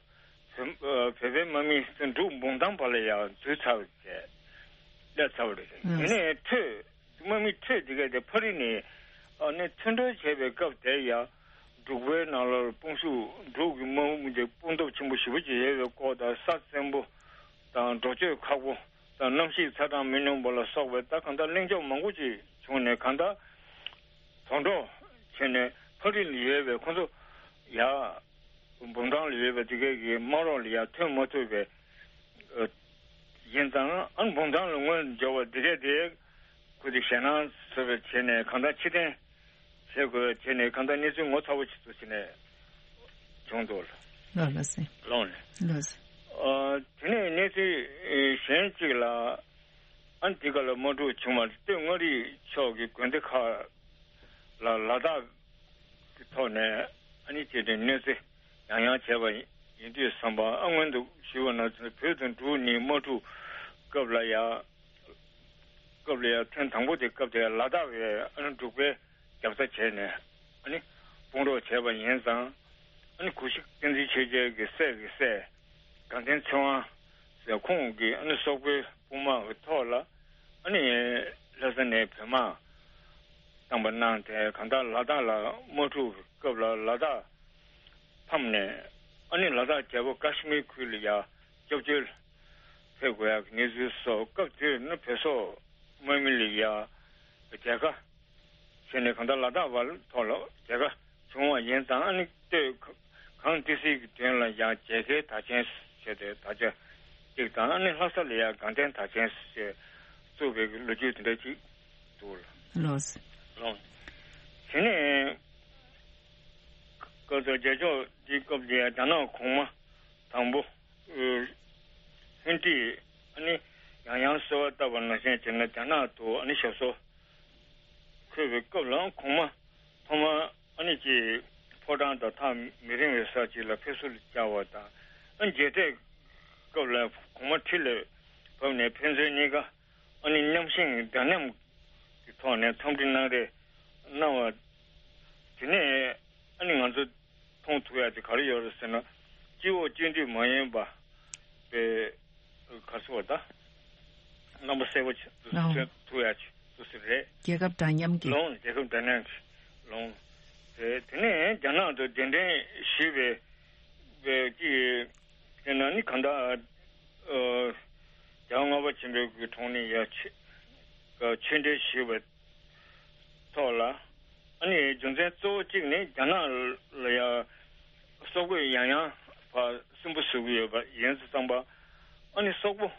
བོད་བོད་པའི་དམག་མི་འབྲུག་འབུམ་ཐང་བར་ལ་ཡང་འཛུལ་ཚར་བ་རེད། སླེབས་ཚར་བ་རེད། ཨང་། དེ་ནས་འཕྲོས། དམག་མི་འཕྲོས་དེ་ག་དེ་ཕ་རི་ནས་ཨ་ནི་མཐུན་གྲོས་བྱས་པའི་སྐབས་དེར་ཡང་འབྲུག་པའི་ནང་ལོགས་དཔུང་ཤུགས། འབྲུག་གི་དམག་དཔུང་དེ་དཔུང་སྟོབས་ཆེན་པོ་ཞེ་པོ་ཅིག་ཡོད་པའི་སྐོར་དང་། ས་བཙན་པོ་དང་། འགྲོ་སྐྱོད་ཁག་པོ་དང་། གནམ་གཤིས་ཚ་གྲང་མི་སྙོམས་པ་ལ་སོགས་པའི་ད་གང་ལྟར་གླེང་ཕྱོགས་མང་པོ་ཅིག་བྱུང་ནས། གང་ལྟར་དོག་འགྲོ་བྱས་ནས་ཕ་རི་ལ་ཡོད་པའི་ཁོང་ཚོ་ཡ། འབུམ་ཐང་ལ་ཡོད་པའི་དེ་གའི་གི་དམག་རོགས་ལ་ཡང་ཐོན་མ་ཐུབ་པའི་ཨ་ཡིན་ཙང་། ཨ་འབུམ་ཐང་ལ་དངོས་འབྱོར་བ་དེ་གའི་དེ་ཁུ་དེ་ཞེད་སྣང་ཚ་བོ་བྱས་ནས་གང་ལྟར་ཕྱིར་འཐེན་བྱེད་དགོས་བྱས་ནས། གང་ལྟར་གནས་ཚུལ་ངོ་ཚ་བོ་ཞིག་ཏུ་བྱས་ནས་བྱུང་འདུག་ལགས། ལགས་སེ། ལགས་ལགས་སེ། ཨ་དེ་ནས་གནས་ཚུལ་གཞན་གཅིག་ལ། ཨ་འདི་ག་ལ་དམག་འཁྲུག་བྱུང་བ་སྟོད་མངའ་རིས་ཕྱོགས་ཀྱི་དགོན་སྡེ་ཁག་ལ་ལ་དྭགས་ཀྱི་ཐོག་ནས་ཨ་ནི་བྱས་ཏེ་གནོད་འཚེ་ཡང་ཡང་བྱས་པ་ཡིན་དུས་ཙམ་པ། ཨ་སྔོན་དུ་ཞུས་པ་ནང་བཞིན་བོད་དང་འབྲུག་གཉིས་དམག་འཁྲུག་སྐབས་ལ་ཡང་སྐབས་ལ་ཡང་ཐེངས་དང་པོ་དེ་སྐབས་དེ་ལ་དྭགས་པས་ཨ་ནི་འབྲུག་པའི་རྒྱབ་རྩ་བྱས་ནས་ཨ་ནི་དཔུང་རོགས་བྱས་པ་ཡིན་ཙང་། ཨ་ནི་གུ་ཤྲི་བསྟན་འཛིན་ཆོས་རྒྱལ་གྱི་སྲས་ཀྱི་སྲས་དགའ་ལྡན་ཚེ་དབང་ཟེར། ཁོང་གིས་ཨ་ནི་སོག་པོའི་དཔུང་དམག་གི་ཐོག་ལ་ཨ་ནི་ལྷ་ས་ནས་བོད་དམག་བཏང་པ་གནང་སྟེ། གང་ལྟར་ལ་དྭགས་ལ་དམག་འཁྲུག་གི་སྐབས་ལ་ལ་དྭགས་ཕམ་ནས། ཨ་ནི་ལ་དྭགས་རྒྱལ་པོ་ཀ་ཤི་མིར་ཁུལ་ལ་ཡང་སྐྱབས་བཅོལ་ཕེབས་དགོས་ཡག་གི་གནས་ཚུལ་སོགས། སྐབས་དེར་ནི་བོད་སོག་དམག་མི་ལ་ཡང་རྒྱལ་ཁ་བྱས་ནས། གང་ལྟར་ལ་དྭགས་བར་ཐོག་ལ་རྒྱལ་ཁ་བྱུང་བ་ཡིན་ཙང་། ཨ་ནི་སྟོད་གངས་ཏི་སེའི་གི་དོན་ལ་ཡང་རྒྱལ་ཁའི་དར་ཆེན་ཟེར་ཏེ་དར་ཆ་གཅིག་དང་། ཨ་ནི་ལྷ་ས་ལ་ཡང་དགའ་ལྡན་དར་ཆེན་ཟེར་བཙུགས་པའི་གི་ལོ་རྒྱུས་དེ་འདྲ་ཅིག་འདུག་ལགས། ལགས། དེ་ནས་སྐབས་དེར་རྒྱལ་མཆོག་འདིའི་སྐབས་དེ་རྒྱ་ནག་གོང་མ་དང་པོ་ལྷུན་ཀྲིས་ཨ་ནི་ཡང་ཡང་གསོལ་བ་བཏབ་པ་ནང་བཞིན་བྱས་ནས་རྒྱ་ནག་ཏུ་ཨ་ནི་ཞབས་སོར་འཁོད་པའི་སྐབས་ལ། གོང་མ་ཐོག་མར་ཨ་ནི་ཅིག་ཕོ་བྲང་དང་ཐག་མི་རིང་བའི་ས་ཅིག་ལ་ཕེབས་བསུ་ལ་བཅར་བ་དང་། ཨ་ མཇལ་འཕྲད་སྐབས་ལ་གོང་མ་ཁྲི་ལ་བབས་ནས་ཕན་ཚུན་གཉིས་ཀ་ཨ་ནི་མཉམ་ཞུགས་འདྲ་མཉམ་གྱི་ཐོག་ནས་འཚམས་འདྲི་གནང་རེས་གནང་བ། དེ་ནས་ཨ་ནི་ང་ཚོ་མཐོང་ཐུབ་ཡ་དེ་ག་རེ་ཡོད་རེད་ཟེར་ན། སྤྱི་འོག་སྤྱི་འཐུས་མ་ཡིན་པ་པའི་ག་རེ་ཟེར་བ་ད། རྣམ་པ་གསལ་པོ་ཆེ་ཏུ་ཨོ། མཚོན་ཐུབ་ཡ་ཆེ་ཏུ་ཟེར་རེད། རྒྱལ་ཁབ་འདྲ་མཉམ་གྱི། ལོང་རྒྱལ་ཁབ་འདྲ་མཉམ་གྱི་ལོང་། དེ་དེ་ནས་རྒྱ་ནག་ཏུ་གདན་འདྲེན་ཞུས་པའི་པའི་ཀྱི་དེ་ན་ནི་གང་ལྟར་ཨ་རྒྱལ་བ་ལྔ་པ་ཆེན་པོའི་གི་དྲུང་ནས་ཡ་ཆེ་ཆོས་འབྲེལ་ཞུས་པའི་ཐོག་ལ། ཨ་ནི་རྒྱུ་མཚན་གཙོ་བོ་གཅིག་ནི་རྒྱ་ནག་ལ་ཡ་སོག་པོས་ཡང་ཡང་ཕར་སུན་པོ་བཟོ་གི་ཡོད་པ་ཡིན་ཙང་ཙང་པ། ཨ་ནི་སོག་པོ་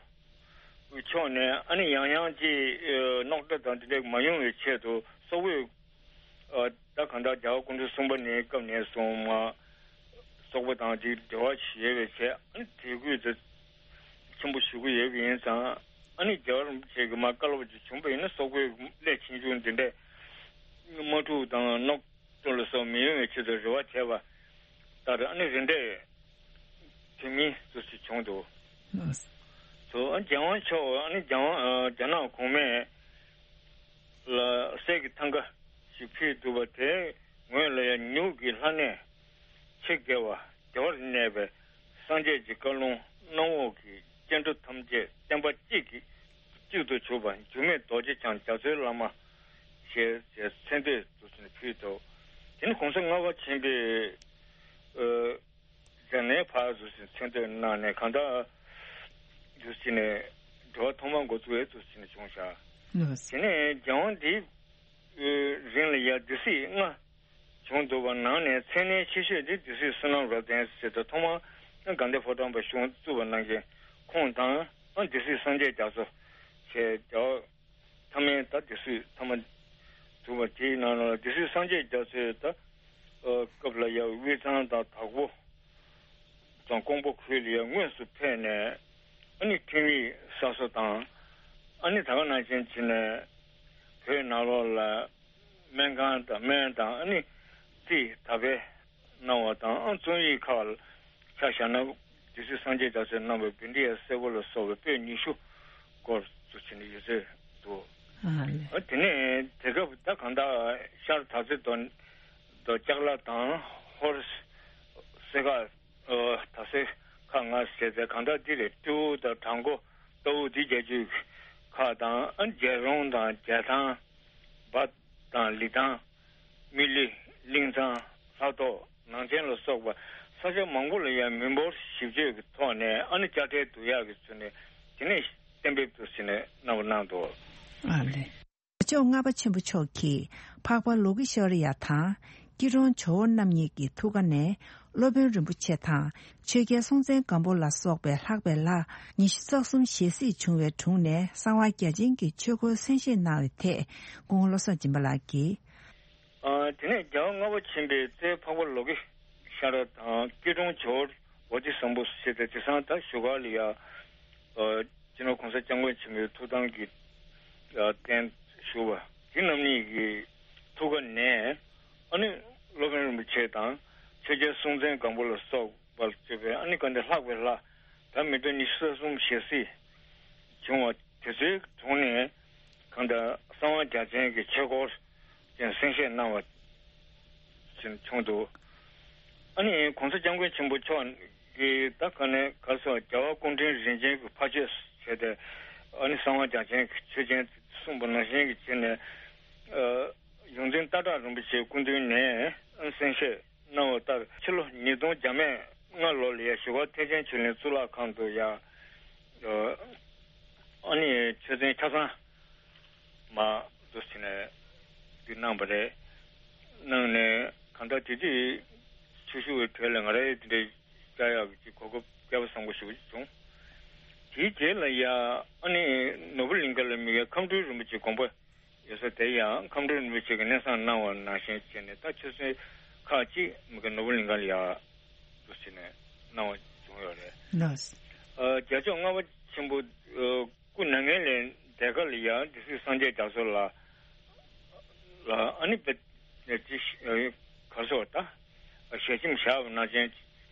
ཕྱོགས་ནས་ཨ་ནི་ཡང་ཡང་ཅིག་ཨ་རྙོག་དྲ་དང་དེ་འདྲ་མ་ཡོང་བའི་ཆེད་དུ་སོག་པོས་ཨ་ད་གང་ལྟར་རྒྱལ་བ་སྐུ་ཕྲེང་གསུམ་པ་ནས་སྐབས་ནས་བཟུང་མ་སོག་པོ་དང་ཅིག་འབྲེལ་བ་ཡོད་པའི་ཆེད་ཨ་ནི་དད་གུས་དེ་ཆེན་པོ་ཞུ་གི་ཡོད་པ་ཡིན་ཙང་། ཨ་ནི་རྒྱལ་བ་རིན་པོ་ཆེ་གི་མར་བཀའ་སློབ་ཅིག་བྱུང་བ་ཡིན་ན་སོག་པོའི་སླད་ཕྱིན་ཆད་འདི་འདྲའི་དམག་འཁྲུག་དང་རྙོག་དྲ་ལ་སོགས་མི་ཡོང་བའི་ཆེད་དུ་རེ་བ་བྱས་པ་ལྟར་ཨ་ནི་རེ་འདྲའི་དེ་མིན་སུ་ཞིག་བྱུང་འདུག་ལགས། སོ་ཨ་རྒྱལ་དབང་མཆོག་ཨ་ནི་རྒྱལ་དབང་ཨ་རྒྱ་ནག་གོང་མས་ལ་གསེར་གྱི་ཐང་ག་ཞིག་ཕུལ་འདུག་པ་དེའི་ངོས་ལ་ཡང་མྱུག་གི་ལྷ་གནས་ཆེ་དགེ་བ་བདེ་བར་གནས་པའི་སངས་རྒྱས་ཀྱི་བཀའ་ལུང་གནམ་འོག་གི་སྐྱེ་འགྲོ་ཐམས་ཅད་བསྟན་པ་གཅིག་གིས་གཅིག་ཏུ་གྱུར་པ་འགྱུར་མེད་རྡོ་རྗེ་འཆང་རྒྱ་མཚོའི་བླ་མ་ཞེས་ཞེས་མཚན་བསྟོད་དུ་ཕུལ་འདུག་དེ་ནི་གོང་ས་ལྔ་པ་ཆེན་པོས་ཨ་རྒྱ་ནས་ཕར་དུ་མཚན་བསྟོད་གནང་ནས་གང་ལྟར་དུ་ཕྱིན་ནས་འབྲེལ་བ་ཐོག་མར་འགོ་བཙུགས་ཡས་དུ་ཕྱིན་ནས་བྱུང་བཞག་ལགས། དེ་ནས་རྒྱལ་དབང་འདིའི་རིང་ལ་ཡ་སྡེ་སྲིད་ལྔ་བྱུང་འདུག་པ། ནང་ནས་མཚན་གནས་ཆེ་ཤོས་དེ་སྡེ་སྲིད་བསོད་ནམས་རབ་བརྟན་ཟེར་ཏེ་ཐོག་མར་དགའ་ལྡན་ཕོ་བྲང་པའི་གཞུང་བཙུགས་པ་གནང་མཁན་ཁོང་དང་སྡེ་སྲིད་སངས་རྒྱས་རྒྱ་མཚོ་བྱས་རྒྱལ་བ་ཐ་མའི་ད་སྡེ་སྲིད་ཐ་མ་བྱུང་བ་དེའི་ནང་ལ་སྡེ་སྲིད་སངས་རྒྱས་རྒྱ་མཚོའི་ད་སྐབས་ལ་ཡ་དབུས་གཙང་དང་དྭགས་པོ་དང་ཀོང་པོ་ཁུལ་ལ་ཡ་དངོས་སུ་ཕེབས་ནས་ཨ་ནི་ཁྲིམས་ཡིག་གསར་བཟོ་དང་ཨ་ནི་ད་ག་ནང་བཞིན་བྱས་ནས་བོད་ནང་ལོགས་ལ་སྨན་ཁང་དང་སྨན་དང་ཨ་ནི་རྩིས་ད་སྤེལ་གནང་བ་དང་ཨ་རྩོམ་ཡིག་ཁག་ལ་ཆ་བཞག་ན་སྡེ་སྲིད་སངས་རྒྱས་རྒྱ་མཚོས་གནང་བའི་བཻ་ཌཱི་ཡ་སེར་པོ་ལ་སོགས་པའི་པོད་ཉི་ཤུ་སྐོར་དུ་བྱས་ནས་ཡོད་ཚད་འདུག་ཨ་ལེ། ཨ་དེ་ནས་དེ་སྐབས་ད་གང་ལྟར་ཤར་དར་རྩེ་རྡོ་རྡོ་ལྕགས་ལ་དང་ཧོར་སེ་ཁ་ཨོ་ད་སེ་ཁ་ང་ཟེར་ཏེ་གང་ལྟར་འདི་ལས་སྤྲེའུ་དང་བྲག་མགོ་ལྟ་བུ་འདི་རྒྱ་ཇུས་ཁག་དང་ཨ་རྒྱལ་རོང་དང་རྒྱལ་ཐང་འབའ་དང་ལི་ཐང་། མི་ལི། གླིང་ཚང་། ལྷ་ཐོག་ནང་ཆེན་ལ་སོགས་པ་ས་ཆ་མང་པོ་ལ་ཡང་མི་འབོར་ཞིབ་དཔྱོད་ཀྱི་ཐོག་ནས་ཨ་ནི་དཔྱ་ཁྲལ་བསྡུ་ཡག་གི་ཚུལ་ནས་དེ་ནས་གཏན་འབེབས་དུ་ཟིན་ནས་གནང་བ་གནང་འདུག་ཨ་ལེ། ལྕོགས་ལྔ་པ་ཆེན་པོ་མཆོག་གིས་འཕགས་པ་ལོ་ཀེ་ཤྭ་རི་ཡ་དང་སྐྱིད་གྲོང་ཇོ་བོ་རྣམ་གཉིས་ཀྱི་ཐུགས་ཀ་ནས་སློབ་དཔོན་རིན་པོ་ཆེ་དང་ཆོས་རྒྱལ་སྲོང་བཙན་སྒམ་པོ་ལ་སོགས་པའི་ལྷག་པའི་ལྷ་ཉི་ཤུ་རྩ་གསུམ་ཞལ་གཟིགས་བྱུང་བའི་དྲུང་ནས་གསང་བ་རྒྱ་ཆེན་གྱི་ཆོས་སྐོར་གསན་བཞེས་གནང་བའི་ཐད་སྐུ་ངོ་བློ་བཟང་སྦྱིན་པ་ལགས་ཀྱིས། ཨ་དེ་ནས་རྒྱལ་བ་ལྔ་པ་ཆེན་པོའི་རྩེ་འཕགས་པ་ལོ་ཀེ་ཤྭ་ར་དང་སྐྱིད་གྲོང་ཇོ་བོ་བོ་དྷི་སམ་བྷུ་ཟེར་ཏེ་དེང་སང་ད་བཞུགས་སྒར་ལ་ཡ་ཨ་སྤྱི་ནོར་གོང་ས་སྐྱབས་མགོན་ཆེན་པོའི་ཐུགས་དམ་གྱི་ཨ་རྟེན་བཞུགས་པ་དེ་རྣམ་གཉིས་ཀྱི་ཐུགས་ཀ་ནས་ཨ་ནི་སློབ་དཔོན་རིན་པོ་ཆེ་དང་ཆོས་རྒྱལ་སྲོང་བཙན་སྒམ་པོ་ལ་སོགས་པར་བརྗོད་པའི་ཨ་ནི་ག་འདི་ལྷག་པའི་ལྷ་ད་མི་ལོ་ཉི་ཤུ་རྩ་གསུམ་ཞལ་གཟིགས་བྱུང་བ་དེ་ཚོའི་དྲུང་ནས་གང་ལྟར་གསང་བ་རྒྱ་ཅན་གྱི་ཆོས་སྐོར་ཅན་གསན་བཞེས་གནང་བ་ཅན་བྱུང་འདུག་ཨ་ནི་གོང་ས་སྐྱབས་མགོན་ཆེན་པོ་མཆོག་གིས་ད་ག་ནས་ག་སོགས་རྒྱལ་བ་སྐུ་ཕྲེང་རིམ་བྱོན་གྱི་ཕ་ཆོས་བྱས་ཏེ་ཨ་ནི་གསང་བ་རྒྱ་ཅན་གྱི་ཆོས་ཅན་གསུངས་པ་ནང་བཞིན་གྱི་བྱས་ནས་ཨ་ཡོངས་འཛིན་སྟག་བྲག་རིན་པོ་ཆེའི་སྐུ་མདུན་ནས་ཨ་ནི་གསན་བཞེས་གནང་བ་ལྟར་ཕྱི་ལོ་ཉིས་སྟོང་བརྒྱ་མེད་ལྔ་ལོ་ལ་ཡ་བཞུགས་སྒར་ཐེག་ཆེན་ཆོས་གླིང་གཙུག་ལག་ཁང་དུ་ཡ་ཨ་ནི་ཆོས་ཚན་ཆ་ཚང་མ་འདུ་བྱས་ནས་འདི་གནང་བ་རེད། གནང་ནས་གང་ལྟར་དེ་དུས་ཆོས་ཞུ་བའི་གྲས་ལ་ང་རའི་དེ་འདྲའི་བཅར་ཡག་གི་གོ་སྐབས་བསྐལ་པ་བཟང་པོ་ཞེ་པོ་ཅིག་བྱུང་། དེའི་རྗེས་ལ་ཡ་ཨ་ནི་ནོར་བུ་གླིང་ཁ་ལ་མི་ཡ་ཁམས་སྤྲུལ་རིན་པོ་ཆེ་དགོངས་པ་ཡོད་ས་དེ་ཡང་ཁམས་སྤྲུལ་རིན་པོ་ཆེ་གིས་གནས་བསམ་གནང་བ་ནང་བཞིན་བྱས་ནས་ད་ཆོས་ཚན་ཁག་ཅིག་མི་ག་ནོར་བུ་གླིང་ཁ་ལ་ཡ་འདུ་བྱས་ནས་གནང་བ་བྱུང་ཡོད་རེད། ལགས། ཨ་རྒྱལ་མཆོག་ལྔ་པ་ཆེན་པོ་ཨ་སྐུ་མྱ་ངན་ལས་འདས་ཁ་ལ་ཡ་སྡེ་སྲིད་སངས་རྒྱས་རྒྱ་མཚོ་ལ་ལ་ཨ་ནི་བེ་ཅི་ཨ་ག་རེ་ཟེར་བ་ད་ཞལ་ཆེམས་བཞག་པ་ནང་བཞིན་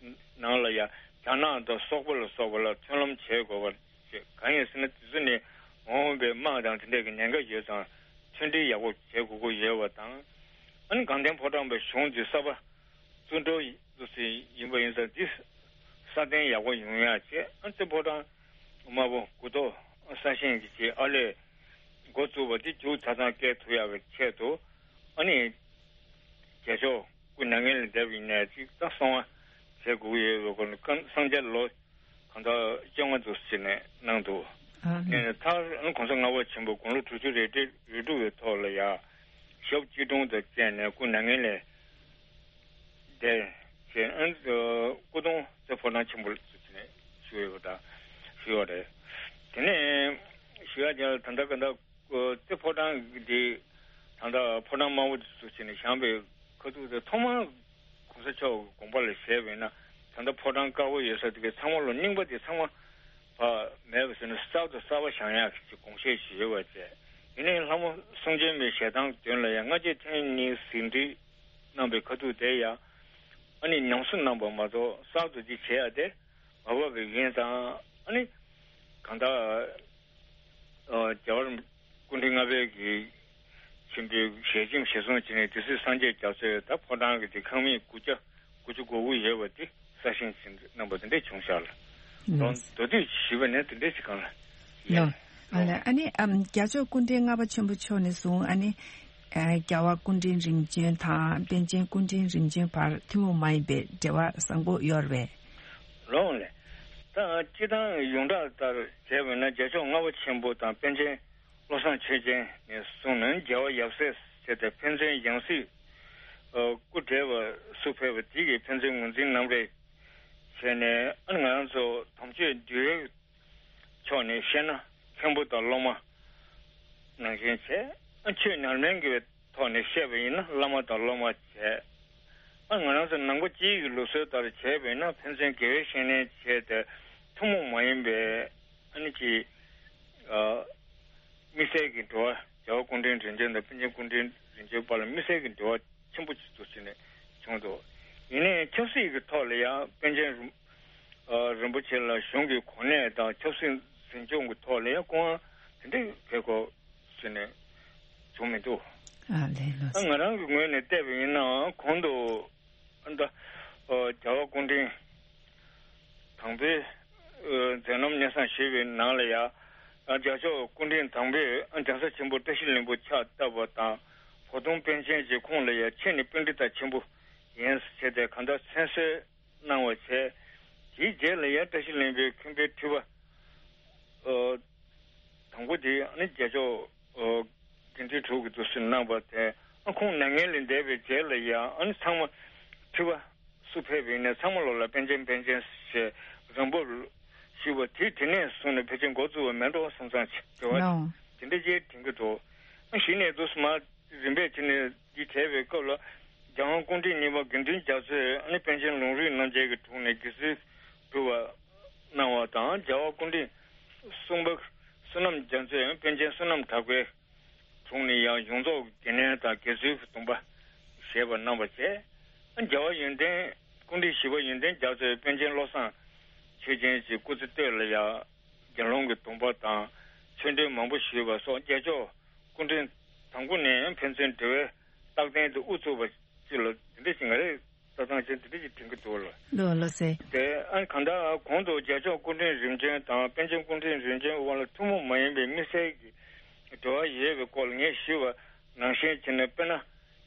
ནང་ལ་ཡ་ རྒྱ་ནག་དང་སོག་པོ་ལ་སོགས་པ་ལ་མཐུན་ལམ་བྱེད་དགོས་པ་བྱེད། གང་ཡིན་ཟེར་ན་དེ་ཚོ་ནི་འོང་བའི་དམག་དང་དེ་འདྲ་གི་ཉེན་ཁ་ཡོད་ཙང་མཐུན་སྒྲིལ་ཡག་པོ་བྱེད་དགོས་ཀྱི་ཡོད་པ་དང་། ཨ་ནི་དགའ་ལྡན་ཕོ་བྲང་པའི་གཞུང་འདི་གསར་པ་བཙུགས་འགྲོ་ཡིན་པ་ཡིན་ཙང་འདི་སྲ་བརྟན་ཡག་པོ་ཡོང་ཡག་བྱས། ཨ་ནི་རྩེ་ཕོ་བྲང་དམར་པོ་དགུ་ཐོག་གསར་བཞེངས་ཀྱི་བྱས་ཨ་ལས་འགོ་བཙུགས་པ་འདི་མཇུག་ཆ་ཚང་སྐྱེལ་ཐུབ་ཡག་གི་ཆེད་དུ། ཨ་ནི་རྒྱལ་མཆོག་སྐུ་མྱ་ངན་ལས་འདས་པ་ཡིན་ནའི་ཅིག་ད་གསང་བ་བྱེད་དགོས་ཀྱི་ཡོད་པའི་སྐོར་ནས་སྐབས་སངས་རྒྱས་ལོ་གང་ལྟར་བཅོ་ལྔ་འདུག་ཟེར་ནས་གནང་འདུག་ཨ་ནི་ནས་མཐར་ཨ་ནི་གོང་ས་ལྔ་པ་ཆེན་པོ་དགུང་ལོ་དྲུག་ཅུ་རེ་རེ་རེ་དྲུག་པའི་ཐོག་ལ་ཡང་ཞབས་སྐྱིལ་ཀྲུང་དང་བཅས་ནས་སྐུ་མྱ་ངན་ལས་འདས་བྱས། ཨ་ནི་སྐུ་གདུང་རྩེ་ཕོ་བྲང་ཆེན་པོ་ལ་ཚུར་ཕྱིན་ནས་བཞུགས་ཡོད་པ་དང་བཞུགས་པ་རེད། དེ་ནས་ཞུ་ཡག་དེ་ལ་ད་ལྟ་ག་ད། ཨོ་རྩེ་ཕོ་བྲང་འདི་ད་ལྟ་ཕོ་བྲང་དམར་པོ་འདི་ཚུར་ཕྱིན་ནས་བཞེངས་པའི་ཁ་ཐུག་དེ་ཐོག་མར་གོང་ས་མཆོག་གི་དགོངས་པ་ལ་བཞེས་པ་ཡིན་ན། ད་ལྟ་ཕོ་བྲང་དཀར་པོ་ཡོད་ས་དེ་གའི་ཚང་མ་ལོ་རྙིང་པ་དེ་ཚང་མ་ཕར་མེད་པ་བཟོས་ནས་གསར་དུ་གསར་པ་བཞེངས་ཡག་གི་དགོངས་བཞེས་ཞིག་ཡོད་པ་བྱས། ཡིན་ནའི་ལྷ་མོ་གསུང་བྱོན་པའི་ཞལ་ཐང་མདུན་ལ་ཡང་སྔ་རྗེས་ཐེངས་གཉིས་ཟིན་བྲིས་གནང་པའི་ཁ་ཐུག་དེ་ཡང་ཨ་ནི་ཉམས་གསོ་གནང་པ་མ་གཏོགས་གསར་དུ་འདི་བྱེད་ཡག་དེ་མ་བབས་པ་ཡིན་ཙང་། ཨ་ནི་གང་ལྟར། ཨ་རྒྱལ་བ་རིན་པོ་སྐུ་ཕྲེང་ལྔ་པའི་གི་ཆེན་པོའི་ཞལ་ཆེམས་ཞལ་གསུང་བྱས་ནས་དེ་སྲིད་སངས་རྒྱས་རྒྱ་མཚོས་ད་ཕོ་བྲང་གི་དེ་ཁང་མིག་དགུ་བརྒྱ་དགུ་བཅུ་གོ་དགུ་ཡོད་པ་དེ་གསར་བཞེངས་བྱས་གནང་པ་དེ་འདྲས་བྱུང་ཤག་ལ། ལོ། མདོ་སྟོད་ཞུས་པ་ནས་དེ་འདྲས་ཞིག་གང་ལ། ལོ། ཡིན། ཨ་ལ་ཨ་ནི་ཨམ་རྒྱལ་མཆོག་སྐུ་ཕྲེང་ལྔ་པ་ཆེན་པོ་མཆོག་ནས་བཟུང་ཨ་ནི་ཨ་རྒྱལ་བ་སྐུ་ཕྲེང་རིམ་བྱོན་དང་པཎ་ཆེན་སྐུ་ཕྲེང་རིམ་བྱོན་བར་ཐུན་མོང་མ་ཡིན་པའི་འབྲེལ་བ་བཟང་པོ་ཡོད་རེད་པས། ལོ་ལས། ད་སྤྱིར་བཏང་ཡོངས་གྲགས་ལྟར་བྱས་པ་ན་རྒྱལ་མཆོག་ལྔ་པ་ཆེན་པོ་དང་པཎ་ཆེན་བློ་བཟང་ཆོས་རྒྱན་ནས་བཟུང་ནས་རྒྱལ་བ་ཡབ་སྲས་བྱས་ཏེ་ཕན་ཚུན་ཡང་སྲིད་སྐུ་བགྲེས་པ་སུ་ཕེབས་པ་དེ་གིས་ཕན་ཚུན་ངོས་འཛིན་ནམ་རེ་བྱས་ནས། ཨ་ང་རང་ཚོ་དམ་ཆོས་འདུལ་བའི་ཕྱོགས་ནས་བཤད་ན་མཁན་པོ་དང་སློབ་མ་ནང་བཞིན་བྱས། ཨ་ཆོས་ཉམས་ལེན་གྱི་ཐོག་ནས་བཤད་པ་ཡིན་ན་བླ་མ་དང་སློབ་མ་བྱས། ཨ་ང་རང་ཚོ་ནང་པ་སྤྱིའི་ལུགས་སྲོལ་ལྟར་བྱས་པ་ཡིན་ན་ཕན་ཚུན་དགེ་བའི་བཤེས་གཉེན་བྱས་ཏེ་ཐུན་མོང་མ་ཡིན་པའི་ཨ་ནི་ཅིག་ཨ་དམིགས་བསལ་གྱི་འབྲེལ་བ། རྒྱལ་བ་སྐུ་ཕྲེང་རིམ་བྱོན་དང་པཎ་ཆེན་སྐུ་ཕྲེང་རིམ་བྱོན་བར་ལ་དམིགས་བསལ་གྱི་འབྲེལ་བ་ཆེན་པོ་ཅིག་ཏུ་ཕྱིན་ནས་བྱུང་འདུག་ཡིན་ནའི་ཆབ་སྲིད་ཀྱི་ཐོག་ལ་ཡང་པཎ་ཆེན་རིན་ཨ་རིན་པོ་ཆེ་ལ་གཞུང་གི་གོ་གནས་དང་ཆབ་སྲིད་འཛིན་སྐྱོང་གི་ཐོག་ལ་ཡང་སྐུ་དབང་དེ་འདྲའི་གལ་གོ་ཟེར་ནས་བྱུང་མི་འདུག་ཨ་ལས་ལོ། ཨ་ང་རང་གི་ངོས་ནས་བལྟས་པ་ཡིན་ན་གོང་དུ་ཨ་ད་ཨ་རྒྱལ་བ་སྐུ་ཕྲེང་དང་པོའི་ཨ་མཛད་རྣམ་སྙན་སེང་ཞུས་པའི་ནང་ལ་ཡང་ཨ་རྒྱལ་མཆོག་སྐུ་ཕྲེང་དང་པོས་ཨ་གདན་ས་ཆེན་པོ་བཀྲ་ཤིས་ལྷུན་པོ་ཕྱག་བཏབ་པ་དང་། བོ་དོང་པཎ་ཆེན་གྱིས་ཁོང་ལ་ཡང་ཁྱེད་ནི་པཎྜི་ཏ་ཆེན་པོ་ཡིན་ཟེར་ཏེ་གང་ལྟར་མཚན་གསོལ་གནང་བ་བྱས། དེའི་རྗེས་ལ་ཡང་བཀྲ་ཤིས་ལྷུན་པོའི་མཁན་པོའི་ཁྲི་པ་ཨ་དང་པོ་དེ་ཨ་ནི་རྒྱལ་མཆོག་ཨ་དགེ་འདུན་དྲུག་གི་འདུག་སེ་གནང་བ་དེ། ཨ་ཁོང་མྱ་ངན་ལས་འདས་པའི་རྗེས་ལ་ཡང་ཨ་ནི་ཚང་མ་ཁྲི་པ་སུ་ཕེབས་པ་ཡིན་ནའི་ཚང་མ་ལོག་ལ་པཎ་ཆེན་པཎ་ཆེན་ཞེས་རིང་པོར་ཞུས་པ་དེ་དེ་ནས་བཟུང་ནས་ཕལ་ཆེར་འགོ་བཙུགས་པ་མེད་འགྲོ་བསམ་བསམ་བྱས་བ་ལའོ། དེ་འདྲ་ཅིག་དྲན་གྱི་འདུག་ཨ་གཞི་ནས་འདུག་སེ་མ་རིམ་པས་བྱས་ནས་འདི་བྱས་པའི་སྐབས་ལ་རྒྱལ་དབང་སྐུ་ཕྲེང་གཉིས་པ་དགེ་འདུན་རྒྱ་མཚོས་ཨ་ནི་པཎ་ཆེན་ལུང་རིགས་རྣམ་འབྱེད་ཀྱི་དྲུང་ནས་དགེ་ཚུལ་སྒྲུབ་པ་གནང་བ་དང་། རྒྱལ་བ་སྐུ་ཕྲེང་གསུམ་པ་བསོད་ནམས་རྒྱ་མཚོས་པཎ་ཆེན་བསོད་ནམས་གྲགས་པའི་དྲུང་ནས་ཡང་གཞུང་ཚོགས་ཀྱི་འགན་ལེན་དང་དགེ་ཚུལ་གྱི་སྡོམ་པ་བཞེས་པ་གནང་བ་བཅས། རྒྱལ་བ་ཡོན་ཏན་སྐུ་ཕྲེང་བཞི་པ་ཡོན་ཏན་རྒྱ་མཚོས་པཎ་ཆེན་བློ་བཟང་ཆོས་རྒྱན་གྱི་སྐུ་ཚེ་སྟོད་ལ་ཡང་དགེ་སློང་གི་སྡོམ་པ་དང་ཆོས་འབྲེལ་མང་པོ་ཞུས་པ་སོགས་རྒྱལ་མཆོག་སྐུ་ཕྲེང་དང་པོ་ནས་ཕན་ཚུན་འབྲེལ་བའི་རྟགས་ལྡན་དུ་དབུ་ཚུགས་པ་ཅིག་ལ་འདི་འདྲ་ཞིག་ང་རེ་ལྟ་སྟངས་ཅན་འདི་འདྲ་ཞིག་དྲན་གྱི་འདུག་ལ། ལོ་ལོ་སེ། དེ་ཨ་གང་ལྟར་གོང་དུ་རྒྱལ་མཆོག་སྐུ་ཕྲེང་རིམ་བྱོན་དང་པཎ་ཆེན་སྐུ་ཕྲེང་རིམ་བྱོན་དབར་ལ་ཐུན་མོང་མ་ཡིན་པའི་དམིགས་བསལ་གྱི་འབྲེལ་བ་ཡོད་པའི་སྐོར་ལ་ངས་ཞུས་པ་ནང་བཞིན་བྱས་ནས། དཔེར་ན་དེ་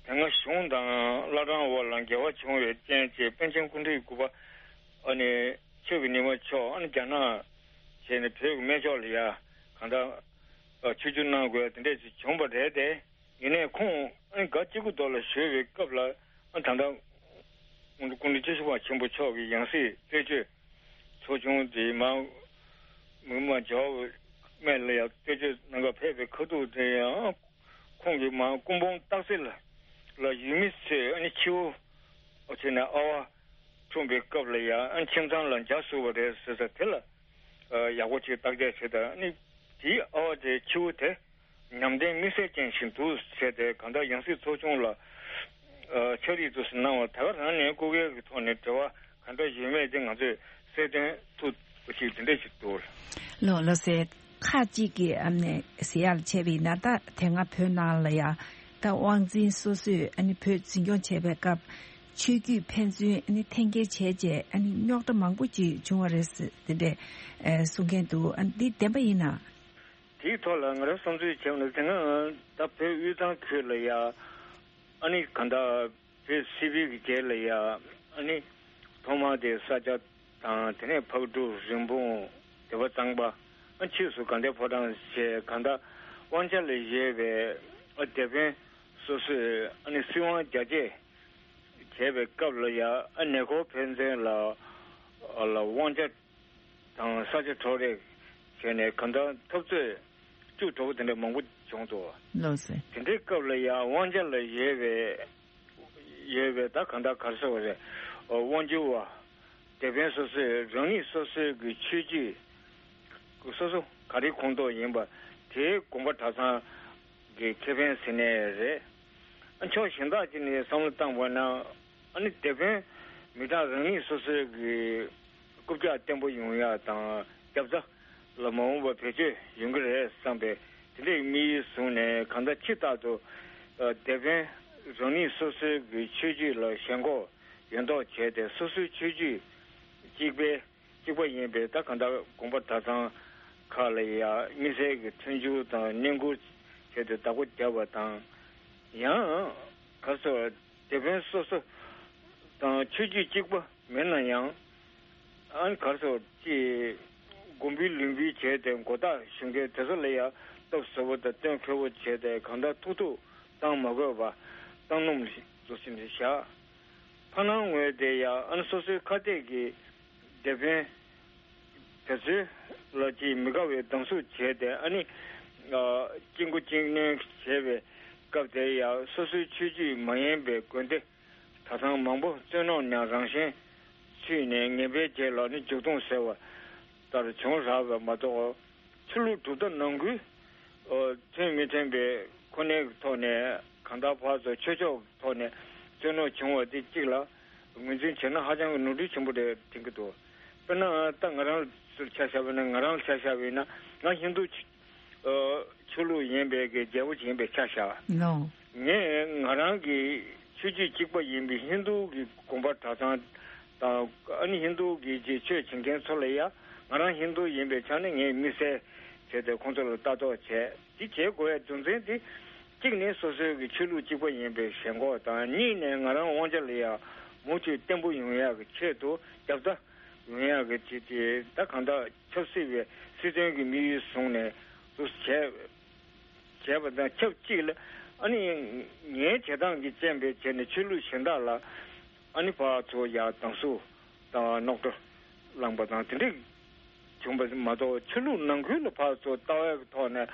སྔ་གཞུང་དང་བླ་བྲང་དབར་ལ་འགལ་བ་བྱུང་བའི་རྐྱེན་བྱས་པཎ་ཆེན་སྐུ་ཕྲེང་དགུ་པ་ཨ་ནི་ཆོས་ཀྱི་ཉི་མ་མཆོག་ཨ་ནི་རྒྱ་ནག་བྱས་ནས་བོད་ཀྱི་སྨད་ཕྱོགས་ལ་ཡ་གང་ལྟར་ཆིབས་བསྒྱུར་གནང་དགོས་དེ་འདྲས་ཅིག་བྱུང་བ་རེད་དེ། ཡིན་ནའི་ཁོང་ཨ་ནི་སྒ་གཅིག་གི་ཐོག་ལ་བཞུགས་པའི་སྐབས་ལ་ཨ་ད་ལྟ་སྐུ་ཕྲེང་བཅུ་བཞི་པ་ཆེན་པོ་མཆོག་གི་ཡང་སྲིད་རྩད་གཅོད་ཚོགས་ཆུང་དེ་མར་མི་མང་ཇོ་བོ་སྨད་ལ་ཡང་རྩད་གཅོད་གནང་གར་ཕེབས་པའི་ཁ་ཐུག་དེ་ཡང་ཁོང་གིས་མར་སྐུ་འབུམ་སྟག་རྩེ་ལ་ལ་ཡུལ་མི་ཚོས་ཨ་ནི་ཁྱེའུ་ཨ་ཆེ་ན་ཨ་བ་འཁྲུངས་པའི་སྐབས་ལ་ཡང་ཨ་ནི་ཁྱིམ་ཚང་ལ་འཇའ་ཟུག་པ་རེད་ཟེར་ས་དེ་ལ་ཡག་པོ་ཅིག་བརྟག་དཔྱད་བྱེད་དང་ཨ་ནི་དེའི་ཨ་བ་དེ་ཁྱེའུ་དེ། ཉམས་ལྡན་དམིགས་བསལ་ཅན་ཞིག་འདུག་ཟེར་ཏེ་གང་ལྟར་ཡང་སྲིད་ཚོགས་ཆུང་ལ་ཨ་ཕྱག་བྲིས་དུ་གནང་བ་ད་ག་རང་ནས་སྐུ་སྒེར་གྱི་ཐོག་ནས་འབྲེལ་བ་ག་འདྲ་ཡོད་མེད་དེ་ང་ཚོས་ རྩ་དོན་ཐུག་པ་ཞིག་དེ་འདྲ་ཞིག་འདུག་ལོ་ལོ་ཟེར། ཁག་ཅིག་གི་ཨ་ནི་ཟེར་ཡག་བྱས་པ་ཡིན་ན། ད་དེ་སྔ་བོད་ནང་ལ་ཡ་ད་དབང་འཛིན་སོ་སོས་ཨ་ནི་བོད་འཛིན་སྐྱོང་བྱས་པའི་སྐབས། ཆོས་བརྒྱུད་ཕན་ཚུན་ཨ་ནི་འཐེན་འཁྱེར་བྱས་རྗེས་ཨ་ནི་རྙོག་དྲ་མང་པོ་ཅིག་བྱུང་བ་རེད་ཟེར་དེ་འདྲས་ཨེ་གསུང་མཁན་འདུག་ཨ་ནི་འདི་བདེན་པ་ཡིན་ན། དེའི་ཐོག་ལ་ང་རང་བསམ་ཚུལ་བྱས་ན། དེ་སྔ་ད་བོད་དབུས་གཙང་ཁུལ་ལ་ཡ་ཨ་ནི་གང་ལྟར་བོད་སིལ་བུའི་གི་རྗེས་ལ་ཡ་ཨ་ནི་ཐོག་མར་དེ་ས་སྐྱ་དང་། དེ་ནས་ཕག་གྲུ། རིན་སྤུངས། སྡེ་པ་གཙང་པ། ཨ་ཕྱིས་སུ་དགའ་ལྡན་ཕོ་བྲང་བཅས་གང་ལྟར་དབང་ཆ་ལ་བཞེས་པའི་ཨ་སྡེ་དཔོན་སོ་སོས་ཨ་ནི་སྲིད་དབང་རྒྱ་སྐྱེད་བྱས་པའི་སྐབས་ལ་ཡ་ཨ་ཉེ་འཁོར་ཕན་ཚུན་ལ་ལ་དབང་ཆ་དང་ས་ཆ་འཕྲོག་རེས་བྱས་ནས་གང་ལྟར་འཐབ་རྩོད་བཅུ་དྲུག་དེ་འདྲ་མང་པོ་བྱུང་འདུག་ལགས་སོ། དེ་འདྲའི་སྐབས་ལ་ཡང་དབང་ཆ་ལ་ཡོད་པའི་ཡོད་པའི་ད་གང་ལྟར་ག་རེ་ཟེར་བ་རེད། དབང་སྒྱུར་བ། དེ་བན་སོ་སོས་རང་ཉིད་སོ་སོའི་གི་ཆོས་བརྒྱུད་སོ་སོ་ག་རེ་ཁོངས་གཏོགས་ཡིན་པ་དེའི་དགོངས་པ་གྲྭ་ཚང་གི་ཁེ་ཕན་ཟེར་ནའི་རེད། ཕྱོགས་གཞན་དག་ཅིག་ནས་བསམ་བློ་བཏང་བ་ན། ཨ་ནི་དེ་བན་མི་གྲངས་རང་ཉིད་སོ་སོའི་གི་རྐུབ་བཀྱག་བརྟན་པོ་ཡོང་ཡག་དང་རྒྱབ་རྩ་ལ་མ་འོངས་པ་བེད་སྤྱོད་ཡོང་གི་རེད་བསམ་པའི་དེ་འདྲའི་དམིགས་ཡུལ་བཟུང་ནས། གང་ལྟར་ཕྱི་ལྟར་དུ་དེ་བན་རང་ཉིད་སོ་སོའི་གི་ཆོས་བརྒྱུད་ལ་ཞེན་ཁོག་ཡོད་མདོག་བྱས་ཏེ། སོ་སོའི་ཆོས་བརྒྱུད་གཅིག་པའི་གཅིག་པ་ཡིན་པའི་ད་གང་ལྟར་དགོན་པ་གྲྭ་ཚང་ཁག་ལ་ཡ་དམིགས་བསལ་གྱི་མཐུན་འགྱུར་དང་བསྙེན་བཀུར་བྱས་ཏེ་བདག་པོ་བརྒྱབ་པ་དང་། ཡང་ག་སོ་དེ་བན་སོ་སོ་དང་ཆོས་བརྒྱུད་གཅིག་པ་མིན་ན་ཡང་། ཨ་ནི་ག་སོ་ཅི་དགོན་པའི་ལུང་པའི་བྱས་ཏེ་མགོ་བཏགས་ཞུ་མཁན་དེ་ཚོ་ལ་ཡ་སྟབས་བཟོ་བོ་དང་དོན་འཁྱོལ་བོ་བྱས་ཏེ་གང་ལྟར་ཐུག་ཐུག་བཏང་མ་དགོས་པ་བཏང་སྣུམ་བཟོ་ཟིན་བཞག་ཕ་ནང་ངོས་དེ་ཡ་ཨ་ནི་སོ་སོའི་ཁ་གཏད་ཀྱི་སྡེ་དཔོན་དེ་ཚོའི་ལ་ཅིག་མི་དགའ་བའི་སྡང་ཟུག་བྱས་ཏེ། ཨ་ནི་ཨ་གཅིག་མགོ་གཅིག་གནོན་བྱས་པའི་སྐབས་དེ་ཡ་སོ་སོའི་ཆོས་བརྒྱུད་མ་ཡིན་པའི་དགོན་སྡེ་གྲྭ་ཚང་མང་པོ་བཙན་གནོན་ནས་རང་བཞིན་ཚུད་ནས་ངན་པའི་རྗེས་ལ་ནི་མཇུག་སྡོམ་ཟེར་བ་ལྟར་བྱུང་རག་པ་མ་གཏོགས། ཆོས་ལུགས་གྲུབ་མཐའ་ནང་ཁུལ་ཨོ་མཐུན་མི་མཐུན་པའི་ཁོ་ནའི་ཐོག་ནས་གང་ལྟར་ཕར་ཚུར་ཆོས་ཕྱོགས་ཐོག་ནས་བཙན་གནོན་བྱུང་བ་དེ་གཅིག་ལ་ངོས་འཛིན་བྱས་ན་ཧ་ཅང་གི་ནོར་འཁྲུལ་ཆེན་པོ་རེད་དྲན་གྱི་འདུག་དཔེར་ན་ད་ང་རང་ཚོར་ཆ་བཞག་པ་ཡིན་ན། ང་རང་ལ་ཆ་བཞག་པ་ཡིན་ན། ང་ཧིན་རྡུ་ཆོས་ལུགས་ཡིན་པའི་གི་རྒྱལ་པོ་ཅིག་ཡིན་པའི་ཆ་བཞག་ལོ། ངས་ང་རང་གི་ཆོས་བརྒྱུད་གཅིག་པ་ཡིན་པའི་ཧིན་རྡུ་གི་དགོན་པ་གྲྭ་ཚང་དང་། ཨ་ནི་ཧིན་རྡུ་གི་ཅིག་ཆོས་བྱེད་མཁན་ཚོ་ལ་ཡ། ང་རང་ཧིན་རྡུ་ཡིན་པའི་ཆ་ནས་ངས་དམིགས་བསལ་བྱས་ཏེ་ཁོང་ཚོ་ལ་ལྟ་རྟོག་བྱས། དེ་བྱེད་དགོས་ཡ་རྒྱུ་མཚན་དེ། གཅིག་ནས་སོ་སོའི་གི་ཆོས་ལུགས་གཅིག་པ་ཡིན་པའི་ཞེན་ཁོག་དང་། གཉིས་ནས་ང་རང་དབང་ཆ་ལ་ཡ་མུ་མཐུད་བརྟན་པོ་ཡོང་ཡག་གི་ཆེད་དུ་རྒྱབ་རྩ་ཡོང་ཡག་གི་ཅིག་དེ་ད་གང་ལྟར་ཆབ་སྲིད་པའི་སྲིད་དོན་གྱི་དམིགས་ཡུལ་བཟུང་ནས་དུ་བྱས་བྱས་པ་དང་ཆབས་ཅིག་ལ། ཨ་ནི་ངའི་བྱེད་སྟངས་ཀྱི་རྐྱེན་པས་བྱས་ནས་ཆོས་ལུགས་གཞན་དག་ལ་ཨ་ནི་ཕར་ཚུར་ཡ་སྡང་ཟུག་དང་རྙོག་དྲ་བསླངས་པ་དང་དེ་འདྲ་བྱུང་བ་མ་གཏོགས། ཆོས་ལུགས་ནང་ཁུལ་ལ་ཕར་ཚུར་ལྟ་བའི་ཐོག་ནས།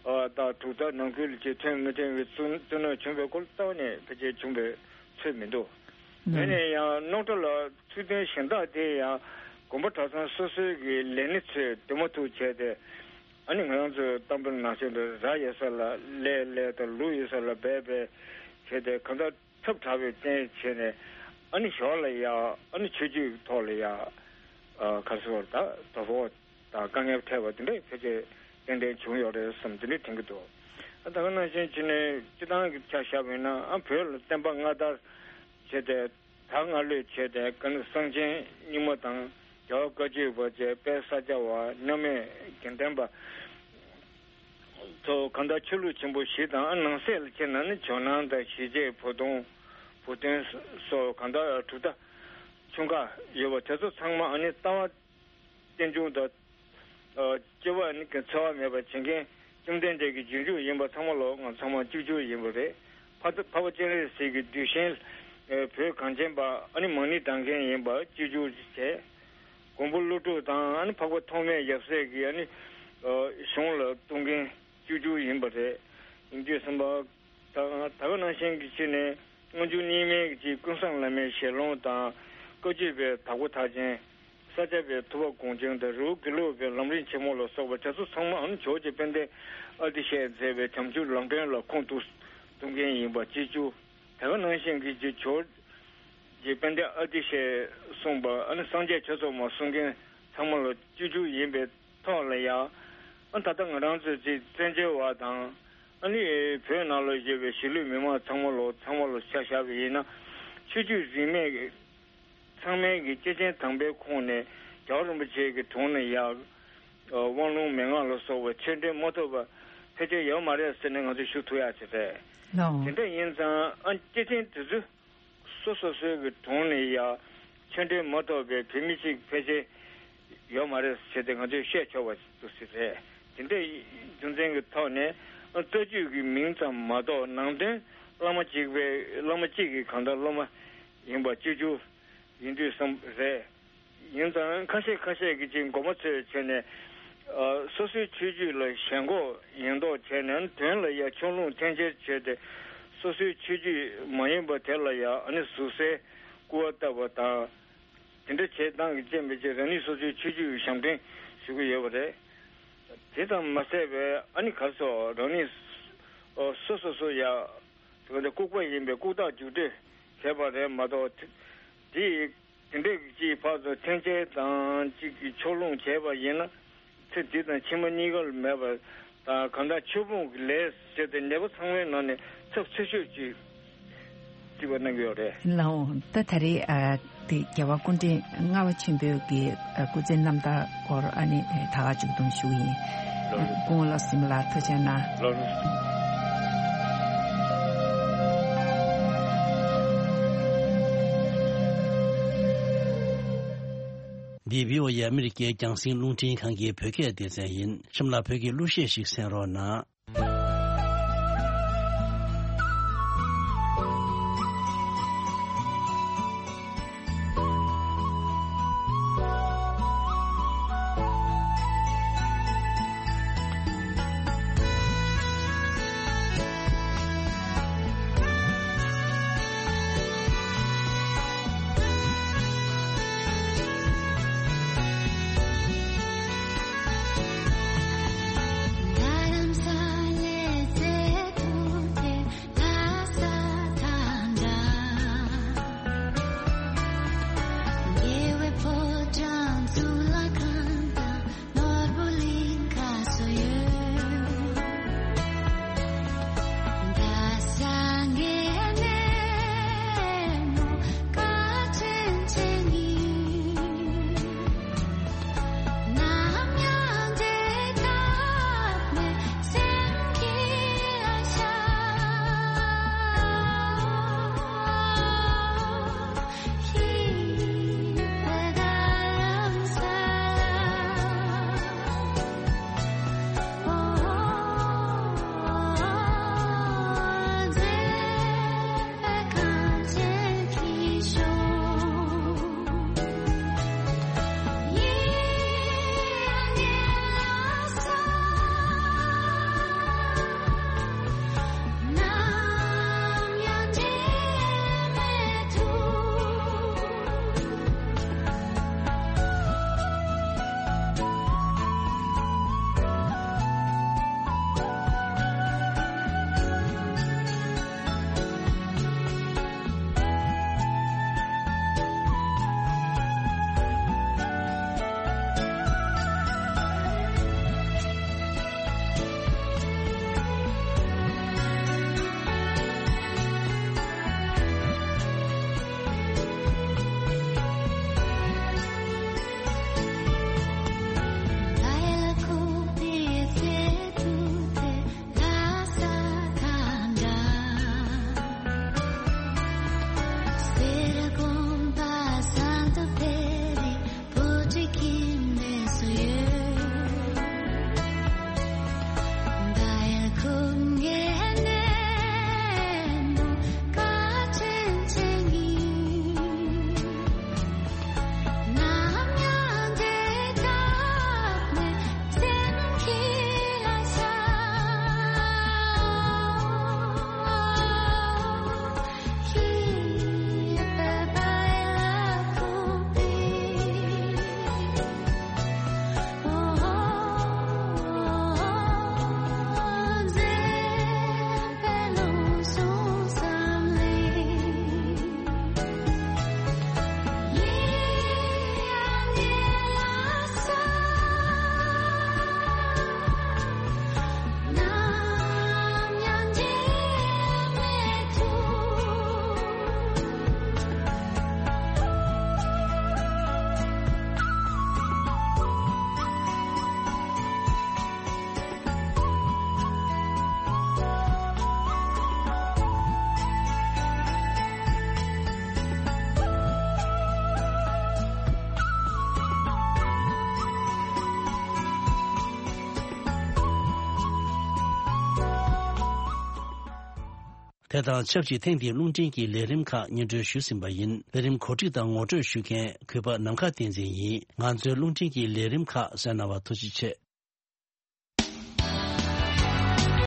ཨ་ད་གྲུབ་མཐའ་ནང་ཁུལ་གྱི་མཐུན་མི་མཐུན་པའི་བཙུན་བཙུན་གནོན་བྱུང་བའི་སྐོར་ལ་ལྟ་བ་ནས་ཕལ་ཆེར་བྱུང་བའི་ཚོད་མི་འདུག་ཡིན་ནའི་ཡང་རྙོག་དྲ་ལ་ཚུལ་དོན་གཞན་དག་དེ་ཡང་དགོན་པ་གྲྭ་ཚང་སོ་སོའི་གི་ལས་སྣེ་ཚོས་འདུས་མ་ཐུབ་བྱས་ཏེ། ཨ་ནི་ང་རང་ཚོའི་གཏམ་དཔེ་ནང་བཞིན་དུ་ར་ཡོད་ས་ལ་ལས་ལས་དང་། ལུག་ཡོད་ས་ལ་སྦལ་སྦལ་བྱས་ཏེ་གང་ལྟར་ཐབས་དྲག་པོའི་རྐྱེན་བྱས་ནས། ཨ་ནི་ཞོར་ལ་ཡ་ཨ་ནི་ཆོས་བརྒྱུད་ཐོག་ལ་ཡ་ཨ་ག་རེ་ཟེར་བ། ད་དོ་ཕོག་དང་དཀའ་ངལ་འཕྲད་པ་དེ་འདྲ་ཕལ་ཆེར་ཏན་ཏན་བྱུང་ཡོད་རེད་བསམ། དེ་འདྲ་དྲན་གྱི་འདུག་ཨ་ད་ག་ནང་བཞིན་བྱས་ནས་སྤྱི་བཏང་གི་ཆ་བཞག་པ་ཡིན་ན། ཨ་བོད་ལ་བསྟན་པ་སྔ་དར་བྱས་ཏེ། ད་སྔ་ལོས་བྱས་ཏེ་ཀ་ནི་གསང་ཆེན་རྙིང་མ་དང་རྒྱལ་བ་བཀའ་བརྒྱུད་པ་བཅས། དཔལ་ས་སྐྱ་བ། མཉམ་མེད་དགེ་ལྡན་པ་ཚོ་གང་ལྟར་ཆོས་ལུགས་ཆེན་པོ་བཞི་དང་། ཨ་ནང་གསེས་ལ་ཕྱིན་ན་ནི་ཇོ་ནང་དང་ཞི་བྱེད། བུ་སྟོན། བུ་སྟོན་སོགས་གང་ལྟར་གྲུབ་མཐའ་ཆུང་ཁག་ཡོད་པ་དེ་ཚོ་ཚང་མ་ཨ་ནི་ལྟ་བ་རྟེན་འབྱུང་དང་། ཨ་སྐྱེ་བ་ནི་འཚེ་བ་མེད་པར་བྱེད་མཁན་བཅོམ་ལྡན་འདས་ཀྱི་རྗེས་འཇུག་ཡིན་པ་ཚང་མ་ལོ། ང་ཚང་མ་གཅིག་གྱུར་ཡིན་པ་རེད། འཕགས་འཕགས་པ་སྤྱན་རས་གཟིགས་ཀྱི་གདུལ་ཞིང་། ཨ་བོད་གངས་ཅན་པ་ཨ་ནི་མང་ནི་དྲངས་མཁན་ཡིན་པ་གཅིག་གྱུར་བྱས། མགོན་པོ་ཀླུ་སྒྲུབ་དང་། ཨ་ནི་འཕགས་པ་ཐོགས་མེད་ཡབ་སྲས་ཀྱི་ཨ་ནི་ཨ་གཞུང་ལ་གཏུགས་མཁན་གཅིག་གྱུར་ཡིན་པ་རེད། ཡིན་དུས་ཙམ་པ། ད་ད་ག་ནང་བཞིན་གྱི་ཕྱིར་ནས་སྔོན་འཇུག་རྙིང་མའི་ཀྱི་ཀུན་བཟང་བླ་མའི་ཞལ་ལུང་དང་། བཀའ་བརྒྱུད་པའི་དྭགས་པོ་ཐར་ཆེན། ས་སྐྱ་པའི་ཐུབ་པ་དགོངས་ཆེན་དང་། རི་བོ་དགེ་ལུགས་པའི་ལམ་རིམ་ཆེན་མོ་ལ་སོགས་པ་དེ་ཚོ་ཚང་མ་ཨ་ནི་ཇོ་བོ་རྗེ་དཔལ་ལྡན་ཨ་ཏི་ཤས་མཛད་པའི་བྱམས་ཆོས་ལམ་སྒྲོན་ལ་ཁུངས་གཏུགས་གཏུགས་མཁན་ཡིན་པ་གཅིག་གྱུར། ད་ག་ནང་བཞིན་གྱི་ཇོ་ཇོ་ ཀྱི་དཔལ་ལྡན་ཨ་ཏི་ཤས་གསུངས་པ། ཨ་ནི་སངས་རྒྱས་ཆོས་ཚོགས་མ་གསུང་མཁན་ཚང་མ་ལ་སྤྱོད་འཇུག་ཡིན་པའི་ཐོག་ལ་ཡང་། ཨ་ད་ལྟ་ང་རང་ཚོ་ཅིག་བཙན་བྱོལ་བ་དང་། ཨ་ནི་བོད་ནང་ལ་ཡོད་པའི་གཞིས་ལུས་མི་མང་ཚང་མ་ལ་ཚང་མ་ལ་ཆ་བཞག་པ་ཡིན་ན། ཆོས་བརྒྱུད་རིས་མེད་ཚང་མའི་གི་སྐྱེས་ཆེན་དམ་པའི་ཁོངས་ནས་རྒྱལ་བ་རིན་པོ་ཆེ་གི་དྲུང་ནས་ཡང་། ཨ་དབང་ལུང་མན་ངག་ལ་སོགས་པའི་ཆོས་འབྲེལ་མ་ཐོབ་པ་ཕལ་ཆེར་ཡོད་མ་རེད་ཟེར་ནས་ང་ཚོས་ཞུ་ཐུབ་ཡག་ཅིག་རེད། ལགས། དེ་འདྲ་ཡིན་ཙང་། ཨ་སྐྱེས་ཆེན་དེ་ཚོས་སོ་སོ་སོའི་གི་དྲུང་ནས་ཡང་ཆོས་འབྲེལ་མ་ཐོབ་པའི་བོད་མི་གཅིག་ཕལ་ཆེར་ཡོད་མ་རེད་ཟེར་ཏེ་ང་ཚོས་བཤད་ཆོག་པ་ཅིག་རེད། དེ་འདྲའི་རྒྱུ་མཚན་གྱི་ཐོག་ནས། ཨ་རྩ་རྒྱུད་ཀྱི་མིང་ཙམ་མ་གཏོགས་ནང་དོན་བླ་མ་གཅིག་པའི། བླ་མ་གཅིག་གི་གང་ལྟར་སློབ་མ་ཡིན་པ་སྤྱོད་འཇུག་ཡིན་དུས་བསམ་རེད། ཡིན་ཙང་ཁ་ཤས་ཁ་ཤས་ཀྱིས་ཅིག་མགོ་མ་ཚོས་བྱས་ནས། ཨ་སོ་སོའི་ཆོས་བརྒྱུད་ལ་ཞེན་ཁོག་ཡིན་མདོག་བྱས་ནས། དོན་ལ་ཡང་ཕྱོགས་ལྷུང་འཐེན་འཁྱེར་བྱས་ཏེ། སོ་སོའི་ཆོས་བརྒྱུད་མ་ཡིན་པ་དེ་ལ་ཡང་། ཨ་ནི་ཟུར་ཟའི་སྐུར་བ་བཏབ་པ་དང་། དེ་འདྲ་བྱེད་སྟངས་ཀྱི་རྐྱེན་པས་ཅིག་རང་ཉིད་སོ་སོའི་ཆོས་བརྒྱུད་ཞབས་འདྲེན་ཞུ་གི་ཡོད་པ་རེད། དེ་ཙམ་མ་ཟད་པའི། ཨ་ནི་ག་རེ་ཟེར། རང་ཉིད་སོ་སོ་སོ་ཡ་དེ་ལྐུགས་པ་ཡིན་པས་ལྐུགས་རྟགས་རྒྱུགས་སྤྲོད་བྱས་པ་རེད་མ་གཏོགས། དེ་དེ་འདྲའི་ཅིག་ཕར་ཚུར་འཐེན་འཁྱེར་དང་ཅིག་གི་ཕྱོགས་ལྷུང་བྱས་པ་ཡིན་ན། ཚེ་འདི་དང་ཕྱི་མ་གཉིས་ཀར་མེད་པ་དང་། གང་ལྟར་ཆོས་སྤོང་གི་ལས་ཟེར་ཏེ་ནད་པ་ཚང་མའི་ནང་ནས་ཚབས་ཆེ་ཤོས་ཅིག་རྩིས་པ་གནང་གི་ཡོད་རེད། ལགས་འོང་། ད་ད་རེས་ཨ་དེ་རྒྱལ་བ་སྐུ་ཕྲེང་ལྔ་པ་ཆེན་པོའི་གི་ཨ་སྐུ་ཚེའི་རྣམ་ཐར་སྐོར་ཨ་ནི་ད་ག་མཇུག་སྡོམ་ཞུ་གི་ཡིན། ལགས་རེད། སྐུ་ངོ་བློ་བཟང་སེང་གེ་ལགས་ཐུགས་རྗེ་གནང་། ལགས་རེད། འདི་བྷི་ཨོ་ཨེ་ཨ་མི་རི་ཀའི་རྒྱང་སྲིང་རླུང་འཕྲིན་ཁང་གི་བོད་སྐད་སྡེ་ཚན་ཡིན། གཤམ་ལ་བོད་ཀྱི་གླུ་གཞས་ཤིག་གསན་རོགས་གནང་། དེ་དང་ཆབས་ཅིག་ཐེངས་འདིའི་རླུང་འཕྲིན་གྱི་ལས་རིམ་ཁག་སྙན་སྒྲོན་ཞུས་ཟིན་པ་ཡིན། ལས་རིམ་གོ་སྒྲིག་དང་ངོ་སྤྲོད་ཞུ་མཁན་གུས་པ་ནམ་མཁའ་བསྟན་འཛིན་ཡིན། ང་ཚོའི་རླུང་འཕྲིན་གྱི་ལས་རིམ་ཁག་གསན་གནང་བར་ཐུགས་རྗེ་ཆེ།